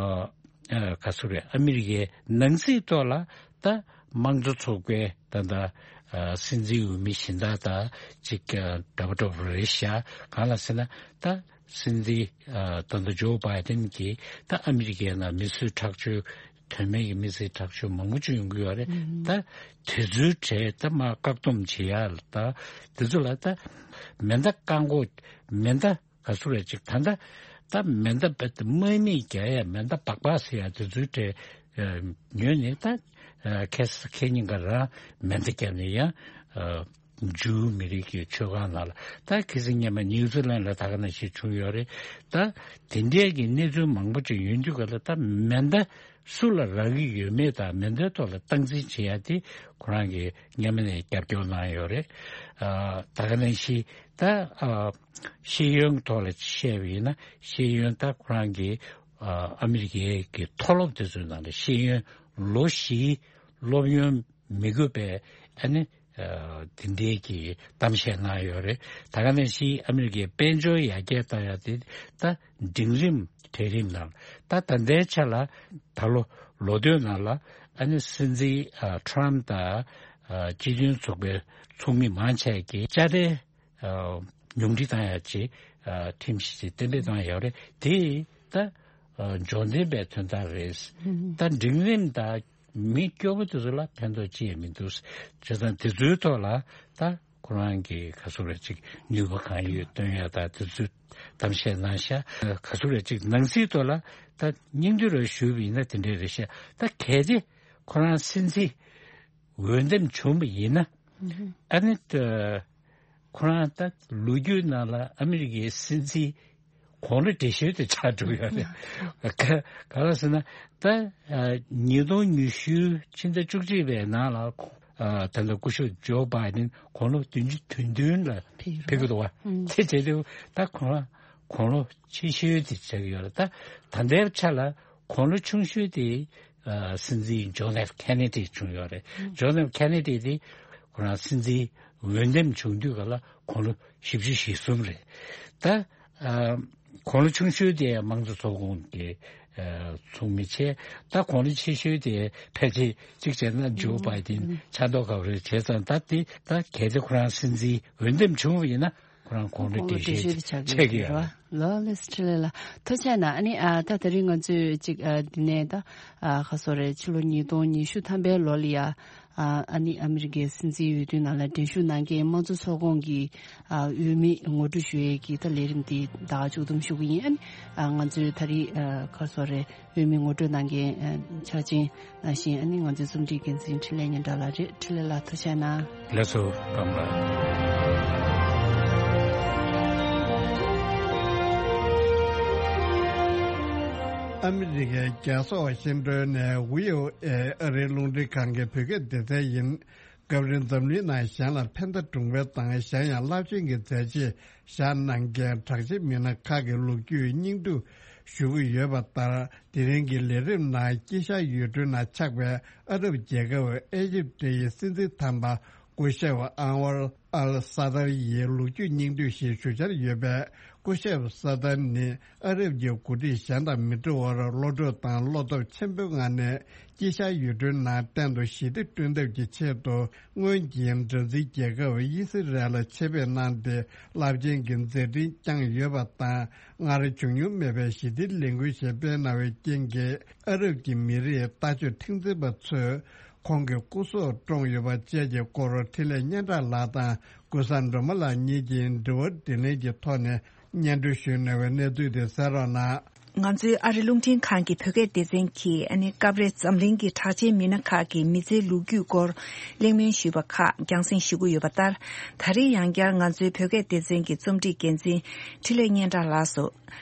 ཨ་ག་ཚོད་རེད། ཨ་མི་རི་ཀའི་ནང་སྲིད་ཐོག་ལ་ད་དམངས་གཙོ་ཚོགས་པའི་ད་ལྟ་ཨ་སྲིད་འཛིན་འོས་མི་གཞན་དག་དང་ཅིག་ཨ་འདྲ་པོ་འདྲ་པོ་རེད་ཤག་གང་ལ་ཟེར་ན་ད་སྲིད་འཛིན་ཨ་ད་ལྟ་ཇོ་བྷའི་ཏིན་གྱིས་ད་ཨ་མི་རི་ཀའི་ནང་མི་གསོད་ཁྲག་སྦྱོར། དོན་མེད་ཀྱི་མི་གསོད་ཁྲག་སྦྱོར་མང་པོ་ཅིག་ཡོང་གི་ཡོད་རེད། ད་དེ་ཚོའི་གྲས་ད་མར་བཀག་སྡོམ་བྱེད་ཡ་ལ། ད་དེ་ཚོ་ལ་ད་མེ་མདའ་བཀག་འགོག་མེ་མདའ་ག་ཚོད་རེད་ཅིག་ད་ད་ད་མེ་མདའ་རྦད་དེ་དམག་མི་རྒྱག་ཡ་མེ་མདའ་སྦག་སྦག་ཟེར་ཡ་དེ་ཚོའི་གྲས་ཉོས་ནས། ད་ཁ་སང་ཁ་ཉིན་ག་རང་མེ་མདའ་བརྒྱབ་ནས་ཡང་ཇུའུ་མི་རིགས་ཀྱི་ཆོས་ཁང་ནང་ལ། ད་ཁ་སང་སྔོན་མ་ནིའུ་ཛི་ལན་ལ་ད་ག་ནང་བཞིན་བྱུང་ཡོད་རེད། ད་དེ་འདྲའི་གི་གནས་ཚུལ་མང་པོ་ཅིག་ཡོང་དུས་ག་ལ་ད་མེ་མདའ་སུ་ལ་རག་གི་ཡོད་མེད་དང་མེ་མདའི་ཐོག་ལ་སྟངས་འཛིན་བྱེད་ཡ་དེ་ཁོ་རང་གིས་སྔོན་མ་ནས་རྒྱབ་སྐྱོར་གནང་ཡོད་རེད། ཨ་ད་ག་ནང་བཞིན་ད་ཨ་ཤེས་ཡོན་ཐོག་ལ་བཤད་པ་ཡིན་ན། ཤེས་ཡོན་ད་ཁོ་རང་གིས་ཨ་ཨ་མི་རི་ཀའི་གི་མཐོ་སློབ་དེ་ཚོའི་ནང་ལ་ཤེས་ཡོན་ལོ་བཞིའི་སློབ་ཡོན་མི་དགོས་པའི་ཨ་ནི་ཨ་དེ་འདྲའི་གི་གཏམ་བཤད་གནང་ཡོད་རེད། ད་ག་ནང་བཞིན་ཨ་མི་རི་ཀའི་དཔལ་འབྱོར་ཡར་རྒྱས་བཏང་ཡ་དེ་ད་འབྲིང་རིམ་གྲལ་རིམ་ནང་། ད་ད་ལྟའི་ཆ་ལ་ད་ལོ་ལོ་སྟོད་ནང་ལ་ཨ་ནི་སྲིད་འཛིན་ཨ་ཊརམ་དང་ཨ་སྤྱི་མཐུན་ཚོགས་པའི་ཚོགས་མི་མང་ཆེ་གིས་དཔྱ་ཁྲལ་ཨ་ཉུང་འཕྲི་བཏང་ཡ་ཅིག་ཨ་ཁྲིམས་གཞི་ཅིག་གཏན་འབེབས་བཏང་ཡོད་རེད། དེ་ད་ཨ་འབྱོར་ལྡན་པའི་དོན་དག་རེད། ད་འབྲིང་རིམ་དང་མི་སྐྱོ་པོ་དེ་ཚོ་ལ་ཕན་ཐོགས་ཅི་ཡང་མི་འདུག་བྱས་ཙང་དེ་ཚོའི་ཐོག་ལ་ད་ཁོ་རང་གི་ག་ཚོད་རེ་ཅིག་ནུས་པ་གང་ཡོད་བཏོན་ཡ་ད་དེ་ཚོའི་གཏམ་བཤད་གནང་ཤག་ག་ཚོད་རེ་ཅིག་ནང་སྲིད་ཐོག་ལ་ད་སྙིང་བསྡུས་རེ་ཞུས་པ་ཡིན་ན་དེ་འདྲས་རེད་ཤག་ད་གལ་ཏེ་ཁོ་རང་སྲིད་འཛིན་འོས་འདེམས་བྱུང་བ་ཡིན་ན། ཨ་ནི་ད་ཁོ་རང་ད་ལོ་རྒྱུས་ནང་ལ་ཨ་མི་རི་ཀའི་སྲིད་འཛིན་གོང་ལོ་བགྲེས་ཤོས་དེ་ཆགས་འགྲོ་ཡོད་རེད། ག་ག་ལ་ཟེར་ན་ད་ཨ་ཉིས་སྟོང་ཉི་ཤུ་ཕྱི་ཟླ་བཅུ་གཅིག་པའི་ནང་ལ་ཨ་ད་ལྟ་སྐུ་ཞབས་ཇོ་བྷའི་ཌེན་གོང་ལོ་བདུན་ཅུ་དོན་བདུན་ལ་ཕེབས་ཀྱི་འདུག་བ། དེ་བྱས་དུས་ད་ཁོ་རང་གོང་ལོ་ཆེ་ཤོས་དེ་ཆགས་ཀྱི་ཡོད་རེད། ད་ད་ལྟའི་ཆ་ལ་གོང་ལོ་ཆུང་ཤོས་དེ་ཨ་སྲིད་འཛིན་ཇོན་ཨེཕ་ཁེ་ནེ་ཌི་བྱུང་ཡོད་རེད། ཇོན་ཨེཕ་ཁེ་ནེ་ཌི་དེ་ཁོ་རང་སྲིད་འཛིན་འོས་འདེམས་བྱུང་དུས་ག་ལ་གོང་ལོ་བཞི་བཅུ་ཞེ་གསུམ་རེད། ད་ཨ་གོང་ལོ་ཆུང་ཤོས་དེ་དམངས་གཙོ་ཚོགས་ཁོངས་ཀྱི་ཨ་ཚོགས་མི་བྱས། ད་གོང་ལོ་ཆེ་ཤོས་དེ་ཕལ་ཆེར་གཅིག་བྱས་ན་ཇོ་བྷའི་ཌེན་ཆགས་མདོག་ཁ་པོ་རེད། བྱས་ཙང་ད་དེ་ད་གལ་ཏེ་ཁོ་རང་སྲིད་འཛིན་འོས་འདེམས་བྱུང་བ་ཡིན་ན། ཁོ་རང་གོང་ལོ་བགྲེས་ཤོས་ཆགས་ཀྱི་ཡོད་རེད། ལགས་ལགས་སོ། འཕྲིན་ལས་ལགས་ཐུགས་རྗེ་གནང་། ཨ་ནི་ཨ་ད་དེ་རིང་ང་ཚོས་ཅིག་ཨ་འདི་ནས་ད་ཨ་ག་ཚོད་རེད། ཕྱི་ལོ་ཉིས་སྟོང་ཉི་ཤུ་ཐམ་པའི་ལོ་ལ་ཡ་ཨ་ཨ་ནི་ཨ་མི་རི་ཀའི་སྲིད་འཛིན་འོས་བསྡུ་ནང་ལ་འགྲན་ཞུགས་གནང་མཁན་དམངས་གཙོ་ཚོགས་ཁོངས་ཀྱི་ཨ་འོས་མི་ངོ་སྤྲོད་ཞུ་ཡས་ཀྱི་ད་ལས་རིམ་འདི་ད་ག་མཇུག་བསྡོམས་ཞུ་གི་ཡིན། ཨ་ནི་ཨ་ང་ཚོའི་ད་རེས་ཨ་ག་ཚོད་རེད། འོས་མི་ངོ་སྤྲོད་གནང་མཁན་ཕྱག་ཆེན་ནང་བཞིན་ཨ་ནི་ང་ཚོའི་རྩོམ་སྒྲིག་འགན་འཛིན་འཕྲིན་ལས་སྙན་གྲགས་ལགས་རེད། འཕྲིན་ལས་ལགས་ཐུགས་རྗེ་གནང་། ལགས་སོ། བཀྲ་ཤིས་བདེ་ལེགས། ཨ་མི་རི་ཀའི་རྒྱལ་ཚོགས་བཞིན་གྲོལ་ནས་ཝི་ཨོ་ཨེ་ཨ་རིའི་རླུང་འཕྲིན་ཁང་གི་བོད་སྐད་སྡེ་ཚན་ཡིན། སྐབས་རེ་འཛམ་གླིང་ནང་གཞན་ལ་ཕན་བདེ་སྒྲུང་དཔེ་དང་། གཞན་ཡང་རླབས་ཆེན་གྱི་མཛད་རྗེས་བཞག་གནང་མཁན་གྲགས་ཆེ་མི་སྣ་ཁག་གི་ལོ་རྒྱུས་སྙིང་བསྡུས་ཞུ་གི་ཡོད་པ་ལྟར། དེ་རིང་གི་ལས་རིམ་ནང་དཀྱིལ་ཤར་ཡུལ་གྲུའི་ནང་ཆགས་པའི་ཨ་རབ་རྒྱལ་ཁབ་ཨེ་ཇིབ་ཏི་ཡི་སྲིད་འཛིན་དམ་པ་ སྐུ་ཞབས་ཨན་ཝར་ཨལ་ས་ཏར་ཡི་ལོ་རྒྱུས་སྙིང་བསྡུས་ཤིག་ཞུ་འཆར་ཡོད་པས། སྐུ་ཞབས་ས་ཏར་ནི་ཨ་རབ་ཀྱི་འགོ་ཁྲིད་གཞན་དང་མི་འདྲ་བར་བློ་གྲོས་དང་བློ་སྟོབས་ཆེན་པོའི་ངང་ནས་དཀྱིལ་ཤར་ཡུལ་གྲུའི་ནང་གཏན་དུ་ཞི་བདེ་བསྐྲུན་ཐབས་ཀྱི་ཆེད་དུ། སྔོན་གྱི་འདྲ་འཛིན་རྒྱལ་ཁབ་ཨི་སི་རལ་ལ་ཆེད་ཕེབས་གནང་སྟེ་རླབས་ཆེན་གྱི་མཛད་འཕྲིན་བསྐྱངས་ཡོད་པ་དང་། སྔར་བྱུང་མྱོང་མེད་པའི་ཞི་བདེའི་ལས་འགུལ་ཞིག་སྤེལ་གནང་བའི་རྐྱེན་གྱིས། ཨ་རབ་ཀྱི་མི་རིགས་ལྟ་སྤྱོད་མཁྲེགས་འཛིན་པ་ཚོས་ཁོང་གི་སྐུ་སྲོག་བཀྲོངས་ཡོད་པ་བཅས་ཀྱི་སྐོར་འཕྲིན་ལས་སྙན་གྲགས་ལགས་དང་ཀུན་བཟང་སྒྲོལ་མ་ལགས་གཉིས་ཀྱིས་དྲི་བ་དྲིས་ལན་གྱི་ཐོག་ནས་སྙན་སྒྲོན་ཞུས་གནང་བའི་གནས་ཚུལ་དེ་གསན་རོགས་གནང་། ང་ཚོའི་ཨ་རི་རླུང་འཕྲིན་ཁང་གི་བོད་སྐད་སྡེ་ཚན་གྱིས་ཨ་ནི་སྐབས་རེ་འཛམ་གླིང་གི་གྲགས་ཅན་མི་སྣ་ཁག་གི་མི་ཚེའི་ལོ་རྒྱུས་སྐོར་གླེང་མོལ་ཞུས་པ་ཁག་རྒྱང་སྲིང་ཞུ་གི་ཡོད་པ་ལྟར། ད་རེས་ཡང་བསྐྱར་ང་ཚོའི་བོད་སྐད་སྡེ་ཚན་གྱི་རྩོམ་སྒྲིག་འགན་འཛིན་འཕྲིན་ལས་སྙན་གྲགས་ལགས་སུ།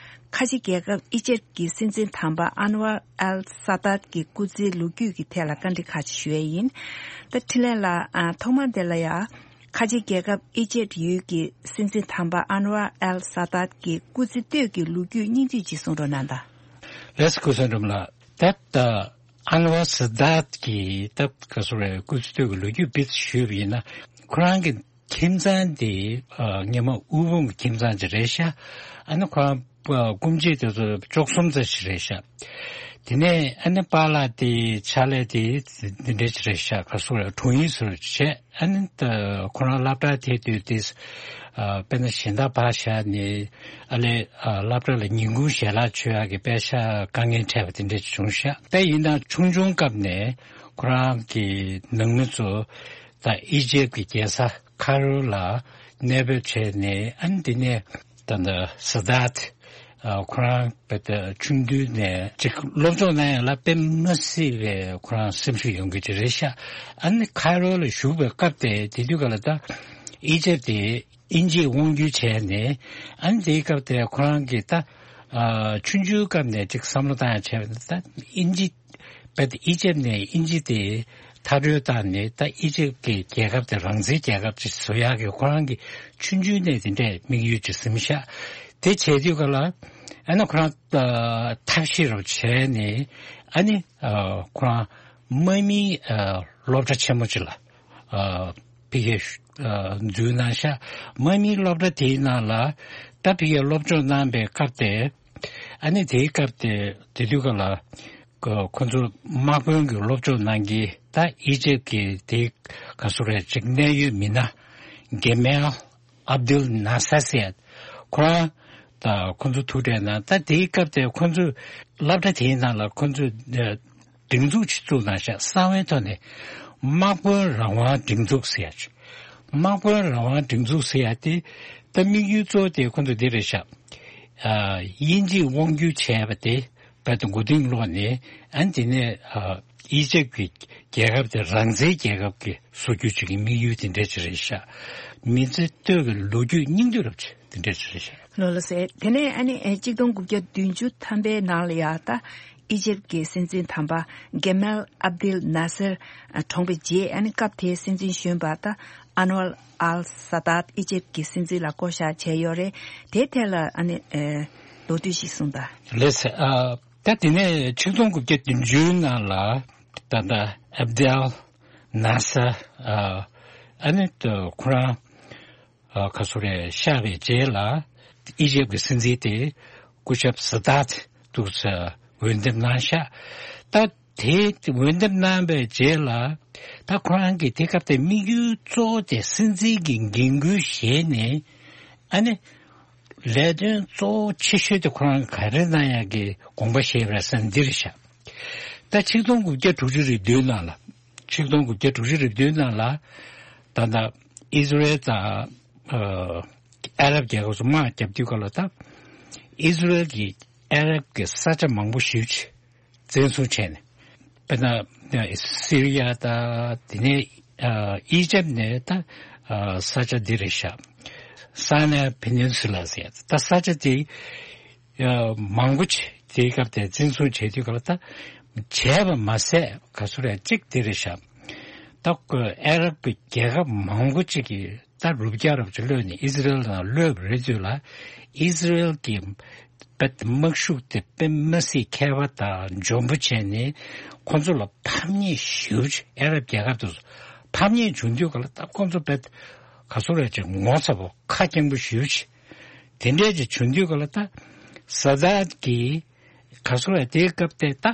ཁ་ཆེ་རྒྱལ་ཁབ་ཨི་ཇེབ་ཀྱི་སྲིད་འཛིན་དམ་པ་ཨན་ཝར་ཨལ་ས་ཏཱད་ཀྱི་སྐུ་ཚེའི་ལོ་རྒྱུས་ཀྱི་ཐད་ལ་བཀའ་འདྲི་ཁག་ཅིག་ཞུ་ཡས་ཡིན། ད་འཕྲིན་ལས་ལགས། ཨ། ཐོག་མར་དེ་ལ་ཡ། ཁ་ཆེ་རྒྱལ་ཁབ་ཨི་ཇེབ་ཡུལ་གྱི་སྲིད་འཛིན་དམ་པ་ཨན་ཝར་ཨལ་ས་ཏཱད་ཀྱི་སྐུ་ཚེ་སྟོད་ཀྱི་ལོ་རྒྱུས་སྙིང་བསྡུས་ཅིག་གསུང་རོགས་གནང་དང་། ལགས་སོ། ཀུན་བཟང་སྒྲོལ་མ་ལགས། ད་ལྟ་ཨན་ཝར་ས་ཏཱད་ཀྱི་ད་ག་སོ་རེ་སྐུ་ཚེ་སྟོད་ཀྱི་ལོ་རྒྱུས་སྤེལ་ཞུས་པ་ཡིན་ན། ཁོ་རང་གི་ཁྱིམ་ཚང་དེ་ཨ་སྔོན་མ་དབུལ་ཕོངས་ཀྱི་ཁྱིམ་ཚང་ཅིག་རེད་ཤག་ཨ་ནི་ཁོ་རང་སྐུ་མཆེད་དེ་ཚོ་བཅུ་གསུམ་ཙམ་ཞིག་རེད་ཤག་དེ་ནས་ཨ་ནི་པཱ་ལགས་དེ་ཕྱག་ལས་དེ་འདི་འདྲ་ཞིག་རེད་ཤག་ག་སོ་རེ་དྲུང་ཡིག་ཟུར་བྱས། ཨ་ནི་ད་ཁོ་རང་སློབ་གྲྭར་ཐད་དུས་དེ་ཨ་དཔེར་ན་གཞན་དག་ཕར་བཞག་ནས་ཨ་ལས་ཨ་སློབ་གྲྭ་ལ་ཉིན་གུང་ཞལ་ལག་མཆོད་ཡག་གི་དཔེ་ཤག་དཀའ་ངལ་འཕྲད་པ་དེ་འདྲ་ཞིག་བྱུང་ཤག་དེ་ཡིན་ན་ཆུང་ཆུང་སྐབས་ནས་ཁོ་རང་གི་ནང་མི་ཚོ་ད་ཨི་ཇེབ་ཀྱི་རྒྱལ་ས་ཁ་རོ་ལ་གནས་སྤོས་བྱས་ནས། ཨ་ནི་དེ་ནས་ད་ལྟ་ས་ཏཱད་ཨ་ཁོ་རང་དཔེ་ད་ཆུང་དུས་ནས་ཅིག་སློབ་སྦྱོང་གནང་ཡག་ལ་དཔེ་མ་སྲིད་པའི་ཁོ་རང་སེམས་ཤུགས་ཡོང་གི་ཅིག་རེད་ཤག་ཨ་ནི་ཁ་རོ་ལ་བཞུགས་པའི་སྐབས་དེ་དེ་དུས་ག་ལ་ད་ཨི་ཇེབ་དེ་དབྱིན་ཇིས་དབང་བསྒྱུར་བྱས་ནས། ཨ་ནི་དེའི་སྐབས་དེ་ཁོ་རང་གིས་ད་ཨ་ཆུང་ཆུང་སྐབས་ནས་ཅིག་བསམ་བློ་བཏང་ཡག་བྱས་པ་ན། ད་དབྱིན་ཇི་བས་ཨི་ཇེབ་ནས་དབྱིན་ཇི་དེ་མཐར་སྐྲོད་བཏང་ནས། ད་ཨི་ཇེབ་ཀྱི་རྒྱལ་ཁབ་དེ་རང་བཙན་རྒྱལ་ཁབ་ཅིག་བཟོ་ཡག་གི་ཁོ་རང་གི་ཆུང་ཆུང་ནས་དེ་འདྲའི་དམིགས་ཡུལ་ཅིག་ཟིན་ཤག་དེ་བྱས་དུས་ག་ལ་ཨ་ནི་ཁོ་རང་ཨ་ཐབས་ཤེས་རོགས་བྱས་ནས། ཨ་ནི་ཨ་ཁོ་རང་དམག་མིའི་ཨ་སློབ་གྲྭ་ཆེན་མོ་ཅིག་ལ་ཨ་ཕ་གིར་ཨ་འཛུལ་གནང་ཤག་དམག་མིའི་སློབ་གྲྭ་དེའི་ནང་ལ་ད་ཕ་གིར་སློབ་སྦྱོང་གནང་པའི་སྐབས་དེ། ཨ་ནི་དེའི་སྐབས་དེ་དེ་དུས་ག་ལ་ཁོ་ཁོ་ཚོ་དམག་དཔོན་གྱི་སློབ་སྦྱོང་གནང་གི། ད་ཨི་ཇེབ་ཀྱི་དེ་ག་སོ་རེ་ཅིག་གནད་ཡོད་མི་སྣ་གེ་མལ་ཨབ་དུལ་ནཱ་སར་ཟེར་ཡ་ཁོ་རང་ད་ཁོ་ཚོ་ཐུག་འཕྲད་གནང་། ད་དེའི་སྐབས་དེ་ཁོ་ཚོ་སློབ་གྲྭ་དེའི་ནང་ལ་ཁོ་ཚོ་ཨ་སྒྲིག་འཛུགས་ཅིག་བཙུགས་གནང་ཤག་གསང་བའི་ཐོག་ནས་དམག་དཔོན་རང་དབང་སྒྲིག་འཛུགས་ཟེར་ཡ་ཅིག་དམག་དཔོན་རང་དབང་སྒྲིག་འཛུགས་ཟེར་ཡ་དེ་ད་དམིགས་ཡུལ་གཙོ་བོ་དེ་ཁོ་ཚོ་འདི་རེད་ཤག་ཨ་དབྱིན་ཇིས་དབང་བསྒྱུར་བྱས་པ་དེ་རྦད་དེ་མགོ་རྟིང་སློག་ནས། ཨ་ནི་དེ་ནས་ཨ་ཨི་ཇེབ་ཀྱི་རྒྱལ་ཁབ་དེ་རང་བཙན་རྒྱལ་ཁབ་ཀྱི་བཟོ་རྒྱུ་ཅིག་གི་དམིགས་ཡུལ་དེ་འདྲ་ཅིག་རེད་ཤག་མི་ཚེ་སྟོད་ཀྱི་ལོ་རྒྱུས་སྙིང་བསྡུས་རབ་ཅིག་དེ་འདྲ་ཅིག་རེད་ཤག་ལགས་སོ། དེ་ནས་ཨ་ནི་ཨེ་གཅིག་སྟོང་དགུ་བརྒྱ་བདུན་ཅུ་ཐམ་པའི་ནང་ལ་ཡ་ད་ཨི་ཇེབ་ཀྱི་སྲིད་འཛིན་དམ་པ་གེ་མལ་ཨབ་དིལ་ནཱ་སེར་ཨ་གྲོངས་པའི་རྗེས། ཨ་ནི་སྐབས་དེའི་སྲིད་འཛིན་གཞོན་པ་ད་ཨན་ཝར་ཨལ་ས་ཏཱད་ཨི་ཇེབ་ཀྱི་སྲིད་འཛིན་ལ་བསྐོ་བཞག་བྱས་ཡོད་རེད། དེའི་ཐད་ལ་ཨ་ནི་ཨེ་མདོར་བསྡུས་ཤིག་གསུངས་དང་། ལགས་སོ། ཨ་ད་དེ་ནས་ཆིག་སྟོང་དགུ་བརྒྱ་བདུན་ཅུའི་ནང་ལ་ད་ལྟ་ཨབ་དིལ་ནཱ་སར་ཨ་ཨ་ནི་ད་ཁོ་རང་ཨ་ག་སོ་རེ་གཤེགས་པའི་རྗེས་ལ་ཨི་ཇེབ་ཀྱི་སྲིད་འཛིན་དེ་སྐུ་ཞབས་ས་ཏཱད་འདུག་ས་འོས་འདེམས་གནང་ཤག་ད་དེ་འོས་འདེམས་གནང་བའི་རྗེས་ལ་ད་ཁོ་རང་གིས་དེ་སྐབས་དེ་དམིགས་ཡུལ་གཙོ་བོ་དེ་སྲིད་འཛིན་གྱི་འགན་ཁུར་བཞེས་ནས། ཨ་ནི་ལས་དོན་གཙོ་བོ་ཆེ་ཤོས་དེ་ཁོ་རང་ག་རེ་གནང་ཡག་གི་དགོངས་པ་བཞེས་པ་རེད་ཟེར་ན་འདི་རེད་ཤག་ད་ཆིག་སྟོང་དགུ་བརྒྱ་དྲུག་ཅུ་རེ་བདུན་ནང་ལ། ཆིག་སྟོང་དགུ་བརྒྱ་དྲུག་ཅུ་རེ་བདུན་ནང་ལ་ད་ལྟ་ཨི་ཟི་རེལ་དང་ཨ་ཨ་རབ་རྒྱལ་ཁབ་ཚོ་དམག་རྒྱབ་དུས་སྐབས་ལ་ད་ཨི་ཟི་རེལ་གྱིས་ཨ་རབ་ཀྱི་ས་ཆ་མང་པོ་ཞེ་པོ་ཅིག་བཙན་བཟུང་བྱས་ནས། དཔེར་ན་སི་རི་ཡ་དང་དེ་ནས་ཨ་ཨི་ཇེབ་ནས་ད་ཨ་ས་ཆ་འདི་རེད་ཤག་སཱ་ནའི་ཕེ་ནིན་སུ་ལ་ཟེར་ད་ས་ཆ་དེ་ཨ་མང་པོ་ཅིག་དེའི་སྐབས་དེ་བཙན་བཟུང་བྱས་དུས་སྐབས་ལ་ད་བྱས་པ་མ་ཟད་ག་ཚོད་རེད་ཅིག་དེ་རེད་ཤག་ད་ཨ་རབ་ཀྱི་རྒྱལ་ཁབ་མང་པོ་ཅིག་གིས་ད་རུ་བརྒྱ་རབ་ཅིག་གློད་ནས་ཨི་ཟི་རེལ་ནང་གློད་པ་རེད་དུས་ལ། ཨི་ཟི་རེལ་གྱི་དཔེ་དམག་ཤུགས་དེ་དཔེ་མི་སྲིད་མཁས་པ་དང་འཇོན་པོ་བྱས་ནས་ཁོ་ཚོ་ལ་ཕམ་ཉེས་ཞེ་པོ་ཅིག་ཨ་རབ་རྒྱལ་ཁབ་དེ་ཚོ་ ཕམ་ཉེས་བྱུང་དུས་ག་ལ་ད་ཁོང་ཚོ་བེད་ག་སོ་རེ་ཅིག་ངོ་ཚ་པོ་ཁ་སྐྱེངས་པོ་ཞུ་ཅི། དེ་འདྲས་ཅིག་བྱུང་དུས་ག་ལ་ད་ས་དཱད་ཀྱི་ག་སོ་རེ་དེའི་སྐབས་དེ་ད་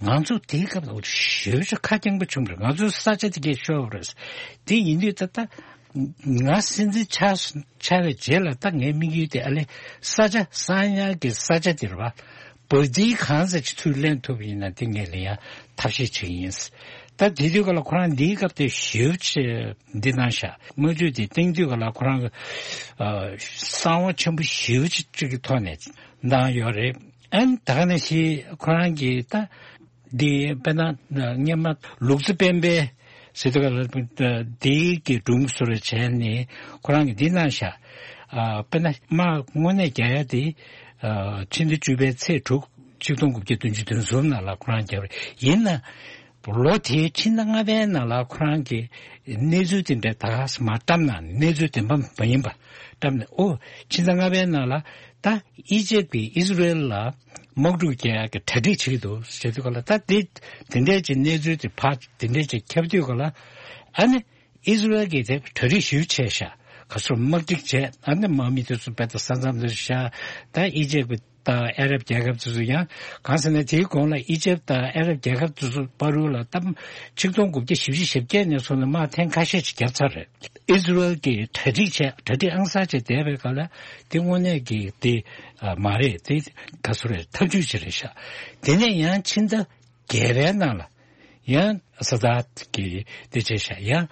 ང་ཚོ་དེའི་སྐབས་ལ་ཞུ་ཅི་ཁ་སྐྱེངས་པོ་བྱུང་རེད། ང་ཚོའི་ས་ཆ་དེ་གས་ཤོར་བ་རེད། དེ་ཡིན་དུས་ད་ད་ང་སྲིད་འཛིན་ཆགས་ཆགས་པའི་རྗེས་ལ་ད་ངའི་དམིགས་ཡུལ་དེ་ཨ་ལེ་ས་ཆ་གསང་ཉར་གྱི་ས་ཆ་དེ་རེད་བ། བ་དེའི་གང་ཟག་ཅིག་ཚུར་ལེན་ཐུབ་པ་ཡིན་ན་དེ་ངས་ལེན་ཡ་ཐབས་ཤེས་བྱེད་ཀྱི་ཡིན། ད་དེ་དུས་སྐབས་ལ་ཁོ་རང་འདིའི་སྐབས་དེ་ཞེ་པོ་ཅིག་འདི་གནང་ཤག། དམག་ཇུས་དེ་བཏིང་དུས་སྐབས་ལ་ཁོ་རང་གི་ཨ་གསང་བ་ཆེན་པོ་ཞེ་པོ་ཅིག་ཅིག་གི་ཐོག་ནས་གནང་ཡོད་རེད། ཨན་ད་ག་ནང་བཞིན་ཁོ་རང་གི་ད་འདི་དཔེར་ན་སྔོན་མ་ལུག་རྫི་སྤེན་པའི་ཟེར་དུས་སྐབས་ལ་འདི་གི་སྒྲུང་བཟོ་འདྲ་བྱས་ནས་ཁོ་རང་གིས་འདི་གནང་ཤག། ཨ་དཔེར་ན་དམག་དངོས་གནས་རྒྱག་ཡ་དེ་ཨ་ཕྱི་ཟླ་བཅུ་པའི་ཚེས་དྲུག་ཆིག་སྟོང་དགུ་བརྒྱ་བདུན་ཅུ་དོན་གསུམ་ནང་ལ་ཁོ་རང་རྒྱབ་རེད། ཡིན་ན་ལོ་དེའི་ཕྱི་ཟླ་ལྔ་པའི་ནང་ལ་ཁོ་རང་གིས་གནས་ཚུལ་དེ་འདྲ་ད་ག་སེ་མར་བཀྲམ་ན་གནས་ཚུལ་བདེན་པ་མ་ཡིན་པ་བཀྲམ་ནས། ཨོ་ཕྱི་ཟླ་ལྔ་པའི་ནང་ལ་ད་ཨི་ཇེབ་ཀྱིས་ཨི་ཟི་རེལ་ལ་དམག་འཁྲུག་རྒྱག་ཡག་གི་གྲ་སྒྲིག་བྱེད་ཀྱི་འདུག་ཟེར་དུས་ག་ལ། ད་དེ་དེ་འདྲས་ཀྱི་གནས་ཚུལ་དེ་ཕར་དེ་འདྲས་ཀྱི་ཁྱབ་དུས་ག་ལ། ཨ་ནི་ཨི་ཟི་རེལ་གྱིས་དེ་གྲ་སྒྲིག་ཞེ་པོ་བྱས་ཤག། ག་ཚོད་དམག་སྒྲིག་བྱས། ཨ་ནི་དམག་མི་དེ་ཚོ་དཔེ་ད་ས་མཚམས་དེ་བཞག། ད་ཨི་ཇེབ་ཀྱི་དང་ཨ་རབ་རྒྱལ་ཁབ་དེ་ཚོ་ཡང་གང་ཟེར་ན་དེའི་གོང་ལ་ཨི་ཇེབ་དང་ཨ་རབ་རྒྱལ་ཁབ་དེ་ཚོ་བར་དུ་ལ་ད་ཆིག་སྟོང་དགུ་བརྒྱ་བཞི་བཅུ་ཞེ་བརྒྱད་ནས་བཟུང་ནས་དམག་ཐེངས་ཁ་ཤས་ཅིག་བརྒྱབ་ཚར་རེད། ཨི་ཟི་རེལ་གྱིས་གྲ་སྒྲིག་བྱས། གྲ་སྒྲིག་ཨང་གསར་བྱས་བསྡད་པའི་སྐབས་ལ་དེ་དངོས་གནས་ཀྱི་དེ་ཨ་མ་རེད། དེ་ག་ཚོད་རེད། ཐབས་ཇུས་ཅིག་རེད་ཤག། དེ་ནས་ཡང་ཕྱི་ཟླ་བརྒྱད་པའི་ནང་ལ་ཡང་ས་དཱད་ཀྱིས་དེ་བྱས་ཤག། ཡང་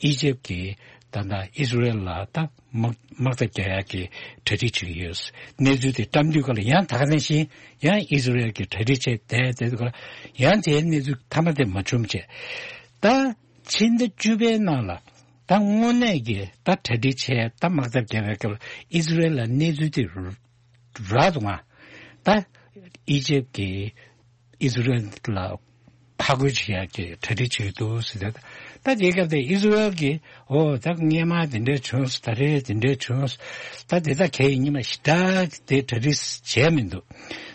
ཨི་ཇེབ་ཀྱིས་ད་ལྟ་ཨི་ཟི་རེལ་ལ་ད་དམག་དམག་འཐབ་རྒྱག་ཡག་གི་གྲ་སྒྲིག་བྱེད་ཀྱི་ཡོད། གནས་ཚུལ་དེ་བཀྲམ་དུས་སྐབས་ལ་ཡང་ད་ག་ནང་བཞིན་ཡང་ཨི་ཟི་རེལ་གྱིས་གྲ་སྒྲིག་བྱས་བསྡད་བསྡད་དུས་སྐབས་ལ་ཡང་དེའི་གནས་ཚུལ་མཐའ་མ་དེ་མ་བྱུང་བྱས། ད་ཕྱི་ཟླ་བཅུ་པའི་ནང་ལ་ད་དངོས་གནས་ཀྱི་ད་གྲ་སྒྲིག་བྱས། ད་དམག་འཐབ་རྒྱག་པའི་སྐབས་ལ་ཨི་ཟི་རེལ་ལ་གནས་ཚུལ་དེ་རག་འདུག་ག། ད་ཨི་ཇེབ་ཀྱིས་ཨི་ཟི་རེལ་ལ་ཕར་རྒོལ་བྱེད་ཡག་གི་གྲ་སྒྲིག་བྱེད་ཀྱི་འདུག་ཟེར་ཏེ། ད་དེའི་སྐབས་དེ་ཨི་ཟི་རེལ་གྱིས་ཨོ་ད་སྔོན་མ་དེ་འདྲས་བྱུང་། ད་རེས་དེ་འདྲས་བྱུང་། ད་དེ་ད་གལ་ཡིན་ཉི་མ་ཞེ་དྲག་དེ་གྲ་སྒྲིག་བྱས་མི་འདུག།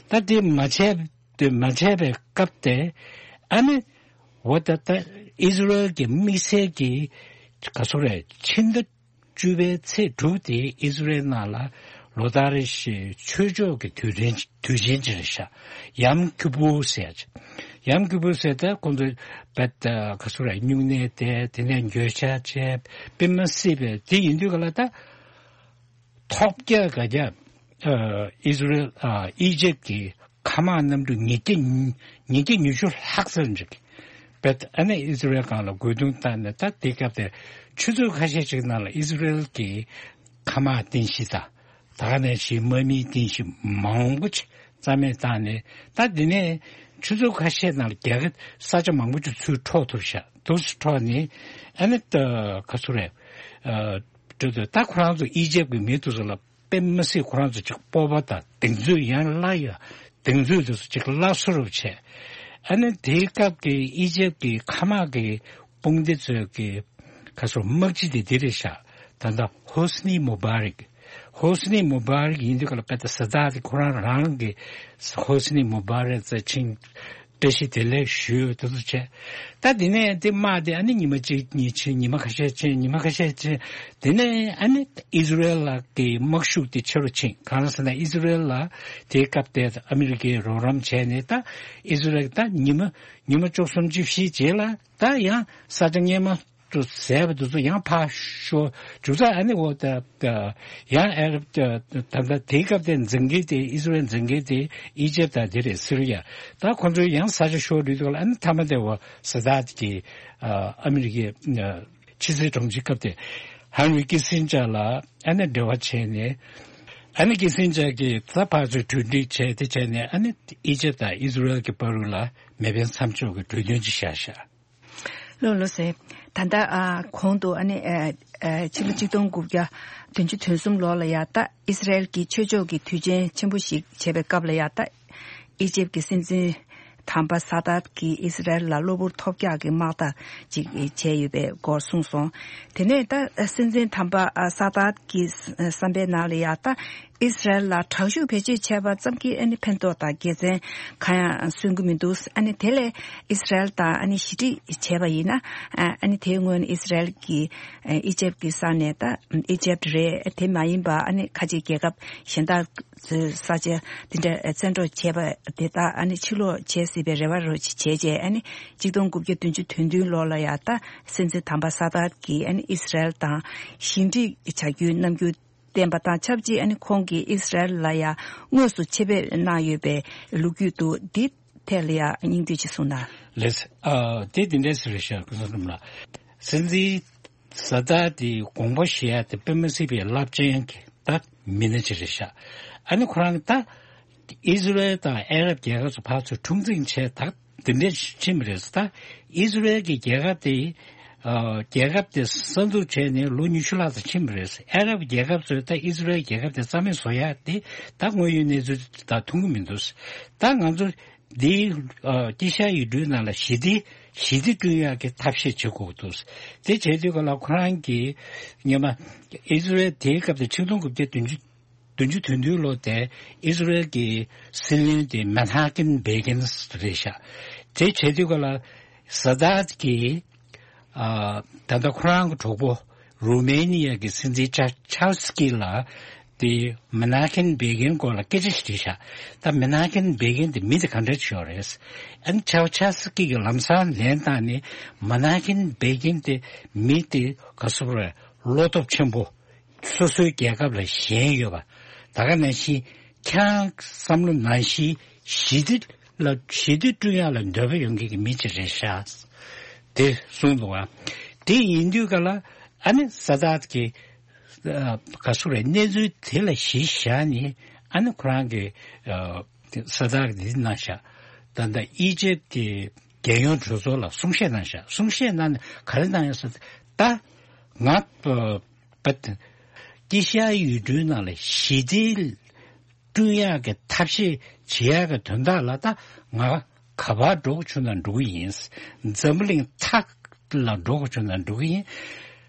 ད་དེ་མ་བྱས་དེ་མ་བྱས་པའི་སྐབས་དེ་ཨ་ནི་འོ་ད་ད་ཨི་ཟི་རེལ་གྱི་དམིགས་བསལ་གྱི་ག་ཚོད་རེད། ཕྱི་ཟླ་བཅུ་པའི་ཚེས་དྲུག་དེ་ཨི་ཟི་རེལ་ནང་ལ་ལོ་ལྟར་རེ་བཞིན་ཆོས་ཕྱོགས་ཀྱི་དུས་དྲན་དུས་ཆེན་ཅིག་རེད་ཤག། ཡམ་ཀི་པུར་ཟེར་ཅིག། ཡམ་ཀི་པུར་ཟེར་ད་ཁོང་ཚོས་བད་ག་ཚོད་རེད། སྨྱུང་གནས་བསྡད། དེ་ནས་འགྱོད་བཤགས་བྱས། དཔེ་མི་སྲིད་པའི་དེ་ཡིན་དུས་ག་ལ་ད་ཐོབ་རྒྱལ་ག་རྒྱ་ཨ་ཨི་ཟི་རེལ་ཨ་ཨི་ཇེབ་ཀྱི་མཁའ་དམག་གནམ་གྲུ་ཉིས་བརྒྱ་ཉིས་བརྒྱ་ཉི་ཤུ་ལྷག་ཙམ་ཅིག་བད་ཨ་ནི་ཨི་ཟི་རེལ་སྒང་ལ་རྒོལ་རྡུང་བཏང་ནས། ད་དེ་སྐབས་དེར་ཆུ་ཚོད་ཁ་ཤས་ཅིག་ནང་ལ་ཨི་ཟི་རེལ་གྱི་མཁའ་དམག་རྟེན་གཞི་དང་ད་ག་ནང་བཞིན་དམག་མིའི་རྟེན་གཞི་མང་པོ་ཅིག་རྩ་མེད་བཏང་ནས། ད་དེ་ནས་ཆུ་ཚོད་ཁ་ཤས་ནང་ལ་རྒྱ་གི་ས་ཆ་མང་པོ་ཅིག་ཚུར་འཕྲོག་ཐུབ་ཤག། འདུག་སེ་འཕྲོག་ནས་ཨ་ནི་ད་ག་ཚོད་རེད། ཨ་འགྲོ་དུས་ད་ཁོ་རང་ཚོ་ཨི་ཇེབ་ཀྱི་མི་དེ་ཚོ་ལ་དཔེ་མི་སྲིད་ཁོ་རང་ཚོ་ཅིག་སྤོབས་པ་དང་གདེང་ཚོད། ཡང་སླར་ཡང་གདེང་ཚོད་དེ་ཚོ་ཅིག་སླར་གསོ་རུ་བྱས། ཨ་ནི་དེའི་སྐབས་ཀྱི་ཨི་ཇེབ་ཀྱི་མཁའ་དམག་གི་དཔུང་སྡེ་ཚོས་ཀྱི་ག་ཚོད་དམག་སྤྱི་དེ་འདི་རེད་ཤག། ད་ལྟ་ཧོ་སི་ནི་མུ་བྷ་རེག། ཧོ་སི་ནི་མུ་བྷ་རེག་ཡིན་དུས་ག་ལ་དཔེ་ད་ས་དཱད་དེ་ཁོ་རང་རང་གི་ཧོ་སི་ནི་མུ་བྷ་རེག་རྩ་ཆེན་བཀྲ་ཤིས་བདེ་ལེགས་ཞུ་དེ་ཚོ་བྱས། ད་དེ་ནས་དེ་དམག་དེ་ཨ་ནི་ཉི་མ་གཅིག་གཉིས་ཕྱིན། ཉི་མ་ཁ་ཤས་ཕྱིན། ཉི་མ་ཁ་ཤས་ཕྱིན། དེ་ནས་ཨ་ནི་ཨི་ཟི་རེལ་ལ་གི་དམག་ཤུགས་དེ་ཆེ་རུ་ཕྱིན། གང་ཟེར་ན་ཨི་ཟི་རེལ་ལ་དེའི་སྐབས་དེ་ཨ་མི་རི་ཀས་རོགས་རམ་བྱས་ནས། ད་ཨི་ཟི་རེལ་ད་ཉི་མ་ཉི་མ་བཅུ་གསུམ་བཅུ་བཞི་རྗེས་ལ་ད་ཡང་ས་ཆ་སྔོན་མ་དུ་ཟས་པ་དེ་ཚོ་ཡང་ཕར་ཤོར། མཇུག་ཚར་ཨ་ནི་འོ་ད་ཡང་ཨ་རབ་ད་ད་དེའི་སྐབས་དེ་འཛིན་མཁན་དེ་ཨི་ཟི་རེལ་འཛིན་མཁན་དེ་ཨི་ཇེབ་དང་དེ་རེད། སི་རི་ཡ། ད་ཁོ་ཚོའི་ཡང་ས་ཆ་ཤོར་དུས་ལ་ཨ་ནི་མཐའ་མ་དེ་འོ་ས་དཱད་ཀྱིས་ཨ་མི་རི་ཀའི་ཕྱི་སྲིད་དྲུང་ཆེ་སྐབས་དེ་ཧན་རི་ཀི་སིན་ཇར་ལ་ཨ་ནི་འབྲེལ་བ་བྱས་ནས། ཨ་ནི་ཀི་སིན་ཇར་གྱིས་ད་ཕར་ཚུར་གྲོས་འགྲིག་བྱས་དེ་བྱས་ནས། ཨ་ནི་ཨི་ཇེབ་དང་ཨི་ཟི་རེལ་གྱི་བར་དུ་ལ་མེ་འཕེན་མཚམས་འཇོག་གི་གྲོས་མཐུན་ཅིག་བཞག་ཤག། ལགས་ལགས་སེ། ད་ལྟ་ཨ་གོང་དུ་ཨ་ནི་ཨ་ཨ་ཕྱི་ལོ་ཆིག་སྟོང་དགུ་བརྒྱ་བདུན་ཅུ་དོན་གསུམ་ལོ་ལ་ཡ་ད་ཨི་སི་རལ་གྱིས་ཆོས་ཕྱོགས་ཀྱི་དུས་ཆེན་ཆེན་པོ་ཞིག་བྱས་པའི་སྐབས་ལ་ཡ་ད་ཨི་ཇེབ་ཀྱི་སྲིད་འཛིན་དམ་པ་ས་དཱད་ཀྱིས་ཨི་སི་རལ་ལ་གློ་བུར་ཐོལ་རྒྱག་གི་དམག་འཐབ་ཅིག་བྱས་ཡོད་པའི་སྐོར་གསུངས་སོང་། དེ་ནས་ད་སྲིད་འཛིན་དམ་པ་ཨ་ས་དཱད་ཀྱི་བསམ་པའི་ནང་ལ་ཡ་ད་ ཨི་སི་རལ་ལ་དྲག་ཤུགས་བེད་སྤྱོད་བྱས་པ་ཙམ་གྱིས་ཨ་ནི་ཕན་ཐོགས་དང་དགེ་མཚན་གང་ཡང་སོན་གྱི་མི་འདུག་ཨ་ནི་དེ་ལས་ཨི་སི་རལ་དང་ཨ་ནི་ཞི་འགྲིག་བྱས་པ་ཡིན་ན། ཨ་ནི་དེའི་སྔོན་ཨི་སི་རལ་གྱིས་ཨི་ཇེབ་ཀྱི་ས་ནས་ད་ཨི་ཇེབ་རེད། དེ་མ་ཡིན་པ་ཨ་ནི་ཁ་ཆེ་རྒྱལ་ཁབ་གཞན་དག་ཚོའི་ས་ཆ་དེ་འདྲ་བཙན་འཕྲོག་བྱས་པ་དེ་དག་ཨ་ནི་ཕྱིར་སློག་བྱས་སྲིད་པའི་རེ་བ་རོ་ཅིག་བྱས་རྗེས། ཨ་ནི་གཅིག་སྟོང་དགུ་བརྒྱ་བདུན་ཅུ་དོན་བདུན་ལོ་ལ་ཡང་ད་སྲིད་འཛིན་དམ་པ་ས་དཱད་ཀྱིས་ཨ་ནི་ཨི་སི་རལ་དང་ཞི་འགྲིག་བྱ་རྒྱུའི་རྣམ་འགྱུར་བསྟན་པ་དང་ཆབས་ཅིག་ཨ་ནི་ཁོང་གིས་ཨི་སི་རལ་ལ་ཡང་དངོས་སུ་ཆེད་ཕེབས་གནང་ཡོད་པའི་ལོ་རྒྱུས་འདུག་འདི་ཐད་ལ་ཡང་སྙིང་བསྡུས་ཅིག་གསུངས་ན། ལགས། ཨ། དེ་འདི་འདྲས་རེད་ཤག་སྐུ་ཚེ་རིང་ལགས། སྲིད་འཛིན་ས་དཱད་དེ་དགོངས་པ་བཞེས་ཡ་དེ་དཔེ་མི་སྲིད་པའི་རླབས་ཆེན་གྱི་ད་མི་སྣ་ཅིག་རེད་ཤག་ཨ་ནི་ཁོ་རང་ད་ཨི་སི་རལ་དང་ཨ་རབ་རྒྱལ་ཁབ་ཚོ་ཕར་ཚུར་འཁྲུག་འཛིང་བྱས་ད་དེ་འདྲས་ཕྱིན་པ་རེད། ད་ཨི་སི་རལ་གྱི་རྒྱལ་ཁབ་དེ་ཨ་རྒྱལ་ཁབ་དེ་གསར་འཛུགས་བྱས་ནས་ལོ་ཉི་ཤུ་ལྷག་ཙམ་ཕྱིན་པ་རེད། ཨ་རབ་རྒྱལ་ཁབ་ཚོས་ད་ཨི་སི་རལ་རྒྱལ་ཁབ་དེ་རྩ་མེད་བཟོ་ཡ་དེ་ད་དངོས་ཡོད་གནས་ཚུལ་དང་མཐུན་གྱི་མི་འདུག་ད་ང་ཚོ་འདི་ཨ་དཀྱིལ་ཤར་ཡུལ་གྲུའི་ནང་ལ་ཞི་བདེ་ཞི་བདེ་བསྐྲུན་ཡག་གི་ཐབས་ཤེས་བྱེད་དགོས་འདུག་དེ་བྱེད་དུས་ག་ལ་ཁོ་རང་གིས་སྔོན་མ་ཨི་སི་རལ་དེའི་སྐབས་དེ་ཆིག་སྟོང་དགུ་བརྒྱ་བདུན་ཅུ་བདུན་ཅུ་དོན་བདུན་ལོ་དེ་ཨི་སི་རལ་གྱི་སྲིད་བློན་དེ་མེ་ནྷ་ཀིན་བྷེ་གིན་རེད་ཤག་དེ་བྱེད་དུས་ག་ལ་ས་དཱད་ཀྱིས་ཨ་ད་ལྟ་ཁོ་རང་གི་གྲོགས་པོ་རུ་མེ་ནི་ཡ་གི་སྲིད་འཛིན་ཆ་ཆའོ་སི་ཀི་ལ་དེ་མེ་ནྷ་ཀིན་བྷེ་གིན་སྐོར་ལ་སྐད་ཆ་ཞིག་དྲིས་ཤག་ད་མེ་ནྷ་ཀིན་བྷེ་གིན་དེ་མི་དེ་ག་འདྲ་ཞིག་ཡོད་རེད། ཨ་ནི་ཆའོ་ཆའོ་སི་ཀི་གིས་ལམ་སང་ལན་བཏང་ནས་མེ་ནྷ་ཀིན་བྷེ་གིན་དེ་མི་དེ་ག་སུ་རེད། བློ་སྟོབས་ཆེན་པོ། སོ་སོའི་རྒྱལ་ཁབ་ལ་ཞེན་ཡོད་པ། ད་ག་ནང་བཞིན་ཁྱེད་རང་བསམ་བློ་ནང་བཞིན་ཞི་བདེ་ལ་ཞི་བདེ་བསྐྲུན་ཡག་ལ་འདོད་པ་ཡོད་མཁན་གྱི་མི་ཅིག་རེད་ཤག་དེ་གསུངས་འདུག་བ། དེ་ཡིན་དུས་ག་ལ་ཨ་ནི་ས་དཱད་ཀྱིས་ཨ་ག་སུ་རེད། གནས་ཚུལ་དེ་ལ་གཞི་བཞག་ནས་ཨ་ནི་ཁོ་རང་གི་ཨ་ས་དཱད་ཀྱིས་འདི་གནང་ཤག་ད་ལྟ་ཨི་ཇེབ་ཀྱི་རྒྱལ་ཡོངས་གྲོས་ཚོགས་ལ་གསུང་བཤད་གནང་ཤག་གསུང་བཤད་གནང་ནས་ག་རེ་གནང་ཡོད་ཟེར། ད་ང་ཨ། པ། དཀྱིལ་ཤར་ཡུལ་གྲུའི་ནང་ལ་ཞི་བདེ་བསྐྲུན་ཡག་གི་ཐབས་ཤེས་བྱེད་ཡག་གི་དོན་དག་ལ་ད་ང་ག་པར་འགྲོ་དགོས་བྱུང་ན་འགྲོ་གི་ཡིན། འཛམ་བུ་གླིང་མཐའ་ལ་འགྲོ་དགོས་བྱུང་ན་འགྲོ་གི་ཡིན།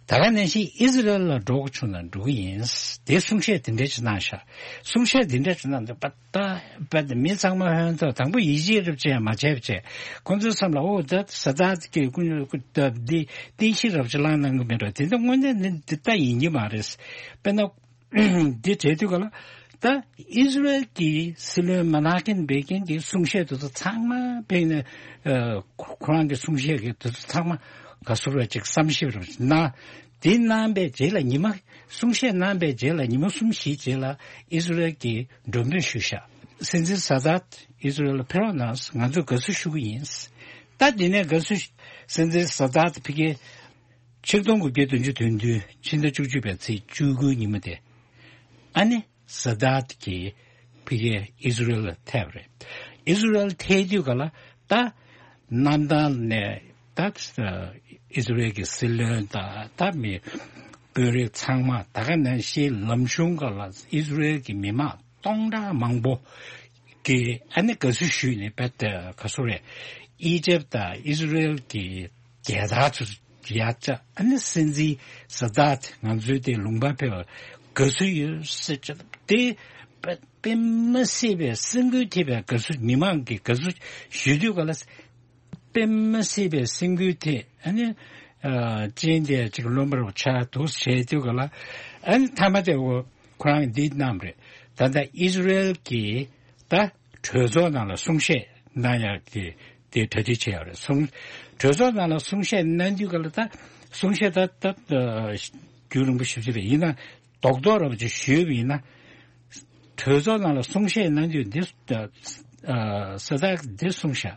ད་ག་ནང་བཞིན་ཨི་ཟི་རལ་ལ་འགྲོ་དགོས་བྱུང་ན་འགྲོ་གི་ཡིན། དེ་གསུང་བཤད་དེ་འདྲ་ཅིག་གནང་ཤག་གསུང་བཤད་དེ་འདྲ་ཅིག་གནང་དུས་པ་ད་པ་དེ་མི་ཚང་མ་ཧོན་ཐོག་དང་པོ་ཡིད་ཆེས་རབ་བྱས་མ་བྱས་བྱས་ཁོང་ཚོའི་བསམ་ལ་ཨོ་ད་ས་དཱད་ཀྱི་ཀུན་སློང་ཀུན་སྟབས་འདི་རྟེན་གཞི་རབ་ཅིག་བླངས་གནང་གི་མེད་འགྲོ། དེ་འདྲ་དངོས་གནས་ནི་འདི་ལྟ་ཡིན་གྱི་མ་རེད། དཔེར་ན། འདི་བྱེད་དུས་ག་ལ། ད་ཨི་ཟི་རལ་གྱི་སྲིད་བློན་མ་ན་ཀིན་བྷེ་ཀིན་གྱི་གསུང་བཤད་དེ་ཚོ་ཚང་མ་ཕེབས་ནས་ཨ་ཁོ་རང་གི་གསུང་བཤད་ཀྱི་དེ་ཚོ་ཚང་མ་ག་ཟེར་བ་ཅིག་བསམ་ཞིབ་རེ་གནང་། དེ་གནང་པའི་རྗེས་ལ་ཉི་མ་གསུང་བཤད་གནང་པའི་རྗེས་ལ་ཉི་མ་གསུམ་བཞིའི་རྗེས་ལ་ཨི་ཟི་རལ་གྱིས་མགྲོན་འབོད་ཞུས་ཤག་སྲིད་འཛིན་ས་དཱད་ཨི་ཟི་རལ་ལ་ཕེབས་རོགས་གནང་། ང་ཚོས་དགའ་བསུ་ཞུ་གི་ཡིན། ད་དེ་ནས་དགའ་བསུ་སྲིད་འཛིན་ས་དཱད་ཕ་གི་ཆིག་སྟོང་དགུ་བརྒྱ་བདུན་ཅུ་དོན་བདུན་ཕྱི་ཟླ་བཅུ་གཅིག་པའི་ཚེས་བཅུ་དགུའི་ཉིན་མོ་དེ། ཨ་ནི་ས་དཱད་ཀྱིས་ཕ་གིའི་ཨི་ཟི་རལ་ལ་ཐེབས་རེད། ཨི་ཟི་རལ་ཐེབས་དུས་ག་ལ་ད་གནམ་ཐང་ནས་ད་ཨི་ཟི་རལ་གྱི་སྲིད་བློན་དང་ད་མི་དཔོན་རིགས་ཚང་མ་ད་ག་ནང་བཞིན་ལམ་གཞུང་ག་ལ་ཨི་ཟི་རལ་གྱི་མི་མང་སྟོང་ཕྲག་མང་པོ་གིས་ཨ་ནི་དགའ་བསུ་ཞུས་ནས་པད་ག་ཟེར་རེད། ཨི་ཇེབ་དང་ཨི་ཟི་རལ་གྱི་རྒྱལ་དར་ཚོ་ཡར་བཅག་ཨ་ནི་སྲིད་འཛིན་ས་དཱད་ང་ཚོའི་དེ་ལུང་པར་ཕེབས་པར་དགའ་བསུ་ཡོད་ཟེར་བྱས་དེ་དཔེ་དཔེ་མི་སྲིད་པའི་སེམས་འགུལ་ཐེབས་པའི་དགའ་བསུ་མི་མང་གི་དགའ་བསུ་ཞུ་དུས་ག་ལ་དཔེ་མི་སྲིད་པའི་སེམས་འགུལ་ཐེབས་ཨ་ནི་ཨ་ཅན་དེ་ཅིག་རློན་པ་རུ་ཆགས་འདུག་བྱས་དུས་ག་ལ་ཨ་ནི་མཐའ་མ་དེ་འོ་ཁོ་རང་འདི་གནང་བ་རེད། ད་ལྟ་ཨི་ཟི་རལ་གྱི་ད་གྲོས་ཚོགས་ནང་ལ་གསུང་བཤད་གནང་ཡག་གི་དེ་གྲ་སྒྲིག་བྱས་ཡོད་རེད། གསུང་གྲོས་ཚོགས་ནང་ལ་གསུང་བཤད་གནང་དུས་ག་ལ་ད་གསུང་བཤད་ད་ད་རྒྱུན་རིང་པོ་ཞེ་པོ་ཅིག་རེད། ཡིན་ན་རྡོག་རྡོག་རབ་ཅིག་ཞུས་པ་ཡིན་ན་གྲོས་ཚོགས་ནང་ལ་གསུང་བཤད་གནང་དུས་འདི་ས་དཱད་འདི་གསུངས་ཤག་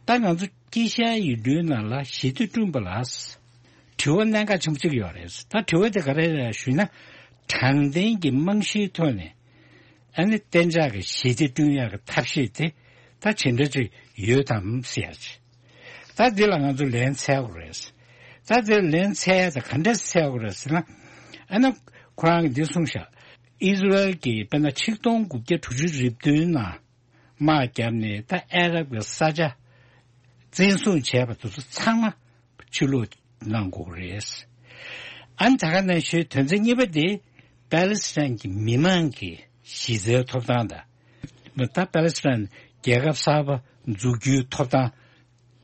ད་ང་ཚོ་དཀྱིལ་ཤར་ཡུལ་གྲུའི་ནང་ལ་ཞི་བདེ་བསྐྲུན་པ་ལ་དྲི་བ་གནད་འགག་ཆེན་པོ་གཅིག་ཡོད་རེད། ད་དྲི་བ་དེ་ག་རེ་རེད་ཞུས་ན་དྲང་བདེན་གྱི་རྨང་གཞིའི་ཐོག་ནས། ཨ་ནི་གཏན་འཇགས་ཀྱི་ཞི་བདེ་བསྐྲུན་ཡག་གི་ཐབས་ཤེས་དེ་ད་ཇི་འདྲ་ཅིག་ཡོད་དམ་ཟེར་ཡག་ཅིག་ད་འདི་ལ་ང་ཚོ་ལན་འཚོལ་དགོས་རེད། ད་འདིར་ལན་འཚོལ་ཡག་དེ་ག་འདྲས་འཚོལ་དགོས་རེད་ཟེར་ན། ཨ་ནི་ཁོ་རང་གིས་འདི་གསུངས་ཤག་ཨི་ཟི་རལ་གྱིས་དཔེར་ན་ཆིག་སྟོང་དགུ་བརྒྱ་དྲུག་ཅུ་རེ་བདུན་ནང་དམག་བརྒྱབ་ནས་ད་ཨ་རབ་ཀྱི་ས་ཆ་བཙན་བཟུང་བྱས་པ་དེ་ཚོ་ཚང་མ་ཕྱིར་སློག་གནང་དགོས་རེད། ཨ་ནི་ད་ག་ནང་བཞིན་དོན་ཚན་གཉིས་པ་དེ་པ་ལི་སི་ཐན་གྱི་མི་མང་གི་ གཞི་རྩའི་ཐོབ་ཐང་དང་། ད་པ་ལེ་སི་ཐན་རྒྱལ་ཁབ་གསར་པ་འཛུགས་རྒྱུའི་ཐོབ་ཐང་།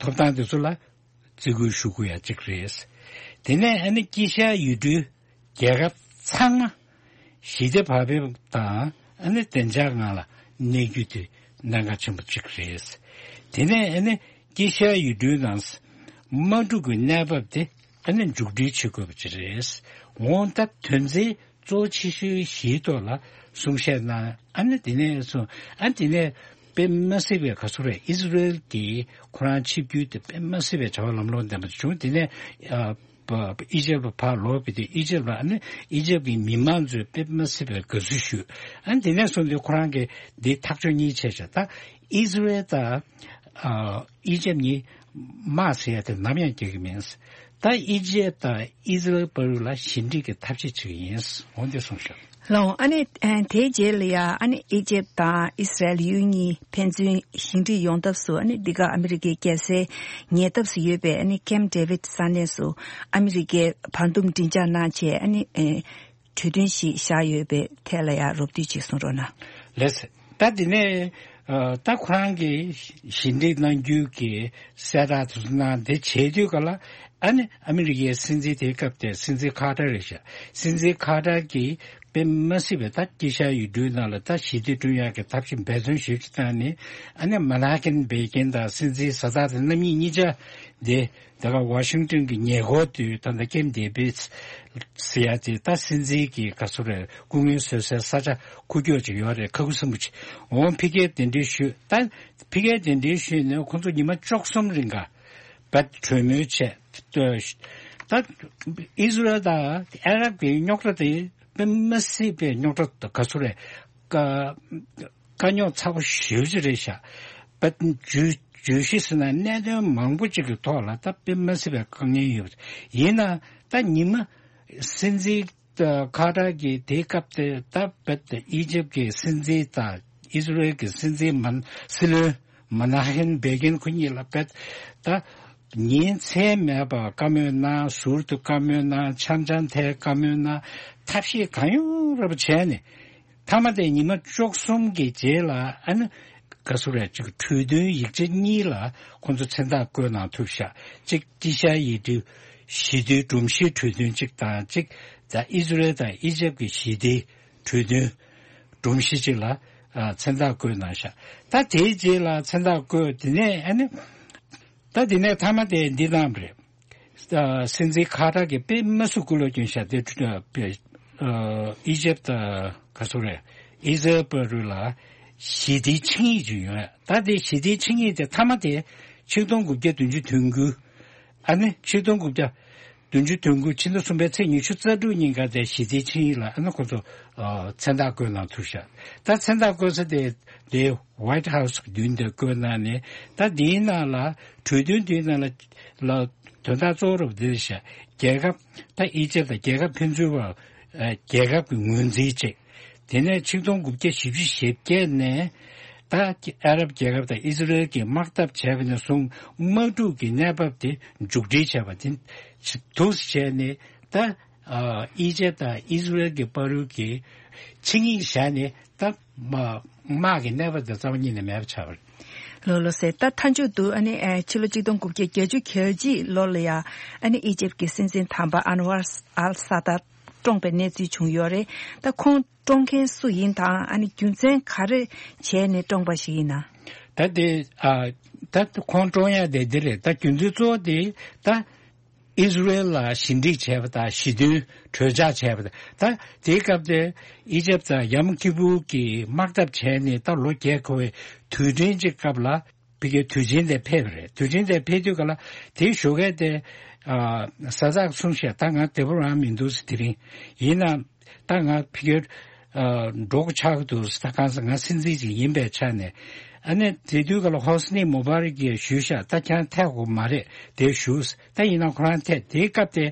ཐོབ་ཐང་དེ་ཚོ་ལ་བརྩི་བཀུར་ཞུ་དགོས་ཡ་གཅིག་རེད། དེ་ནས་ཨ་ནི་དཀྱིལ་ཤར་ཡུལ་གྲུའི་རྒྱལ་ཁབ་ཚང་མ་ཞི་བདེ་བག་ཕེབས་དང་ཨ་ནི་བདེ་འཇགས་ངང་ལ་གནས་རྒྱུ་དེ་གནད་འགག་ཆེན་པོ་གཅིག་རེད། དེ་ནས་ཨ་ནི་དཀྱིལ་ཤར་ཡུལ་གྲུའི་ནང་དམག་འཁྲུག་གི་གནས་བབ་དེ་ཨ་ནི་མཇུག་སྒྲིལ་བྱེད་དགོས་པ་ཅིག་རེད། འོང་ད་དོན་ཚན་གཙོ་ཆེ་ཤོས་བཞིའི་ཐོག་ལ་གསུང་བཤད་གནང་། ཨ་ནི་དེ་ནས་སོང་ཨ་དེ་ནས་དཔེ་མ་སྲིད་པའི་ག་ཚོད་རེད། ཨི་ཟི་རེལ་གྱིས་ཁོ་རང་ཆིབས་བསྒྱུར་དེ་དཔེ་མ་སྲིད་པའི་བྱ་བ་ལམ་ལྷོང་ལྡན་པ་བྱུང་། དེ་ནས་ཨ་ཨི་ཇེབ་ལ་ཕར་ལོག་པའི་དུས་ཨི་ཇེབ་ལ་ཨ་ནི་ཨི་ཇེབ་ཀྱི་མི་མང་ཚོས་དཔེ་མ་སྲིད་པའི་དགའ་བསུ་ཞུས། ཨ་ནི་དེ་ནས་བཟུང་སྟེ་ཁོ་རང་གིས་འདི་ཐག་གཅོད་གཉིས་བྱས་བྱས། ད་ཨི་ཟི་རེལ་དང་ཨ་ཨི་ཇེབ་གཉིས་དམག་ཟེར་ཡ་དེ་ནམ་ཡང་རྒྱག་གི་མིན། ད་ཨི་ཇེབ་དང་ཨི་ཟི་རེལ་བར་ལ་ཞི་འགྲིག་གི་ཐབས་ཤེས་བྱེད་ཀྱི་ཡིན། འོ་འདི་གསུངས་ཤག་ལགས་འོང་། ཨ་ནི་ཨ་དེའི་རྗེས་ལ་ཡ་ཨ་ནི་ཨི་ཇེབ་དང་ཨི་སི་རལ་ཡུལ་གཉིས་ཕན་ཚུན་ཞི་འགྲིག་ཡོང་ཐབས་སུ་ཨ་ནི་འདི་ག་ཨ་མི་རི་ཀའི་རྒྱལ་སའི་ཉེ་འདབས་སུ་ཡོད་པའི་ཨ་ནི་ཀེམ་ཌེ་བིད་ས་གནས་སུ་ཨ་མི་རི་ཀའི་བར་འདུམ་མགྲིན་ཚབ་གནང་བྱས་ཨ་ནི་ཨེ་གྲོས་མཐུན་ཞིག་བཞག་ཡོད་པའི་ཐད་ལ་ཡ་རོབ་བསྡུས་ཅིག་གསུང་རོགས་གནང་། ལགས་སོ། ད་དེ་ནས་ཨ་ད་ཁོ་རང་གིས་ཞི་འགྲིག་གནང་རྒྱུ་གི་གསལ་བསྒྲགས་དེ་ཚོ་གནང་། དེ་བྱེད་དུས་ག་ལ་ཨ་ནི་ཨ་མི་རི་ཀའི་སྲིད་འཛིན་དེའི་སྐབས་དེ་སྲིད་འཛིན་ཁ་ཏར་རེད་ཤག་སྲིད་འཛིན་ཁ་ཏར་གྱིས་དཔེ་མ་སྲིད་པའི་ད་དཀྱིལ་ཤར་ཡུལ་གྲུའི་ནང་ལ་ད་ཞི་བདེ་བསྐྲུན་ཡག་གི་ཐབས་ཤེས་འབད་བརྩོན་ཞེ་པོ་ཅིག་བཏང་ནས། ཨ་ནི་མ་ན་ཁེན་བེ་ཀིན་དང་སྲིད་འཛིན་ཟ་ད་དང་རྣམ་གཉིས་གཉིས་ཆ་དེ་ད་ག་ཝ་ཤིང་ཏོན་གྱི་ཉེ་འཁོར་དུ་ད་ལྟ་ཀེམ་ཌེ་བིད་ཟེར་ཡ་དེ་ད་སྲིད་འཛིན་གྱི་ག་ཚོད་རེད། སྐུ་ངལ་གསོ་སའི་ས་ཆ་ཁུག་ཀྱོག་ཅིག་ཡོད་རེད། ཁ་ཁུ་སིམ་པོ་ཅིག་འོང་ཕ་གིར་གདན་འདྲེན་ཞུས། ད་ཕ་གིར་གདན་འདྲེན་ཞུས་ནས་ཁོང་ཚོ་ཉི་མ་བཅུ་གསུམ་རིང་ག་བད་གྲོས་མོལ་བྱས། ད་ཨི་ཟི་རལ་དང་ཨ་རབ་ཀྱི་རྙོག་དྲ་དེ་དཔེ་མ་སྲིད་པའི་རྙོག་དྲ་ག་ཚོད་རེད། དཀའ་དཀའ་རྙོག་ཚ་པོ་ཞེ་པོ་ཅིག་རེད་ཤག་བད་བརྗོད་བརྗོད་གཞི་ཟེར་ན་གནད་དོན་མང་པོ་ཅིག་གི་ཐོག་ལ་ད་དཔེ་མ་སྲིད་པའི་དཀའ་ངལ་ཡོད་པ་རེད། ཡིན་ན་ད་ཉི་མ་སྲིད་འཛིན་ཁ་ཏར་གྱི་དེའི་སྐབས་དེ་ད་བད་ཨི་ཇེབ་ཀྱི་སྲིད་འཛིན་དང་ཨི་ཟི་རེལ་གྱི་སྲིད་འཛིན་མན་སྲིད་བློན་མ་ན་ཧེན་བེ་གིན་ཁོ་གཉིས་ལ་བད་ད་ཉིན་མཚན་མེད་པར་བཀའ་མོལ་གནང་། ཟུར་དུ་བཀའ་མོལ་གནང་། འཆམ་འཆམ་ཐལ་བཀའ་མོལ་གནང་། ཐབས་ཤེས་གང་ཡོང་རབ་བྱས་ནས། མཐའ་མ་དེ་ཉི་མ་བཅུ་གསུམ་གྱི་རྗེས་ལ་ཨ་ནི་ག་ཚོད་རེད། ཅིག་གྲོས་མཐུན་ཡིག་ཆ་གཉིས་ལ་ཁོང་ཚོ་མཚན་རྟགས་བཀོད་གནང་ཐུབ་ཤག་གཅིག་དཀྱིལ་ཤར་ཡུལ་གྲུའི་ཞི་བདེའི་སྒྲོམ་གཞིའི་གྲོས་མཐུན་གཅིག་དང་། གཅིག་ད་ཨི་ཟི་རེལ་དང་ཨི་ཇེབ་ཀྱི་ཞི་བདེའི་གྲོས་མཐུན་སྒྲོམ་གཞི་གཅིག་ལ་ཨ་མཚན་རྟགས་བཀོད་གནང་ཤག་ད་དེའི་རྗེས་ལ་མཚན་རྟགས་བཀོད། དེ་ནས་ཨ་ནི་ད་དེ་ནས་མཐའ་མ་དེ་འདི་གནང་བ་རེད། ཨ་སྲིད་འཛིན་ཁ་ཏར་གྱིས་དཔེ་མ་སྲིད་སྐུ་ལོ་སྐྱོན་ཤག་དེ་ཨ་ཨི་ཇེབ་དང་ག་ཚོད་རེད། ཨི་ཟི་རལ་བར་ལ་ཞི་བདེའི་ཆིངས་ཡིག་ཅིག་ཡོད། ད་དེ་ཞི་བདེའི་ཆིངས་ཡིག་དེ་མཐའ་མ་དེ་ཆིག་སྟོང་དགུ་བརྒྱ་བདུན་ཅུ་དོན་དགུ། ཨ་ནི་ཆིག་སྟོང་དགུ་བརྒྱ་བདུན་ཅུ་དོན་དགུ་ཕྱི་ཟླ་གསུམ་པའི་ཚེས་ཉི་ཤུ་རྩ་དྲུག་ཉིན་ཀ་དེ་ཞི་བདེའི་ཆིངས་ཡིག་ལ་ཨ་ནི་ཁོ་ཚོ་ཨ་མཚན་རྟགས་བཀོད་གནང་ཐུབ་ཤག་ད་མཚན་རྟགས་བཀོད་ས་དེ་དེ་ཝའིཊ་ཧའུ་སི་གི་མདུན་དེ་བཀོད་གནང་ནས། ད་དེའི་ནང་ལ་གྲོས་མཐུན་དེའི་ནང་ལ་ལ་དོན་དག་གཙོ་བོ་རུ་འདི་རེད་ཤག་རྒྱལ་ཁབ་ད་ཨི་ཇེབ་དང་རྒྱལ་ཁབ་ཕན་ཚུན་བར་ཨ་རྒྱལ་ཁབ་ཀྱི་ངོས་འཛིན་བྱས། དེ་ནས་ཆིག་སྟོང་དགུ་བརྒྱ་བཞི་བཅུ་ཞེ་བརྒྱད་ནས་ད་ཨ་རབ་རྒྱལ་ཁབ་དང་ཨི་ཟི་རེལ་གྱིས་དམག་འཐབ་བྱས་པ་ནས་བཟུང་དམག་འཁྲུག་གི་གནས་བབ་དེ་མཇུག་སྒྲིལ་བྱས་པ་དེ་འདུག་སེ་བྱས་ནས་ད་ཨ་ཨི་ཇེབ་དང་ཨི་ཟི་རེལ་གྱི་བར་གྱི་ཆིངས་ཡིག་བཞག་ནས་ད་དམག་དམག་གི་གནས་བབ་དེ་རྩ་བ་ཉིད་ནས་མེད་པ་ཆགས་པ་རེད། ལགས་ལགས་སེ། ད་མཐའ་མཇུག་ཏུ་ཨ་ནི་ཨ་ཕྱི་ལོ་ཆིག་སྟོང་དགུ་བརྒྱ་བརྒྱད་ཅུ་གྱ་གཅིག་ལོ་ལ་ཡ་ཨ་ནི་ཨི་ཇེབ་ཀྱི་སྲིད་འཛིན་དམ་པ་ཨན་ཝར་ཨལ་ས་ད་བཀྲོངས་པའི་གནས་ཚུལ་བྱུང་ཡོད་རེད། ད་ཁོང་བཀྲོངས་མཁན་སུ་ཡིན་དང་ཨ་ནི་རྒྱུ་མཚན་ག་རེ་བྱས་ནས་བཀྲོངས་པ་ཞིག་ཡིན་ན། ད་དེ་ཨ་ད་ཁོང་བཀྲོངས་ཡ་དེ་འདི་རེད། ད་རྒྱུ་མཚན་གཙོ་བོ་དེ་ད་ཨི་ཟི་རེལ་ལ་ཞི་འགྲིག་བྱས་པ་དང་ཞི་མཐུན་གྲོས་འཆར་བྱས་པ་དང་། ད་དེའི་སྐབས་དེ་ཨི་ཇེབ་དང་ཡམ་ཁི་པུར་གྱི་དམག་འཐབ་བྱས་ནས་ད་ལོ་བརྒྱད་འཁོར་བའི་དུས་དྲན་གྱི་སྐབས་ལ། ཕ་གིའི་དུས་ཆེན་དེ་ཕེབས་པ་རེད། དུས་ཆེན་དེ་ཕེབས་དུས་ག་ལ་དེའི་ཞོགས་ཀས་དེ་ཨ་ས་ཛག་གསུངས་ཤག་ད་ང་བདེ་པོ་རང་མི་འདུག་ཟེར། དེ་རིང་ཡིན་ན་ད་ང་ཕ་གིར་ཨ་འགྲོ་དགོས་ཆགས་ཀྱི་འདུག་ཟེར། ད་གང་ཟེར་ང་སྲིད་འཛིན་ཅིག་ཡིན་པའི་ཆ་ནས། ཨ་ནི་དེ་དུས་ག་ལ་ཧོ་སི་ནི་མུ་བྷ་རག་གིས་ཞུས་ཤག་ད་ཁྱེད་རང་ཐད་དགོས་མ་རེད། དེ་བཞུགས། ད་ཡིན་ན་ཁོ་རང་ཐད། དེའི་སྐབས་དེ་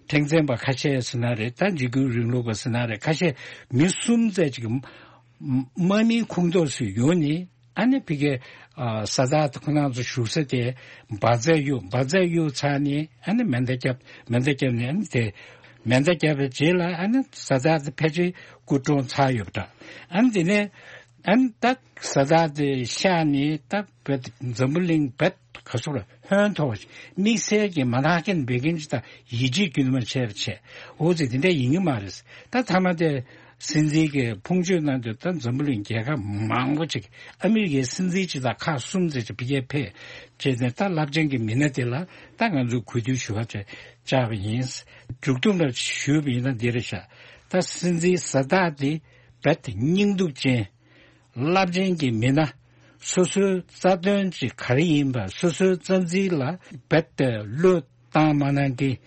ཁྲེང་ཙེན་པ་ཁ་ཤས་ཟེར་ན་རེད། ད་འཇིགས་སྐུལ་རིང་ལུགས་པ་ཟེར་ན་རེད། ཁ་ཤས་མི་གསུམ་ཙམ་ཅིག་དམག་མིའི་ཁོངས་གཏོགས་སུ་ཡོང་ནས། ཨ་ནི་ཕ་གིའི་ཨ་ས་ཛག་ཁོ་རང་ཚོ་བཞུགས་ས་དེ་འབར་རྫས་གཡུགས། འབར་རྫས་གཡུགས་ཚར་ནས་ཨ་ནི་མེ་མདའ་བརྒྱབ། མེ་མདའ་བརྒྱབ་ནས་ཨ་ནི་དེ་ མེ་མདའ་བརྒྱབ་པའི་རྗེས་ལ་ཨ་ནི་བཟའ་ཟླ་དེ་ཕལ་ཆེར་སྐུ་གྲོངས་ཚར་ཡོད་པ་འདྲ། ཨ་ནི་དེ་ནས་ཨ་ནི་ད་བཟའ་ཟླ་དེ་གཤགས་ནས་ད་བོད་འཛམ་བུ་གླིང་བོད་ག་སོ་ར་ཧོན་ཐོར་བ་ཞིག་དམིགས་བསལ་གྱི་མ་ཐག་རྐྱེན་འབད་མཁན་ཅིག་དང་ཡིད་ཆེས་རྒྱུན་མ་ཆད་པ་བྱས། འོ་ཙི་དེ་འདྲ་ཡིན་གྱི་མ་རེད། ད་ཐ་མ་དེ་སྲིད་འཛིན་གྱི་ཕུང་མཆོད་གནང་དུས་ད་འཛམ་བུ་གླིང་རྒྱལ་ཁབ་མང་པོ་ཅིག་ཨ་མི་རི་ཀའི་སྲིད་འཛིན་ཅིག་དང་ཁག་གསུམ་ཙམ་ཅིག་ཕ་གིར་ཕེབས་བྱས་ནས་ད་རླབས་ཆེན་གྱི་མི་སྣ་དེ་ལ་ད་ང་ཚོས་གུས་འདུད་ཞུ་བ་བྱས་བཅར་བ་ཡིན། མཇུག་སྡོམ་ལ་ཞུས་པ་ཡིན་ན་འདི་རེད་ཤག་ད་སྲིད་འཛིན་གཟེངས་རྟགས་དེ་རྦད་དེ་སྙིང་སྡུག་ཅན། རླབས་ཆེན་གྱི་མི་སྣ། སོ་སོའི་རྩ་དོན་ཅིག་ག་རེ་ཡིན་པ་སོ་སོའི་རྩ་འཛིན་ལ་རྦད་དེ་བློས་བཏང་མ་གནང་མཁན།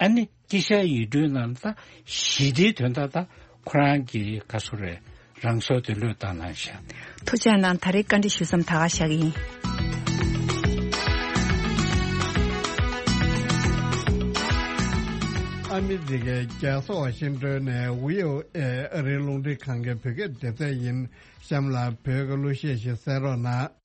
ཨ་ནི་དཀྱིལ་ཤར་ཡུལ་གྲུའི་ནང་ད་ཞི་བདེའི་དོན་དག་ད་ཁོ་རང་གི་ག་སོ་རེད། རང་སྲོག་དེ་བློས་བཏང་གནང་ཤག་ཐུགས་རྗེ་གནང་། ད་རེས་བཀའ་འདྲི་ཞུ་མཚམས་ད་ག་བཞག་གི་ཡིན། ཨ་མི་རི་ཀའི་རྒྱལ་ས་ཝ་ཤིང་ཏོན་ནས་བྷི་ཨོ་ཨེ་ཨ་རིའི་རླུང་འཕྲིན་ཁང་གི་བོད་སྐད་སྡེ་ཚན་ཡིན། གཤམ་ལ་བོད་ཀྱི་གླུ་གཞས་ཤིག་གསན་རོགས་གནང་།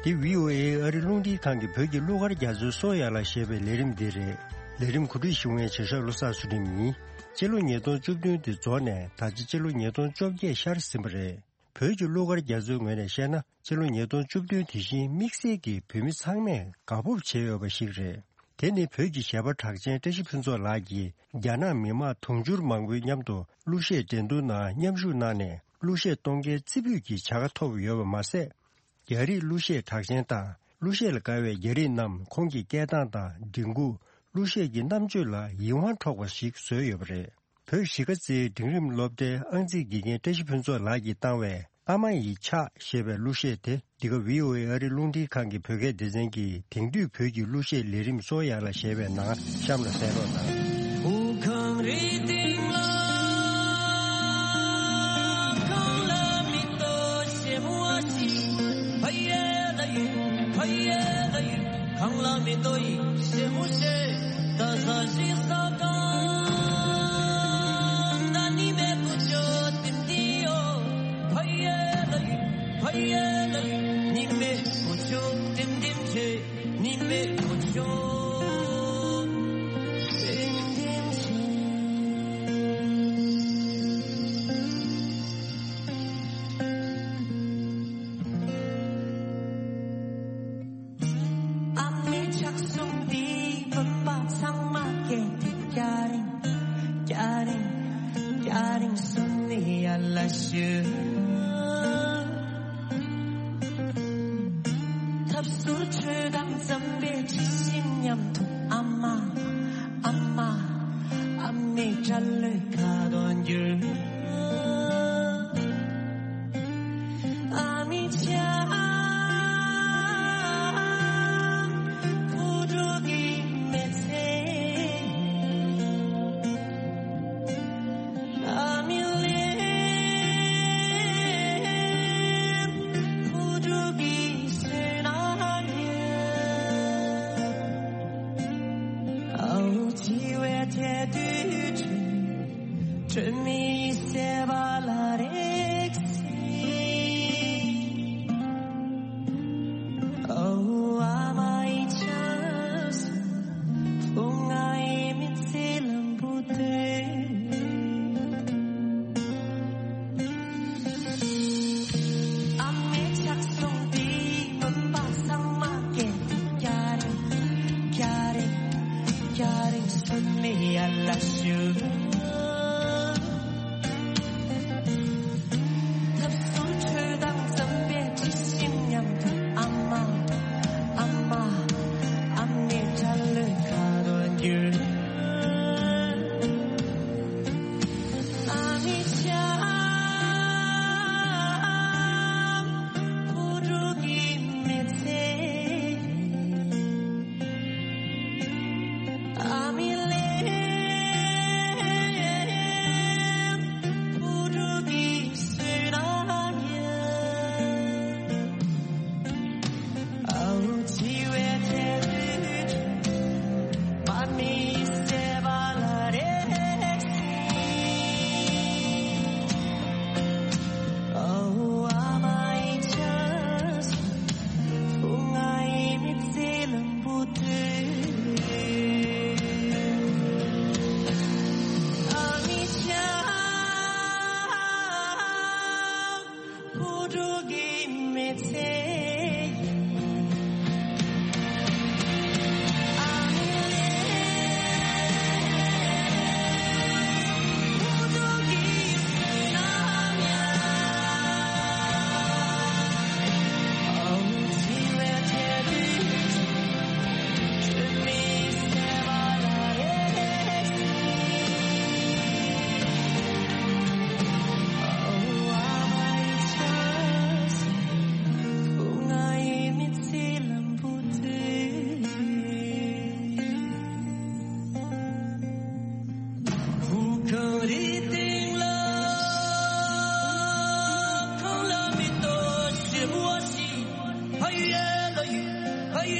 འདི་བྷི་ཨོ་ཨེ་ཨ་རི་རླུང་འཕྲིན་ཁང་གི་བོད་ཀྱི་གླུ་གར་རྒྱ་མཚོའི་སོ་ཡ་ལ་ཞེས་པའི་ལས་རིམ་འདི་རེད། ལས་རིམ་གོ་སྒྲིག་ཞུ་མཁན་བྱེད་ཤག་བློ་བཟང་ཚུལ་ཁྲིམས་ཡིན། སྤྱི་ལོ་ཉིས་སྟོང་བཅུ་བདུན་འདི་རྫོགས་ནས་ད་ཆ་སྤྱི་ལོ་ཉིས་སྟོང་བཅོ་བརྒྱད་ཤར་ཟིན་པ་རེད། བོད་ཀྱི་གླུ་གར་རྒྱ་མཚོའི་ངོས་ནས་བཤད་ན། སྤྱི་ལོ་ཉིས་སྟོང་བཅུ་བདུན་དེ་བཞིན་དམིགས་བསལ་གྱིས་བོད་མི་ཚང་མས་དགའ་སྤོབས་བྱས་ཡོད་པ་ཞིག་རེད། དེ་ནི་བོད་ཀྱི་གཞས་པ་གྲགས་ཅན་བཀྲ་ཤིས་ཕུན་ཚོགས་ལགས་ཀྱིས་རྒྱ་ནག་མི་དམངས་དུང་ཕྱུར་མང་པོའི་མཉམ་དུ་གླུ་གཞས་འགྲན་བསྡུར་ནང་མཉམ་ཞུགས་གནང་ནས་གླུ་གཞས་གཏོང་མཁན་རྩེ་ཕུད་ཀྱི་བྱ་དགའ་ཐོབ་ཡོད་པ་མ་ཟད། རྒྱ་རིགས་གླུ་གཞས་གྲགས་ཅན་དང་གླུ་གཞས་ལ་དགའ་བའི་རྒྱ་རིགས་རྣམས་ཁོང་གི་སྐད་གདངས་དང་མགྲིན་ཁུག་གླུ་གཞས་ཀྱི་རྣམ་དཔྱོད་ལ་ཡིད་དབང་འཕྲོག་པ་ཞིག་བཟོས་ཡོད་པ་རེད། བོད་གཞིས་ཀ་རྩེའི་འབྲིང་རིམ་སློབ་གྲྭའི་ཨང་རྩིས་དགེ་རྒན་བཀྲ་ཤིས་ཕུན་ཚོགས་ལགས་ཀྱིས་བཏང་བའི་ཨ་མ་ཡི་ཕྱག་ཞེས་པའི་གླུ་གཞས་དེ་འདི་ག་བྷི་ཨོ་ཨེ་ཨ་རི་རླུང་འཕྲིན་ཁང་གི་བོད་སྐད་སྡེ་ཚན་གྱི་དེང་དུས་བོད་ཀྱི་གླུ་གཞས་ལས་རིམ་སོ་ཡ་ལ་ཞེས་པའི་ནང་གཤམ་ལ་གསན་རོགས་གནང་། ཨ་མའི་ཕྱག་ཟུང་འདིས་བུམ་པ་ཚང་མ་སྐྱེས་ཏེ་སྐྱ་རེངས་སྐྱ་རེངས་སྐྱ་རེངས་སུ་ནི་ཡར་ལ་ཞུ། ཐབས་ཟུར་ཆོས་དང་འཛམ་པའི་དྲི་ཞིམ་མཉམ་དུ་ཨ་མ་ཨ་མ་ཨ་མའི་སྐྲ་ལོའི་ཁ་དོག་འགྱུར། ཨ་མའི་ཕྱག་བུ་ཕྲུག་གི་མི་ཚེ། ཨ་མའི་ལས་བུ་ཕྲུག་གི་སེམས་ནང་ཡོད། ཨ་འུ་འཆི་བའི་ཐད་དུ་དྲན་མི་ཟད་པ།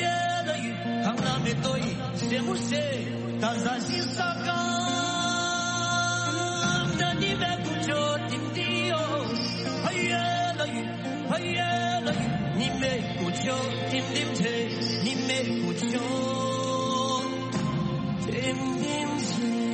ཡེ་ལ་ཡུ་ཧང་ན་མེ་ཏོ་ཡི་སེ་མུ་སེ་ད་ཟ་ཞིང་ས་ཀ་ད་ནི་མེ་ཀུ་ཆོ་ཏིམ་ཏི་ཡོ། ཧ་ཡེ་ལ་ཡུ་ཧ་ཡེ་ལ་ཡུ་ནི་མེ་ཀུ་ཆོ་ཏིམ་ཏིམ་ཆེ་ནི་མེ་ཀུ་ཆོ་ཏིམ་ཏིམ་ཆེ།